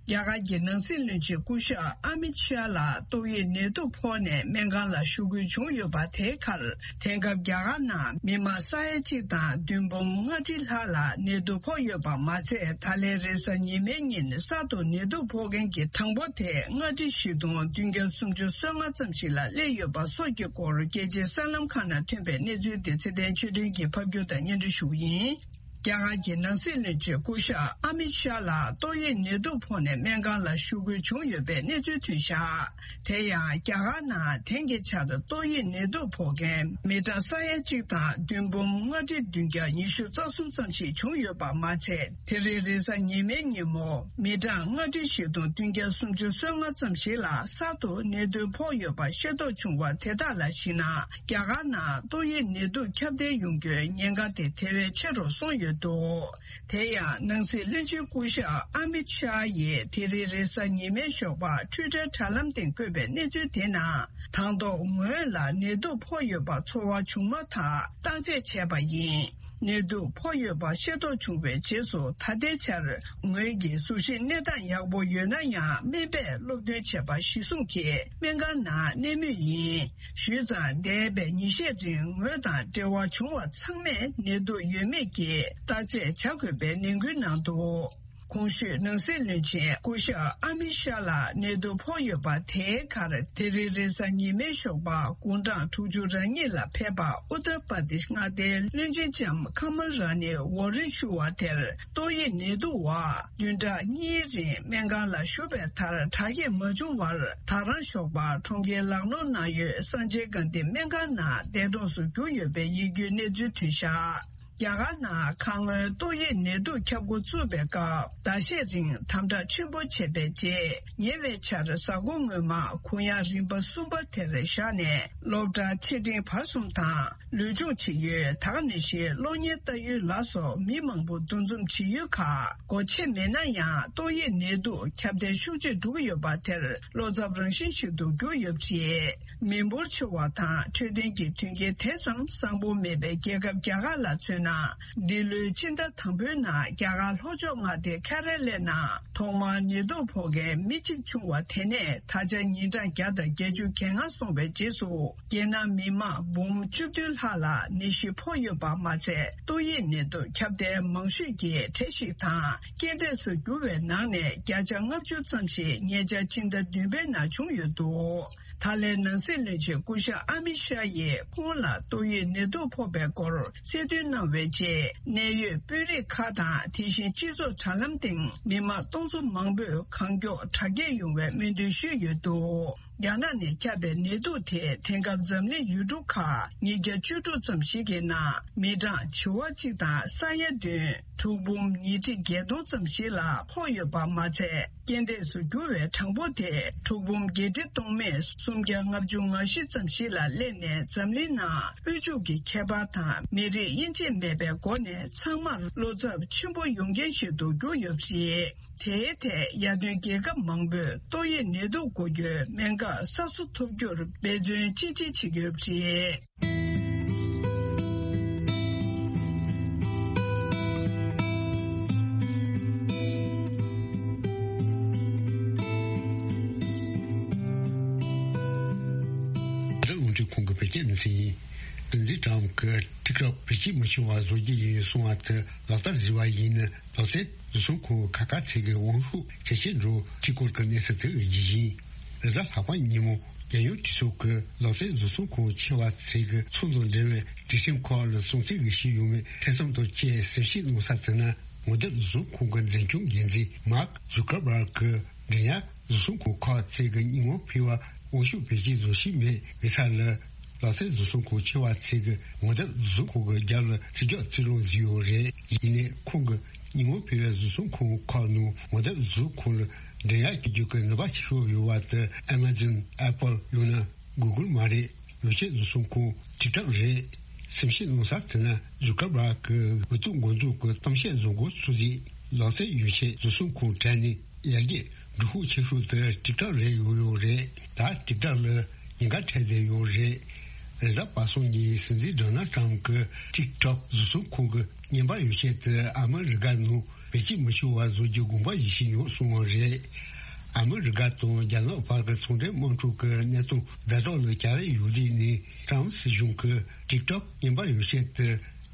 རྒྱ་གར་གྱི་ནང་སྲིད་བློན་ཆེན་སྐུ་ཞབས་ཨ་མིད་ཤཱ་ལགས་ཏོག་དབྱིབས་ནད་དུག་ཕོག་ནས་སྨན་ཁང་ལ་བཞུགས་དགོས་བྱུང་ཡོད་པ་དེའི་ཁར། དེང་སྐབས་རྒྱ་གར་ནང་མི་མང་ས་ཡ་གཅིག་དང་བདུན་འབུམ་ལྔ་ཁྲི་ལྷག་ལ་ནད་དུག་ཕོག་ཡོད་པ་མ་ཚད། ད་ལན་རེས་གཟའ་ཉི་མའི་ཉིན་གསར་དུ་ནད་དུག་ཕོག་མཁན་གྱི་གྲངས་འབོར་དེ་ལྔ་ཁྲི་བཞི་སྟོང་བདུན་བརྒྱ་སུམ་ཅུ་སོ་ལྔ་ཙམ་ཞིག་ལ་སླེབས་ཡོད་པ་སོགས་ཀྱི་སྐོར་རྒྱལ་སྤྱིའི་གསར་ལམ་ཁག་ནང་ཐོན་པའི་གནས་ཚུལ་དེ་ཚེ་བརྟན་ཆོས་སྒྲོན་གྱིས་ཕབ་སྒྱུར་དང་སྙན་སྒྲོན་ཞུ་གི་ཡིན། རྒྱ་གར་གྱི་ནང་སྲིད་བློན་ཆེན་སྐུ་ཞབས་ཨ་མིད་ཤཱ་ལགས་ཏོག་དབྱིབས་ནད་དུག་ཕོག་ནས་སྨན་ཁང་ལ་བཞུགས་དགོས་བྱུང་ཡོད་པའི་གནས་ཚུལ་ཐོན་བཞག་དེ་ཡང་རྒྱ་གར་ནང་དེང་གི་ཆར་ཏོག་དབྱིབས་ནད་དུག་ཕོག་མཁན་མི་གྲངས་ས་ཡ་གཅིག་དང་བདུན་འབུམ་ལྔ་ཁྲི་བདུན་བརྒྱ་ཉི་ཤུ་རྩ་གསུམ་ཙམ་ཞིག་བྱུང་ཡོད་པ་མ་ཚད། དེ་རིང་རེས་གཟའ་ཉི་མའི་ཉིན་མོ་མི་གྲངས་ལྔ་ཁྲི་བཞི་སྟོང་བདུན་བརྒྱ་སུམ་ཅུ་སོ་ལྔ་ཙམ་ཞིག་ལ་གསར་དུ་ནད་དུག་ཕོག་ཡོད་པ་ཤེས་རྟོགས་བྱུང་བ་དེ་དག་ལ་གཞིགས་ན། རྒྱ་གར་ནང་ཏོག་དབྱིབས་ནད་དུག་ཁྱབ་གདལ་ཡོང་རྒྱུའི་ཉེན་ཁ་དེ་དེ་བས་ཆེ་རུ་སོང་ཡོད། འདུག་དེ་ཡང་ནང་སྲིད་བློན་ཆེན་སྐུ་ཞབས་ཨ་མིད་ཤཱ་ཡིས་དེ་རིང་རེས་གཟའ་ཉི་མའི་ཞོགས་པ་ཊུའི་ཊར་དྲ་ལམ་སྟེང་བཀོད་པའི་གནས་ཚུལ་དེ་ནང་། དང་ཐོག་ངོས་ལ་ནད་དུག་ཕོག་ཡོད་པ་ཚོར་བ་བྱུང་མ་ཐག་བརྟག་དཔྱད་བྱས་པ་ཡིན། ནད་དུག་ཕོག་ཡོད་པ་ཤེས་རྟོགས་བྱུང་བའི་རྗེས་སུ། ད་ལྟའི་ཆར་ངོས་ཀྱི་གཟུགས་གཞི་གནས་སྟངས་ཡག་པོ་ཡོད་ན་ཡང་། སྨན་པས་སློབ་སྟོན་བྱས་པ་གཞིར་བཟུང་གིས་སྨན་ཁང་ནང་གནས་མུས་ཡིན། ཞུས་ཙང་། འདས་པའི་ཉིན་ཤས་རིང་ངོས་དང་འབྲེལ་བ་བྱུང་བ་ཚང་མས་ནད་དུག་ཡོད་མེད་ཀྱི་བརྟག་དཔྱད་བྱ་དགོས་པའི་ནན་སྐུལ་གནང་འདུག་གོང་ཞུས་ནང་སྲིད་བློན་ཆེན་སྐུ་ཞབས་ཨ་མི་ཤཱ་ལ་ནད་དུག་ཕོག་ཡོད་པ་དེའི་ཁར། དེ་རིང་རེས་གཟའ་ཉི་མའི་ཞོགས་པ་དགུང་གྲངས་དྲུག་ཅུ་རེ་གཉིས་ལ་ཕེབས་པ་ཨུ་ཏར་པར་དེཤ་མངའ་སྡེའི་བློན་ཆེན་ལྕམ་ཁ་མལ་ར་ནི་ཝར་རེན་ཞུ་བ་དེར་ཏོག་དབྱིབས་ནད་དུག་འོག་བདུན་ཕྲག་གཉིས་རིང་སྨན་ཁང་ལ་བཞུགས་པའི་མཐར། དྲག་སྐྱེད་མ་བྱུང་བར་ད་རང་ཞོགས་པ་གྲོང་ཁྱེར་ལག་ནོར་ནང་ཡོད་སངས་ཆེན་དགའ་ལྡན་སྨན་ཁང་ནང་འདས་གྲོངས་སུ་གྱུར་ཡོད་པའི་ཡིད་སྐྱོའི་གནས་ཚུལ་ཐོན་བཞག་རྒྱ་གར་ནང་ཁ་སྔོན་ཏོག་དབྱིབས་ནད་དུག་ཁྱབ་འགོ་བཙུགས་པའི་སྐབས། ཟླ་ཤས་རིང་དམ་དྲག་ཆེན་པོ་བྱས་པའི་རྗེས། ཉེ་བའི་ཆར་གཟའ་འཁོར་སྔོན་མ་གུང་ཡང་རིམ་པ་གསུམ་པ་དེར་བཞག་ནས། སློབ་གྲྭ་ཆེ་འབྲིང་བར་གསུམ་དང་། ལུས་སྦྱོང་བྱེད་ཡུལ། ད་ག་ནང་བཞིན་གློག་བརྙན་ལྟ་ཡུལ་ལ་སོགས་མི་མང་པོ་འདུ་འཛོམས་བྱེད་ཡུལ་ཁག་སྒོ་ཕྱེ་མེད་ན་ཡང་། ཏོག་དབྱིབས་ནད་དུག་ཁྱབ་གདལ་ཤུགས་ཆེ་འགྲོ་གི་ཡོད་པ་དེར་བློ་འཚབ་རང་བཞིན་ཞིག་ཏུ་གྱུར་ཡོད་པ་རེད། མི་འབོར་ཆེ་བ་དང་འཕྲོད་བསྟེན་གྱི་མཐུན་རྐྱེན་དེ་ཙམ་བཟང་པོ་མེད་པའི་རྒྱལ་ཁབ་རྒྱ་གར་ལ་མཚོན་ན། འདི་ལོའི་ཕྱི་ཟླ་དང་པོའི་ནང་རྒྱ་གར་ལྷོ་ཕྱོགས་མངའ་སྡེ་ཁེ་ར་ལའི་ནང་ཐོག་མར་ནད་དུག་ཕོག་མཁན་མི་གཅིག་བྱུང་བ་དེ་ནས་ད་ཆ་ཉིན་གྲངས་བརྒྱ་དང་བརྒྱད་ཅུ་གྱ་ལྔ་སོང་བའི་རྗེས་སུ། རྒྱལ་ནང་མི་མང་འབུམ་བཅུ་བདུན་ལྷག་ལ་ནད་གཞི་ཕོག་ཡོད་པ་མ་ཚད། ཏོག་དབྱིབས་ནད་དུག་ཁྱབ་གདལ་མང་ཤོས་ཀྱི་གྲས་ཤིག་དང་རྐྱེན་འདས་སུ་གྱུར་བའི་ནང་ནས་བརྒྱ་ཆ་ལྔ་བཅུ་ཙམ་ཞིག་ཉེ་ཆར་ཕྱི་ཟླ་བདུན་པའི་ནང་བྱུང་ཡོད་འདུག་ད་ལན་ནང་སྲིད་བློན་ཆེན་སྐུ་ཞབས་ཨ་མི་ཤཱ་ཡིས་ཁོང་ལ་ཏོག་དབྱིབས་ནད་དུག་ཕོག་པའི་སྐོར་གསལ་སྟོན་གནང་བའི་རྗེས། གནད་ཡོད་དཔོན་རིགས་ཁག་དང་། དེ་བཞིན་སྤྱི་ཚོགས་དྲ་ལམ་སྟེང་མི་མང་སྟོང་ཚོ་མང་པོས་གང་མགྱོགས་དྲག་སྐྱེད་ཡོང་བའི་སྨོན་འདུན་ཞུས་ཡོད་འདུག་རྒྱ་ནག་ནས་ཁྱབ་པའི་ནད་དུག་དེ་དེང་སྐབས་འཛམ་གླིང་ཡུལ་གྲུ་ཁག་ཉིས་བརྒྱ་བཅུ་དྲུག་ཙམ་ཞིག་གི་ནང་མི་གྲངས་བྱེ་བ་གཅིག་དང་ས་ཡ་བདུན། གྲུག་འབུམ་ཉིས་ཁྲི་བརྒྱད་སྟོང་ཙམ་ཞིག་ལ་ཕོག་ཡོད་པ་མ་ཚད། རྐྱེན་འདས་སུ་གྱུར་བའི་གྲངས་འབོར་དེ་གྲུག་འབུམ་བརྒྱད་ཁྲི་སྟོང་མེད་སུམ་བརྒྱ་ལྔ་བཅུ་ང་བཞི་ཙམ་ཞིག་ལ་སླེབས་ནས། འཛམ་གླིང་ནང་དབུལ་ཕྱུག་གི་ཁྱད་པར་དང་མི་རིགས་དབྱེ་འབྱེད་མེད་པའི་སྒོ་ནས་ཚང་མར་བློ་འཚབ་ཆེན་པོ་ཡོང་རྐྱེན་ཞིག་ཏུ་གྱུར་ཡོད་པ་རེད། དེའི་ཐད་ཡར་ཐོན་རྒྱལ་ཁབ་མང་པོས་ཏོག་དབྱིབས་ནད་དུག་འགོག་རྒྱུའི་སྨན་ཁབ་གསར་བཟོ་ཐུབ་རྒྱུར་འབད་བརྩོན་ཅི་ཆེ་བྱེད་ཀྱི་ཡོད་པ་རེད། རང་དབང་གྲོས་ཁོངས་ཀྱི་བོད་སྐད་སྡེ་ཚན་ཡིན། སྲིད་འཛིན་ཏྲམ་གྱིས་ཊིག་ཊོག་བེད་སྤྱོད་མི་ཆོག་པ་བཟོ་རྒྱུ་ཡིན་གསུངས་པ་དེ་ལག་བསྟར་བཟོས་པ་ཡིན་ན། ལག་རྩལ་བཟོ་ཚོང་ཁང་ཁག་ཁག་ཚོས་ཀྱི་དབང་ཤུགས་ཇེ་ཆེར་འགྲོ་ཐིག་སྐོར་གྱི་གནས་ཚུལ་དེ་ཡིན། རེས་གཟའ་ལྷག་པ་ཉིན་མོ་རྒྱལ་ཡོངས་གྲོས་ཚོགས་ཀྱི་ལག་རྩལ་བཟོ་ཚོང་ཁང་ཆེ་བ་ཚོས་ཀྱི་ཚོགས་འདུ་འབྲེལ་བའི་དུས་ཆེན་ཁག་ལ་སྲུང་བརྩི་གི་ཞུས་ཡོད་མེད་ཐེ་ཚོམ་དང་བཅས་གསལ་བཤད་གནང་ས་དེ་ན། ངོ་དེབ་བཟོ་ཚོང་ཁང་གི་འཛིན་སྐྱོང་འགན་འཛིན་མཱག་ཛུ་ཀར་བྷར་གྱིས་འགྲན་ཡག་བཟོ་ཚོང་ཁང་ཁག་ཚོས་ཀྱི་སྙན་ངག་ཕུལ་བར་དབང་ཤུགས་བེད་སྤྱོད་བཟོ་བཞིན་མེད་པའི་ས་ལ། ལག་རྩལ་བཟོ་ཚོང་ཁང་ཆེ་བ་ཚོས་ཀྱི་ངོ་དེབ་བཟོ་ཁང་གི་རྒྱབ་ལ་ཚིག་རྒྱག་རྩིས་ལོང་བཟོས་ཡོད་རེད། ཡིན་ནའི་ཁོང་གི་སྙན་ངག་ཕུལ་བའི་བཟོ་ཚོང་ཁང་ཁག་ནང་ངོ་དེབ་བཟོ་ཁང་ལ་འགྲན་ཡག་བྱེད་རྒྱུ་གི་ནུས་པ་ཆེ་ཤོས་ཡོད་པ་དེ་ཨེ་མ་ཛོན། ཨེ་པལ། ཡང་ན་གུ་གུལ་མ་རེད། ཡོ་ཆས་བཟོ་ཚོང་ཁང་ཊིག་ཊོག་རེད། གསལ་བཤད་གནང་ས་དེ་ན་ཛུ་ཀར་བྷར་གྱིས་འུ་ཐུག་འགོ་འཛུགས་ཀྱི་གཏམ་བཤད་བཟོ་འགོ་ཚུགས་རྗེས། ལག་རྩལ་ཡོ་ཆས་བཟོ་ཚོང་ཁང་གྲས་ནས་ཡར་རྒྱས་འགྲོ་ཤུགས་ཆེ་ཤོས་དེ་ཊིག་ཊོག་རེད། ཡོད་ཡོད་རེད། ད་ཊིག་ཊོག་ལ་ཉེན་ཁ་འཕྲད་བསྡད་ཡོད་རེད། རེས་གཟའ་པ་སངས་ཉིན་སྲིད་འཛིན་ཌོ་ནལ་ཊམ་གྱིས་ཊིག་ཊོག་བཟོ་ཚོང་ཁང་གི་བརྙན་པར་ཡོ་ཆས་དེ་ཨ་མི་རི་ཀ་ནང་བེད་སྤྱོད་མི་ཆོག་པ་བཟོ་རྒྱུའི་དགོངས་པ་བཞེས་བཞིན་ཡོད་གསུངས་པ་རེད། ཨ་མི་རི་ཀ་དང་རྒྱ་ནག་བར་གྱི་ཚོང་འབྲེལ་དམག་འཁྲུག་གི་གནས་སྟངས་ཛ་དྲག་ལ་གྱར་ཡོད་དུས་ནས། ཊམ་སྲིད་གཞུང་གིས་ཊིག་ཊོག་བརྙན་པར་ཡོ་ཆས་དེ་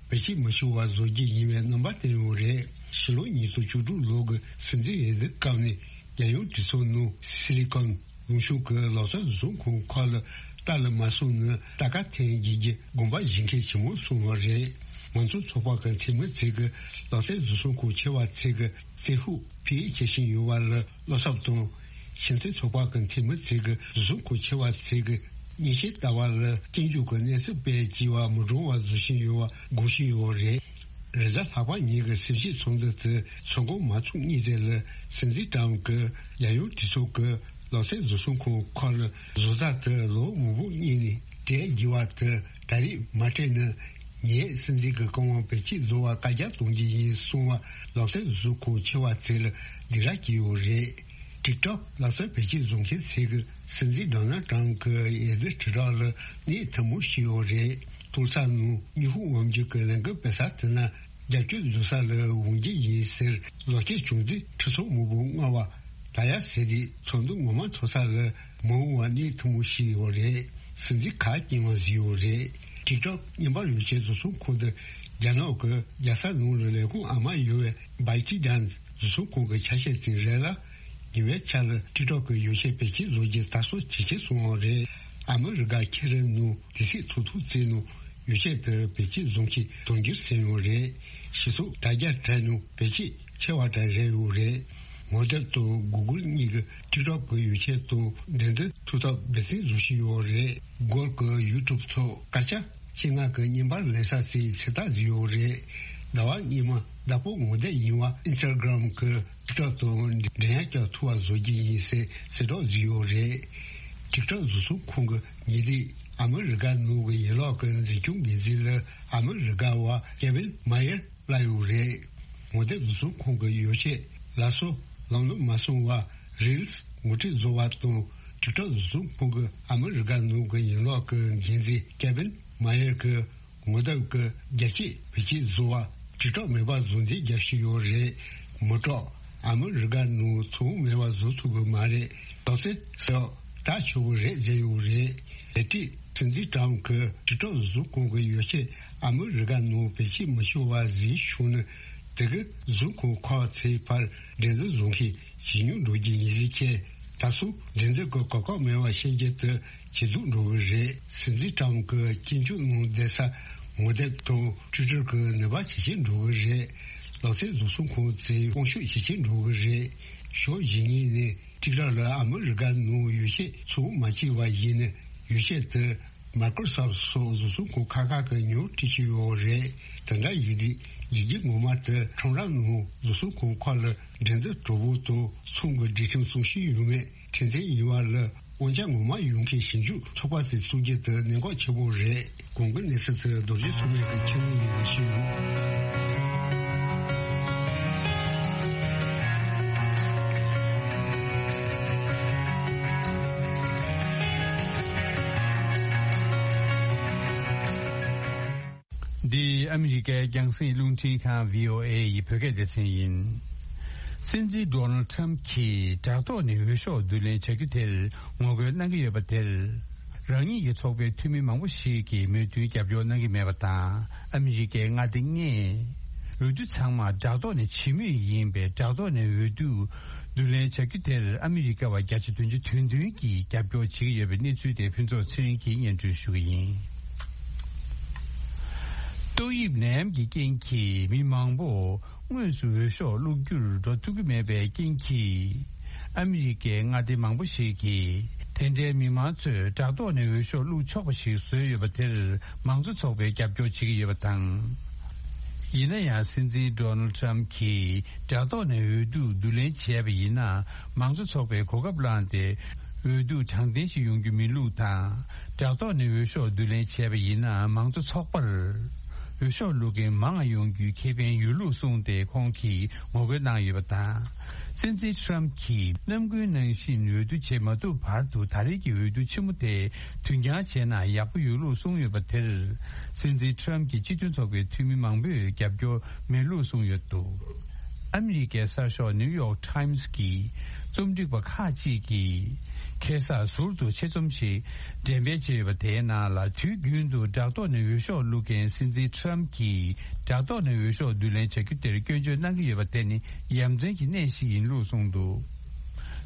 བེད་སྤྱོད་མི་ཆོག་པ་བཟོ་རྒྱུ་ཡིན་པའི་རྣམ་པ་བསྟན་ཡོད་རེད། ཕྱི་ལོ་ཉིས་སྟོང་བཅུ་དྲུག་ལོ་གི་སྲིད་འཛིན་འོས་བསྡུ་སྐབས་ནས་རྒྱལ་ཡོངས་གྲོས་ཚོགས་ནང་སི་ལི་ཀོན་ལུང་ཕྱོགས་ཀྱི་ལག་རྩལ་བཟོ་ཚོང་ཁང་ཁག་ལ་རྟ་ལ་མ་སོང་ནས་རྟ་ཁ་འཐེན་བགྱིད་རྒྱུ་དགོངས་པ་བཞེས་མཁན་ཆེན་མོ་སོང་བ་རེད། མང་གཙོ་ཚོགས་པ་གི་འཐུས་མི་ཚོས་ཀྱི་ལག་རྩལ་བཟོ་ཚོང་ཁང་ཆེ་བ་ཚོས་ཀྱི་རྩིས་ཤོག་ཕུལ་བྱེད་བཞིན་ཡོད་པ་ལ་བློ་འཚབ་དང་། ཞིང་ཆེན་ཚོགས་པ་གི་འཐུས་མི་ཚོས་ཀྱི་བཟོ་ཚོང་ཁང་ཆེ་བ་ཚོས་ཀྱི་མཉེན་ཆས་ལྟ་བ་ལ་སྐྱོན་བརྗོད་ཀྱི་གནས་ཚུལ་སྤེལ་བྱས་པ་མི་འགྲོ་བ་བཟོ་བཞིན་ཡོད་པ་དགོངས་བཞིན་ཡོད་རེད། རེས་གཟའ་ལྷག་པ་ཉིན་གྱི་གསལ་བཤད་ཚོགས་འདུ་དེ་ཚོགས་འགོ་མ་ཚུགས་གཉིས་ཙམ་ལ་སྲིད་འཛིན་ཏྲམ་གྱིས་རྒྱལ་ཡོངས་གྲོས་ཚོགས་ཀྱི་ལག་རྩལ་བཟོ་ཚོང་ཁང་ཁག་ལ་བཟོ་ལྟ་དེ་ལོ་མང་པོ་སྔོན་ནས་སྤྲད་དགོས་པ་དེ་ད་རེས་མ་སྤྲད་ན། ངས་སྲིད་འཛིན་གྱི་བཀའ་དབང་བེད་སྤྱོད་བཟོ་བར་བཀའ་རྒྱ་གཏོང་རྒྱུ་ཡིན་གསུངས་པ་ལག་རྩལ་བཟོ་ཁང་ཆེ་བ་ཚོས་ལ་སྡིགས་ར་བྱས་ཡོད་རེད། ཊིག་ཊོག་ལག་རྩལ་བེད་སྤྱོད་བཟོ་མཁན་ཚོས་ཀྱིས་སྲིད་འཛིན་ཌོ་ནལ་ཊམ་གྱི་འོས་བསྡུ་དྲིལ་བསྒྲགས་ལ་གནོད་ཐུབ་མོ་བྱས་ཡོད་རེད། ཐོག་མཐའ་ནང་ཉི་ཧོང་དབང་འཛིན་གྱི་ལས་འགུལ་སྤེལ་ས་དེ་ན་རྒྱབ་སྐྱོར་བཟོ་ས་ལ་འོང་རྒྱུ་ཡིན་ཟེར་ལོ་སྐད་བྱུང་དུས་ཁྲི་ཚོ་མང་པོ་སྔ་བ་ད་ཡ་ཟེར་དུས་ཚོགས་འདུ་ངོ་མ་ཚོགས་ས་ལ་མ་འོང་བ་གནོད་ཐུབ་མོ་ཞིག་ཡོད་རེད། སྲིད་འཛིན་ཁ་སྐྱེངས་པ་ཟིག་ཡོད་རེད། ཊིག་ཊོག་བརྙན་པར་ཡོ་ཆས་བཟོ་ཚོང་ཁང་དུ་རྒྱ་ནག་གི་རྒྱལ་ས་ནང་ལ་ལས་ཁུངས་ཨ་མ་ཡོད་པའི་བའི་ཏི་ཌན་བཟོ་ཚོང་ཁང་གི་ཆ་ཤས་ཅིག་རེད་ལ། ཉེ་བའི་ཆར་ལ་ཊིག་ཊོག་གི་ཡོ་ཆས་བེད་སྤྱོད་བཟོ་རྒྱུ་དར་སྲོལ་ཇེ་ཆེ་སོང་བ་རེད། ཨ་མི་རི་ཀ་ཁེ་རེ་ནང་དུས་ཚོད་ཚོགས་ཐུག་བརྩིས་ནང་ཡོ་ཆས་དེ་བེད་སྤྱོད་བཟོ་མཁན་དུང་འགྱུར་ཟིན་ཡོད་རེད། ཞེ་སོགས་དྲ་རྒྱ་དྲ་ནང་བེད་སྤྱོད་ཆེ་བ་དྲ་རེད་ཡོད་རེད། ངོ་དེབ་དང་གུ་གུལ་གཉིས་ཀྱི་ཊིག་ཊོག་གི་ཡོ་ཆས་དང་འགྲན་བསྡུར་ཐུབ་ཐབས་འབད་བརྩོན་བཟོ་བཞིན་ཡོད་རེད། གུ་གུལ་གྱི་ཡུ་ཊུབ་ཐོག་སྐར་ཆ་ཆེད་མངགས་ཀྱི་བརྙན་པར་ལེན་ས་ཚོས་ཚོད་ལྟ་བཟོས་ཡོད་རེད། ཟླ་བ་སྔོན་མ་བདག་པོ་ངོ་དེབ་ཡིན་པ་ཨིན་སི་ཊ་གྷི་རམ་གྱི་ཊིག་ཊོག་དང་འགྲན་ཡ་རྒྱག་ཐུབ་པ་བཟོ་རྒྱུ་ཡིན་ཟེར་གསལ་བསྒྲགས་བཟོས་ཡོད་རེད། ཊིག་ཊོག་བཟོ་ཚོང་ཁང་གི་ཉེ་དུས་ཨ་མི་རི་ཀ་ནང་གི་ཡན་ལག་གི་འཛིན་སྐྱོང་འགན་འཛིན་ལ་ཨ་མི་རི་ཀ་བ་ཀེ་ཝིན་མ་ཡར་སླེབས་ཡོད་རེད། ངོ་དེབ་བཟོ་ཚོང་ཁང་གི་ཡོ་ཆས་ལ་སོགས་ལམ་ལྷོང་མ་སོང་བར་རིལ་སི་ངོ་སྤྲོད་བཟོ་བ་དང་ཊིག་ཊོག་བཟོ་ཚོང་ཁང་གི་ཨ་མི་རི་ཀ་ནང་གི་ཡན་ལག་གི་འགན་འཛིན་ཀེ་ཝིན་མ་ཡར་གྱིས་ངོ་དེབ་ཀྱི་རྒྱ་སྐྱེད་བེད་སྤྱོད་བཟོ་བ་ཊིག་ཊོག་མེད་པ་བཟོ་འདེད་རྒྱག་བཞིན་ཡོད་རེད། མི་སྐྲག་ཨ་མི་རི་ཀ་ནང་ཚོང་མེད་པ་བཟོ་ཐུབ་ཀྱི་མ་རེད། ལག་རྩལ་ཟེར་བ་ད་ཆོག་གི་རེད་ཟེར་ཡོད་རེད། དེ་དུས་སྲིད་འཛིན་ཊམ་གྱིས་ཊིག་ཊོག་བཟོ་ཚོང་ཁང་གི་ཡོ་ཆས་ཨ་མི་རི་ཀ་ནང་བེད་སྤྱོད་མི་ཆོག་པ་བཟོས་བྱུང་ན། དེ་གི་བཟོ་ཁང་ཁག་ཚོའི་བར་འགྲན་བསྡུར་བཟོ་མཁན་ཇེ་ཉུང་འགྲོ་རྒྱུ་ཡིན་ཟེར་མཁན་ད་སོང་འགྲན་བསྡུར་གྱི་གོ་སྐབས་མེད་པ་བཤད་རྒྱུ་དེ་ཇེ་སྡུག་འགྲོ་གི་རེད། སྲིད་འཛིན་ཊམ་གྱིས་སྐྱོན་བརྗོད་གནང་བསྡད་ས་ངོ་དེབ་དང་ཊུའི་ཊར་གྱི་ནུས་པ་ཇེ་ཆེར་འགྲོ་གི་རེད། ལག་རྩལ་བཟོ་ཚོང་ཁང་ཚོའི་དབང་ཤུགས་ཇེ་ཆེར་འགྲོ་གི་རེད། ཕྱོགས་གཞན་ངོས་ནས་ཊིག་ཊོག་ལ་ཨ་མི་རི་ཀ་ནང་ཡོ་ཆས་ཚོང་མ་བྱས་པ་ཡིན་ན་ཡོ་ཆས་དེ་མའི་ཀྲོ་སོབ་སོགས་བཟོ་ཚོང་ཁང་ཁག་ཁག་གི་ཉོ་སྤྲད་ཀྱི་ཡོད་རེད། དེ་འདྲ་ཡིན་དུས་ལས་འགུལ་ངོ་མ་དེ་ཁྲོམ་ར་ནང་བཟོ་ཚོང་ཁང་ཁག་ལ་འགྲན་བསྡུར་གྲོགས་པོ་དང་ཚོང་གི་སྒྲིག་ཁྲིམས་སྲུང་བཞིན་ཡོད་མེད་ཁྲིམས་མཐུན་ཡིན་པ་ལ་དབང་ཆ་ངོ་མ་ཡོད་མཁན་ཞིབ་འཇུག་ཚོགས་པ་ཞིག་བཙུགས་རྒྱུ་དེ་གནད་འགག་ཆེན་པོ་རེད། གོང་གི་གནས་ཚུལ་དེ་རྡོ་རྗེ་ཐོགས་མེད་ཀྱིས་ཁྱེར་ཡོང་ཡིན་ཞུས་ཡོད། འདི་ཨ་མི་རི་ཀའི་རྒྱང་སྲིང་རླུང་འཕྲིན་ཁང་བྷི་ཨོ་ཨེ་ཡི་བོད་སྐད་སྡེ་ཚན་ཡིན། སྲིད་འཛིན་ཌོ་ནལ་ཊམ་གྱིས་དྲ་ཐོག་ནས་འོས་ཤོག་བསྡུ་ལེན་བྱ་རྒྱུ་དེར་ངོ་རྒོལ་གནང་གི་ཡོད་པ་དེར། རང་ཉིད་ཀྱི་ཚོགས་པའི་འཐུས་མི་མང་པོ་ཞིག་གིས་མོས་མཐུན་རྒྱབ་སྐྱོར་གནང་གི་མེད་པ་དང་། ཨ་མི་རི་ཀའི་མངའ་སྡེ་ལྔས་འོས་བསྡུ་ཚང་མ་དྲ་ཐོག་ནས་བྱེད་མུས་ཡིན་པས། དྲ་ཐོག་ནས་འོས་བསྡུ་བསྡུ་ལེན་བྱ་རྒྱུ་དེར་ཨ་མི་རི་ཀ་བ་བརྒྱ་ཆ་བདུན་ཅུ་དོན་བདུན་གྱིས་རྒྱབ་སྐྱོར་བྱེད་ཀྱི་ཡོད་པའི་གནས་ཚུལ་དེ་ཕུན་ཚོགས་ཚེ་རིང་གིས་སྙན་སྒྲོན་ཞུ་གི་ཡིན། ཏོག་དབྱིབས་ནད་ཡམས་ཀྱི་རྐྱེན་གྱིས་མི་མང་པོ་དངོས་སུ་འོས་ཤོག་བླུག་རྒྱུར་འགྲོ་ཐུབ་ཀྱི་མེད་པའི་རྐྱེན་གྱིས། ཨ་མི་རི་ཀའི་མངའ་སྡེ་མང་པོ་ཞིག་གིས་དེ་འདྲའི་མི་མང་ཚོས་དྲ་ཐོག་ནས་འོས་ཤོག་བླུག་ཆོག་པ་ཞིག་བཟོས་ཡོད་པ་དེར་མང་གཙོ་ཚོགས་པས་རྒྱབ་སྐྱོར་བྱེད་ཀྱི་ཡོད་པ་དང་། ཡིན་ན་ཡང་སྲིད་འཛིན་ཌོ་ནལ་ཊམ་གྱིས་དྲ་ཐོག་ནས་འོས་བསྡུ་བསྡུ་ལེན་བྱས་པ་ཡིན་ན། མང་གཙོ་ཚོགས་པས་གོ་སྐབས་བླངས་ཏེ། འོས་བསྡུ་དྲང་བདེན་ཞིག་ཡོང་རྒྱུ་མིན་ལུགས་དང་། དྲ་ཐོག་ནས་འོས་ཤོག་བསྡུ་ལེན་བྱས་པ་ཡིན་ན། མང་གཙོ་ཚོགས་པར་འོས་ཤོག་བླུག་མཁན་མང་ཡོང་རྒྱུའི་ཁེ་ཕན་ཡོད་ལུགས་གསུངས་ཏེ། ཁོང་གིས་ངོ་རྒོལ་གནང་ཡོད་པ་དང་། སྲིད་འཛིན་ཊམ་གྱིས་ནམ་རྒྱུན་ནང་བཞིན་འོས་བསྡུ་བྱེད་མ་ཐུབ་བར་དུ། ད་རེས་ཀྱི་འོས་བསྡུ་ཆེན་མོ་དེ་དུས་འགྱངས་བྱས་ན་ཡག་པོ་ཡོད་ལུགས་གསུངས་ཡོད་པ་དེར། སྲིད་འཛིན་ཊམ་གྱི་སྤྱི་མཐུན་ཚོགས་པའི་འཐུས་མི་མང་པོས་རྒྱབ་སྐྱོར་མེད་ལུགས་གསུངས་ཡོད་འདུག་ཨ་མི་རི་ཀའི་གསར་ཤོག་ནིའུ་ཡོག་ཊམ་གྱི་རྩོམ་སྒྲིག་པ་ཁག་ཅིག་གིས། ཁ་སང་ཟུར་དུ་ཆེད་རྩོམ་ཞིག་འགྲེམས་སྤེལ་བྱས་ཡོད་པ། དེའི་ནང་ལ། དུས་རྒྱུན་དུ་དྲ་ཐོག་ནས་འོས་ཤོག་བླུག་མཁན་སྲིད་འཛིན་ཊམ་གྱིས། དྲ་ཐོག་ནས་འོས་ཤོག་བསྡུ་ལེན་བྱ་རྒྱུ་དེར་སྐྱོན་བརྗོད་གནང་གི་ཡོད་པ་དེ་ནི་ཡ་མཚན་གྱི་གནས་ཤིག་ཡིན་ལུགས་གསུངས་འདུག་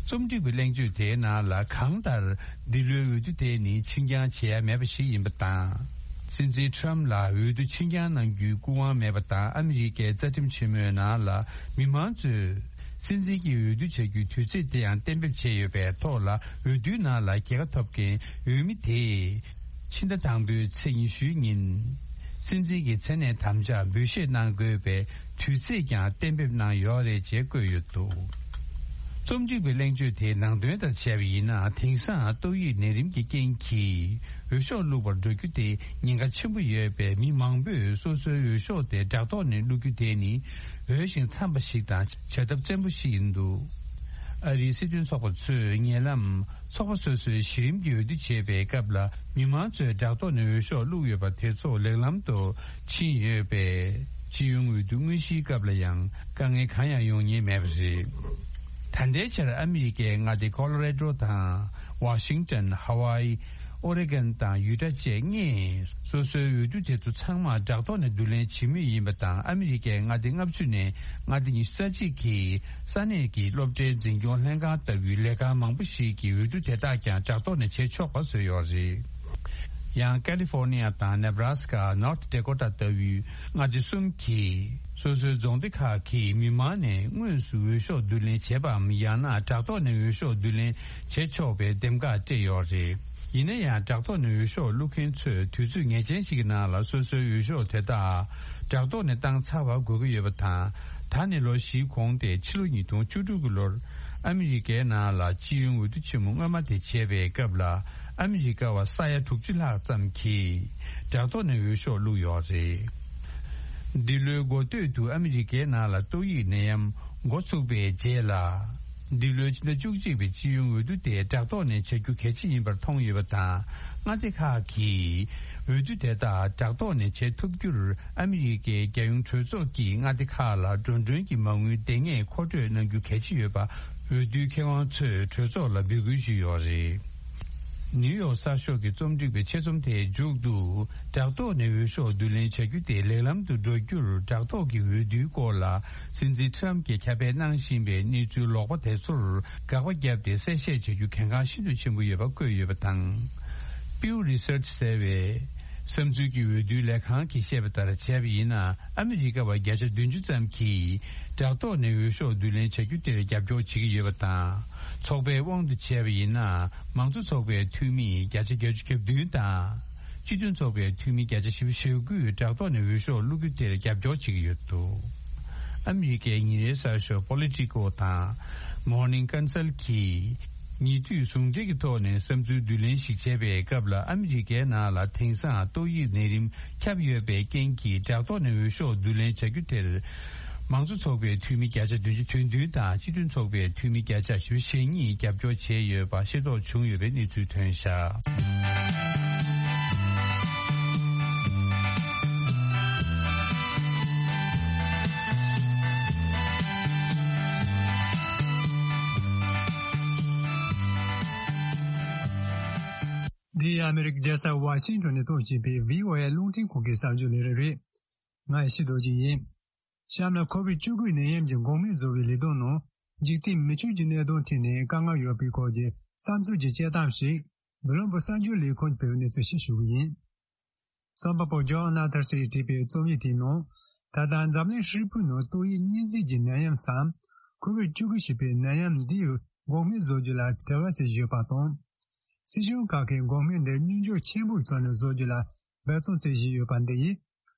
རྩོམ་སྒྲིག་པའི་གླེང་བརྗོད་དེའི་ནང་ལ། གང་ལྟར། འདི་ལོའི་འོས་བསྡུ་དེ་ནི་ཕྱིར་འགྱངས་བྱེད་ཡ་མེད་པ་ཞིག་ཡིན་པ་དང་། སྲིད་འཛིན་ཊམ་ལ་འོས་བསྡུ་ཕྱིར་འགྱངས་གནང་རྒྱུའི་སྐུ་དབང་མེད་པ་དང་། ཨ་མི་རི་ཀའི་རྩ་ཁྲིམས་ཆེན་མོའི་ནང་ལ། མི་མང་ཚོས་སྲིད་འཛིན་གྱི་འོས་བསྡུ་བྱ་རྒྱུའི་དུས་ཚེས་དེ་ཡང་གཏན་འབེབས་བྱས་ཡོད་པའི་ཐོག་ལ། འོས་བསྡུའི་ནང་ལ་རྒྱལ་ཁ་ཐོབ་མཁན་འོས་མི་དེས། ཕྱི་ཟླ་དང་པོའི་ཚེས་ཉི་ཤུའི་ཉིན། སྲིད་འཛིན་གྱི་མཚན་གནས་དམ་བཅའ་འབུལ་བཞེས་གནང་དགོས་པའི་དུས་ཚེས་ཀྱང་གཏན་འབེབས་གནང་ཡོད་རེད་ཅེས་བཀོད་ཡོད་འདུག་རྩོམ་སྒྲིག་པའི་གླེང་བརྗོད་དེའི་ནང་དོན་ལྟར་བྱས་པ་ཡིན་ན། དེང་སང་ཏོག་དབྱིབས་ནད་རིམས་ཀྱི་རྐྱེན་གྱིས། འོས་ཤོག་བླུགས་པར་འགྲོ་རྒྱུ་དེ་ཉེན་ཁ་ཆེན་པོ་ཡོད་པས། མི་མང་པོས་སོ་སོའི་འོས་ཤོག་དེ་དྲ་ཐོག་ནས་བླུག་རྒྱུ་དེ་ནི་འོས་ཤིང་འཚམས་པ་ཞིག་དང་བྱ་ཐབས་བཙན་པོ་ཞིག་ཡིན་འདུག་ཨ་རིའི་སྲིད་དོན་ཚོགས་པ་ཚོས་ཉེ་ལམ་ཚོགས་པ་སོ་སོའི་གཞི་རིམ་གྱི་འོས་བསྡུ་བྱེད་པའི་སྐབས་ལ། མི་མང་ཚོས་དྲ་ཐོག་ནས་འོས་ཤོག་བླུགས་ཡོད་པ་དེ་ཚོ་ལེགས་ལམ་དུ་ཕྱིན་ཡོད་པས། སྤྱི་ཡོངས་འོས་བསྡུ་དངོས་གཞིའི་སྐབས་ལ་ཡང་དཀའ་ངལ་གང་ཡང་ཡོང་ཉེན་མེད་པ་རེད། ད་ལྟའི་ཆར་ཨ་མི་རི་ཀའི་མངའ་སྡེ་ཀོ་ལོ་རེ་ཌོ་དང་། ཝ་ཤིང་ཏོན། ཧ་ཝའི། ཨོ་རེ་གོན་དང་ཡུ་ཊ་བཅས་ལྔས་སོ་སོའི་འོས་བསྡུ་དེ་ཚོ་ཚང་མ་དྲ་ཐོག་ནས་བསྡུ་ལེན་བྱེད་མུས་ཡིན་པ་དང་། ཨ་མི་རི་ཀའི་མངའ་སྡེ་ལྔ་བཅུ་ནས་མངའ་སྡེ་ཉི་ཤུ་རྩ་གཅིག་གིས་ས་གནས་ཀྱི་སློབ་གྲྭའི་འཛིན་སྐྱོང་ལྷན་ཁང་ལྟ་བུའི་ལས་ཁང་མང་པོ་ཞིག་གིས་འོས་བསྡུ་དེ་དག་ཀྱང་དྲ་ཐོག་ནས་བྱེད་ཆོག་པ་བཟོས་ཡོད་རེད། ཡང་ཀ་ལི་ཧྥོར་ནི་ཡ་དང་ནེ་བྷ་ར་སི་ཀ། ནོར་ཐི་ཌེ་ཀོ་ཊ་ལྟ་བུའི་མངའ་སྡེ་གསུམ་གྱིས་སོ་སོའི་རྫོང་སྡེ་ཁག་གི་མི་མང་ནས་དངོས་སུ་འོས་ཤོག་བསྡུ་ལེན་བྱེད་པའམ། ཡང་ན་དྲ་ཐོག་ནས་འོས་ཤོག་བསྡུ་ལེན་བྱེད་ཆོག་པའི་འདེམས་ཀ་སྤྲད་ཡོད་རེད། ཡིན་ན་ཡང་དྲ་ཐོག་ནས་འོས་ཤོག་བླུག་མཁན་ཚོས་དུས་ཚོད་ངེས་ཅན་ཞིག་གི་ནང་ལ་སོ་སོའི་འོས་ཤོག་དེ་དག་དྲ་ཐོག་ནས་བཏང་ཚར་བ་དགོས་ཀྱི་ཡོད་པ་དང་། ད་ནི་ལོ་བཞིའི་གོང་སྟེ་ཕྱི་ལོ་ཉིས་སྟོང་བཅུ་དྲུག་གི་ལོར་ཨ་མི་རི་ཀའི་ནང་ལ་སྤྱི་ཡོངས་འོས་བསྡུ་ཆེན་མོ་སྔོན་མ་དེ་བྱས་པའི་སྐབས་ལ། ཨ་མི་རི་ཀ་བ་ས་ཡ་དྲུག་ཅུ་ལྷག་ཙམ་གྱིས་དྲ་ཐོག་ནས་འོས་ཤོག་བླུགས་ཡོད་རེད། འདི་ལོའི་འགོ་སྟོད་དུ་ཨ་མི་རི་ཀའི་ནང་ལ་ཏོག་དབྱིབས་ནད་ཡམས་འགོ་ཚུགས་པའི་རྗེས་ལ། འདི་ལོའི་ཕྱི་ཟླ་བཅུ་གཅིག་པའི་སྤྱི་ཡོངས་འོས་བསྡུ་དེ་དྲ་ཐོག་ནས་བྱ་རྒྱུ་གལ་ཆེ་ཡིན་པར་མཐོང་ཡོད་པ་དང་། མངའ་སྡེ་ཁག་གིས་འོས་བསྡུ་དེ་དག་དྲ་ཐོག་ནས་བྱེད་ཐུབ་རྒྱུར། ཨ་མི་རི་ཀའི་རྒྱལ་ཡོངས་གྲོས་ཚོགས་ཀྱིས་མངའ་སྡེ་ཁག་ལ་འགྲོ་གྲོན་གྱི་མ་དངུལ་འདེང་ངེས་མཁོ་སྤྲོད་གནང་རྒྱུ་གལ་ཆེ་ཡོད་པ་འོས་བསྡུའི་མཁས་དབང་ཚོས་གྲོས་ཚོགས་ལ་འབོད་སྐུལ་ཞུས་ཡོད་རེད། ནིའུ་ཡོག་གསར་ཤོག་གི་རྩོམ་སྒྲིག་པའི་ཆེད་རྩོམ་དེའི་མཇུག་ཏུ། དྲ་ཐོག་ནས་འོས་ཤོག་བསྡུ་ལེན་བྱ་རྒྱུ་དེ་ལེགས་ལམ་དུ་འགྲོ་རྒྱུར། དྲ་ཐོག་གི་འོས་བསྡུའི་སྐོར་ལ་སྲིད་འཛིན་ཊམ་གྱིས་ཁྱབ་སྤེལ་གནང་བཞིན་པའི་གནས་ཚུལ་ལོག་པ་དེ་ཚོར་དགག་པ་བརྒྱབ་སྟེ་གསལ་བཤད་བྱ་རྒྱུ་གལ་འགངས་ཤིན་ཏུ་ཆེན་པོ་ཡོད་པ་བཀོད་ཡོད་པ་དང་། Pew Research ཟེར་བའི་བསམ་ཚུལ་གྱི་འོས་བསྡུའི་ལས་ཁང་གིས་བཤད་པ་ལྟར་བྱས་པ་ཡིན་ན། ཨ་མི་རི་ཀ་བ་བརྒྱ་ཆ་བདུན་ཅུ་ཙམ་གྱིས་དྲ་ཐོག་ནས་འོས་ཤོག་བསྡུ་ལེན་བྱ་རྒྱུ་དེར་རྒྱབ་སྐྱོར་བྱེད་ཀྱི་ཡོད་པ་དང་། ཚོགས་པའི་དབང་དུ་བྱས་པ་ཡིན་ན། མང་གཙོ་ཚོགས་པའི་འཐུས་མི་བརྒྱ་ཆ་བརྒྱད་ཅུ་གྱ་བདུན་དང་། སྤྱི་མཐུན་ཚོགས་པའི་འཐུས་མི་བརྒྱ་ཆ་བཞི་བཅུ་ཞེ་དགུས་དྲ་ཐོག་ནས་འོས་ཤོག་བླུག་རྒྱུ་དེར་རྒྱབ་སྐྱོར་བྱེད་ཀྱི་ཡོད་འདུག་ཨ་མི་རི་ཀའི་ཉིན་རེའི་གསར་ཤོག་Politico དང་Morning Consult གིས་ཉེ་དུས་ཟུང་འབྲེལ་གྱི་ཐོག་ནས་བསམ་ཚུལ་བསྡུ་ལེན་ཞིག་བྱས་པའི་སྐབས་ལ། ཨ་མི་རི་ཀའི་ནང་ལ་དེང་སང་ཏོག་དབྱིབས་ནད་རིམས་ཁྱབ་ཡོད་པའི་རྐྱེན་གྱིས། དྲ་ཐོག་ནས་འོས་ཤོག་བསྡུ་ལེན་བྱ་རྒྱུ་དེར། མང་གཙོ་ཚོགས་པའི་འཐུས་མི་བརྒྱ་ཆ་བདུན་ཅུ་དོན་བདུན་དང་། སྤྱི་མཐུན་ཚོགས་པའི་འཐུས་མི་བརྒྱ་ཆ་བཞི་བཅུ་ཞེ་གཉིས་རྒྱབ་སྐྱོར་བྱས་ཡོད་པ་ཤེས་རྟོགས་བྱུང་ཡོད་པའི་གནས་ཚུལ་ཐོན་བཞག་འདི་ཨ་མེ་རི་ཀའི་རྒྱལ་ས་ཝ་ཤིང་ཊོན་ནས་གཏོང་བཞིན་པའི་བྷི་ཨོ་ཨེ་རླུང་འཕྲིན་ཁང་གི་གསར་འགྱུར་ལས་རིམ་རེད། ང་ཡེ་ཤེས་རྡོ་རྗེ་ཡིན། གཤམ་ལ་ཁོ་བིད་བཅུ་དགུ་ནད་ཡམས་ཀྱི་འགོག་སྨན་བཟོ་བའི་ལས་དོན་ནང་འཇིག་རྟེན་མི་ཆོས་ཀྱི་གནད་དོན་ཐད་ནས་དཀའ་ངལ་ཡོད་པའི་སྐོར་གྱི་བསམ་ཚུལ་གྱི་དཔྱད་གཏམ་ཞིག་བྷི་ལམ་བྷོ་གསར་འགྱུར་ལས་ཁུངས་ཀྱིས་སྤེལ་བའི་གནས་ཚུལ་ཞིག་ཞུ་གི་ཡིན། རྩོམ་པ་པོ་ཇོན་ནཱ་ཐར་སི་ཡིས་བྲིས་པའི་རྩོམ་ཡིག་དེའི་ནང་། ད་ལྟ་འཛམ་གླིང་ཧྲིལ་པོའི་ནང་ཏོག་དབྱིབས་གཉན་གཟེར་གྱི་ནད་ཡམས་སམ། ཁོ་བིད་བཅུ་དགུ་ཞེས་པའི་ནད་ཡམས་འདིའི་འགོག་སྨན་བཟོ་རྒྱུ་ལ་བྲེལ་བ་ཆེ་བཞིན་ཡོད་པ་དང་། སྲིད་གཞུང་ཁག་གིས་འགོག་སྨན་འདི་སྙོམས་འཇུག་ཆེན་པོའི་ཐོག་ནས་བཟོ་རྒྱུ་ལ་འབད་བརྩོན་བྱེད་བཞིན་ཡོད་པ་འདི་ཡིས།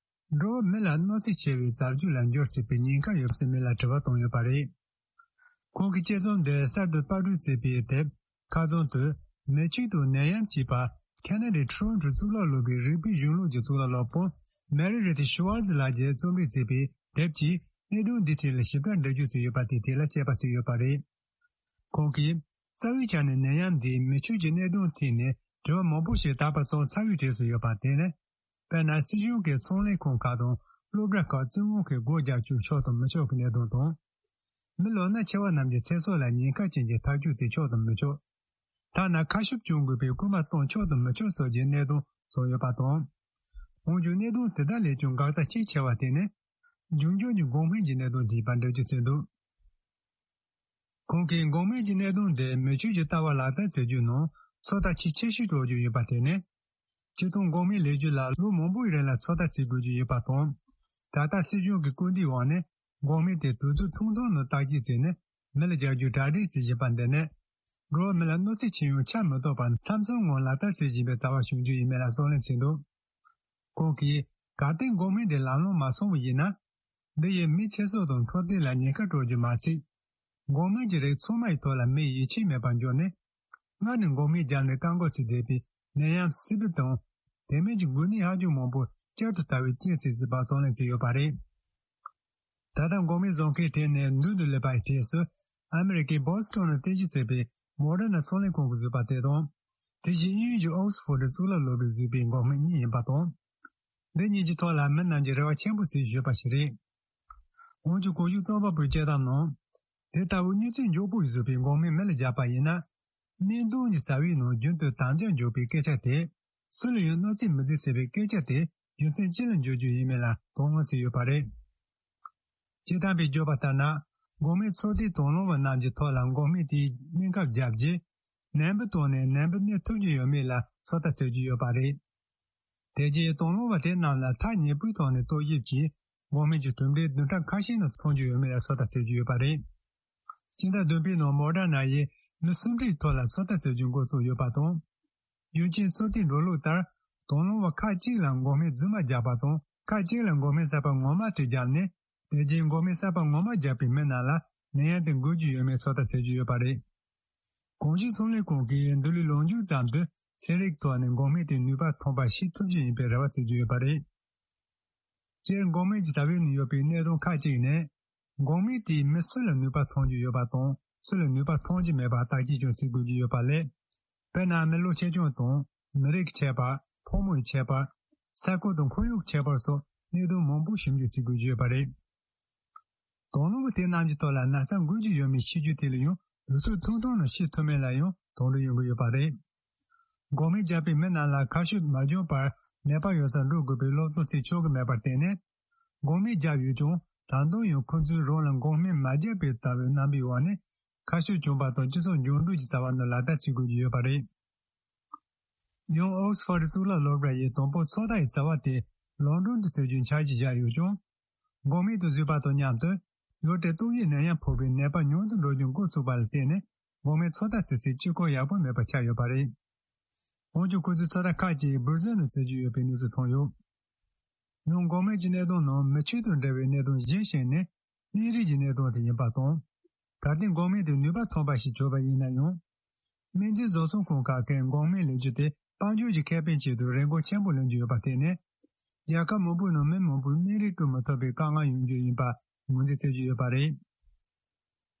འགྲོ་བ་མི་ལ་གནོད་འཚེ་ཆེ་བའི་རྩ་བཅོས་ལ་འགྱུར་སྲིད་པའི་ཉེན་ཁ་ཡོད་སྲིད་མིན་ལ་དྲི་བ་བཏང་ཡོད་པ་རེད། ཁོང་གི་དཔྱད་རྩོམ་འདི་གསར་དུ་པར་སྐྲུན་བྱས་པའི་དེབ་ཁ་རྩང་དུ། མི་ཆོས་དང་ནད་ཡམས་ཅེས་པ། ཁ་ན་ཌའི་ཊོ་རོན་ཊོ་གཙུག་ལག་སློབ་གྲྭའི་རིག་པའི་གཞུང་ལུགས་ཀྱི་གཙུག་ལག་སློབ་དཔོན་མེ་རི་རི་ཐི་ཤུ་ཝར་ཛི་ལགས་ཀྱིས་རྩོམ་སྒྲིག་བྱས་པའི་དེབ་ཀྱིས་གནད་དོན་འདིའི་ཐད་ལ་ཞིབ་ཕྲ་འགྲེལ་བརྗོད་བྱས་ཡོད་པ་དེའི་ཐད་ལ་དཔྱད་པ་བྱས་ཡོད་པ་རེད། ཁོང་གིས། རྩ་བའི་ཆ་ནས་ནད་ཡམས་འདིས་མི་ཆོས་ཀྱི་གནད་དོན་ཐད་ནས་དྲི་བ་མང་པོ་ཞིག་དག་པ་ཙམ་ཚར་བའི་གྲས་སུ་ཡོད་པ་དེ་ནི། དཔེར་ན། སྲིད་གཞུང་གི་ཚོང་ལས་ཁང་ཁག་དང་སློབ་གྲྭ་ཁག་བཙན་དབང་གིས་སྒོ་རྒྱག་བཅུག་ཆོག་དང་མི་ཆོག་གི་གནད་དོན་དང་། མི་ལོ་ན་ཆེ་བ་རྣམས་ཀྱི་ཚེ་སྲོག་ལ་ཉེན་ཁ་ཅན་གྱི་ཐག་གཅོད་བྱེད་ཆོག་དང་མི་ཆོག་ཐ་ན་ཁ་ཤུབས་གྱོན་དགོས་པའི་སྐུལ་མ་གཏོང་ཆོག་དང་མི་ཆོག་སོགས་ཀྱི་གནད་དོན་སོགས་ཡོད་པ་དང་། འོན་ཀྱང་གནད་དོན་དེ་དག་ལས་ཀྱང་འགག་རྩ་གཅིག་ཆེ་བ་དེ་ནི། འབྱུང་འགྱུར་གྱི་འགོག་སྨན་གྱི་གནད་དོན་དེ་ཡིན་པ་འགྲེལ་བརྗོད་བྱས་འདུག་ཁོང་གིས་འགོག་སྨན་གྱི་གནད་དོན་དེ་མི་ཆོས་ཀྱི་ལྟ་བ་ལག་བསྟར་བྱེད་རྒྱུའི་ནང་ཚོད་ལྟ་ཆེས་ཆེ་ཤོས་སྤྲོད་རྒྱུ་ཡིན་པ་དེ་ནི། སྤྱིར་བཏང་འགོག་སྨན་ལས་རྒྱུ་ལ་ལོ་མང་པོའི་རིང་ལ་ཚོད་ལྟ་བྱེད་དགོས་རྒྱུ་ཡོད་པ་དང་། ད་ལྟ་སྲིད་གཞུང་གི་སྐུལ་འདེད་འོག་ནས་འགོག་སྨན་དེ་དུས་ཚོད་ཐུང་ཐུང་ནང་བརྟག་དཔྱད་བྱས་ནས་མི་ལ་སྦྱར་རྒྱུ་གྲ་སྒྲིག་བྱེད་བཞིན་པ་འདི་ནི། འགྲོ་བ་མི་ལ་གནོད་འཚེ་ཆེ་ཡང་ཆ་མི་གཏོགས་པར་མཚམས་མཚམས་ངང་ལག་བསྟར་བྱེད་བཞིན་པའི་བྱ་བ་བྱུང་རྒྱུ་ཡིན་མིན་ལ་གསུང་གླེང་བྱས་འདུག་ཁོང་གིས་གལ་ཏེ་འགོག་སྨན་དེ་ལམ་ལྷོང་མ་སོང་བ་ཡིན་ན། འདི་ཡིས་མིའི་ཚེ་སྲོག་དང་འཕྲོད་བསྟེན་ལ་ཉེན་ཁ་སྤྲོད་རྒྱུ་མ་ཚད། འགོག་སྨན་གྱི་རིགས་ཚང་མ་ཡི་ཐོག་ལ་མིའི་ཡིད་ཆེས་མེད་པར་འགྱུར་ནས། སྔར་ནས་འགོག་སྨན་བརྒྱབ་ནས་བཀག་འགོག་བྱས་བསྡད་པའི་ ནད་ཡམས་སི་པིཌ་དང་། དེ་མིན་གྱི་འགོས་ནད་ཧ་ཅང་མང་པོ་བསྐྱར་དུ་དར་བའི་རྐྱེན་ཟེར་ཟིན་པ་གཏོང་ལེན་བྱས་ཡོད་པ་རེད། ད་ལྟ་འགོག་སྨན་བཟོ་མཁན་གྲས་ནས་མདུན་དུ་སླེབས་པའི་གྲས་སུ། ཨ་མི་རི་ཀའི་བྷོ་སི་ཊོན་ནས་རྟེན་གཞི་བྱས་པའི་མོ་ཌར་ན་ཚོང་ལས་ཁང་གིས་བཟོས་པ་དེ་དང་། དེ་བཞིན་དབྱིན་ཡུལ་གྱི་ཨོག་སི་ཕོར་ཌི་གཙུག་ལག་སློབ་གྲྭས་བཟོས་པའི་འགོག་སྨན་གཉིས་ཡིན་པ་དང་། འདི་གཉིས་ཀྱི་ཐོག་ལ་མི་རྣམས་ཀྱིས་རེ་བ་ཆེན་པོ་བྱས་བཞོས་པ་ཞིག་རེད། འོན་ཀྱང་གོང་ཞུས་རྩོམ་པ་པོའི་དཔྱད་གཏམ་ནང་། དེ་ལྟ་བུའི་གནོད་འཚེ་མགྱོགས་པོ་ཞིག་བཟོ་བའི་འགོག་སྨན་མི་ལ་བརྒྱབ་པ་ཡིན་ན། སྨན་གཏོང་གི་རྩ་བའི་ནང་རྒྱུན་དུ་དམ་བཅའ་འཇོག་པའི་སྐད་ཆ་དེ། སུ་ལ་ཡང་གནོད་འཚེ་མི་མཛད་ཟེར་བའི་སྐད་ཆ་དེ་རྒྱུ་མཚན་ཅི་ལ་འཇོག་རྒྱུ་ཡིན་མིན་ལ་དོགས་སྣང་བྱས་ཡོད་པ་རེད། སྤྱིར་བཏང་པས་བརྗོད་པ་ལྟར་ན། འགོག་སྨན་ཚོད་ལྟའི་དང་བླངས་པ་རྣམས་ཀྱི་ཐོག་ལ་འགོག་སྨན་དེའི་སྨན་ཁབ་བརྒྱབ་རྗེས། ནད་འབུ་བཏང་ནས་ནད་འབུ་གནས་ཐུབ་ཀྱི་ཡོད་མེད་ལ་ཚོད་ལྟ་བྱེད་ཀྱི་ཡོད་པ་རེད། དེ་རྗེས་དང་བླངས་པ་དེ་རྣམས་ལ་ཐག་ཉེ་པོའི་ཐོག་ནས་ལྟ་ཞིབ་ཀྱིས། འགོག་སྨན་གྱི་གྲུབ་འབྲས་བདུན་ཕྲག་ཁ་ཤས་ནང་ཐོན་རྒྱུ་ཡོད་མེད་ལ་ཚོད་ལྟ་བྱེད་ཀྱི་ཡོད་པ་རེད། སྤྱི་ཟླ་བདུན་པའི་ནང་མོ་ཌར་ན་ཡིས་མི་སུམ་ཁྲིའི་ཐོག་ལ་ཚོད་ལྟ་བྱེད་རྒྱུ་འགོ་བཙུགས་ཡོད་པ་དང་། རྒྱུ་རྐྱེན་ཚོད་ལྟའི་འགྲོ་ལུགས་ལྟར། དང་བླངས་པ་ཁག་ཅིག་ལ་འགོག་སྨན་རྫུན་མ་བརྒྱབ་པ་དང་། ཁག་ཅིག་ལ་འགོག་སྨན་གསར་པ་ངོ་མ་དེ་བརྒྱབ་ནས། དེ་རྗེས་འགོག་སྨན་གསར་པ་ངོ་མ་བརྒྱབ་པའི་མི་རྣམས་ལ་ནད་ཡམས་དེ་འགོས་ཀྱི་ཡོད་མེད་ཚོད་ལྟ་བྱེད་ཀྱི་ཡོད་པ་རེད། གོང་ཞུས་ཚོང་ལས་ཁང་གིས་འདི་ལོའི་ལོ་མཇུག་ཙམ་དུ་ཚན་རིག་ཐོག་ནས་འགོག་སྨན་དེའི་ནུས་པ་ཐོན་པ་ཤེས་ཐུབ་རྒྱུ་ཡིན་པའི་རེ་བ་བྱེད་ཀྱི་ཡོད་པ་རེད། སྤྱིར་འགོག་སྨན་གྱི་རྩ་བའི་ནང་ཡོད་པའི་གནད་དོན་ཁག་ཅིག་ནི། འགོག་སྨན་དེས་མི་སུ་ལ་ནུས་པ་ཐོན་རྒྱུ་ཡོད་པ་དང་སུ་ལ་ནུས་པ་ཐོན་རྒྱུ་མེད་པ་བརྟག་དཔྱད་ཀྱང་བྱེད་དགོས་ཀྱི་ཡོད་པ་ལས། དཔེར་ན་མི་ལོ་ཆེ་ཆུང་དང་། མི་རིགས་ཀྱི་ཁྱད་པར། ཕོ་མོ་ཡི་ཁྱད་པར། ས་ཁུལ་དང་ཁོར་ཡུག་གི་ཁྱད་པར་སོགས་གནད་དོན་མང་པོ་ཞིབ་འཇུག་བྱེད་དགོས་ཀྱི་ཡོད་པ་རེད། དང་བླངས་པ་དེ་རྣམས་ཀྱི་ཐོག་ལ་ན་ཚ་འགོས་ཀྱི་ཡོད་མེད་ཤེས་རྒྱུ་དེ་ལ་ཡང་དུས་ཚོད་ཐུང་ཐུང་ནང་ཤེས་ཐུབ་མིན་ལ་ཡང་དོགས་འདྲི་ཡོང་གི་ཡོད་པ་རེད། འགོག་སྨན་བརྒྱབ་པའི་མི་རྣམས་ལ་ཁ་ཤས་མ་འགྱངས་པར་ནད་པ་ཡོད་སར་འགྲོ་དགོས་པའི་སློབ་སྟོན་བྱེད་ཆོག་གི་མེད་པར་བརྟེན་ནས། འགོག་སྨན་བརྒྱབ་ཡོད་ཀྱང་ད་དུང་ཡང་ཁོ་ཚོས་རང་ལ་འགོག་སྨན་མ་བརྒྱབ་པའི་ལྟ་བའི་རྣམ་པའི་འོག་ནས་ཁ་ཤས་གྱོང་པ་དང་སྤྱི་ཚོགས་འགྱུར་འགྲོས་ཀྱི་རྩ་བ་ནང་ལག་བསྟར་བྱེད་དགོས་ཀྱི་ཡོད་པ་རེད། ཡང་ཨོག་སི་ཕོར་ཌི་གཙུག་ལག་སློབ་གྲྭ་ཡིས་དང་པོ་ཚོད་ལྟ་ཡི་རྩ་བ་དེ་ལོན་ཌོན་དུ་བྱེད་རྒྱུའི་འཆར་གཞི་བཞག་ཡོད་ཀྱང་། འགོག་སྨན་དེ་བཟོས་པ་དང་མཉམ་དུ་ཡུལ་དེར་ཏོག་དབྱིབས་ནད་ཡམས་ཕོག་པའི་ནད་པ་ཉུང་དུ་འགྲོ་རྒྱུ་འགོ་ཚུགས་པ་ལ་བརྟེན་ནས་འགོག་སྨན་ཚོད་ལྟ་བྱེད་སའི་སྤྱི་ཁོག་ཡག་པོ་མེད་པ་ཆགས་ཡོད་པ་རེད། འོན་ཀྱང་ཁོ་ཚོའི་ཚོད་ལྟ་ཁག་ཅིག་སྦུར་ཟེར་ནང་བྱེད་རྒྱུ་ཡོད་པའི་གནས་ཚུལ་ཐོན་ཡོད། ཡང་འགོག་སྨན་གྱི་གནད་དོན་ནང་མི་ཆོས་དང་འབྲེལ་བའི་གནད་དོན་གཞན་ཞིག་ནི། སྨན་རིགས་ཀྱི་གནད་དོན་དེ་ཡིན་པ་དང་། གལ་ཏེ་འགོག་སྨན་དེ་ནུས་པ་ཐོན་པ་ཞིག་བྱུང་བ་ཡིན་ན་ཡང་། སྨན་རྫས་བཟོ་ཚོང་ཁང་ཁག་གིས་འགོག་སྨན་ལས་རྒྱུ་དེ་དཔལ་འབྱོར་གྱི་ཁེ་ཕན་ཆེད་དུ་རིན་གོང་ཆེན་པོ་ལེན་རྒྱུ་ཡོད་པར་བརྟེན་ནས། རྒྱལ་ཁབ་མང་པོའི་ནང་མི་མང་པོས་སྨན་རིགས་བཀོལ་མི་ཐུབ་པའི་དཀའ་ངལ་ཡོང་རྒྱུ་ཡིན་པ་ངོས་འཛིན་བྱེད་ཀྱི་ཡོད་པ་རེད།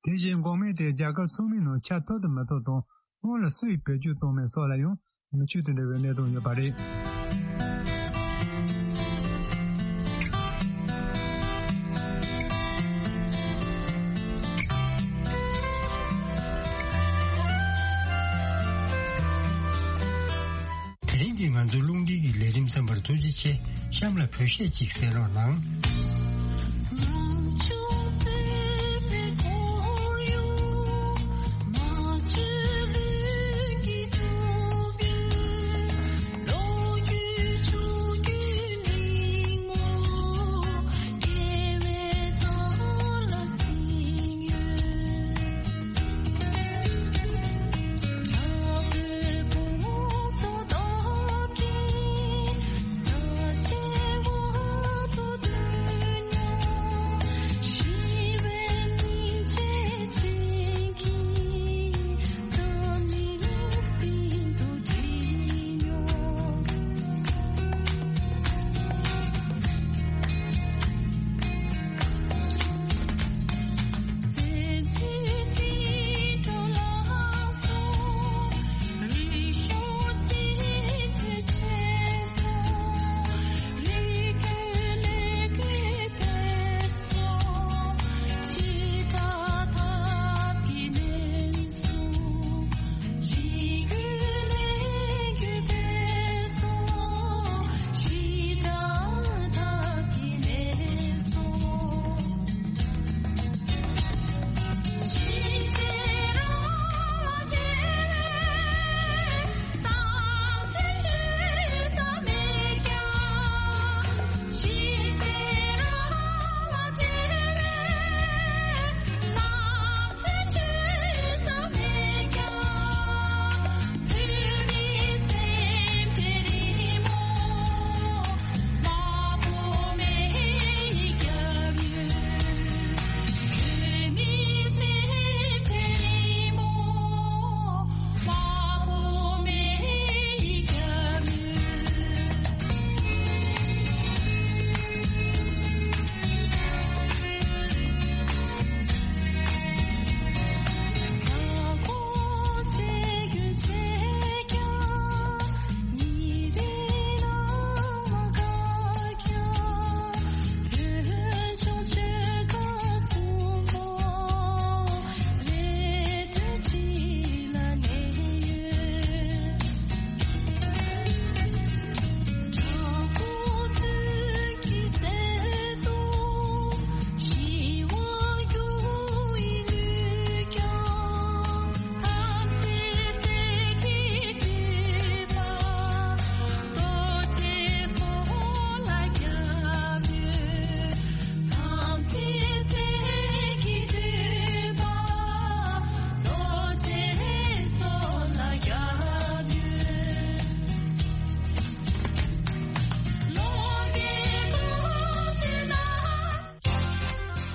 དེ་བཞིན་འགོག་སྨན་དེ་རྒྱལ་ཁབ་ཚང་མའི་ནང་ཁྱབ་ཐུབ་ཏུ་མི་ཐུབ་དང་སྔོན་ལ་སུ་ཡིས་བེད་སྤྱོད་གཏོང་མིན་སོགས་ལ་ཡང་། མི་ཆོས་དང་འབྲེལ་བའི་གནད་དོན་ཡོད་པ་རེད། དེ་རིང་གི་ང་ཚོའི་རླུང་འཕྲིན་གྱི་ལས་རིམ་ཚན་པར་ཐུགས་རྗེ་ཆེ། གཤམ་ལ་བོད་གཞས་ཅིག་གསན་རོགས་གནང་།